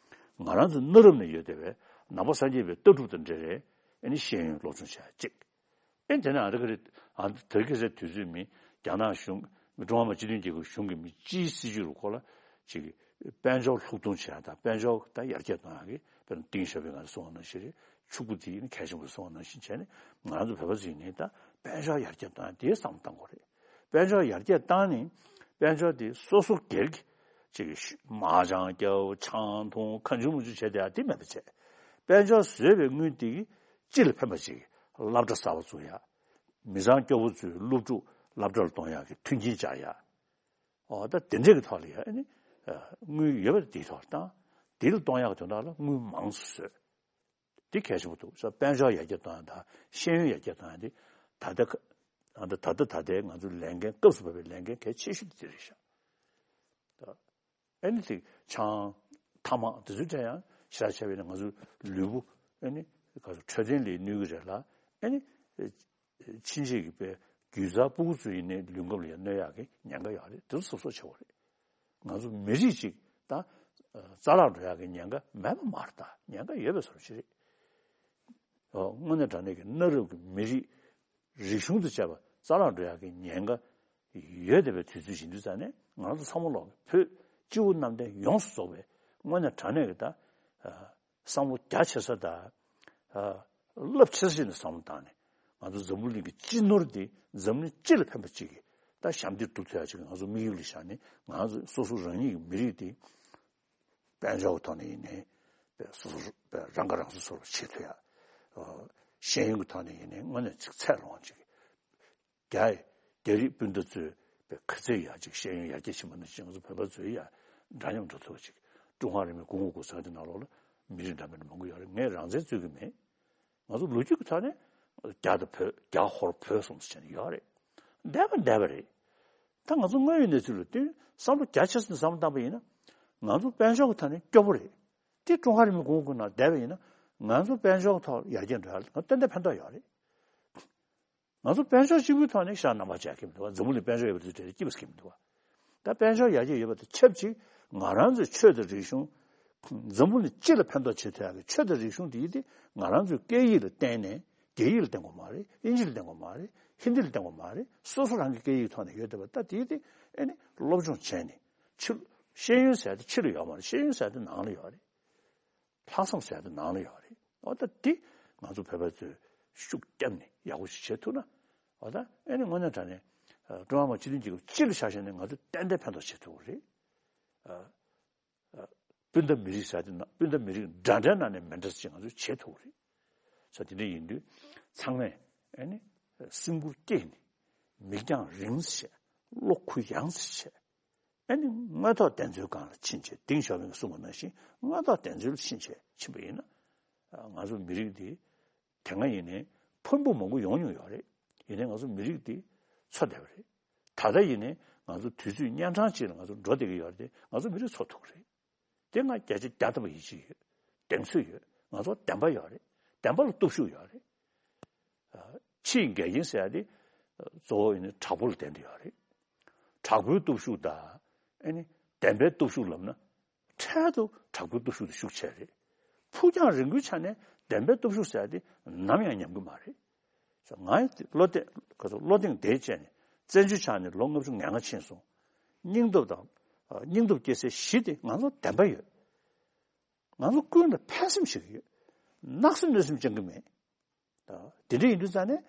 ང་རང་ཚོ་གནའ་རབས་ནས་ཡོད་བསྡད་པའི་ནང་པ་སངས་རྒྱས་པའི་ལྟ་གྲུབ་དང་འབྲེལ་བའི་ཨ་ནི་ཤེས་ཡོན་སློབ་སྦྱོང་བྱེད་ཡ་གཅིག་ཨེ་དེ་ནས་ཨ་རི་ཀ་རེད། ཨ་དེ་རིང་ཁ་སང་དུས་ཚོད་མི་རྒྱ་ནག་གཞུང་ཀྲུང་ཧྭ་མི་དམངས་སྤྱི་མཐུན་རྒྱལ་ཁབ་གཞུང་གི་མི་སྤྱིའི་སྲིད་ཇུས་རུ་ཁོ་ལ་ཅིག་དཔལ་འབྱོར་ལྷུག་གཏོང་བྱེད་ཡ་དང་དཔལ་འབྱོར་ད་ཡར་རྒྱས་གཏོང་ཡ་གི་དཔེར་ན་ཏིང་ཞའོ་ཕིང་ང་ཚོ་གསུངས་པ་ནང་བཞིན་རེད། ཕྱུག་པོ་དེ་ནི་གལ་ཆེན་པོ་གསུངས་པ་ནང་བཞིན་བྱས་ནས་ང་ཚོ་བོད་པ་ཚོ་ཡིན་ནའི་ད་དཔལ་འབྱོར་ཡར་རྒྱས་གཏོང་ཡ་དེའི་བསམ་བློ་གཏང་དགོས་རེད། དཔལ་འབྱོར་ཡར་རྒྱས་བཏང་ནས་དཔལ་འབྱོར་དེ་སོ་སོ་སྒེར་གྱི་ཅིག་མ་ཅང་རྒྱབ་ཆང་འཐུང་གང་བྱུང་མང་བྱུང་བྱས་བསྡད་ཡ་དེ་མེད་པ་བྱས། དཔལ་འབྱོར་བཟོས་པའི་དངུལ་དེ་གིས་སྤྱི་ལ་ཕན་པ་ཅིག་སློབ་གྲྭ་གསར་པ་བཙུགས་ཡ། མི་ཚང་སྐྱོ་པོ་ཚོའི་སློབ་ཕྲུག་སློབ་གྲྭ་ལ་གཏོང་ཡག་གི་མཐུན་རྐྱེན་སྦྱར་ཡ། ཨོ་ད་དེ་འདྲས་ཀྱི་ཐོག་ལ་ཡ་ཨ་ནི་དངུལ་ཡོད་པ་དེའི་ཐོག་ལ་བཏང་། དེ་ལ་གཏོང་ཡག་གི་དོན་དག་ལ་དངུལ་མང་ཙམ་བཟོས། དེ་གལ་ཆེན་པོ་འདུག་ས། དཔལ་འབྱོར་ཡར་རྒྱས་གཏོང་ཡག་དང་ཤེས་ཡོན་ཡར་རྒྱས་གཏོང་ཡག་དེ་ད་ལྟ་ཁ་ཨ་ད་ད་ལྟ་ད་ལྟའི་ང་ཚོའི་ལས་འགན་སྐབས་སུ་བབས་པའི་ལས་འགན་གལ་ཆེ་ཤོས་དེ་རེད་ཤག་ད་ཨ་ནི་དེ་ཆང་ཐ་མག་དེ་ཚོའི་གྲས་ཡང་ཞེ་དྲག་བྱས་པས་ན་ང་ཚོའི་ལུས་པོ་ཨ་ནི་ག་ཚོད་འཕྲོད་བསྟེན་ལ་གནོད་ཀྱི་རེད་ལ། ཨ་ནི་ཕྱིན་ཆད་ཀྱི་པའི་རྒྱུད་བཟའ་ཕྲུ་གུ་ཚོ་ཡིན་ནའི་ལུས་ཁམས་ལ་ཡང་གནོད་ཡག་གི་ཉེན་ཁ་ཡོད་རེད། དེ་ཚོ་གཟབ་གཟབ་བྱེད་དགོས་རེད། ང་ཚོ་མི་རིགས་གཅིག་ད་རྩ་བརླག་འགྲོ་ཡག་གི་ཉེན་ཁ་མེད་པ་མ་རེད། ད་ཉེན་ཁ་ཡོད་པའི་བཟོ་འདྲ་ཞིག་རེད། ཨོ་དངོས་གནས་དྲང་གནས་ཀྱི་གནའ་རབས་ཀྱི་མི་རིགས་རིག་གཞུང་དང་བཅས་པ་རྩ་བརླག་འགྲོ་ཡག་གི་ཉེན་ཁ་ཡོད་བསྡད་པའི་དུས་ཚོད་ཡིན་དུས་ཙང་ནས་ང་ཚོ་ཚང་མ་ལོག་བོད་སྤྱི་བོ་གནམ་བསྟན་ཡོངས་སུ་རྫོགས་པའི་དངོས་གནས་དྲང་གནས་ཀྱི་ད་བསམ་བློ་རྒྱ་ཆེ་ས་དང་། རླབས་ཆེ་ས་ཞིག་ནས་བསམ་བློ་བཏང་ནས། ང་ཚོ་འཛམ་བུ་གླིང་གི་སྤྱི་ནོར་འདི་འཛམ་གླིང་སྤྱི་ལ་ཕན་པ་ཅིག་གི་ད་ཞབས་འདེགས་སྒྲུབ་ཐུབ་ཡ་ཅིག་ང་ཚོ་དམིགས་ཡུལ་ལ་བཞག་ནས། ང་ཚོ་སོ་སོ་རང་ཉིད་ཀྱི་མི་རིགས་འདི་དཔལ་འབྱོར་གྱི་ཐོག་ནས་ཡིན་ནའི་སོ་སོ་རང་ཁ་རང་གསོ་སོར་བྱེད་ཐུབ་ཡ། ཤེས་ཡོན་གྱི་ཐོག་ནས་ཡིན་ནའི་དངོས་གནས་ཅིག་ཚད་ལོངས་ཅིག་རྒྱ་རྒྱ་རིགས་སྤུན་ཟླ་ཚོས་པའི་ག་ཚད་ཡག་ཅིག་ཤེས་ཡོན་ཡར་རྒྱས་ཕྱིན་པ་ནང་བཞིན་ང་ཚོ་བོད་པ་ཚོས་ཡང་འདྲ་མཉམ་འགྲོ་ཐུབ་པ་ཅིག་ཀྲུང་ཧྭ་རིང་ལུགས་གོང་འོག་གོང་ས་དེ་ནང་ལོགས་ལ་མི་རིགས་འདྲ་མིན་མང་པོ་ཡོད་རེད། ངས་རང་བཙན་རྩོད་ཀྱི་མེད། ང་ཚོ་ལོ་རྒྱུས་ཀྱི་ཐོག་ནས་རྒྱ་དང་བོད། རྒྱ་ཧོར་བོད་གསུམ་ཟེར་ནས་ཡོད་རེད། འདས་པ་འདས་པ་རེད། ད་ང་ཚོ་དངོས་ཡོད་གནས་ཚུལ་ལ་བསྟུན་བསམ་བློ་རྒྱ་ཆེ་ས་ནས་བསམ་བློ་བཏང་པ་ཡིན་ན། ང་ཚོ་དཔལ་འབྱོར་གྱི་ཐོག་ནས་སྐྱོ་པོ་རེད། དེ་ཀྲུང་ཧྭ་རིང་ལུགས་གོང་འོག་གི་ནང་བསྡད་པ་ཡིན་ན། ང་ཚོ་དཔལ་འབྱོར་གྱི་ཐོག་ཡར་རྒྱས་འགྲོ་ཡ་ལ་ང་ཏན་ཏན་ཕན་ཐོགས་ཡོད་རེད། ང་ཚོ་དཔལ་འབྱོར་གཅིག་པུའི་ཐོག་ནས་ཤ་རྣམ་པ་བྱས་ཀྱི་མི་འདུག་བ། འཛམ་བུ་གླིང་དཔལ་འབྱོར་ཡོད་པ་དེ་གྲས་སྐྱིད་པ་ཟེར་གྱི་མི་འདུག་བ། ད་དཔལ་འབྱོར་ཡར་རྒྱས་ཡོད་པ་དང་ཆབས་ཅིག་ང་རང་ཚོའི་ཆོས་དང་རིག་གཞུང་། འཛམ་བུ་གླིང་སྤྱི་ལ་ཕན་ཐོགས་བྱེད་ཐུབ་ཡག་གི་ཆོས་དང་རིག་གཞུང་དེ་ཡིན་ཏེ། ང་རང་ཚོའི་སྐད་ཡིག་ལ་བརྟེན་ནས། རྒྱ་ཡིག་ལ་བརྟེན་དགོས་མ་རེད། དབྱིན་ཇི་ལ་བརྟེན་དགོས་མ་རེད། ཧིན་དི་ལ་བརྟེན་དགོས་མ་རེད། སོ་སོ་རང་གི་སྐད་ཡིག་ཐོག་ནས་ཡོད་བསྡད་པ། ད་དེ་ཡིན་ཏེ་ཨེ་ནི་སློབ་སྦྱོང་བྱས་ནས། ཕྱི། ཤེས་ཡོན་ཟེར་ཡ་དེ་ཕྱི་ལ་ཡོད་མ་རེད། ཤེས་ཡོན་ཟེར་ཡ་དེ་ནང་ལ་ཡོད་རེད། ལྷག་བསམ་ཟེར་ཡ་དེ་ནང་ལ་ཡོད་རེད། འོ་ད་དེ་ང་ཚོ་བོད་པ་ཚོས་ཤུགས་བརྒྱབ་ནས་ཡག་པོ་ཞིག་བྱེད་ཐུབ་ན། འོ་ད་ཨེ་ནི་དངོས་གནས་དྲང་གནས་ཀྲུང་ཧྭ་མི་དམངས་སྤྱི་མཐུན་རྒྱལ་ཁབ་སྤྱི་ལ་ཆ་བཞག་ནས་ང་ཚོ་ཏན་ཏན་ཕན་ཐོགས་བྱེད་ཐུབ་ཀྱི་རེད། སྤུན་ཟླ་མི་རིགས་ཟེར་ཡ་དེ་ནང་། སྤུན་ཟླ་མི་རིགས་འདྲ་འདྲའི་ནང་ནས་མི་འདྲ་ཅིག་ང་ཚོས་བྱེད་ཐུབ་ཀྱི་རེད། ས་དེ་འདྲ་ཡིན་དུས་ཚང་མས་ཨེ་ནི་སེམས་ཁུར་བསྐྱེད་ནས། མིག་རྒྱང་རིང་ཙམ་བྱས། བློ་གུ་ཡངས་ཙམ་བྱས། ཨེ་ནི་དངོས་ཐོག་བདེན་འཚོལ་སྒང་ལ་ཕྱིན་བྱས། ཏེང་ཞའོ་ཕིང་གསུངས་པ་ནང་བཞིན་དངོས་ཐོག་བདེན་འཚོལ་ལ་ཕྱིན་བྱས་ཕྱིན་པ་ཡིན་ན། ང་ཚོ་མི་རིགས་འདི་དེ་སྔ་ཡིན་ནའི་ཕུང་པོ་མང་པོ་ཡོང་མྱོང་ཡོད་རེད། ཡིན་ནའི་ང་ཚོ་མི་རིགས་འདི་འཚོ་བསྡད་པ་རེད། ད་ལྟ་ཡིན་ནའི་ང་ཚོ་དུས་ཚོད་གཉན་འཕྲང་ཅིག་ལ་ང་ཚོ་འགྲོ་བསྡད་ཀྱི་ཡོད་རེད་དེ། ང་ཚོ་མི་རིགས་འཚོ་ཐུབ་ཀྱི་རེད། དེ་ང་བརྒྱ་ཆ་བརྒྱ་ཐམ་པ་ཡིད་ཆེས་ཡོད། གདེང་ཚོད་ཡོད། ང་ཚོ་བདེན་པ་ཡོད་རེད། བདེན་པ་ལ་སྟོབས་ཤུགས་ཡོད་རེད། ཕྱིའི་འགལ་རྐྱེན་ཟེར་ཡ་དེ་གཙོ་བོ་ཡིན་ན་དྲག་པོ་ལ་བརྟེན་ཏེ་ཡོད་རེད། དྲག་པོའི་སྟོབས་ཤུགས་དང་། ཨེ་ནི་བདེན་པའི་སྟོབས་ཤུགས་ལབ་ན། འཕྲལ་དུ་དྲག་པོའི་སྟོབས་ཤུགས་དེ་ཤུགས་ཆེ་རེད། ཕུགས་རྒྱང་རིང་པོའི་ཆ་ནས་བདེན་པའི་སྟོབས་ཤུགས་ཟེར་ཡ་དེ་ནམ་ཡང་ཉམས་ཀྱི་མ་རེད། ང་བློ་གཏད། ག་ཚོད། བློ་གདེང་དེ་བཅས་ནས་བཙན་བྱོལ་ཆགས་ནས་ལོ་ལྔ་བཅུ་ང་ལྔ་ཕྱིན་སོང་། སྙིང་སྟོབས་དང་། སྙིང་སྟོབས་སྐྱེ་སའི་གཞི་དེ་ང་ཚོ་བདེན་པ་ཡོད། ང་ཚོ་ཀུན་ལ་ཕན་སེམས་བྱེད་ཀྱི་ཡོད། གནག་སེམས་གནོད་སེམས་བཅང་གི་མེད། དེ་འདྲ་ཡིན་དུས་ཙང་ནས་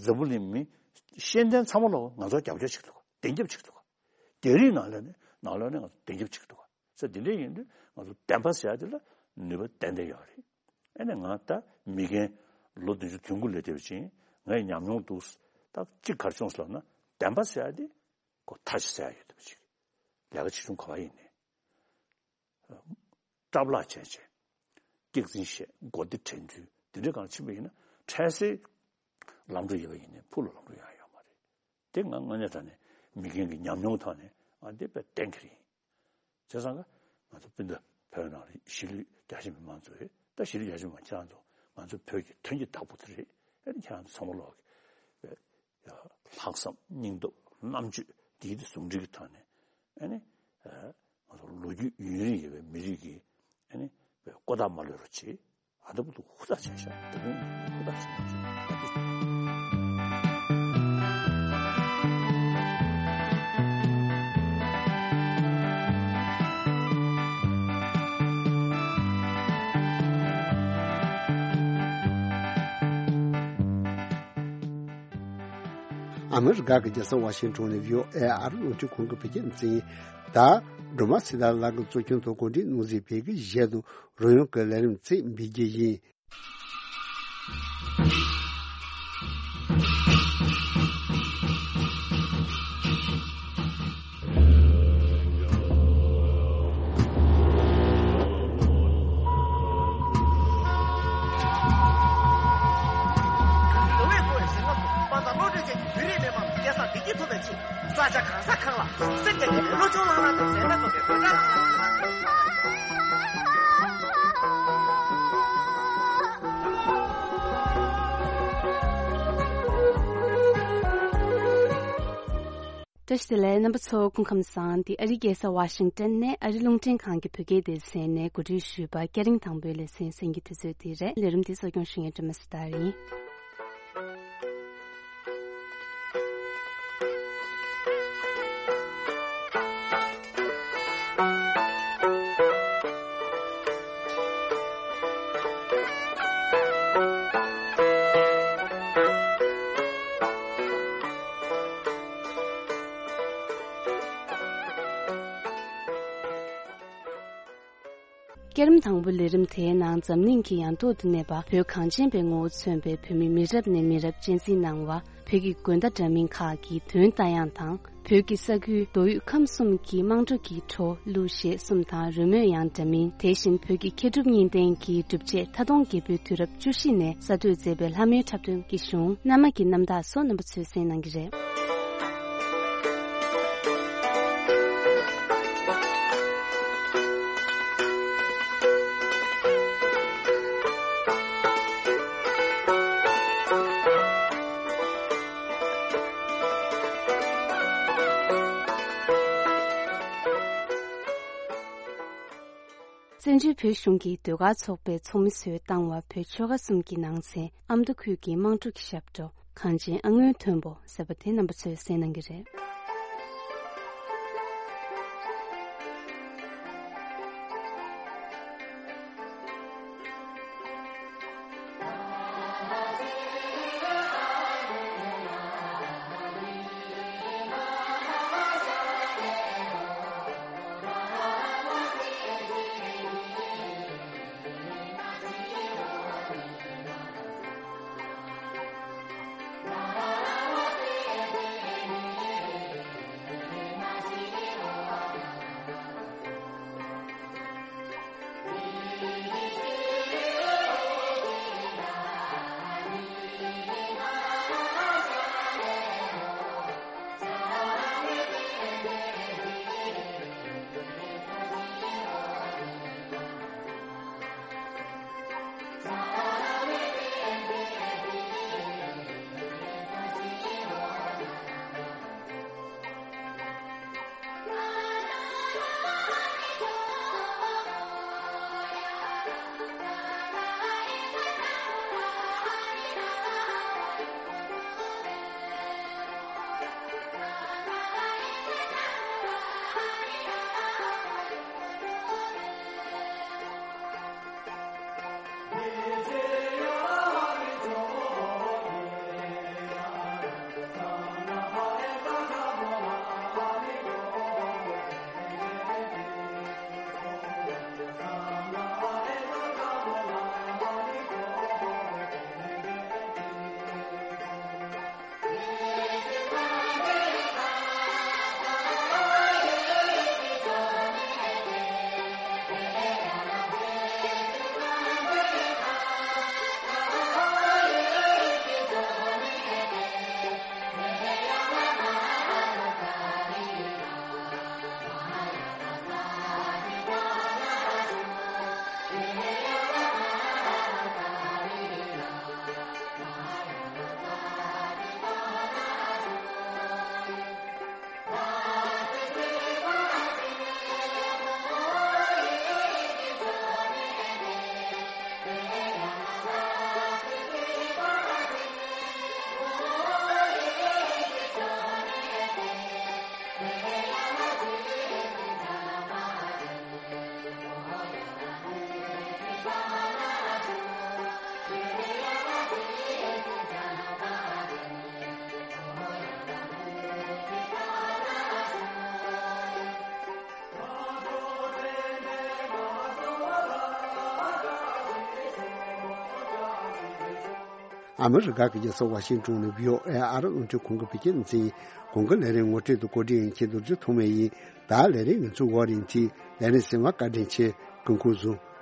འཛམ་བུ་གླིང་མི་ཤེས་ལྡན་ཚང་མ་ལོག་ང་ཚོ་རྒྱབ་སྐྱོར་བྱེད་ཐུབ་ག་བདེན་རྒྱབ་བྱེད་ཐུབ་ག་རྒྱ་རིགས་ནང་ལོགས་ནས། ནང་ལོགས་ནས་ང་ཚོ་བདེན་རྒྱབ་བྱེད་ཐུབ་ག་ས་དེ་འདྲ་ཡིན་དུས་ང་ཚོ་བདེན་པ་ཟེར་ཡ་དེ་ལ་ནུས་པ་ཏན་ཏན་ཡོད་རེད། ཨ་ནི་ང་ད་མི་རྒན་ལོ་བདུན་ཅུ་དོན་དགུ་སླེབས་བསྡད་པ་ཅིག་ཡིན། ངས་ཉམས་མྱོང་འདུག་ད་གཅིག་ག་རེ་བྱུང་སོང་ལབ་ན། བདེན་པ་ཟེར་ཡ་དེ་ཁོ་ཐག་ཆོད་ས་ཡ་ཡོད་བསྡད་པ་ཅིག་ལས་ཀ་ཆེ་ཆུང་ག་པར་ཡིན་ནའི། སྐྲག་ལྷག་བྱས་བྱས། སྐྱག་རྫུན་བཤད། མགོ་བདེ་དྲན་ཚུལ་འདི་འདྲའི་སྒང་ཕྱིན་པ་ཡིན་ན། འཕྲལ་སེལ་ལམ་འགྲོ་ཡོད་པ་ཡིན་ནའི་ཕུགས་ལ་ལམ་འགྲོ་ཡང་ཡོད་མ་རེད། དེ་ང་དངོས་གནས་དྲང་གནས་མི་རྒན་གྱི་ཉམས་མྱོང་ཐོག་ནས་ང་འདི་དཔེ་གཏན་འཁེལ་ཡིན། བྱས་ཙང་ཀ་ང་ཚོ་སྤུན་ཟླ་བོད་ནང་ལ་གཞིས་ལུས་རྒྱ་ཆེ་མི་མང་ཚོ་རེད། ད་གཞིས་ལུས་རྒྱ་ཆེ་མི་མང་ཁྱེད་རང་ཚོ་ང་ཚོ་བོད་ཀྱི་དོན་གྱི་བདག་པོ་དེ་རེད། ཨ་ནི་ཁྱེད་རང་ཚོ་ཚང་མ་ལོག་གི་ལྷག་བསམ། སྙིང་སྟོབས། རྣམ་དཔྱོད། འདིའི་དེ་ཟུང་འབྲེལ་གྱི་ཐོག་ནས། ཨ་ནི། ཨ། ང་ཚོ་ལོ་རྒྱུས་ཡུན་རིང་ཡོད་པའི་མི་རིགས་ཀྱི། ཨ་ནི། ཀོ་ཐག་མ་ལོན་རོགས་བྱེད། ཨ། ད་བུ་ཏུ་ཧུར་ཐག་བྱས་ཤག་ད་དུང་ཧུར་ཐག་བྱས་ཤག་ད་དེ། ཨ་མི་རི་ཀ་གི་རྒྱལ་ས་ཝ་ཤིང་ཊོན་ནས་བྷི་ཨོ་ཨེ་ཨ་རི་རླུང་འཕྲིན་ཁང་གི་བོད་སྐད་སྡེ་ཚན་ཡིན། ད་སྒྲོལ་མ་ཚེ་བདག་ལགས་ཀྱིས་གཙོ་སྐྱོང་དུ་གོ་སྒྲིག་གནང་མཛད་པའི་གཞས་དང་རོལ་དབྱངས་ཀྱི་ལས་རིམ་ཚིག་འབུལ་རྒྱུ་ཡིན། བཀྲ་ཤིས་བདེ་ལེགས། རྣམ་པ་ཚོ་སྐུ་ཁམས་བཟང་། འདི་ཨ་རིའི་རྒྱལ་ས་ཝ་ཤིང་ཏན་ནས་ཨ་རི་རླུང་འཕྲིན་ཁང་གི་བོད་སྐད་སྡེ་ཚན་ནས་གོ་སྒྲིག་ཞུས་པ་སྐད་རིང་དང་པོའི་ལེ་ཚན་གསན་གྱི་དུས་ཚོད་འདི་རེད། ལས་རིམ་འདི་གཙོ་སྐྱོང་ཞུ་མཁན་སྒྲོལ་མ་ཚེ་བདག་ཡིན། ལས་རིམ་དང་པོའི་ལས་རིམ་དེའི་ནང་འཛམ་གླིང་གི་ཡང་ཐོག་ཏུ་གནས་པ་བོད་གངས་ཅན་པའི་ངོ་བོ་མཚོན་པའི་བོད་མི་མི་རབས་ནས་མི་རབས་གཅེས་འཛིན་གནང་བ། བོད་ཀྱི་དགོན་བརྡ་འདྲ་མིན་ཁག་གི་དོན་ལྟ་ཡང་དང་། བོད་ཀྱི་ས་ཁུལ་མདོ་དབུས་ཁམས་གསུམ་གྱི་དམངས་ཁྲོད་ཀྱི་བྲོ་གླུ་གཞས་གསུམ་དང་རོལ་མོ་ཡང་འདྲ་མིན། དེ་བཞིན་བོད་ཀྱི་མཁས་གྲུབ་གཉིས་ལྡན་གྱི་སྒྲུབ་བྱེད་མཐའ་སྟོང་རྒྱལ་པོའི་དུས་རབས་བཅུ་བཞི་ནས་གསར་གཏོད་མཛད་པའི་ལྷ་མོའི་འཁྲབ་སྟོན་གྱི་གཞུང་། མནའ་མ་གི་རྣམ་ཐར་སོགས་རྣམ་པ་ཚོས་གསན་གནང་གི་རེད། བཙན་བྱོལ་བོད་གཞུང་གི་ཟློས་གར་ཚོགས་པའི་ཚོགས་མི་ཚོས་བཏང་བ། བོད་ཆོལ་ཁ་གསུམ་གྱི་ནང་ཚན་ཨ་མདོ་ཁུལ་གྱི་དམངས་ཁྲོད་ཀྱི་ཞབས་བྲོ་གངས་ཅན་ཨ་སྔོན་མཐོན་པོ་ཟེར་བ་དེ་རྣམ་པ་ཚོས་གསན་གནང་གི་རེད། ཨ་མི་རི་ཀ་གི་རྒྱལ་ས་ཝ་ཤིང་ཏོན་ནས་བྷི་ཨོ་ཨེ་ཨ་རི་རླུང་འཕྲིན་ཁང་གི་བོད་སྐད་སྡེ་ཚན། གོང་གི་ལས་རིམ་ངོ་སྤྲོད་དུ་གོ་སྒྲིག་ཡིན་མཁན་རྡོ་རྗེ་ཐོགས་མེད་ཡིན། ད་ལས་རིམ་ཡོངས་རྫོགས་འོག་རིང་མཐིལ་ལས་རིམ་གསན་པར་བཀའ་དྲིན་ཆེ། སྐུ་ཁམས་བཟང་།